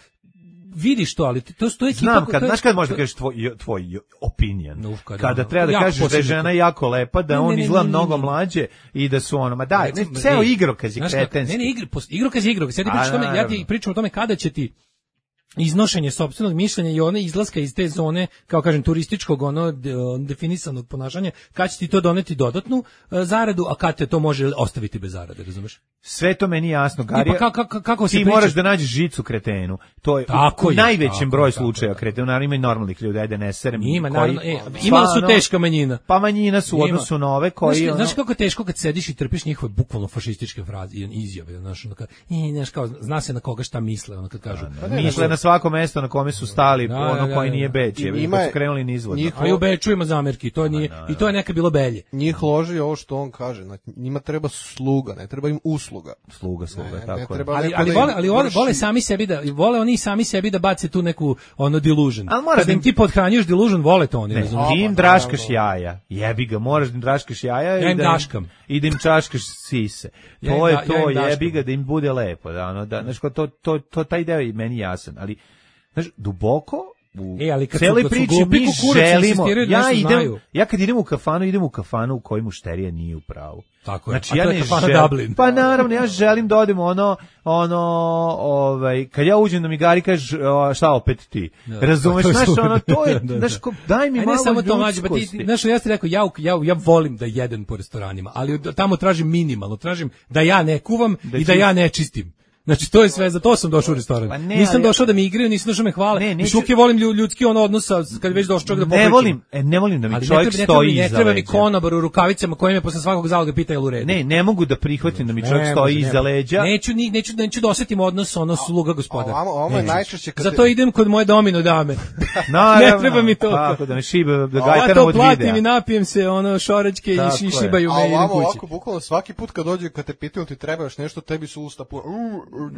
Speaker 7: vidiš to, ali to stoji ekipa.
Speaker 6: Znam,
Speaker 7: ko-
Speaker 6: kad,
Speaker 7: to je-
Speaker 6: znaš kad možda kažeš tvoj, tvoj opinion,
Speaker 7: No, kada
Speaker 6: kada
Speaker 7: ono,
Speaker 6: treba da
Speaker 7: jako
Speaker 6: kažeš da je
Speaker 7: posebno.
Speaker 6: žena jako lepa, da
Speaker 7: Ne, ne,
Speaker 6: on
Speaker 7: ne,
Speaker 6: izgleda
Speaker 7: ne, ne,
Speaker 6: mnogo
Speaker 7: ne.
Speaker 6: mlađe i da su ono, ma daj, ne,
Speaker 7: Recimo,
Speaker 6: ceo
Speaker 7: ne,
Speaker 6: igrokaz je
Speaker 7: znaš kako,
Speaker 6: kretenski.
Speaker 7: Ne, ne, igr, pos- igrokaz je igrokaz. Ja ti
Speaker 6: A,
Speaker 7: pričam o tome, ja
Speaker 6: naravno.
Speaker 7: ti pričam o tome kada će ti iznošenje sopstvenog mišljenja i one izlaska iz te zone, kao kažem, turističkog, ono, de- definisanog ponašanja, kad će ti to doneti dodatnu e, zaradu, a kad te to može ostaviti bez zarade, razumeš?
Speaker 6: Sve to meni jasno, Gari.
Speaker 7: pa kako- kako- kako se
Speaker 6: ti
Speaker 7: priča-
Speaker 6: moraš da nađeš žicu kretenu. To je
Speaker 7: Tako
Speaker 6: u
Speaker 7: je,
Speaker 6: najvećem
Speaker 7: tako
Speaker 6: broju
Speaker 7: je, tako
Speaker 6: slučajeva
Speaker 7: je, tako
Speaker 6: kretenu, naravno ima i normalnih ljudi, ajde ne serem.
Speaker 7: Ima,
Speaker 6: koji-
Speaker 7: naravno, e, imali su
Speaker 6: stvarno-
Speaker 7: teška manjina.
Speaker 6: Pa manjina su u
Speaker 7: Ima.
Speaker 6: odnosu na ove koji...
Speaker 7: Znaš,
Speaker 6: ono-
Speaker 7: znaš kako je teško kad sediš i trpiš njihove bukvalno fašističke fraze i izjave, znaš, ono kad, i, znaš, kao, zna se na koga šta misle, ono kad kažu.
Speaker 6: Misle na svako mesto na kome su stali,
Speaker 7: Da,
Speaker 6: ono
Speaker 7: da,
Speaker 6: koji
Speaker 7: da,
Speaker 6: nije
Speaker 7: da.
Speaker 6: Beč, je,
Speaker 8: Ima
Speaker 6: kad
Speaker 8: je-
Speaker 6: su krenuli nizvodno.
Speaker 8: njih-
Speaker 7: A i u Beču ima zamerki, to nije, i to je neka bilo belje.
Speaker 8: Njih loži ovo što on kaže, znači, njima treba sluga, ne treba im usluga. sluga.
Speaker 6: Sluga, sluga,
Speaker 8: Ne, ne
Speaker 6: tako je.
Speaker 8: treba
Speaker 7: Ali
Speaker 8: neko
Speaker 7: ali
Speaker 8: da im
Speaker 7: vole, ali vole,
Speaker 8: vrši-
Speaker 7: vole sami sebi da vole oni sami sebi da bace tu neku ono delusion.
Speaker 6: Ali moraš
Speaker 7: Kada
Speaker 6: da
Speaker 7: im
Speaker 6: im-
Speaker 7: ti podhranjuješ delusion, vole to oni,
Speaker 6: Ne,
Speaker 7: razumiješ?
Speaker 6: ti im
Speaker 8: pa,
Speaker 6: draškaš
Speaker 8: naravno.
Speaker 6: jaja. Jebi ga, moraš da im draškaš jaja
Speaker 7: Ja
Speaker 6: i
Speaker 7: im
Speaker 6: da
Speaker 7: daškam.
Speaker 6: i da im čaškaš sise.
Speaker 7: Ja
Speaker 6: To
Speaker 7: im
Speaker 6: je
Speaker 7: da- ja
Speaker 6: to,
Speaker 7: im daškam.
Speaker 6: jebi ga da im bude lepo, da ono da znaš ko to to to taj deo je meni jasan, ali znaš duboko u
Speaker 7: E, ali kad su-
Speaker 6: celoj
Speaker 7: kad su
Speaker 6: priči
Speaker 7: glupi
Speaker 6: mi
Speaker 7: kukurac
Speaker 6: želimo.
Speaker 7: insistiraju da
Speaker 6: Ja
Speaker 7: nešto
Speaker 6: idem,
Speaker 7: znaju.
Speaker 6: ja kad idem u kafanu, idem u kafanu u kojoj mušterija nije u pravu.
Speaker 7: Tako je.
Speaker 6: Znači
Speaker 7: A
Speaker 6: ja
Speaker 7: to je
Speaker 6: ne
Speaker 7: kafana
Speaker 6: želim.
Speaker 7: Dublin.
Speaker 6: Pa naravno ja želim da odem ono ono ovaj kad ja uđem da mi Gari kaže o, šta opet ti.
Speaker 7: Da,
Speaker 6: Razumeš,
Speaker 7: to je
Speaker 6: znaš
Speaker 7: super.
Speaker 6: ono to je,
Speaker 7: Da, da.
Speaker 6: znaš ko, daj mi
Speaker 7: Aj,
Speaker 6: malo
Speaker 7: ne samo to mlađe, pa ti,
Speaker 6: ljudskosti.
Speaker 7: znaš, ja ti rekao, ja, ja, ja volim da jedem po restoranima, ali od- tamo tražim minimalno, tražim da ja ne kuvam
Speaker 6: Da
Speaker 7: i da
Speaker 6: čist-
Speaker 7: ja ne čistim. Znači, to je sve, za to sam došao u restoran.
Speaker 6: Pa ne,
Speaker 7: nisam
Speaker 6: ali-
Speaker 7: došao da mi igraju, nisam došao da me hvale.
Speaker 6: Ne,
Speaker 7: Ne,
Speaker 6: neću-
Speaker 7: Šuke volim lju- ljudski ono odnos, sa- kad već došao čovjek da
Speaker 6: Ne
Speaker 7: popričam.
Speaker 6: volim, e, ne volim da mi
Speaker 7: Ali
Speaker 6: čovjek
Speaker 7: ne treba, ne treba,
Speaker 6: stoji
Speaker 7: mi- ne
Speaker 6: iza
Speaker 7: treba mi
Speaker 6: leđa.
Speaker 7: konobar u rukavicama koji me posle svakog zaloga pita je li u redu.
Speaker 6: Ne, ne mogu da prihvatim da mi čovjek
Speaker 7: Ne
Speaker 6: stoji
Speaker 7: može,
Speaker 6: iza
Speaker 7: ne.
Speaker 6: leđa.
Speaker 7: Neću, ni, neću, neću da osetim odnos ono sluga gospodar.
Speaker 8: A ovamo- ovamo je
Speaker 7: Neću.
Speaker 8: najčešće kad
Speaker 7: Zato
Speaker 8: te-
Speaker 7: idem kod moje domino dame.
Speaker 6: Naravno,
Speaker 7: ne treba mi to.
Speaker 6: Tako da me šiba, da
Speaker 7: Ja
Speaker 6: gajtaram
Speaker 7: to
Speaker 6: od
Speaker 7: platim
Speaker 6: videa.
Speaker 7: i napijem se ono šoračke
Speaker 6: Tako
Speaker 7: i ši-
Speaker 6: je.
Speaker 7: šibaju
Speaker 8: A
Speaker 7: me i idem
Speaker 8: ovamo
Speaker 7: kući.
Speaker 8: ovako, bukvalno svaki put kad dođe, kad te pitaju ti treba još nešto, tebi su usta puna.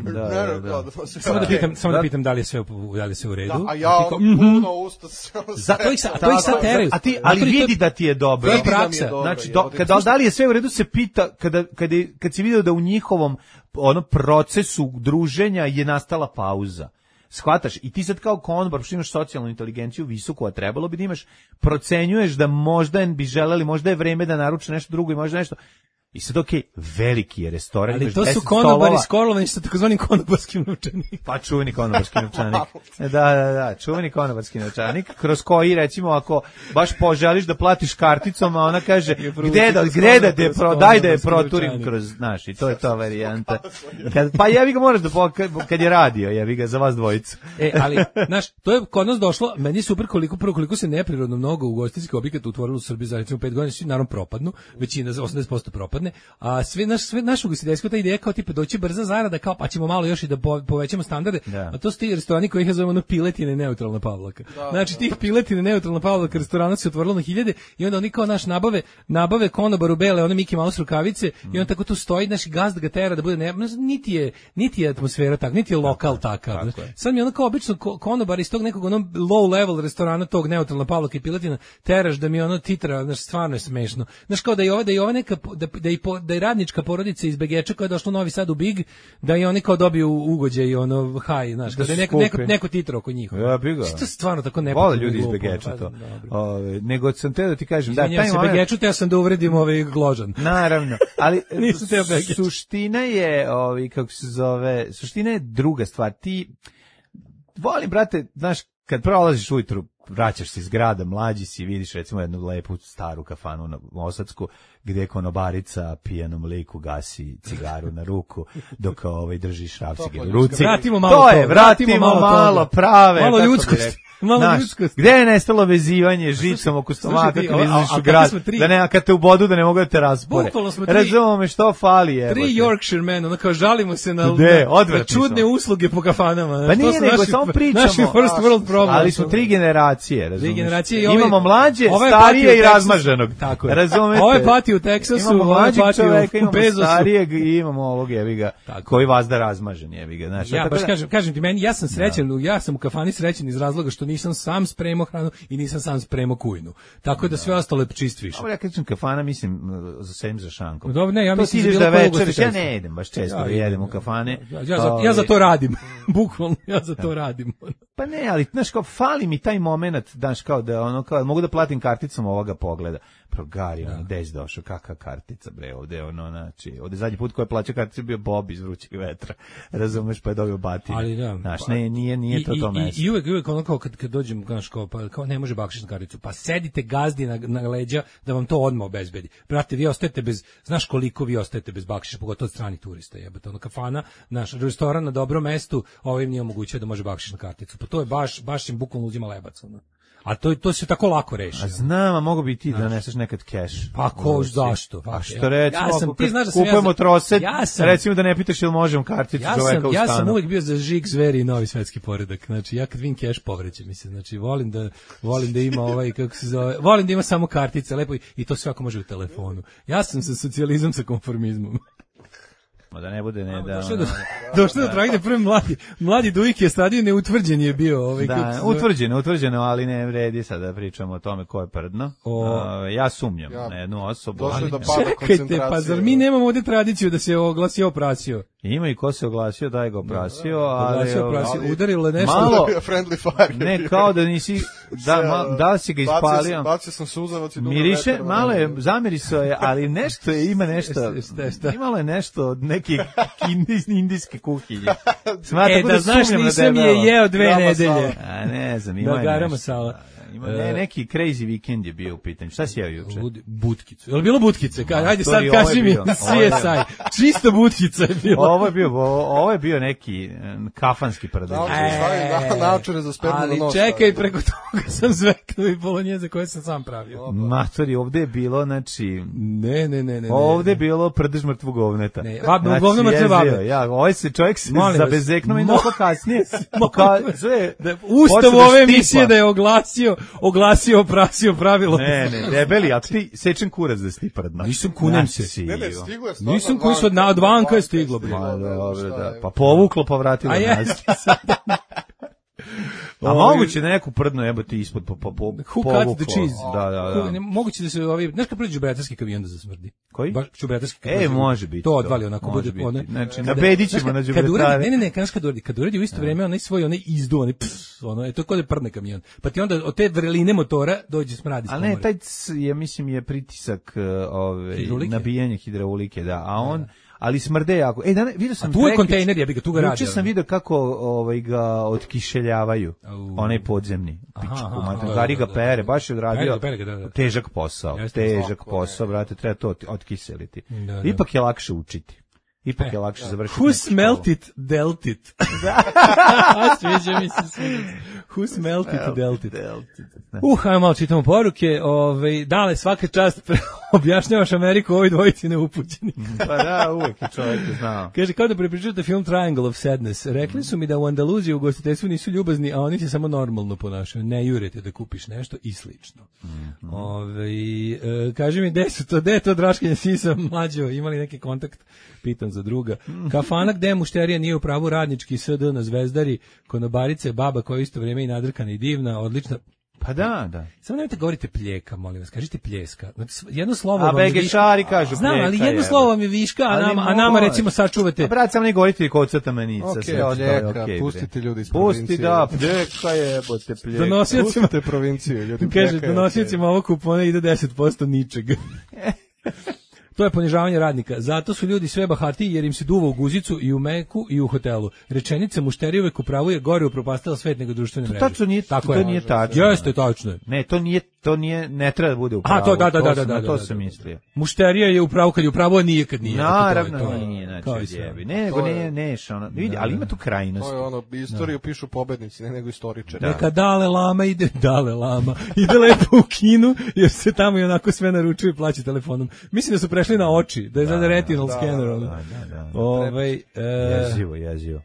Speaker 6: Da, da, da.
Speaker 7: Samo da pitam, samo da pitam da li je sve u, da li je sve u redu.
Speaker 8: Da, a
Speaker 7: ti
Speaker 8: ja
Speaker 7: kao,
Speaker 8: ono puno usta sam.
Speaker 7: Zato ih sa- a to ih sad teraju.
Speaker 6: A ti, ali
Speaker 7: Zato ih to-
Speaker 6: vidi da ti je dobro.
Speaker 7: To je
Speaker 8: Vidi da mi je
Speaker 7: praksa.
Speaker 8: dobro,
Speaker 6: Znači,
Speaker 8: je,
Speaker 6: do,
Speaker 8: ovdje-
Speaker 6: kada, da li je sve u redu se pita, kada, kada, je- kad si vidio da u njihovom ono procesu druženja je nastala pauza. Shvataš, i ti sad kao konobar, što imaš socijalnu inteligenciju visoku, a trebalo bi da imaš, procenjuješ da možda bi želeli, možda je vreme da naruče nešto drugo i možda nešto. I sad, okej, veliki je restoran,
Speaker 7: Ali
Speaker 6: imaš
Speaker 7: to su
Speaker 6: deset
Speaker 7: konobari
Speaker 6: stolova.
Speaker 7: skolovani sa takozvanim konobarskim novčanikom.
Speaker 6: Pa čuveni konobarski novčanik. Da, da, da, čuveni konobarski novčanik, kroz koji, recimo, ako baš poželiš da platiš karticom, a ona kaže, gde da, gde da, de, pro, daj da je proturim kroz, znaš, i to je to varijanta. Kad, pa jebi ga moraš da, po, kad je radio, jebi ga za vas dvojicu.
Speaker 7: E, ali, znaš, to je kod nas došlo, meni je super koliko, prvo koliko se neprirodno mnogo ugostiteljskih objekata utvorilo u Srbiji za recimo pet godina, svi naravno propadnu, većina, osamdeset posto propadne, a sve, naš, sve naš ugostiteljsko, ta ideja kao tipa doći brza zarada, kao pa ćemo malo još i da po, povećamo standarde,
Speaker 6: Da.
Speaker 7: a to su ti restorani koji ih zovemo ono piletine i neutralna Pavlaka. Znači, tih piletine i neutralna Pavlaka restorana se otvorilo na hiljade i onda oni kao naš nabave, nabave konobaru bele, one Mickey Mouse rukavice i on tako tu stoji, naš gazda ga tera da bude, ne, niti je, niti je atmosfera tak, niti je lokal takav. Znaš. Sad mi ono kao obično ko- konobar iz tog nekog onog low level restorana tog neutralna Pavlaka i piletina teraš da mi ono titra, znaš, stvarno je smešno. Znaš, kao da je ova, da je ova neka, po- da, da, i po, da je radnička porodica iz Begeča koja je došla u Novi Sad u Big, da i oni kao dobiju ugođaj i ono haj, znaš,
Speaker 6: Da
Speaker 7: da, je
Speaker 6: su
Speaker 7: neko, neko,
Speaker 6: skupi.
Speaker 7: neko titro oko njih.
Speaker 6: Ja bi ga.
Speaker 7: Što je stvarno tako
Speaker 6: Vole
Speaker 7: nepotrebno
Speaker 6: ljudi
Speaker 7: i
Speaker 6: iz
Speaker 7: glupo,
Speaker 6: Begeča
Speaker 7: pa,
Speaker 6: to.
Speaker 7: dobro.
Speaker 6: Ove, nego sam teo da ti kažem, da,
Speaker 7: Izvinjam
Speaker 6: taj
Speaker 7: se
Speaker 6: moment-
Speaker 7: Begeču, te ja sam da uvredim ovaj Gložan.
Speaker 6: Naravno, ali
Speaker 7: Nisam teo Begić.
Speaker 6: suština je, ovi, kako se zove, suština je druga stvar. Ti, volim, brate, znaš, kad prolaziš ujutru, vraćaš se iz grada, mlađi si, vidiš recimo jednu lepu staru kafanu na Osadsku, gde konobarica pijanom liku gasi cigaru na ruku, dok ovaj drži šrafcige u ruci.
Speaker 7: Vratimo malo
Speaker 6: to je,
Speaker 7: toga,
Speaker 6: vratimo,
Speaker 7: vratimo malo
Speaker 6: malo,
Speaker 7: toga.
Speaker 6: prave.
Speaker 7: Malo
Speaker 6: kako bi
Speaker 7: ljudskosti,
Speaker 6: rekao.
Speaker 7: malo
Speaker 6: Znaš,
Speaker 7: ljudskosti.
Speaker 6: gde je nestalo vezivanje žicom oko stomaka
Speaker 7: Slušaj,
Speaker 6: kad
Speaker 7: a- a-
Speaker 6: izlaziš
Speaker 7: a
Speaker 6: u
Speaker 7: kakvi
Speaker 6: grad,
Speaker 7: smo tri-
Speaker 6: da ne, a kad te u bodu da ne mogu da te raspore.
Speaker 7: Bukvalno smo tri-
Speaker 6: Razumemo me što fali, je.
Speaker 7: Tri Yorkshire men, ono kao žalimo se na,
Speaker 6: Gde?
Speaker 7: na,
Speaker 6: Odvratni
Speaker 7: na čudne
Speaker 6: smo.
Speaker 7: usluge po kafanama.
Speaker 6: Pa
Speaker 7: To
Speaker 6: nije
Speaker 7: su
Speaker 6: nego,
Speaker 7: naši-
Speaker 6: samo pričamo.
Speaker 7: Naši first world problem.
Speaker 6: Ali smo tri generacije, razumiješ?
Speaker 7: generacije i ovaj-
Speaker 6: Imamo mlađe,
Speaker 7: ovaj
Speaker 6: starije
Speaker 7: pati u
Speaker 6: i
Speaker 7: Teksasu.
Speaker 6: razmaženog.
Speaker 7: Tako je.
Speaker 6: Razumete?
Speaker 7: Ovaj pati u Teksasu,
Speaker 6: Imamo
Speaker 7: ovaj
Speaker 6: mlađeg
Speaker 7: pati u
Speaker 6: čoveka, imamo
Speaker 7: Bezosu.
Speaker 6: starijeg i imamo ovog jebiga,
Speaker 7: Tako.
Speaker 6: koji vazda razmažen jebiga. Znaš,
Speaker 7: Ja
Speaker 6: tako
Speaker 7: baš
Speaker 6: da-
Speaker 7: kažem, kažem ti meni, ja sam srećan, ja sam u kafani srećan iz razloga što nisam sam spremao hranu i nisam sam spremao kujnu. Tako da sve ostalo je čist više.
Speaker 6: Ovo ja kažem kafana, mislim, za sem za šankom.
Speaker 7: Dobro, ne, ja
Speaker 6: To
Speaker 7: mislim
Speaker 6: ti ideš
Speaker 7: za bilo
Speaker 6: da
Speaker 7: koje
Speaker 6: večeriš, ja
Speaker 7: ugostiteljstvo.
Speaker 6: ne idem baš često,
Speaker 7: Ja
Speaker 6: da
Speaker 7: idem,
Speaker 6: jedem u
Speaker 7: ja.
Speaker 6: kafane.
Speaker 7: Ja, ja, za, ja za to radim. Bukvalno, ja za to radim.
Speaker 6: Pa ne, ali znaš kao fali mi taj moment, znaš kao da ono kao mogu da platim karticom ovoga pogleda. Progari, ono, gde si došao, kakva kartica, bre, ovde, ono, znači, ovde zadnji put ko je plaćao karticu bio Bob iz Vrućeg vetra, razumeš, pa je dobio batine.
Speaker 7: Ali da.
Speaker 6: Znaš, ne, nije, nije to
Speaker 7: I,
Speaker 6: to
Speaker 7: i,
Speaker 6: mesto.
Speaker 7: I, i uvek, uvek ono kao kad, kad dođem, znaš, kao, pa, kao ne može bakšiš na karticu, pa sedite gazdi na, na leđa da vam to odmah obezbedi. Brate, vi ostajete bez, znaš koliko vi ostajete bez bakšiša, pogotovo od stranih turista, jebate, ono kafana, naš restoran na dobrom mestu, ovim nije omogućio da može bakšiš na karticu. Pa to je baš, baš im bukvalno uzima lebac, ono. A to, to se tako lako reši.
Speaker 6: A znam, a mogu bi ti da neseš nekad keš.
Speaker 7: Pa ko, zašto?
Speaker 6: A što
Speaker 7: Ja-
Speaker 6: recimo,
Speaker 7: ja sam,
Speaker 6: ako
Speaker 7: ti
Speaker 6: kad
Speaker 7: znaš da sam ja
Speaker 6: kupujemo
Speaker 7: za-
Speaker 6: trosed,
Speaker 7: ja sam-
Speaker 6: recimo da ne pitaš ili možemo karticu
Speaker 7: Ja
Speaker 6: čoveka
Speaker 7: sam,
Speaker 6: u
Speaker 7: ja
Speaker 6: stanu.
Speaker 7: sam uvek bio za žig, zveri i novi svetski poredak. Znači, ja kad vidim keš povrećem mi se. Znači, volim da, volim da ima ovaj, kako se zove, volim da ima samo kartice, lepo i, i to sve ako može u telefonu. Ja sam sa socijalizam sa konformizmom.
Speaker 6: Da ne bude ne da.
Speaker 7: Došlo do, došlo do tragedije, prvi mladi, mladi Dujik je stadio neutvrđen je bio. Ovaj,
Speaker 6: Da, utvrđeno, utvrđeno, ali ne vredi sad da pričamo o tome ko je prdno.
Speaker 7: O.
Speaker 6: Uh, ja sumnjam
Speaker 8: Ja.
Speaker 6: na jednu osobu.
Speaker 8: Došlo je
Speaker 6: Ali
Speaker 8: do
Speaker 6: ne.
Speaker 8: pada
Speaker 7: Čekajte,
Speaker 8: koncentracije.
Speaker 7: pa zar mi nemamo ovde tradiciju da se oglasi oprasio?
Speaker 6: Ima i ko se oglasio, daj ga oprasio, ali...
Speaker 7: Oglasio, oprasio,
Speaker 8: ali-
Speaker 7: udarilo nešto.
Speaker 6: Malo-
Speaker 8: Friendly fire.
Speaker 6: Ne, kao da nisi, da, ma, da li si ga ispalio?
Speaker 8: Bacio sam suzavac i dugo
Speaker 6: Miriše,
Speaker 8: vetar,
Speaker 6: malo je,
Speaker 8: ono.
Speaker 6: zamirisao je, ali nešto je, ima nešto,
Speaker 7: Šta, šta?
Speaker 6: imalo je nešto od neke indis, indijske kuhinje. Smatra,
Speaker 7: E, da znaš, nisam je jeo dve
Speaker 8: Dama
Speaker 7: nedelje.
Speaker 6: A ne znam, ima
Speaker 7: Da,
Speaker 6: je
Speaker 7: gara
Speaker 6: nešto.
Speaker 7: masala.
Speaker 6: Ima, ne, neki crazy weekend je bio u pitanju. Šta si jeo juče?
Speaker 7: Ludi- Butkicu. Je li bilo butkice? Ka, ajde sad
Speaker 6: Matori, ovo je
Speaker 7: kaži mi
Speaker 6: bio.
Speaker 7: C S I. Čisto butkica je bilo.
Speaker 6: Ovo je bio, ovo, ovo je bio neki eh, kafanski prdež.
Speaker 8: Naočare, stavim na- naočare za spermu na
Speaker 7: Ali
Speaker 8: nos.
Speaker 7: čekaj, preko toga sam zveknuo i bolonjeze koje sam sam pravio.
Speaker 6: Matori, ovde je bilo, znači,
Speaker 7: Ne, ne, ne, ne. ne.
Speaker 6: ovde je bilo prdež mrtvog govneta.
Speaker 7: Ne, va- govno mrtve
Speaker 6: jezio,
Speaker 7: babe.
Speaker 6: Ja, ovaj se čovjek se
Speaker 7: Molim vas,
Speaker 6: zabezeknuo i
Speaker 7: mo-
Speaker 6: došlo kasnije. Poka- sve,
Speaker 7: Da, Ustav
Speaker 6: počeo da
Speaker 7: ove
Speaker 6: štipa.
Speaker 7: emisije da je oglasio, oglasio, oprasio pravilo.
Speaker 6: Ne, ne, debeli, ako ti sečem kurac da si ti prdno.
Speaker 7: Nisam, kunem se.
Speaker 6: Si,
Speaker 8: Ne, ne,
Speaker 6: jo.
Speaker 8: stiglo je stvarno
Speaker 7: Nisam
Speaker 8: od
Speaker 7: koji su od, na, od vanka je stiglo. bre.
Speaker 6: Ma, dobro,
Speaker 8: Šta
Speaker 6: da.
Speaker 8: je?
Speaker 6: Pa povuklo, pa vratilo
Speaker 7: A
Speaker 6: nazad.
Speaker 7: jeste sad.
Speaker 6: A moguće da neku prdnu jebote ispod po, po, po,
Speaker 7: Who
Speaker 6: povuklo.
Speaker 7: cut the cheese?
Speaker 6: Da, da,
Speaker 7: Who-
Speaker 6: da.
Speaker 7: ne, moguće da se ovi, znaš kad prođe đubretarski kamion da zasmrdi?
Speaker 6: Koji?
Speaker 7: Baš đubretarski kamion.
Speaker 6: E, može biti.
Speaker 7: To odvali onako,
Speaker 6: Može
Speaker 7: bude
Speaker 6: biti.
Speaker 7: ono.
Speaker 6: Znači,
Speaker 7: kada-
Speaker 6: nabedit ćemo
Speaker 7: znaš,
Speaker 6: na
Speaker 7: kad- kad
Speaker 6: đubretare.
Speaker 7: uradi- Ne, ne, ne, znaš kad uradi, kad uradi u isto vreme onaj svoj, onaj izdu, onaj ps, ono, je to kod je prdne kamion. Pa ti onda od te vreline motora dođe smrad iz
Speaker 6: A
Speaker 7: komore.
Speaker 6: ne, taj c- je, mislim, je pritisak uh, ove,
Speaker 7: Hidraulike?
Speaker 6: nabijanje hidraulike, da. A on, ali smrde jako. E, dana, vidio sam
Speaker 7: A tu je
Speaker 6: prekjuče-
Speaker 7: kontejner, ja bi ga tu ga radi.
Speaker 6: Juče sam vidio kako ovaj, ga otkišeljavaju,
Speaker 7: Au.
Speaker 6: onaj podzemni.
Speaker 7: Aha,
Speaker 6: Pičku,
Speaker 7: aha,
Speaker 6: mater,
Speaker 7: da,
Speaker 6: Gari
Speaker 7: da,
Speaker 6: ga
Speaker 7: da,
Speaker 6: pere,
Speaker 7: da.
Speaker 6: baš je odradio
Speaker 7: Pere ga, pere ga, da, da.
Speaker 6: težak posao.
Speaker 7: Jeste,
Speaker 6: težak
Speaker 8: svako,
Speaker 6: posao, brate, treba to ot- otkiseliti.
Speaker 7: Da, da.
Speaker 6: Ipak je lakše učiti. Ipak
Speaker 7: E,
Speaker 6: je lakše završiti.
Speaker 7: Who
Speaker 6: neku
Speaker 7: smelt
Speaker 6: školu.
Speaker 7: it, dealt it. Sviđa mi se sviđa. Who smelt it, dealt it. Uh, ajmo malo čitamo poruke. Ove, dale, svaka čast objašnjavaš Ameriku ovoj dvojici neupućeni.
Speaker 6: Pa da, uvek je čovjek znao.
Speaker 7: Kaže, kao da prepričate film Triangle of Sadness. Rekli su mi da u Andaluziji u gostiteljstvu nisu ljubazni, a oni se samo normalno ponašaju. Ne jurete da kupiš nešto i slično. Ove, e, kaže mi, gde su to, gde je to draškanje sisa, mlađo, imali neki kontakt? Pitam za druga. Kafana gde mušterija nije u pravu, radnički S D na Zvezdari, konobarice, baba koja je isto vrijeme i nadrkana i divna, odlična.
Speaker 6: Pa da, da.
Speaker 7: Samo nemojte govorite pljeka, molim vas, kažite pljeska. Znači, jedno slovo
Speaker 6: A
Speaker 7: vam je
Speaker 6: begešari
Speaker 7: viška.
Speaker 6: kažu
Speaker 7: Znam, ali
Speaker 6: pljeka,
Speaker 7: jedno
Speaker 6: jebe.
Speaker 7: slovo vam je viška, a
Speaker 6: Ali
Speaker 7: nama, a nama
Speaker 6: može.
Speaker 7: recimo sačuvate.
Speaker 6: A brat, samo ne govorite kocata menica,
Speaker 8: Okej,
Speaker 6: sve ostalo je
Speaker 8: pljeka,
Speaker 6: okej.
Speaker 8: pustite ljudi iz
Speaker 6: Pusti,
Speaker 8: provincije.
Speaker 6: da, pljeka je, bote pljeka.
Speaker 7: Donosiocima,
Speaker 8: Pustite provincije, ljudi.
Speaker 7: kaže,
Speaker 8: pljeka je
Speaker 7: donosiocima ovog kupona ide deset posto ničeg. To je ponižavanje radnika. Zato su ljudi sve bahati jer im se duva u guzicu i u meku i u hotelu. Rečenica mušterija uvek upravuje gore upropastila svet nego društvene mreže.
Speaker 6: tačno nije-
Speaker 7: Tako
Speaker 6: to
Speaker 7: je.
Speaker 6: nije tačno.
Speaker 7: Jeste, tačno je.
Speaker 6: Ne, to nije, to nije, ne treba da bude u
Speaker 7: A,
Speaker 6: pravu.
Speaker 7: to, da, da, da,
Speaker 6: sam-
Speaker 7: da,
Speaker 6: na
Speaker 7: da,
Speaker 6: to
Speaker 7: da,
Speaker 6: sam
Speaker 7: da.
Speaker 6: mislio.
Speaker 7: Mušterija je upravo kad je upravo, a nije kad nije.
Speaker 6: Naravno,
Speaker 7: To je- to je-
Speaker 6: nije,
Speaker 7: kao i
Speaker 6: znači,
Speaker 7: sve.
Speaker 6: jebi. Ne, nego
Speaker 8: To je-
Speaker 6: ne, neš, ono, vidi, ali ima tu krajnost.
Speaker 8: To je ono, istoriju pišu pobednici, ne nego istoričari.
Speaker 6: Da.
Speaker 7: Neka dale lama ide, dale lama, ide lepo u kinu, jer se tamo i onako sve naručuje i plaća telefonom. Mislim da su prešli na oči, da je sada retinal skener. ono.
Speaker 6: Da, da, da.
Speaker 7: Ovaj, e,
Speaker 6: Jezivo, jezivo.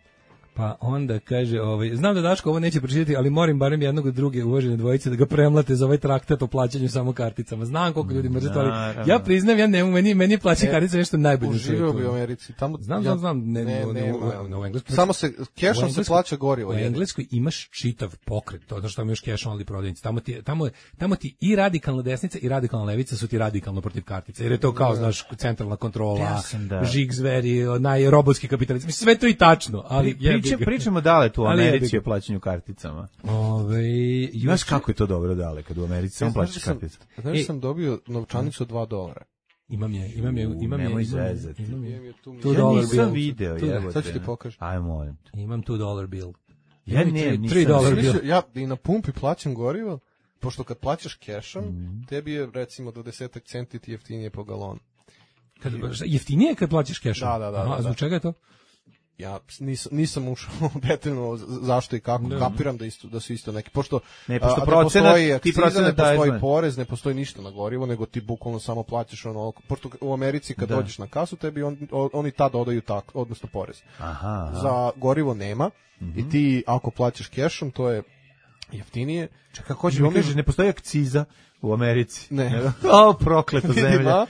Speaker 7: pa onda kaže, ovaj, znam da Daško ovo neće pročitati, ali moram barem jednog od druge uvažene dvojice da ga premlate za ovaj traktat o plaćanju samo karticama. Znam koliko ljudi mrze to, ali
Speaker 6: Naravno.
Speaker 7: ja priznam, ja ne, meni, meni je plaćanje kartica nešto najbolje. na
Speaker 8: Uživio
Speaker 7: svetu.
Speaker 8: bi u Americi. Tamo,
Speaker 7: Znam,
Speaker 8: ja-
Speaker 7: znam, znam, ne,
Speaker 8: ne,
Speaker 7: ne,
Speaker 8: nema.
Speaker 7: u- u- u Engleskoj-
Speaker 8: Samo se,
Speaker 7: U
Speaker 8: kešom se
Speaker 7: Engleskoj-
Speaker 8: plaća gorivo.
Speaker 7: U
Speaker 8: jedino.
Speaker 7: Engleskoj imaš čitav pokret, to znači tamo još cash only prodavnice. Tamo ti tamo tamo ti i radikalna desnica i radikalna levica su ti radikalno protiv kartica. Jer je to kao znaš centralna kontrola,
Speaker 6: Ja sam da-
Speaker 7: žig zveri, onaj robotski kapitalizam. Mislim sve to i tačno, ali jebi
Speaker 6: Priče,
Speaker 7: ga.
Speaker 6: pričamo dale tu u
Speaker 7: Ali jebi
Speaker 6: Americi
Speaker 7: ga.
Speaker 6: o plaćanju karticama.
Speaker 7: Ovaj
Speaker 6: Znaš kako je to dobro dale kad u Americi samo
Speaker 8: Ja, znaš da
Speaker 6: plaćaš
Speaker 8: sam-
Speaker 6: karticu?
Speaker 8: Znaš da
Speaker 7: E.
Speaker 8: sam dobio novčanicu od dva dolara.
Speaker 7: imam je, imam je,
Speaker 6: U,
Speaker 7: imam je,
Speaker 6: nemoj
Speaker 7: imam je,
Speaker 6: zezati.
Speaker 7: imam je.
Speaker 8: Imam je tu-
Speaker 7: Tu
Speaker 6: Ja
Speaker 7: dolar
Speaker 6: nisam
Speaker 7: bill.
Speaker 6: video,
Speaker 7: Tu-
Speaker 6: jebote.
Speaker 8: Sad ću ti pokažem.
Speaker 6: Aj, molim te.
Speaker 7: Imam two dollar bill.
Speaker 6: Ja
Speaker 7: Imam i
Speaker 6: ne,
Speaker 7: tri-
Speaker 6: nisam
Speaker 7: tri dolar
Speaker 8: Sam
Speaker 7: bill.
Speaker 8: mislio, ja i na pumpi plaćam gorivo, pošto kad plaćaš kešom,
Speaker 6: Mhm.
Speaker 8: tebi je recimo dvadeset centi ti jeftinije po galonu.
Speaker 7: Kad jeftinije kad plaćaš kešom.
Speaker 8: Da, da, da,
Speaker 7: Aha,
Speaker 8: da, da.
Speaker 7: zbog čega je to?
Speaker 8: Ja nisam, nisam ušao detaljno z- zašto i kako, kapiram da isto da su isto neki, pošto
Speaker 6: Ne, pošto
Speaker 8: a,
Speaker 6: procenat-
Speaker 8: ne postoji
Speaker 6: ti
Speaker 8: akciza,
Speaker 6: procenat
Speaker 8: ne postoji
Speaker 6: daješ,
Speaker 8: porez, ne postoji ništa na gorivo, nego ti bukvalno samo plaćaš ono, pošto u Americi kad
Speaker 6: Da.
Speaker 8: dođeš na kasu, tebi on, o- oni tad dodaju tak, odnosno porez.
Speaker 6: Aha, aha.
Speaker 8: Za gorivo nema
Speaker 6: Mhm.
Speaker 8: i ti ako plaćaš kešom, to je jeftinije.
Speaker 6: Čekaj, kako hoće mi kaže, ne postoji akciza u Americi.
Speaker 8: Ne.
Speaker 6: O, prokleta zemlja.
Speaker 8: Ima.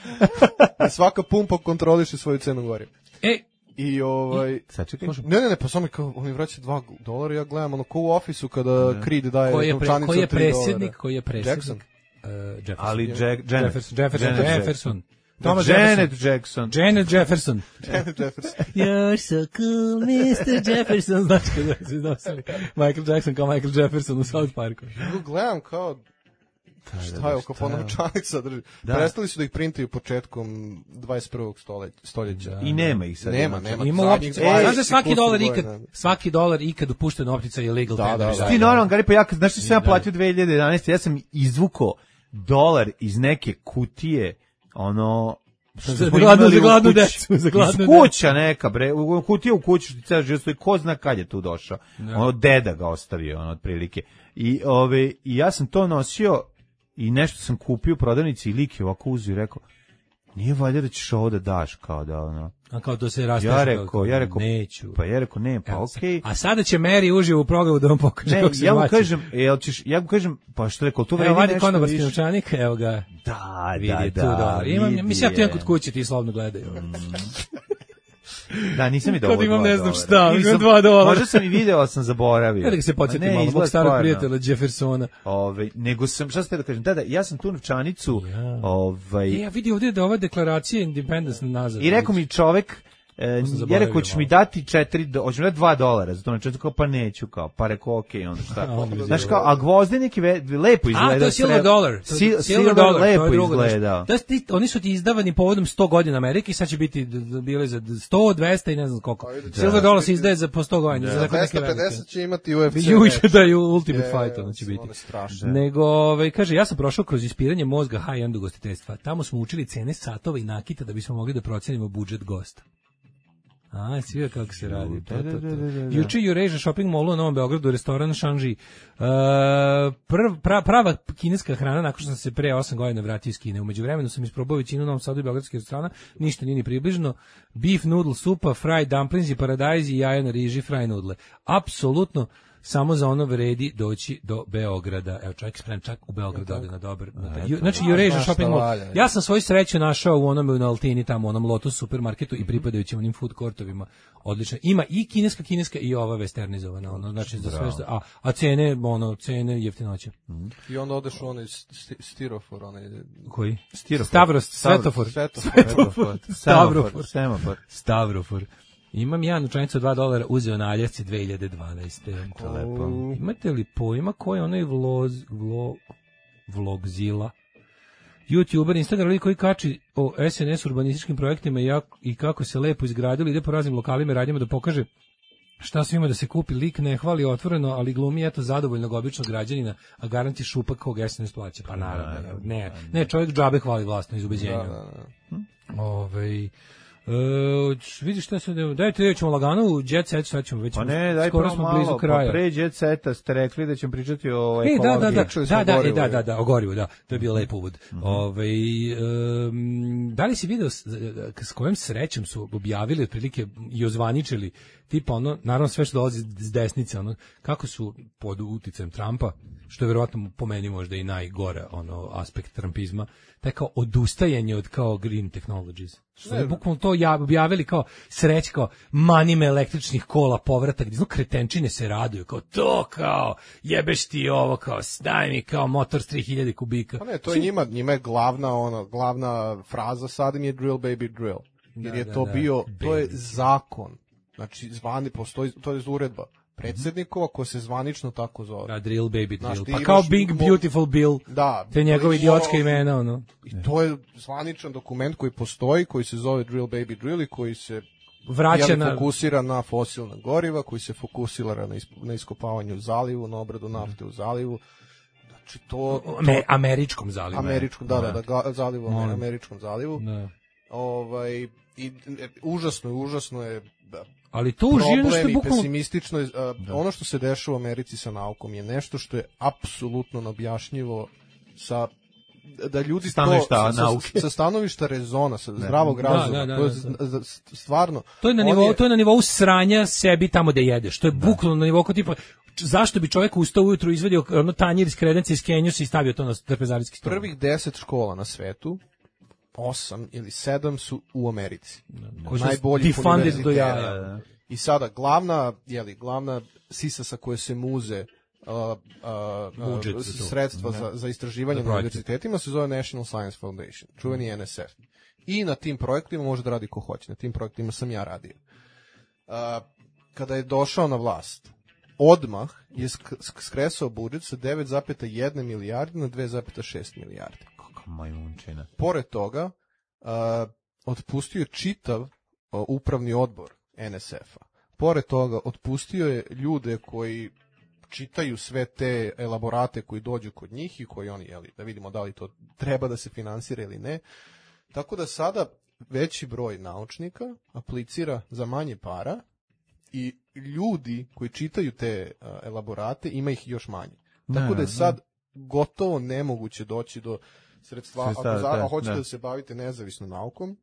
Speaker 8: I svaka pumpa kontroliše svoju cenu goriva.
Speaker 7: E,
Speaker 8: I ovaj...
Speaker 6: Sačekaj.
Speaker 8: Ne, ne, ne, pa samo kao, on mi vraća dva dolara, ja gledam ono ko u ofisu kada Creed daje
Speaker 7: Koji je, pre,
Speaker 8: novčanicu
Speaker 7: koji je
Speaker 8: od tri dolara.
Speaker 7: predsjednik, koji je predsjednik?
Speaker 8: Jackson.
Speaker 7: Uh, Jefferson.
Speaker 6: Ali Jack, Janet,
Speaker 7: Jefferson, Jefferson,
Speaker 6: Janet
Speaker 7: Jefferson.
Speaker 6: Thomas
Speaker 7: Thomas
Speaker 6: Janet Jackson.
Speaker 7: Janet Jefferson.
Speaker 8: Janet Jefferson.
Speaker 7: You're so cool, mister Jefferson. Znači kada su iznosili Michael Jackson kao Michael Jefferson u South Parku.
Speaker 8: Ja gledam kao, šta je oko novčanica drži. Prestali su da ih printaju početkom dvadeset prvog stoljeća.
Speaker 6: I nema ih sad.
Speaker 8: Nema, nema.
Speaker 7: Ima
Speaker 8: zadnjih
Speaker 7: optica.
Speaker 8: dvadeset
Speaker 7: Znaš da svaki dolar
Speaker 8: godina.
Speaker 7: ikad, svaki dolar ikad upušten optica je legal
Speaker 8: Da,
Speaker 7: tender.
Speaker 8: da, da.
Speaker 6: Ti normalno, Gari, pa ja, kad- znaš što sam ja platio dve hiljade jedanaeste. Ja sam izvukao dolar iz neke kutije, ono... što
Speaker 7: Za
Speaker 6: smo
Speaker 7: gladnu-
Speaker 6: imali
Speaker 7: za
Speaker 6: u
Speaker 7: gladnu
Speaker 6: kući.
Speaker 7: decu, za gladnu
Speaker 6: Iz kuća neka, bre, u kutija u kući što ti ceo život stoji, ko zna kad je tu došao. Ono, deda ga ostavio, ono, otprilike. I, ove, I ja sam to nosio i nešto sam kupio u prodavnici i lik je ovako uzio i rekao, nije valjda da ćeš ovo da daš, kao da, ono...
Speaker 7: A kao to se rastaše.
Speaker 6: Ja rekao, ja rekao,
Speaker 7: neću.
Speaker 6: pa ja rekao, ne, pa
Speaker 7: Evo,
Speaker 6: okej.
Speaker 7: A sada će Mary uživo u programu da vam pokaže
Speaker 6: Ne,
Speaker 7: kako se
Speaker 6: ja mu
Speaker 7: baci.
Speaker 6: kažem, jel ćeš, ja mu kažem, pa što rekao, tu vredi
Speaker 7: Evo, vadi
Speaker 6: nešto
Speaker 7: konobarski
Speaker 6: više.
Speaker 7: novčanik, evo ga.
Speaker 6: Da,
Speaker 7: Vidi,
Speaker 6: da,
Speaker 7: tu
Speaker 6: da.
Speaker 7: dolar. Imam,
Speaker 6: vidi
Speaker 7: mislim, ja tu imam
Speaker 6: je.
Speaker 7: kod kuće, ti slobno gledaju.
Speaker 6: Da, nisam i
Speaker 7: Kad
Speaker 6: dobro.
Speaker 7: imam
Speaker 6: dva
Speaker 7: ne znam
Speaker 6: dolara.
Speaker 7: šta,
Speaker 6: Nisam-
Speaker 7: imam dva dolara.
Speaker 6: Možda sam i video, ali sam zaboravio.
Speaker 7: Ja da ga se
Speaker 6: Ma
Speaker 7: podsjetim
Speaker 6: ne,
Speaker 7: malo, mog
Speaker 6: izgleda
Speaker 7: starog
Speaker 6: stvarno.
Speaker 7: prijatelja Jeffersona.
Speaker 6: Ove, nego sam, šta ste da kažem, da, da, ja sam tu novčanicu,
Speaker 7: Ja.
Speaker 6: ovaj,
Speaker 7: E, ja vidi ovdje da ova deklaracija Independence nazad.
Speaker 6: i rekao mi čovek, e,
Speaker 7: sam
Speaker 6: ja
Speaker 7: zaboravio
Speaker 6: rekao, ćeš
Speaker 7: malo.
Speaker 6: mi dati četiri, do- hoćeš mi dati dva dolara, za to novčanicu, kao pa neću, kao, pa rekao, okej, onda šta.
Speaker 7: A, onda mi
Speaker 6: Znaš
Speaker 7: zelo.
Speaker 6: kao, a gvozdenik je ve- lepo izgleda.
Speaker 7: A, to je silver
Speaker 6: sre-
Speaker 7: dolar. To je
Speaker 6: Sil-
Speaker 7: silver dolar, to je
Speaker 6: lepo
Speaker 7: drugo nešto.
Speaker 6: izgleda.
Speaker 7: To je ti- oni su ti izdavani povodom sto godina Amerike i sad će biti d- d- bile za sto, dvesta i ne znam koliko. Silver dolar se izdaje za po sto godina. Za tako neke
Speaker 8: dvesta pedeset
Speaker 7: velike.
Speaker 8: će imati U F C.
Speaker 7: Juče
Speaker 8: meč.
Speaker 7: da je Ultimate
Speaker 8: Je,
Speaker 7: Fight, ono će biti.
Speaker 8: ono je strašno.
Speaker 7: Nego, ovaj, kaže, ja sam prošao kroz ispiranje mozga high-end ugostiteljstva. Tamo smo učili cene satova i nakita da bismo mogli da procenimo budžet gosta. A, si vidio kako se radi. To, to, to. Juče u Eurasia Shopping Mallu u Novom Beogradu, restoran Shanji. Uh, prv, pra, prava kineska hrana, nakon što sam se pre osam godina vratio iz Kine. Umeđu vremenu sam isprobao većinu u Novom Sadu i beogradskih restorana, ništa nije ni približno. Beef noodle supa, fried dumplings i paradajz i jaja na riži, fry noodle. Apsolutno samo za ono vredi doći do Beograda. Evo, čovjek sprem čak u Beogradu ode na dobar. Na taj, znači, Eurasia
Speaker 8: baš
Speaker 7: Shopping
Speaker 8: šta
Speaker 7: Mall.
Speaker 8: valja.
Speaker 7: Ja sam svoju sreću našao u onome na Altini, tamo u onom Lotus supermarketu i pripadajućim onim food courtovima. Odlično. Ima i kineska, kineska i ova westernizovana. Ono, znači, za sve što, a, a cene, ono, cene jeftinoće.
Speaker 8: I onda odeš u onaj sti- stirofor, onaj...
Speaker 7: Koji?
Speaker 6: Stirofor.
Speaker 7: Stavros, Svetofor.
Speaker 8: Svetofor.
Speaker 7: Svetofor. Stavrofor.
Speaker 6: Semafor.
Speaker 7: Stavrofor. Imam ja novčanicu od dva dolara, uzeo na Aljasci dve hiljade dvanaeste.
Speaker 6: To je lepo.
Speaker 7: Imate li pojma ko je onaj vloz, vlo, vlogzila? YouTuber, Instagram koji kači o S N S urbanističkim projektima i, jak, i kako se lepo izgradili, ide po raznim lokalima i radnjama da pokaže šta sve ima da se kupi. Lik ne hvali otvoreno, ali glumi eto zadovoljnog običnog građanina, a garanti šupak kog S N S plaća. Pa naravno, ne, ne, čovjek džabe hvali vlastno iz ubeđenja.
Speaker 8: Da, da, da.
Speaker 7: Ovaj E, vidiš šta se da dajte reći ćemo lagano u Jet Set, sad ćemo već
Speaker 6: Pa ne, daj
Speaker 7: skoro
Speaker 6: prvo
Speaker 7: smo
Speaker 6: malo,
Speaker 7: blizu kraja.
Speaker 6: pa pre Jet Seta ste rekli da ćemo pričati o
Speaker 7: E, da, da,
Speaker 6: ekologiji.
Speaker 7: da,
Speaker 8: Pričali smo
Speaker 7: da,
Speaker 8: o
Speaker 7: da, e,
Speaker 8: gorivu,
Speaker 7: da,
Speaker 8: je.
Speaker 7: da, da, o gorivu, da, to je bio lep uvod. Ovaj, em, da li si video s, s kojom srećom su objavili otprilike i ozvaničili, tipa ono, naravno sve što dolazi s desnice, ono, kako su pod uticajem Trumpa, što je verovatno po meni možda i najgore ono aspekt trumpizma, taj kao odustajanje od kao green technologies. Što je bukvalno to ja objavili kao sreć, kao manime električnih kola, povratak, gdje zno kretenčine se raduju, kao to kao jebeš ti ovo, kao daj mi kao motor s tri hiljade kubika.
Speaker 8: Pa ne, to je njima, njima je glavna, ono, glavna fraza sad im je drill baby drill. Jer
Speaker 7: Da,
Speaker 8: je
Speaker 7: da,
Speaker 8: to
Speaker 7: da.
Speaker 8: bio, to je
Speaker 7: Baby.
Speaker 8: zakon. Znači, zvani, postoji, to je uredba predsjednikova ko se zvanično tako zove.
Speaker 7: Da, drill baby
Speaker 8: Znaš,
Speaker 7: drill.
Speaker 8: ti
Speaker 7: Pa
Speaker 8: imaš
Speaker 7: kao Big
Speaker 8: mo-
Speaker 7: Beautiful Bill.
Speaker 8: Da.
Speaker 7: Te njegove
Speaker 8: to je
Speaker 7: idiotske
Speaker 8: mo-
Speaker 7: imena, ono.
Speaker 8: I to je zvaničan dokument koji postoji, koji se zove drill baby drill i koji se
Speaker 7: Vraća
Speaker 8: jeli,
Speaker 7: na...
Speaker 8: fokusira na fosilna goriva, koji se fokusira na, isp, na iskopavanje u zalivu, na obradu nafte u zalivu. Znači to...
Speaker 7: Ame-
Speaker 8: to
Speaker 7: američkom zalivu.
Speaker 8: američkom, da, da, da, ga- zalivu,
Speaker 7: Molim.
Speaker 8: američkom zalivu.
Speaker 7: Da.
Speaker 8: Ovaj, i, e, užasno je, užasno je da,
Speaker 7: Ali to uživno što
Speaker 8: problem
Speaker 7: je
Speaker 8: i
Speaker 7: bukvalno...
Speaker 8: pesimistično je, a, ono što se dešava u Americi sa naukom je nešto što je apsolutno neobjašnjivo sa da ljudi
Speaker 6: Stanovišta
Speaker 8: to, sa,
Speaker 6: nauke.
Speaker 8: sa, sa stanovišta rezona, sa zdravog
Speaker 7: Da,
Speaker 8: razuma,
Speaker 7: da, da,
Speaker 8: to je
Speaker 7: da,
Speaker 8: z- z- stvarno
Speaker 7: To je na
Speaker 8: on
Speaker 7: nivou, to je na nivou sranja sebi tamo da jedeš. To je bukvalno na nivou kao tipa č- zašto bi čovjek ustao ujutru, izvadio ono tanjir iz kredenca iz Kenjusa i stavio to na trpezarijski stol.
Speaker 8: prvih deset škola na svetu osam ili sedam su u Americi.
Speaker 7: Koji su
Speaker 8: Najbolji
Speaker 7: defunded do
Speaker 8: univerziteta.
Speaker 7: jaja.
Speaker 8: I sada glavna, jeli, glavna sisa sa koje se muze uh, uh,
Speaker 7: Budžet
Speaker 8: uh,
Speaker 7: za to.
Speaker 8: sredstva za, za istraživanje
Speaker 7: Za
Speaker 8: na
Speaker 7: projekte.
Speaker 8: univerzitetima se zove National Science Foundation, čuveni N S F. I na tim projektima može da radi ko hoće. Na tim projektima sam ja radio. Uh, kada je došao na vlast, odmah je sk- sk- skresao budžet sa devet zarez jedna milijarde na dve zarez šest milijarde.
Speaker 6: Majmunčina.
Speaker 8: Pored toga, uh, otpustio je čitav uh, upravni odbor N S F-a. Pored toga, otpustio je ljude koji čitaju sve te elaborate koji dođu kod njih i koji oni, jeli, da vidimo da li to treba da se finansira ili ne. Tako da sada veći broj naučnika aplicira za manje para i ljudi koji čitaju te uh, elaborate, ima ih još manje. Tako
Speaker 6: Da,
Speaker 8: da je
Speaker 6: da.
Speaker 8: sad gotovo nemoguće doći do sredstva. Ako
Speaker 6: Sredstava,
Speaker 8: za,
Speaker 6: da,
Speaker 8: hoćete
Speaker 6: da.
Speaker 8: da se bavite nezavisnom naukom,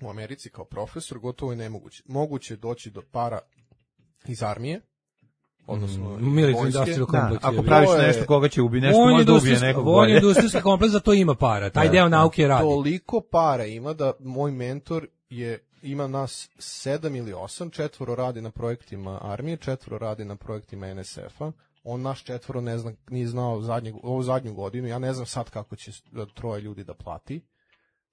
Speaker 8: u Americi kao profesor, gotovo je nemoguće. Moguće je doći do para iz armije, odnosno
Speaker 7: Mm, military
Speaker 8: vojske.
Speaker 7: industrial
Speaker 6: Da,
Speaker 7: complex.
Speaker 6: ako
Speaker 7: je.
Speaker 6: praviš
Speaker 8: To je-
Speaker 6: nešto koga će ubi, nešto
Speaker 7: Vojni
Speaker 6: možda ubije
Speaker 7: industrijski-
Speaker 6: nekog
Speaker 7: vojni
Speaker 6: bolje.
Speaker 7: industrijski kompleks za to ima para. Taj deo nauke radi.
Speaker 8: Toliko para ima da moj mentor je ima nas sedam ili osam, četvoro radi na projektima armije, četvoro radi na projektima N S F-a. On naš četvoro ne zna, nije znao zadnjeg, ovu zadnju godinu, ja ne znam sad kako će troje ljudi da plati.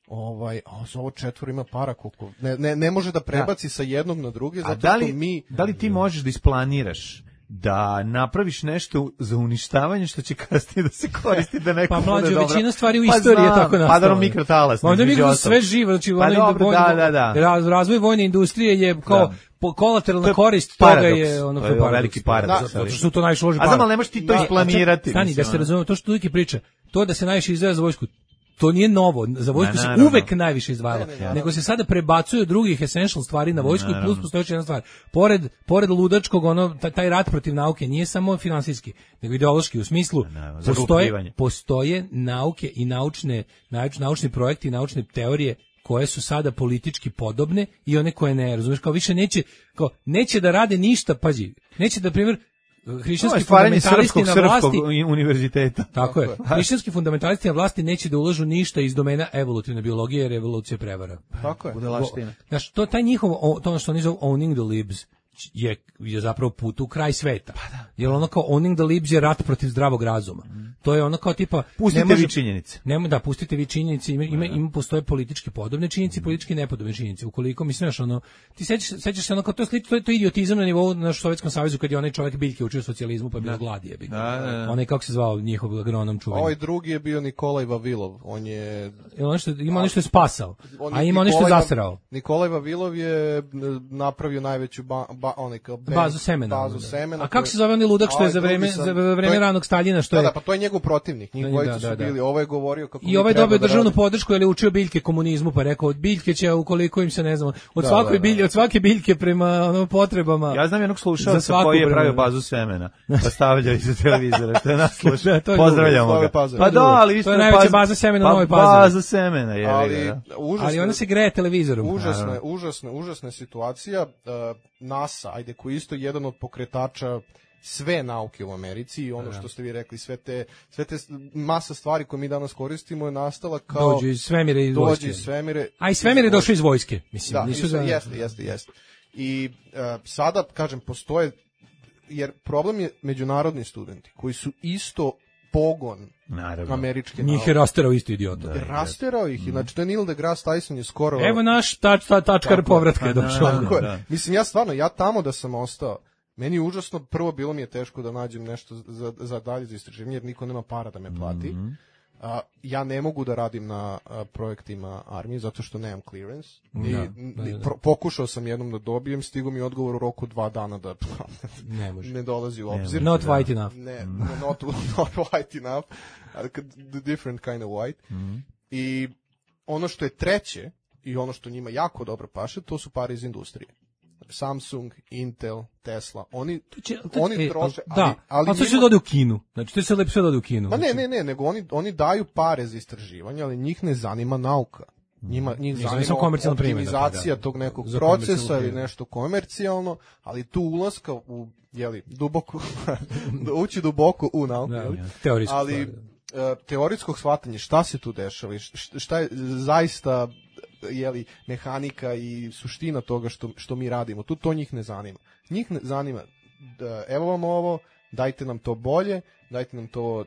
Speaker 8: Ovaj, a za ovo četvoro ima para koliko, ne, ne, ne može da prebaci sa jednog na druge,
Speaker 6: A
Speaker 8: zato
Speaker 6: da li,
Speaker 8: što mi...
Speaker 6: da li ti možeš da isplaniraš da napraviš nešto za uništavanje što će kasnije da se koristi da neko
Speaker 7: Pa
Speaker 6: bude
Speaker 7: mlađo,
Speaker 6: dobro?
Speaker 7: većina stvari u
Speaker 6: Pa
Speaker 7: istoriji je
Speaker 6: znam,
Speaker 7: tako
Speaker 6: Pa
Speaker 7: nastala.
Speaker 6: da mikrotalas.
Speaker 7: Onda mi
Speaker 6: između
Speaker 7: sve
Speaker 6: ostalog.
Speaker 7: živo, znači
Speaker 6: Pa
Speaker 7: onaj
Speaker 6: dobro,
Speaker 7: vojni-
Speaker 6: da, da, da.
Speaker 7: raz- razvoj vojne industrije je kao
Speaker 6: Da.
Speaker 7: po- kolateralna
Speaker 6: To je
Speaker 7: korist toga
Speaker 6: paradoks.
Speaker 7: je ono
Speaker 6: To je
Speaker 7: paradoks.
Speaker 6: veliki paradoks,
Speaker 7: Da, zato
Speaker 6: ali-
Speaker 7: što su to najviše uloži
Speaker 6: A znam,
Speaker 7: para.
Speaker 6: ali ne možeš ti to
Speaker 7: Da,
Speaker 6: isplanirati,
Speaker 7: Stani,
Speaker 6: mislim,
Speaker 7: da se
Speaker 6: ono.
Speaker 7: razumemo, to što uvijek priča, to da se najviše izdvaja za vojsku, to nije novo, za vojsku
Speaker 6: Ne,
Speaker 7: se
Speaker 6: naravno.
Speaker 7: uvek najviše izdvajalo, nego se sada prebacuje od drugih essential stvari na vojsku i plus postoji još jedna stvar. Pored, pored ludačkog, ono, taj, taj rat protiv nauke nije samo finansijski, nego ideološki, u smislu
Speaker 6: naravno,
Speaker 7: postoje,
Speaker 6: zaglupljivanje.
Speaker 7: postoje nauke i naučne, nauč- naučni projekti i naučne teorije koje su sada politički podobne i one koje ne, razumeš, kao više neće, kao neće da rade ništa, pazi, neće da, primjer,
Speaker 6: To je
Speaker 7: hrišćanski
Speaker 6: stvaranje
Speaker 7: fundamentalisti
Speaker 6: srpskog,
Speaker 7: na vlasti,
Speaker 6: srpskog univerziteta.
Speaker 7: tako je, hrišćanski fundamentalisti na vlasti neće da ulažu ništa iz domena evolutivne biologije jer evolucija je prevara.
Speaker 8: Tako je.
Speaker 6: Budalaština.
Speaker 7: Znaš, to, taj njihov, o- to ono što oni zovu owning the libs, je, je zapravo put u kraj sveta. Pa da. Jer ono kao owning the libs je rat protiv zdravog razuma. To je ono kao tipa...
Speaker 6: Pustite
Speaker 7: ne može-
Speaker 6: vi činjenice.
Speaker 7: Nema da pustite vi činjenice, ima ima, ima postoje politički podobne činjenice i politički nepodobne činjenice. Ukoliko mislim znaš, ono ti sećaš sećaš se ono kao to je slično, to je to je idiotizam na nivou na Sovjetskom savezu kad je onaj čovjek Biljke učio socijalizmu pa je bilo gladi je
Speaker 6: Da, da, da.
Speaker 7: onaj kako se zvao njihov agronom čuveni.
Speaker 8: Ovaj drugi je bio Nikolaj Vavilov, on je...
Speaker 7: I ono što ima ono što je spasao,
Speaker 8: on
Speaker 7: a
Speaker 8: je
Speaker 7: ima ono što je
Speaker 8: Nikolaj Va-
Speaker 7: zasrao.
Speaker 8: Nikolaj Vavilov je m, napravio najveću ba, ba, onaj kao bank,
Speaker 7: Bazu semena.
Speaker 8: bazu
Speaker 7: da.
Speaker 8: semena
Speaker 7: A kako
Speaker 8: koje-
Speaker 7: se zove onaj ludak što
Speaker 8: A
Speaker 7: je za
Speaker 8: ovaj drugi
Speaker 7: vreme
Speaker 8: sam-
Speaker 7: za
Speaker 8: to je-
Speaker 7: vreme ranog Staljina što
Speaker 8: Da,
Speaker 7: je
Speaker 8: da, pa to je njegov protivnik, njih
Speaker 7: Da,
Speaker 8: dvojica
Speaker 7: da,
Speaker 8: su
Speaker 7: da.
Speaker 8: bili, ovo je govorio kako
Speaker 7: I
Speaker 8: mi
Speaker 7: ovaj
Speaker 8: treba
Speaker 7: dobio
Speaker 8: da
Speaker 7: državnu
Speaker 8: radimo.
Speaker 7: podršku jer je učio biljke komunizmu, pa je rekao od biljke će ukoliko im se ne znam, od
Speaker 8: Da,
Speaker 7: svakoj
Speaker 8: da, da.
Speaker 7: bilje, od svake biljke prema ono potrebama.
Speaker 6: Ja znam jednog
Speaker 7: Za
Speaker 6: slušalca
Speaker 7: svaku
Speaker 6: koji je
Speaker 7: vremenu.
Speaker 6: pravio bazu semena, pa stavljao iza televizora, što je nas sluša.
Speaker 7: Da, to je
Speaker 6: Pozdravljamo
Speaker 8: drugo, to
Speaker 6: ga.
Speaker 8: je Pazar.
Speaker 6: Pa da, ali
Speaker 7: To je
Speaker 6: isto
Speaker 7: najveća baza semena u
Speaker 6: pa
Speaker 7: Novoj Pazovi.
Speaker 6: Baza semena, je.
Speaker 8: Ali
Speaker 6: da.
Speaker 8: užasno,
Speaker 7: Ali ona se greje televizorom.
Speaker 8: užasna, užasna, užasna situacija. uh, NASA, ajde, koji je isto jedan od pokretača sve nauke u Americi i ono što ste vi rekli, sve te, sve te masa stvari koje mi danas koristimo je nastala kao...
Speaker 7: Dođu iz svemira i iz
Speaker 8: dođe
Speaker 7: vojske.
Speaker 8: iz svemire.
Speaker 7: A i svemir je došao iz vojske, mislim.
Speaker 8: Da,
Speaker 7: nisu
Speaker 8: isto,
Speaker 7: da...
Speaker 8: jeste, jeste, jeste. I uh, sada, kažem, postoje, jer problem je međunarodni studenti, koji su isto pogon
Speaker 6: Naravno.
Speaker 8: američke
Speaker 7: Njih je rasterao isto idiota.
Speaker 8: nauke. Rasterao ih, znači to je Neil deGrasse Tyson je skoro...
Speaker 7: Evo naš tač, ta, tačkar povratka je
Speaker 6: Pa
Speaker 7: došao.
Speaker 6: da,
Speaker 8: Tako je.
Speaker 6: da.
Speaker 8: Mislim, ja stvarno, ja tamo da sam ostao, meni je užasno, prvo bilo mi je teško da nađem nešto za, za dalje za istraživanje, jer niko nema para da me plati.
Speaker 6: Mhm.
Speaker 8: A, ja ne mogu da radim na a, projektima armije, zato što nemam clearance. I,
Speaker 7: Da,
Speaker 8: n-
Speaker 7: da, da.
Speaker 8: pro- pokušao sam jednom da dobijem, stigo mi odgovor u roku dva dana da
Speaker 7: Ne može.
Speaker 8: ne dolazi u obzir.
Speaker 7: Not white enough.
Speaker 8: Ne, not, not white enough, ali kad- the different kind of white. I ono što je treće, i ono što njima jako dobro paše, to su pare iz industrije. Samsung, Intel, Tesla, oni,
Speaker 7: To će- to-
Speaker 8: oni
Speaker 7: e,
Speaker 8: troše,
Speaker 7: al- da,
Speaker 8: ali, ali
Speaker 7: ali to će
Speaker 8: njima-
Speaker 7: da ode u Kinu. Znači, to će lepo sve da ode u Kinu.
Speaker 8: Ma ne,
Speaker 7: Znači,
Speaker 8: ne, ne, nego oni, oni daju pare za istraživanje, ali njih ne zanima nauka. Njima, njih
Speaker 7: Njih zanima
Speaker 8: zanima
Speaker 7: samo komercijalna primjena, pa
Speaker 8: optimizacija
Speaker 7: da.
Speaker 8: tog nekog
Speaker 7: Za
Speaker 8: procesa
Speaker 7: komercijalnu
Speaker 8: ili
Speaker 7: primjenu.
Speaker 8: nešto komercijalno, ali tu ulaska u, jeli, duboko, ući duboko u nauku,
Speaker 7: Da,
Speaker 8: jeli?
Speaker 7: teorijsku
Speaker 8: ali
Speaker 7: stvar,
Speaker 8: teorijskog shvatanja šta se tu dešava i šta je zaista jeli, mehanika i suština toga što, što mi radimo. Tu to njih ne zanima. Njih ne zanima da evo vam ovo, dajte nam to bolje, dajte nam to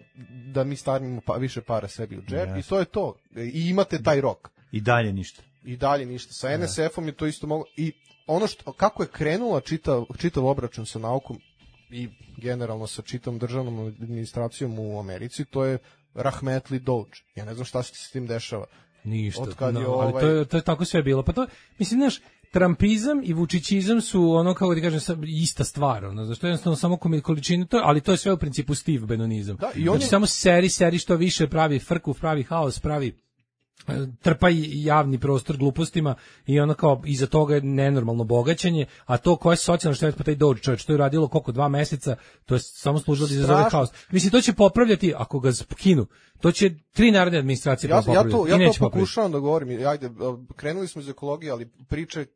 Speaker 8: da mi stavimo pa, više para sebi u džep yes. i to je to. I imate taj rok.
Speaker 6: I dalje ništa.
Speaker 8: I dalje ništa. Sa en es efom je to isto moglo. I ono što, kako je krenula čitav, čitav obračun sa naukom i generalno sa čitavom državnom administracijom u Americi, to je rahmetli Doge. Ja ne znam šta se s tim dešava.
Speaker 7: Ništa,
Speaker 8: no,
Speaker 7: je
Speaker 8: ovaj...
Speaker 7: ali to je, to je tako sve bilo. Pa to, mislim, znaš, Trumpizam i vučićizam su ono, kako ti kažem, ista stvar, ono, zašto jednostavno samo količinu, to, ali to je sve u principu Steve Bannonizam. Da, i on znači, je... samo seri, seri što više, pravi frku, pravi haos, pravi trpa javni prostor glupostima i ono kao iza toga je nenormalno bogaćenje, a to koje je socijalno štete, pa taj Doge čovječ, to je radilo koliko, dva meseca, to je samo služilo da izazove haos. Mislim, to će popravljati, ako ga skinu, to će tri narodne administracije
Speaker 8: ja,
Speaker 7: popravljati.
Speaker 8: Ja to, ja to pokušavam da govorim, ajde, krenuli smo iz ekologije, ali priče...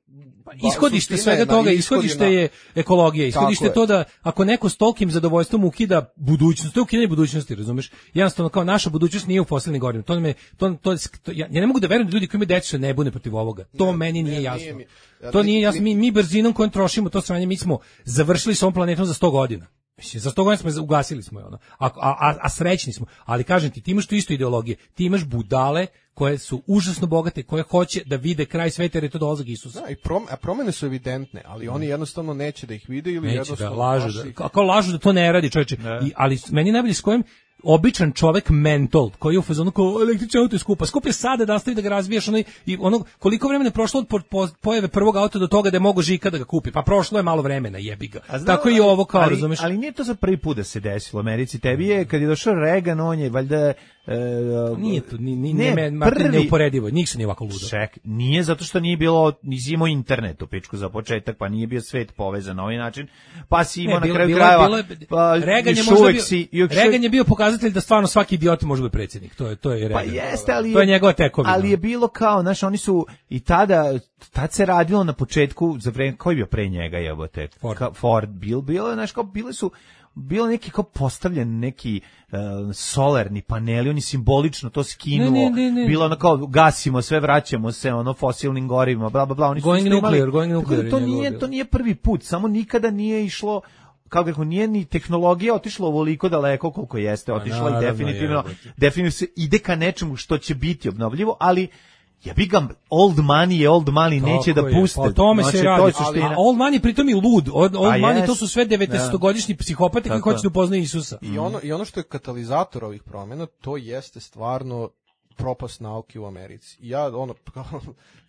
Speaker 7: Pa, ishodište svega toga, ishodište je ekologija, ishodište je to da ako neko s tolkim zadovoljstvom ukida budućnost, to je ukidanje budućnosti, razumeš? Jednostavno, kao naša budućnost nije u fosilnim gorivima, to me, to, to, to, ja, ja ne mogu da verujem da ljudi koji imaju decu se ne bune protiv ovoga, to ne, meni nije ne, jasno. Nije mi, ja, to nije jasno, mi, mi brzinom kojom trošimo to sranje, mi smo završili s ovom planetom za sto godina. Mislim, za sto godina smo ugasili smo je ono. A, a, a srećni smo. Ali kažem ti, ti imaš tu isto ideologije. Ti imaš budale koje su užasno bogate, koje hoće da vide kraj sveta jer je to dolazak Isusa.
Speaker 8: Da, i prom, a promene su evidentne, ali oni jednostavno neće da ih vide ili
Speaker 7: neće
Speaker 8: jednostavno...
Speaker 7: Da lažu, da, kao, kao lažu da to ne radi, čoveče. I, ali meni najbolje s kojim običan čovek mentol koji je u fazonu kao električni auto je skupa. Skup je sada da nastavi da ga razvijaš ono, i ono koliko vremena je prošlo od po, po, pojave prvog auta do toga da je mogo Žika da ga kupi. Pa prošlo je malo vremena, jebi ga. Znam, tako i ovo kao,
Speaker 6: ali,
Speaker 7: razumeš.
Speaker 6: Ali nije to za prvi put da se desilo u Americi. Tebi je kad je došao Reagan, on je valjda E,
Speaker 7: nije to, ni, ni, ne, ne, Martin, neuporedivo, njih se nije ovako ludo.
Speaker 6: Ček, nije zato što nije bilo, nisi imao internet u pičku za početak, pa nije bio svet povezan na ovaj način, pa si imao ne, na kraju krajeva, pa
Speaker 7: Reagan je, možda bio, si, Reagan je bio pokazatelj da stvarno svaki idiot može biti predsjednik, to je, to je Reagan.
Speaker 6: Pa jeste, ali,
Speaker 7: to je njegova tekovina.
Speaker 6: Ali je bilo kao, znaš, oni su i tada, tad se radilo na početku, za vreme, koji je bio pre njega, jebote, Ford, ka, Ford bil, bilo, znaš, kao, bile su, bilo neki kao postavljen neki uh, solarni paneli, oni simbolično to skinuo, ne, ne, ne, ne. Bilo ono kao gasimo sve, vraćamo se ono fosilnim gorivima, bla bla bla, oni
Speaker 7: going
Speaker 6: su
Speaker 7: nuclear, going nuclear.
Speaker 6: To nije, to nije prvi put, samo nikada nije išlo, kao kako nije ni tehnologija otišla ovoliko daleko koliko jeste otišla. A, i definitivno, je, definitivno se ide ka nečemu što će biti obnovljivo, ali ja bih ga old money je old money, neće da puste.
Speaker 7: Pa tome znači, se radi. Ali, a old money pritom i lud. Old, old money yes. To su sve devedesetogodišnji psihopati koji hoće da upoznaju Isusa.
Speaker 8: I ono, I ono što je katalizator ovih promjena, to jeste stvarno propast nauke u Americi. Ja, ono,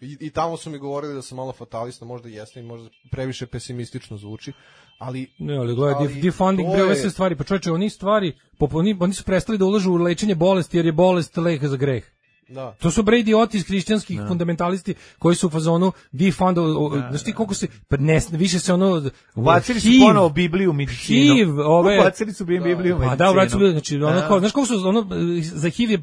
Speaker 8: i, i tamo su mi govorili da sam malo fatalista, možda jeste i možda previše pesimistično zvuči, ali...
Speaker 7: Ne, ali gledaj, defunding bre ove sve stvari, pa čovječe, oni stvari, oni, oni su prestali da ulažu u lečenje bolesti, jer je bolest lek za greh. Da. To su bre idioti iz hrišćanskih da. fundamentalisti koji su u fazonu defund, znaš ti koliko se, pa ne, više se ono...
Speaker 6: Ubacili su ponovo Bibliju u medicinu.
Speaker 7: H I V, ove...
Speaker 6: Ubacili su Bibliju u medicinu.
Speaker 7: Pa da, ubacili su Bibliju, znači, ono da. kao, znaš koliko su, ono, za H I V je,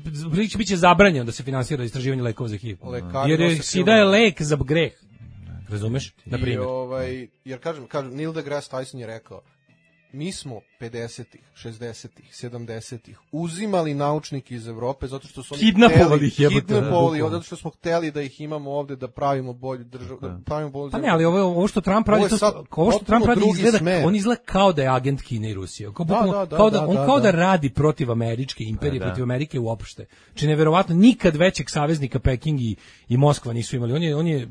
Speaker 7: biće zabranjeno da se finansira istraživanje lekova za H I V. Lekari jer je sida je lek za greh. Razumeš? Na primjer.
Speaker 8: I ovaj, jer kažem, kažem, Neil deGrasse Tyson je rekao, mi smo pedesetih, šezdesetih, sedamdesetih uzimali naučnike iz Evrope zato što su oni
Speaker 7: kidnapovali ih,
Speaker 8: kidnapovali, zato što smo hteli da ih imamo ovde, da pravimo bolju državu, da pravimo bolju
Speaker 7: zemlju. Pa ne, ali ovo, ovo što Trump radi, to, ovo što Trump radi izgleda, smer. on izgleda kao da je agent Kine i Rusije. Kao, da, da, da, kao da, on da, kao da. da radi protiv američke imperije, da, da. protiv Amerike uopšte. Či neverovatno, nikad većeg saveznika Peking i, i Moskva nisu imali. On je, on je,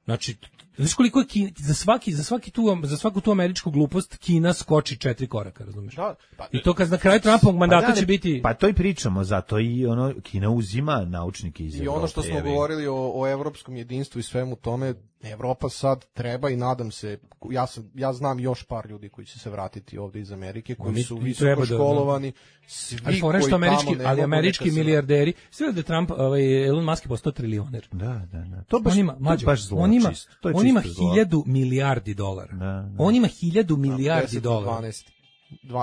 Speaker 7: znači, znaš koliko je Kina, za svaki za svaki tu za svaku tu američku glupost Kina skoči četiri koraka, razumeš? Da, pa, i to kad na kraju Trumpovog mandata pa da, će biti.
Speaker 6: Pa to i pričamo, zato i ono Kina uzima naučnike iz Evrope.
Speaker 8: I ono što smo govorili o, o evropskom jedinstvu i svemu tome, Evropa sad treba i nadam se, ja sam ja znam još par ljudi koji će se vratiti ovde iz Amerike, koji mi, su visoko školovani, svi ali koji tamo
Speaker 7: američki, ali američki milijarderi, sve da Trump, ovaj Elon Musk je postao trilioner.
Speaker 6: Da, da, da. To baš,
Speaker 7: on ima, mađo,
Speaker 6: baš zlo,
Speaker 7: on ima,
Speaker 6: čist, to je
Speaker 7: on ima hiljadu milijardi dolara. Da, da. On ima hiljadu milijardi dolara.
Speaker 8: dvanaest,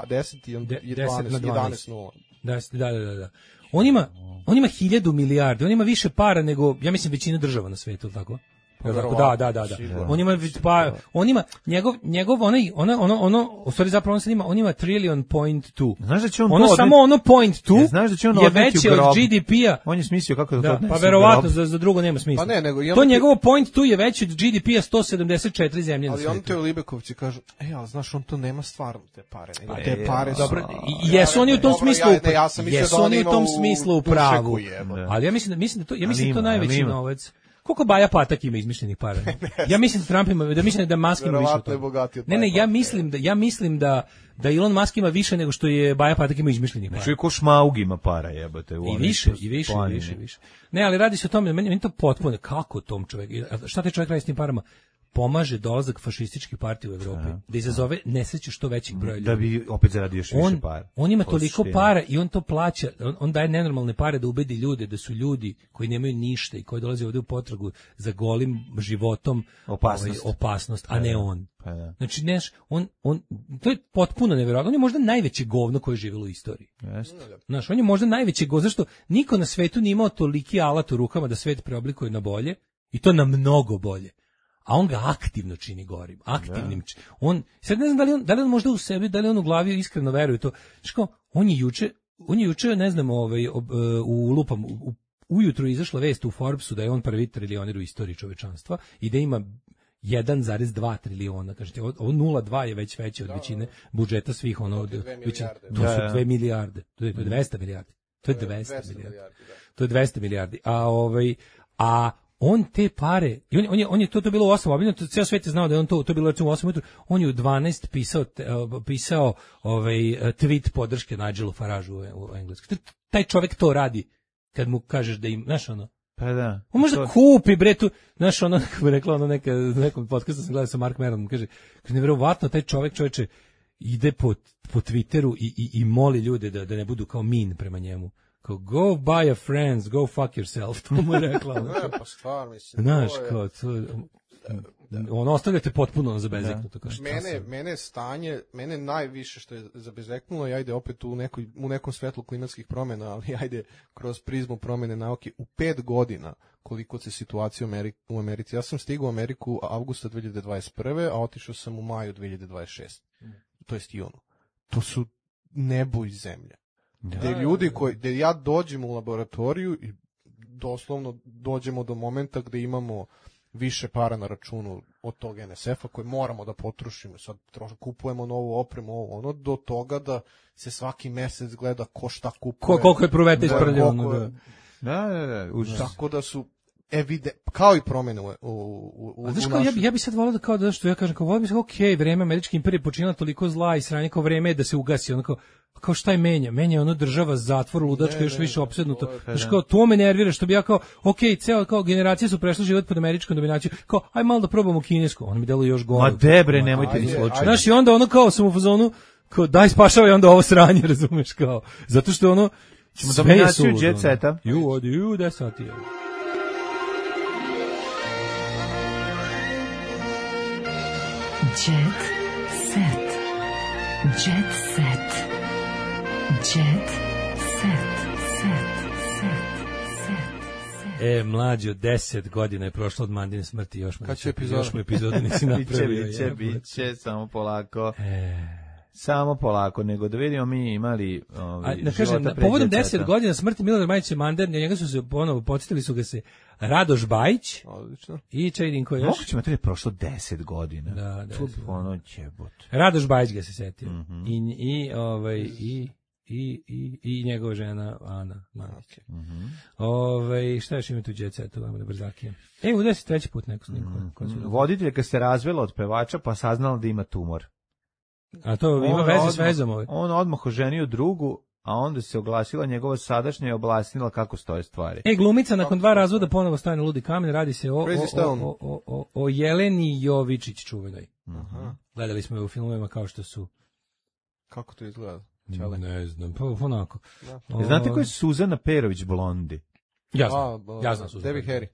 Speaker 8: deset i dvanaest, jedanaest nula.
Speaker 7: Da, da, da, da. On ima, on ima hiljadu milijardi, on ima više para nego, ja mislim, većina država na svetu, tako? Da, da, da, da. On ima pa on ima njegov njegov onaj ono ono ono u stvari zapravo on se ima on ima trillion point two.
Speaker 6: Znaš da će on
Speaker 7: ono
Speaker 6: to
Speaker 7: samo ono point two.
Speaker 6: Ja, znaš da će on
Speaker 7: je veće od G D P-a.
Speaker 6: On je smislio kako da,
Speaker 7: da
Speaker 6: to
Speaker 7: pa verovatno za za drugo nema smisla.
Speaker 8: Pa ne, nego
Speaker 7: to njegovo point two je veće od G D P-a sto sedamdeset četiri zemlje na
Speaker 8: svijetu. Ali on te Libekovci kažu: "Ej, al znaš on to nema stvarno te pare, nego pa te pare su."
Speaker 7: Dobro, i jesu oni u tom smislu. Jesu oni u tom smislu u pravu. Ali ja mislim da mislim da to ja mislim da to najveći novac. Koliko Baja Patak ima izmišljenih para? Ja mislim da Trump ima, da mislim da Musk ima više od toga. Ne, ne, ja mislim da ja mislim da da Elon Musk ima više nego što je Baja Patak ima izmišljenih para.
Speaker 6: Znači ko Šmaug ima para, jebote, u
Speaker 7: I više, i više, i više, više. Ne, ali radi se o tome, meni, meni to potpuno kako tom čovjek, šta taj čovjek radi s tim parama? Pomaže dolazak fašističkih partija u Evropi, Aha. da izazove nesreću što većih broja ljudi.
Speaker 6: Da bi opet zaradio još više
Speaker 7: on,
Speaker 6: para.
Speaker 7: On ima toliko para i on to plaća, on, on daje nenormalne pare da ubedi ljude da su ljudi koji nemaju ništa i koji dolaze ovdje u potragu za golim životom
Speaker 6: opasnost,
Speaker 7: ovaj, opasnost a ne on.
Speaker 6: Pa da.
Speaker 7: Znači, neš, on, on, to je potpuno nevjerojatno. On je možda najveće govno koje je živjelo u istoriji.
Speaker 6: Jeste.
Speaker 7: Znaš, on je možda najveće govno, zašto niko na svetu nije imao toliki alat u rukama da svet preoblikuje na bolje i to na mnogo bolje. A on ga aktivno čini gorim, aktivnim. Ja. On, sad ne znam da li on, da li on možda u sebi, da li on u glavi iskreno veruje to. Znači kao, on je juče, on je juče, ne znam, ovaj, ob, u lupam, u, ujutru je izašla vest u Forbesu da je on prvi trilioner u istoriji čovečanstva i da ima jedan zarez dva triliona, kažete, ovo nula zarez dva je već veće od da, većine budžeta svih, ono, većine, to su dve milijarde, to je, to je dvesta milijardi, to je dvesta milijardi, to je dvesta milijardi, a ovaj, a on te pare, i on, on, je, on je to, to bilo u osam, obiljeno, ceo svijet je znao da je on to, to bilo recimo u osam ujutru, on je u dvanaest pisao, pisao ovaj, tweet podrške Nigelu Farageu u, u Engleskoj. Taj čovjek to radi kad mu kažeš da im, znaš ono,
Speaker 6: pa da.
Speaker 7: On možda to kupi bre tu, znaš ono, kako bi rekla ono neka, nekom podcastu sam gledao sa Mark Maronom, kaže, kaže nevjerovatno taj čovjek čoveče ide po, po Twitteru i, i, i moli ljude da, da ne budu kao mean prema njemu. Kao, go buy a friends, go fuck yourself, to mu je rekla.
Speaker 8: Ne, pa stvar, mislim.
Speaker 7: Znaš, kao, to, ono, ostavljate potpuno zabezeknuto.
Speaker 8: Mene, mene stanje, mene najviše što je zabezeknulo, i ajde opet u, nekoj, u nekom svetlu klimatskih promjena, ali ajde kroz prizmu promjene nauke, u pet godina koliko se situacija u Americi, u Americi. Ja sam stigao u Ameriku avgusta dve hiljade dvadeset prve, a otišao sam u maju dve hiljade dvadeset šeste. Mm. To jest i ono. To su nebo i zemlja. Da, gde ljudi koji, gde ja dođem u laboratoriju i doslovno dođemo do momenta gde imamo više para na računu od tog N S F-a koje moramo da potrošimo, sad trošak, kupujemo novu opremu, ovo, ono, do toga da se svaki mesec gleda ko šta kupuje.
Speaker 7: Ko, koliko je pruveta isprljeno.
Speaker 6: Da, da, da, užas.
Speaker 8: Tako da su evide, kao i promjene u, u, u, u
Speaker 7: znaš, kao, ja, bi, ja bi sad volao da kao da što ja kažem, kao volao bi se, ok, vreme američke imperije počinila toliko zla i sranje, kao vreme je da se ugasi, ono kao, kao šta je menja? Menja je ono država zatvor, ludačka, ne, još ne, više opsednuto. Znaš, kao, to me nervira, što bi ja kao, ok, ceo, kao, generacije su prešle život pod američkom dominacijom, kao, aj malo da probamo kinesku, ono mi deluje još gore.
Speaker 6: Ma debre, nemojte ni slučajno.
Speaker 7: Znaš, i onda ono kao sam u fazonu, kao, daj spašavaj onda ovo sranje, razumeš, kao, zato što ono,
Speaker 6: ćemo dominaciju jet seta.
Speaker 7: Ju, odi, ju, da sati je.
Speaker 4: Jet set. Jet set. Jet set. Set. Set. Set.
Speaker 7: E, mlađo, deset godina je prošlo od Mandine smrti, još mu,
Speaker 8: kad će epizoda?
Speaker 7: Još mu epizoda nisi napravio.
Speaker 6: Biće, biće, biće, samo polako. E. Samo polako, nego da vidimo mi imali ovaj,
Speaker 7: da kažem, povodom deset godina smrti Milorada Majića Mander, njega su se ponovo podsjetili su ga se Radoš Bajić.
Speaker 8: Odlično.
Speaker 7: I Čajdinko još.
Speaker 6: Moguće ima to je prošlo deset godina.
Speaker 7: Da, da.
Speaker 6: Ono ćebot.
Speaker 7: Radoš Bajić ga se setio.
Speaker 6: Mm-hmm.
Speaker 7: I i ovaj i i i i njegova žena Ana Mandić.
Speaker 6: Mhm.
Speaker 7: Ovaj šta još ima tu đeca, to vam da brzakije. E, u deset treći put neko snimko.
Speaker 6: Mm-hmm. Voditeljka se razvela od pevača pa saznala da ima tumor.
Speaker 7: A to ima veze s vezom ovaj.
Speaker 6: On odmah oženio drugu, a onda se oglasila njegova sadašnja i objasnila kako stoje stvari.
Speaker 7: E, glumica nakon dva razvoda ponovo staje na ludi kamen, radi se o, o, o, o, o, o Jeleni Jovičić čuvenoj.
Speaker 6: Aha.
Speaker 7: Gledali smo je u filmovima kao što su...
Speaker 8: Kako to izgleda?
Speaker 7: Čale. Ne znam, pa onako.
Speaker 6: O... Znate ko je Suzana Perović Blondi?
Speaker 7: Ja znam, a, ja znam Suzana.
Speaker 8: Debbie Harry.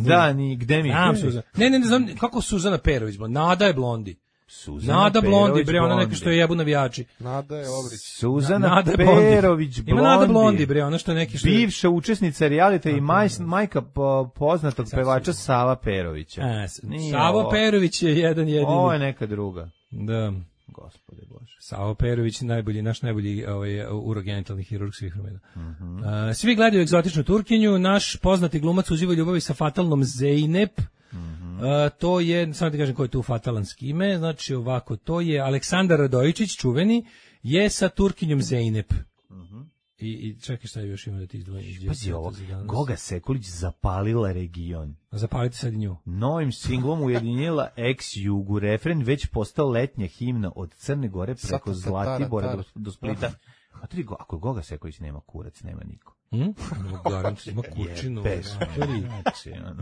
Speaker 6: Da, ni gde mi...
Speaker 7: Znam Suzana. Ne, ne, ne znam, kako Suzana Perović Blondi? Nada je Blondi.
Speaker 6: Suzana
Speaker 7: Nada Blondi,
Speaker 6: Perović
Speaker 7: bre, ona neka
Speaker 6: Blondi.
Speaker 7: što je jebu navijači.
Speaker 8: Nada je Lovrić.
Speaker 6: Suzana
Speaker 7: Nada
Speaker 6: Perović Blondi.
Speaker 7: Ima Nada Blondi, bre, ona što je neki što je...
Speaker 6: Bivša učesnica realita i majs, majka po, poznatog pevača Sava Perovića.
Speaker 7: A,
Speaker 6: Nije
Speaker 7: Savo
Speaker 6: ovo.
Speaker 7: Perović je jedan jedini.
Speaker 6: Ovo je neka druga.
Speaker 7: Da.
Speaker 6: Gospode Bože.
Speaker 7: Savo Perović, najbolji, naš najbolji ovaj, urogenitalni hirurg svih vremena.
Speaker 6: Mhm.
Speaker 7: A, svi gledaju egzotičnu Turkinju, naš poznati glumac uživa ljubavi sa fatalnom Zeynep. A, to je, samo ti kažem ko je tu fatalan s kime, znači ovako, to je Aleksandar Radojičić, čuveni, je sa Turkinjom Zeynep. I, I čekaj šta još ima da ti izdvojim.
Speaker 6: Pazi ovo, Goga Sekulić zapalila region.
Speaker 7: Zapalite sad i nju.
Speaker 6: Novim singlom ujedinjila ex-Jugu, refren već postao letnja himna od Crne Gore preko Zlatibora do, do Splita. A tri, ako Goga Sekulić nema kurac, nema niko.
Speaker 7: Hm? Garant ima kućinu.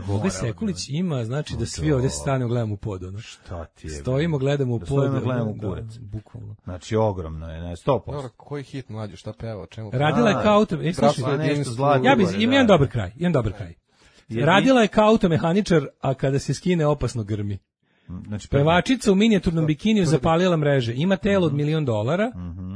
Speaker 7: Goga Sekulić ima, znači da svi ovdje stanemo gledamo u pod. Ono.
Speaker 6: Šta ti je?
Speaker 7: Stojimo, gledamo u pod.
Speaker 6: Stojimo, gledamo u kurac.
Speaker 7: Da, bukvalno.
Speaker 6: Znači, ogromno je, ne, sto posto.
Speaker 8: Dobro, koji hit mlađe, šta peva, o čemu?
Speaker 7: Radila je kao auto... E, slušaj,
Speaker 6: nešto Zlatibora,
Speaker 7: ja bi,
Speaker 6: da.
Speaker 7: imam jedan dobar kraj, imam dobar kraj. Radila je kao automehaničar, a kada se skine opasno grmi.
Speaker 6: Znači,
Speaker 7: Pevačica u minijaturnom bikiniju zapalila mreže. Ima telo od milion dolara.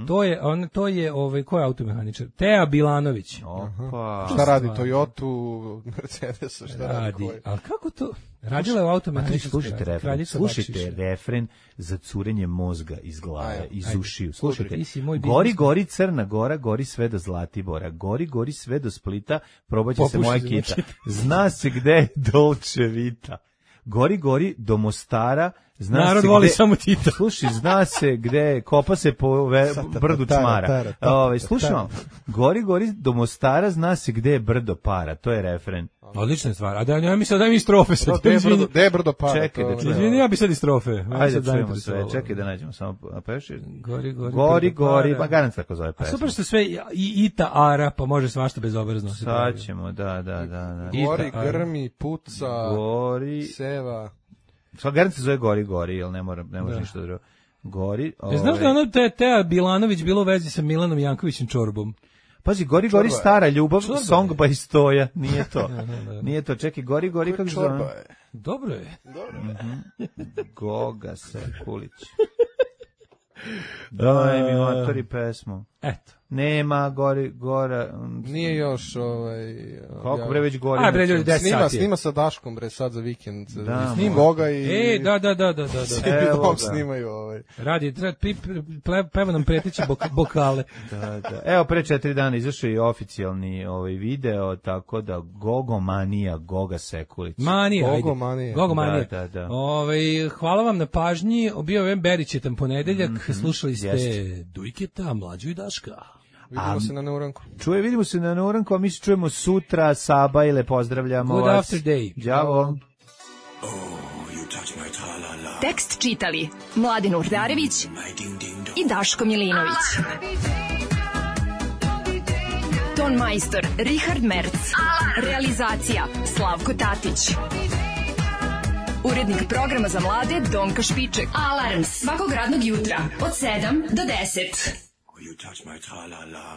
Speaker 7: To je on to je ovaj ko je automehaničar? Tea Bilanović.
Speaker 6: Opa.
Speaker 8: Šta radi Toyotu, Mercedes, šta radi?
Speaker 7: Radi.
Speaker 8: Koji?
Speaker 7: Al kako to? Radila je u automehaničarskoj.
Speaker 6: Slušajte refren, slušajte refren za curenje mozga iz glave,
Speaker 8: Ajde,
Speaker 6: iz
Speaker 8: ajde.
Speaker 6: ušiju. Slušajte,
Speaker 7: Ti si moj
Speaker 6: gori,
Speaker 7: biznis.
Speaker 6: gori Crna Gora, gori sve do Zlatibora, gori, gori sve do Splita, probaće se
Speaker 7: Popuši
Speaker 6: moja
Speaker 7: se,
Speaker 6: kita.
Speaker 7: znači.
Speaker 6: Zna se gde je Dolce Vita. Gori, gori do Mostara, zna
Speaker 7: Narod
Speaker 6: se
Speaker 7: voli
Speaker 6: gde,
Speaker 7: samo Tita.
Speaker 6: Slušaj, zna se gde, kopa se po ve, brdu Čmara. Ove, slušaj vam, gori, gori do Mostara, zna se gde je brdo para, to je refren.
Speaker 7: Odlična stvar. A da ja mislim da mi strofe sad.
Speaker 8: Gde je brdo, gde je brdo para?
Speaker 6: Čekaj da
Speaker 8: to-
Speaker 6: čujem.
Speaker 7: Izvini, ja bi sad i strofe. Mene
Speaker 6: Ajde,
Speaker 7: sad
Speaker 6: čujemo
Speaker 7: zainteresovalo.
Speaker 6: sve, čekaj da nađemo samo, a peši?
Speaker 7: Gori, gori.
Speaker 6: Gori,
Speaker 7: brdo
Speaker 6: gori,
Speaker 7: para.
Speaker 6: pa garant tako zove
Speaker 7: A
Speaker 6: pesma.
Speaker 7: super što sve i ita ara, pa može svašta bezobrazno. se
Speaker 6: Sad
Speaker 7: pravi.
Speaker 6: ćemo, da, da, da. da.
Speaker 8: Gori,
Speaker 7: Ita, ajde.
Speaker 8: grmi, puca,
Speaker 6: Gori,
Speaker 8: seva.
Speaker 6: sva garant se zove Gori, Gori, jel ne mora, ne može
Speaker 7: Da.
Speaker 6: ništa drugo. Gori,
Speaker 7: E, znaš da je
Speaker 6: ovaj,
Speaker 7: ono te, Tea Bilanović bilo u vezi sa Milanom Jankovićem Čorbom?
Speaker 6: pazi, Gori, Gori,
Speaker 8: Čorba je.
Speaker 6: stara ljubav,
Speaker 7: Čorba je.
Speaker 6: song by Stoja, nije to. Nije to, čekaj, Gori, Gori, kako se
Speaker 8: Čorba
Speaker 6: zove?
Speaker 8: je.
Speaker 7: Dobro je.
Speaker 6: Goga Sekulić. Daj mi matori pesmu.
Speaker 7: Eto.
Speaker 6: Nema, Gori, Gora, mm,
Speaker 8: Nije još ovaj...
Speaker 6: koliko bre već Gori?
Speaker 7: Aj, bre, ljudi, deset
Speaker 8: Snima,
Speaker 7: sati je.
Speaker 8: snima sa Daškom, bre, sad za vikend.
Speaker 6: Da,
Speaker 8: Snima
Speaker 6: moj.
Speaker 8: Goga i...
Speaker 7: E, da, da, da, da, da, da.
Speaker 6: Evo
Speaker 8: Evo
Speaker 6: ga.
Speaker 8: snimaju ovaj.
Speaker 7: Radi, treba, pi- ple- peva nam preteći bok, bokale.
Speaker 6: Da, da. Evo, pre četiri dana izašao i oficijalni ovaj video, tako da Gogomanija, Goga Sekulić.
Speaker 7: Manija, ajde.
Speaker 8: Gogomanija.
Speaker 7: Gogomanija.
Speaker 6: Da, da, da.
Speaker 7: Ovaj, hvala vam na pažnji. Bio je Berićetan ponedeljak. Slušali ste
Speaker 6: Jeste.
Speaker 7: Dujketa, Mlađu i Daška.
Speaker 8: Vidimo se na neuranku.
Speaker 6: Čuje, vidimo se na Neuranku, a mi se čujemo sutra, Saba, ile pozdravljamo
Speaker 7: Good
Speaker 6: vas.
Speaker 7: after day.
Speaker 6: Đavo.
Speaker 1: Tekst čitali Mladin Urdarević i Daško Milinović. Ton majstor Richard Merc. Realizacija Slavko Tatić. Urednik programa za mlade Donka Špiček. Alarms svakog radnog jutra od sedam do deset.
Speaker 5: You touch my tra-la-la.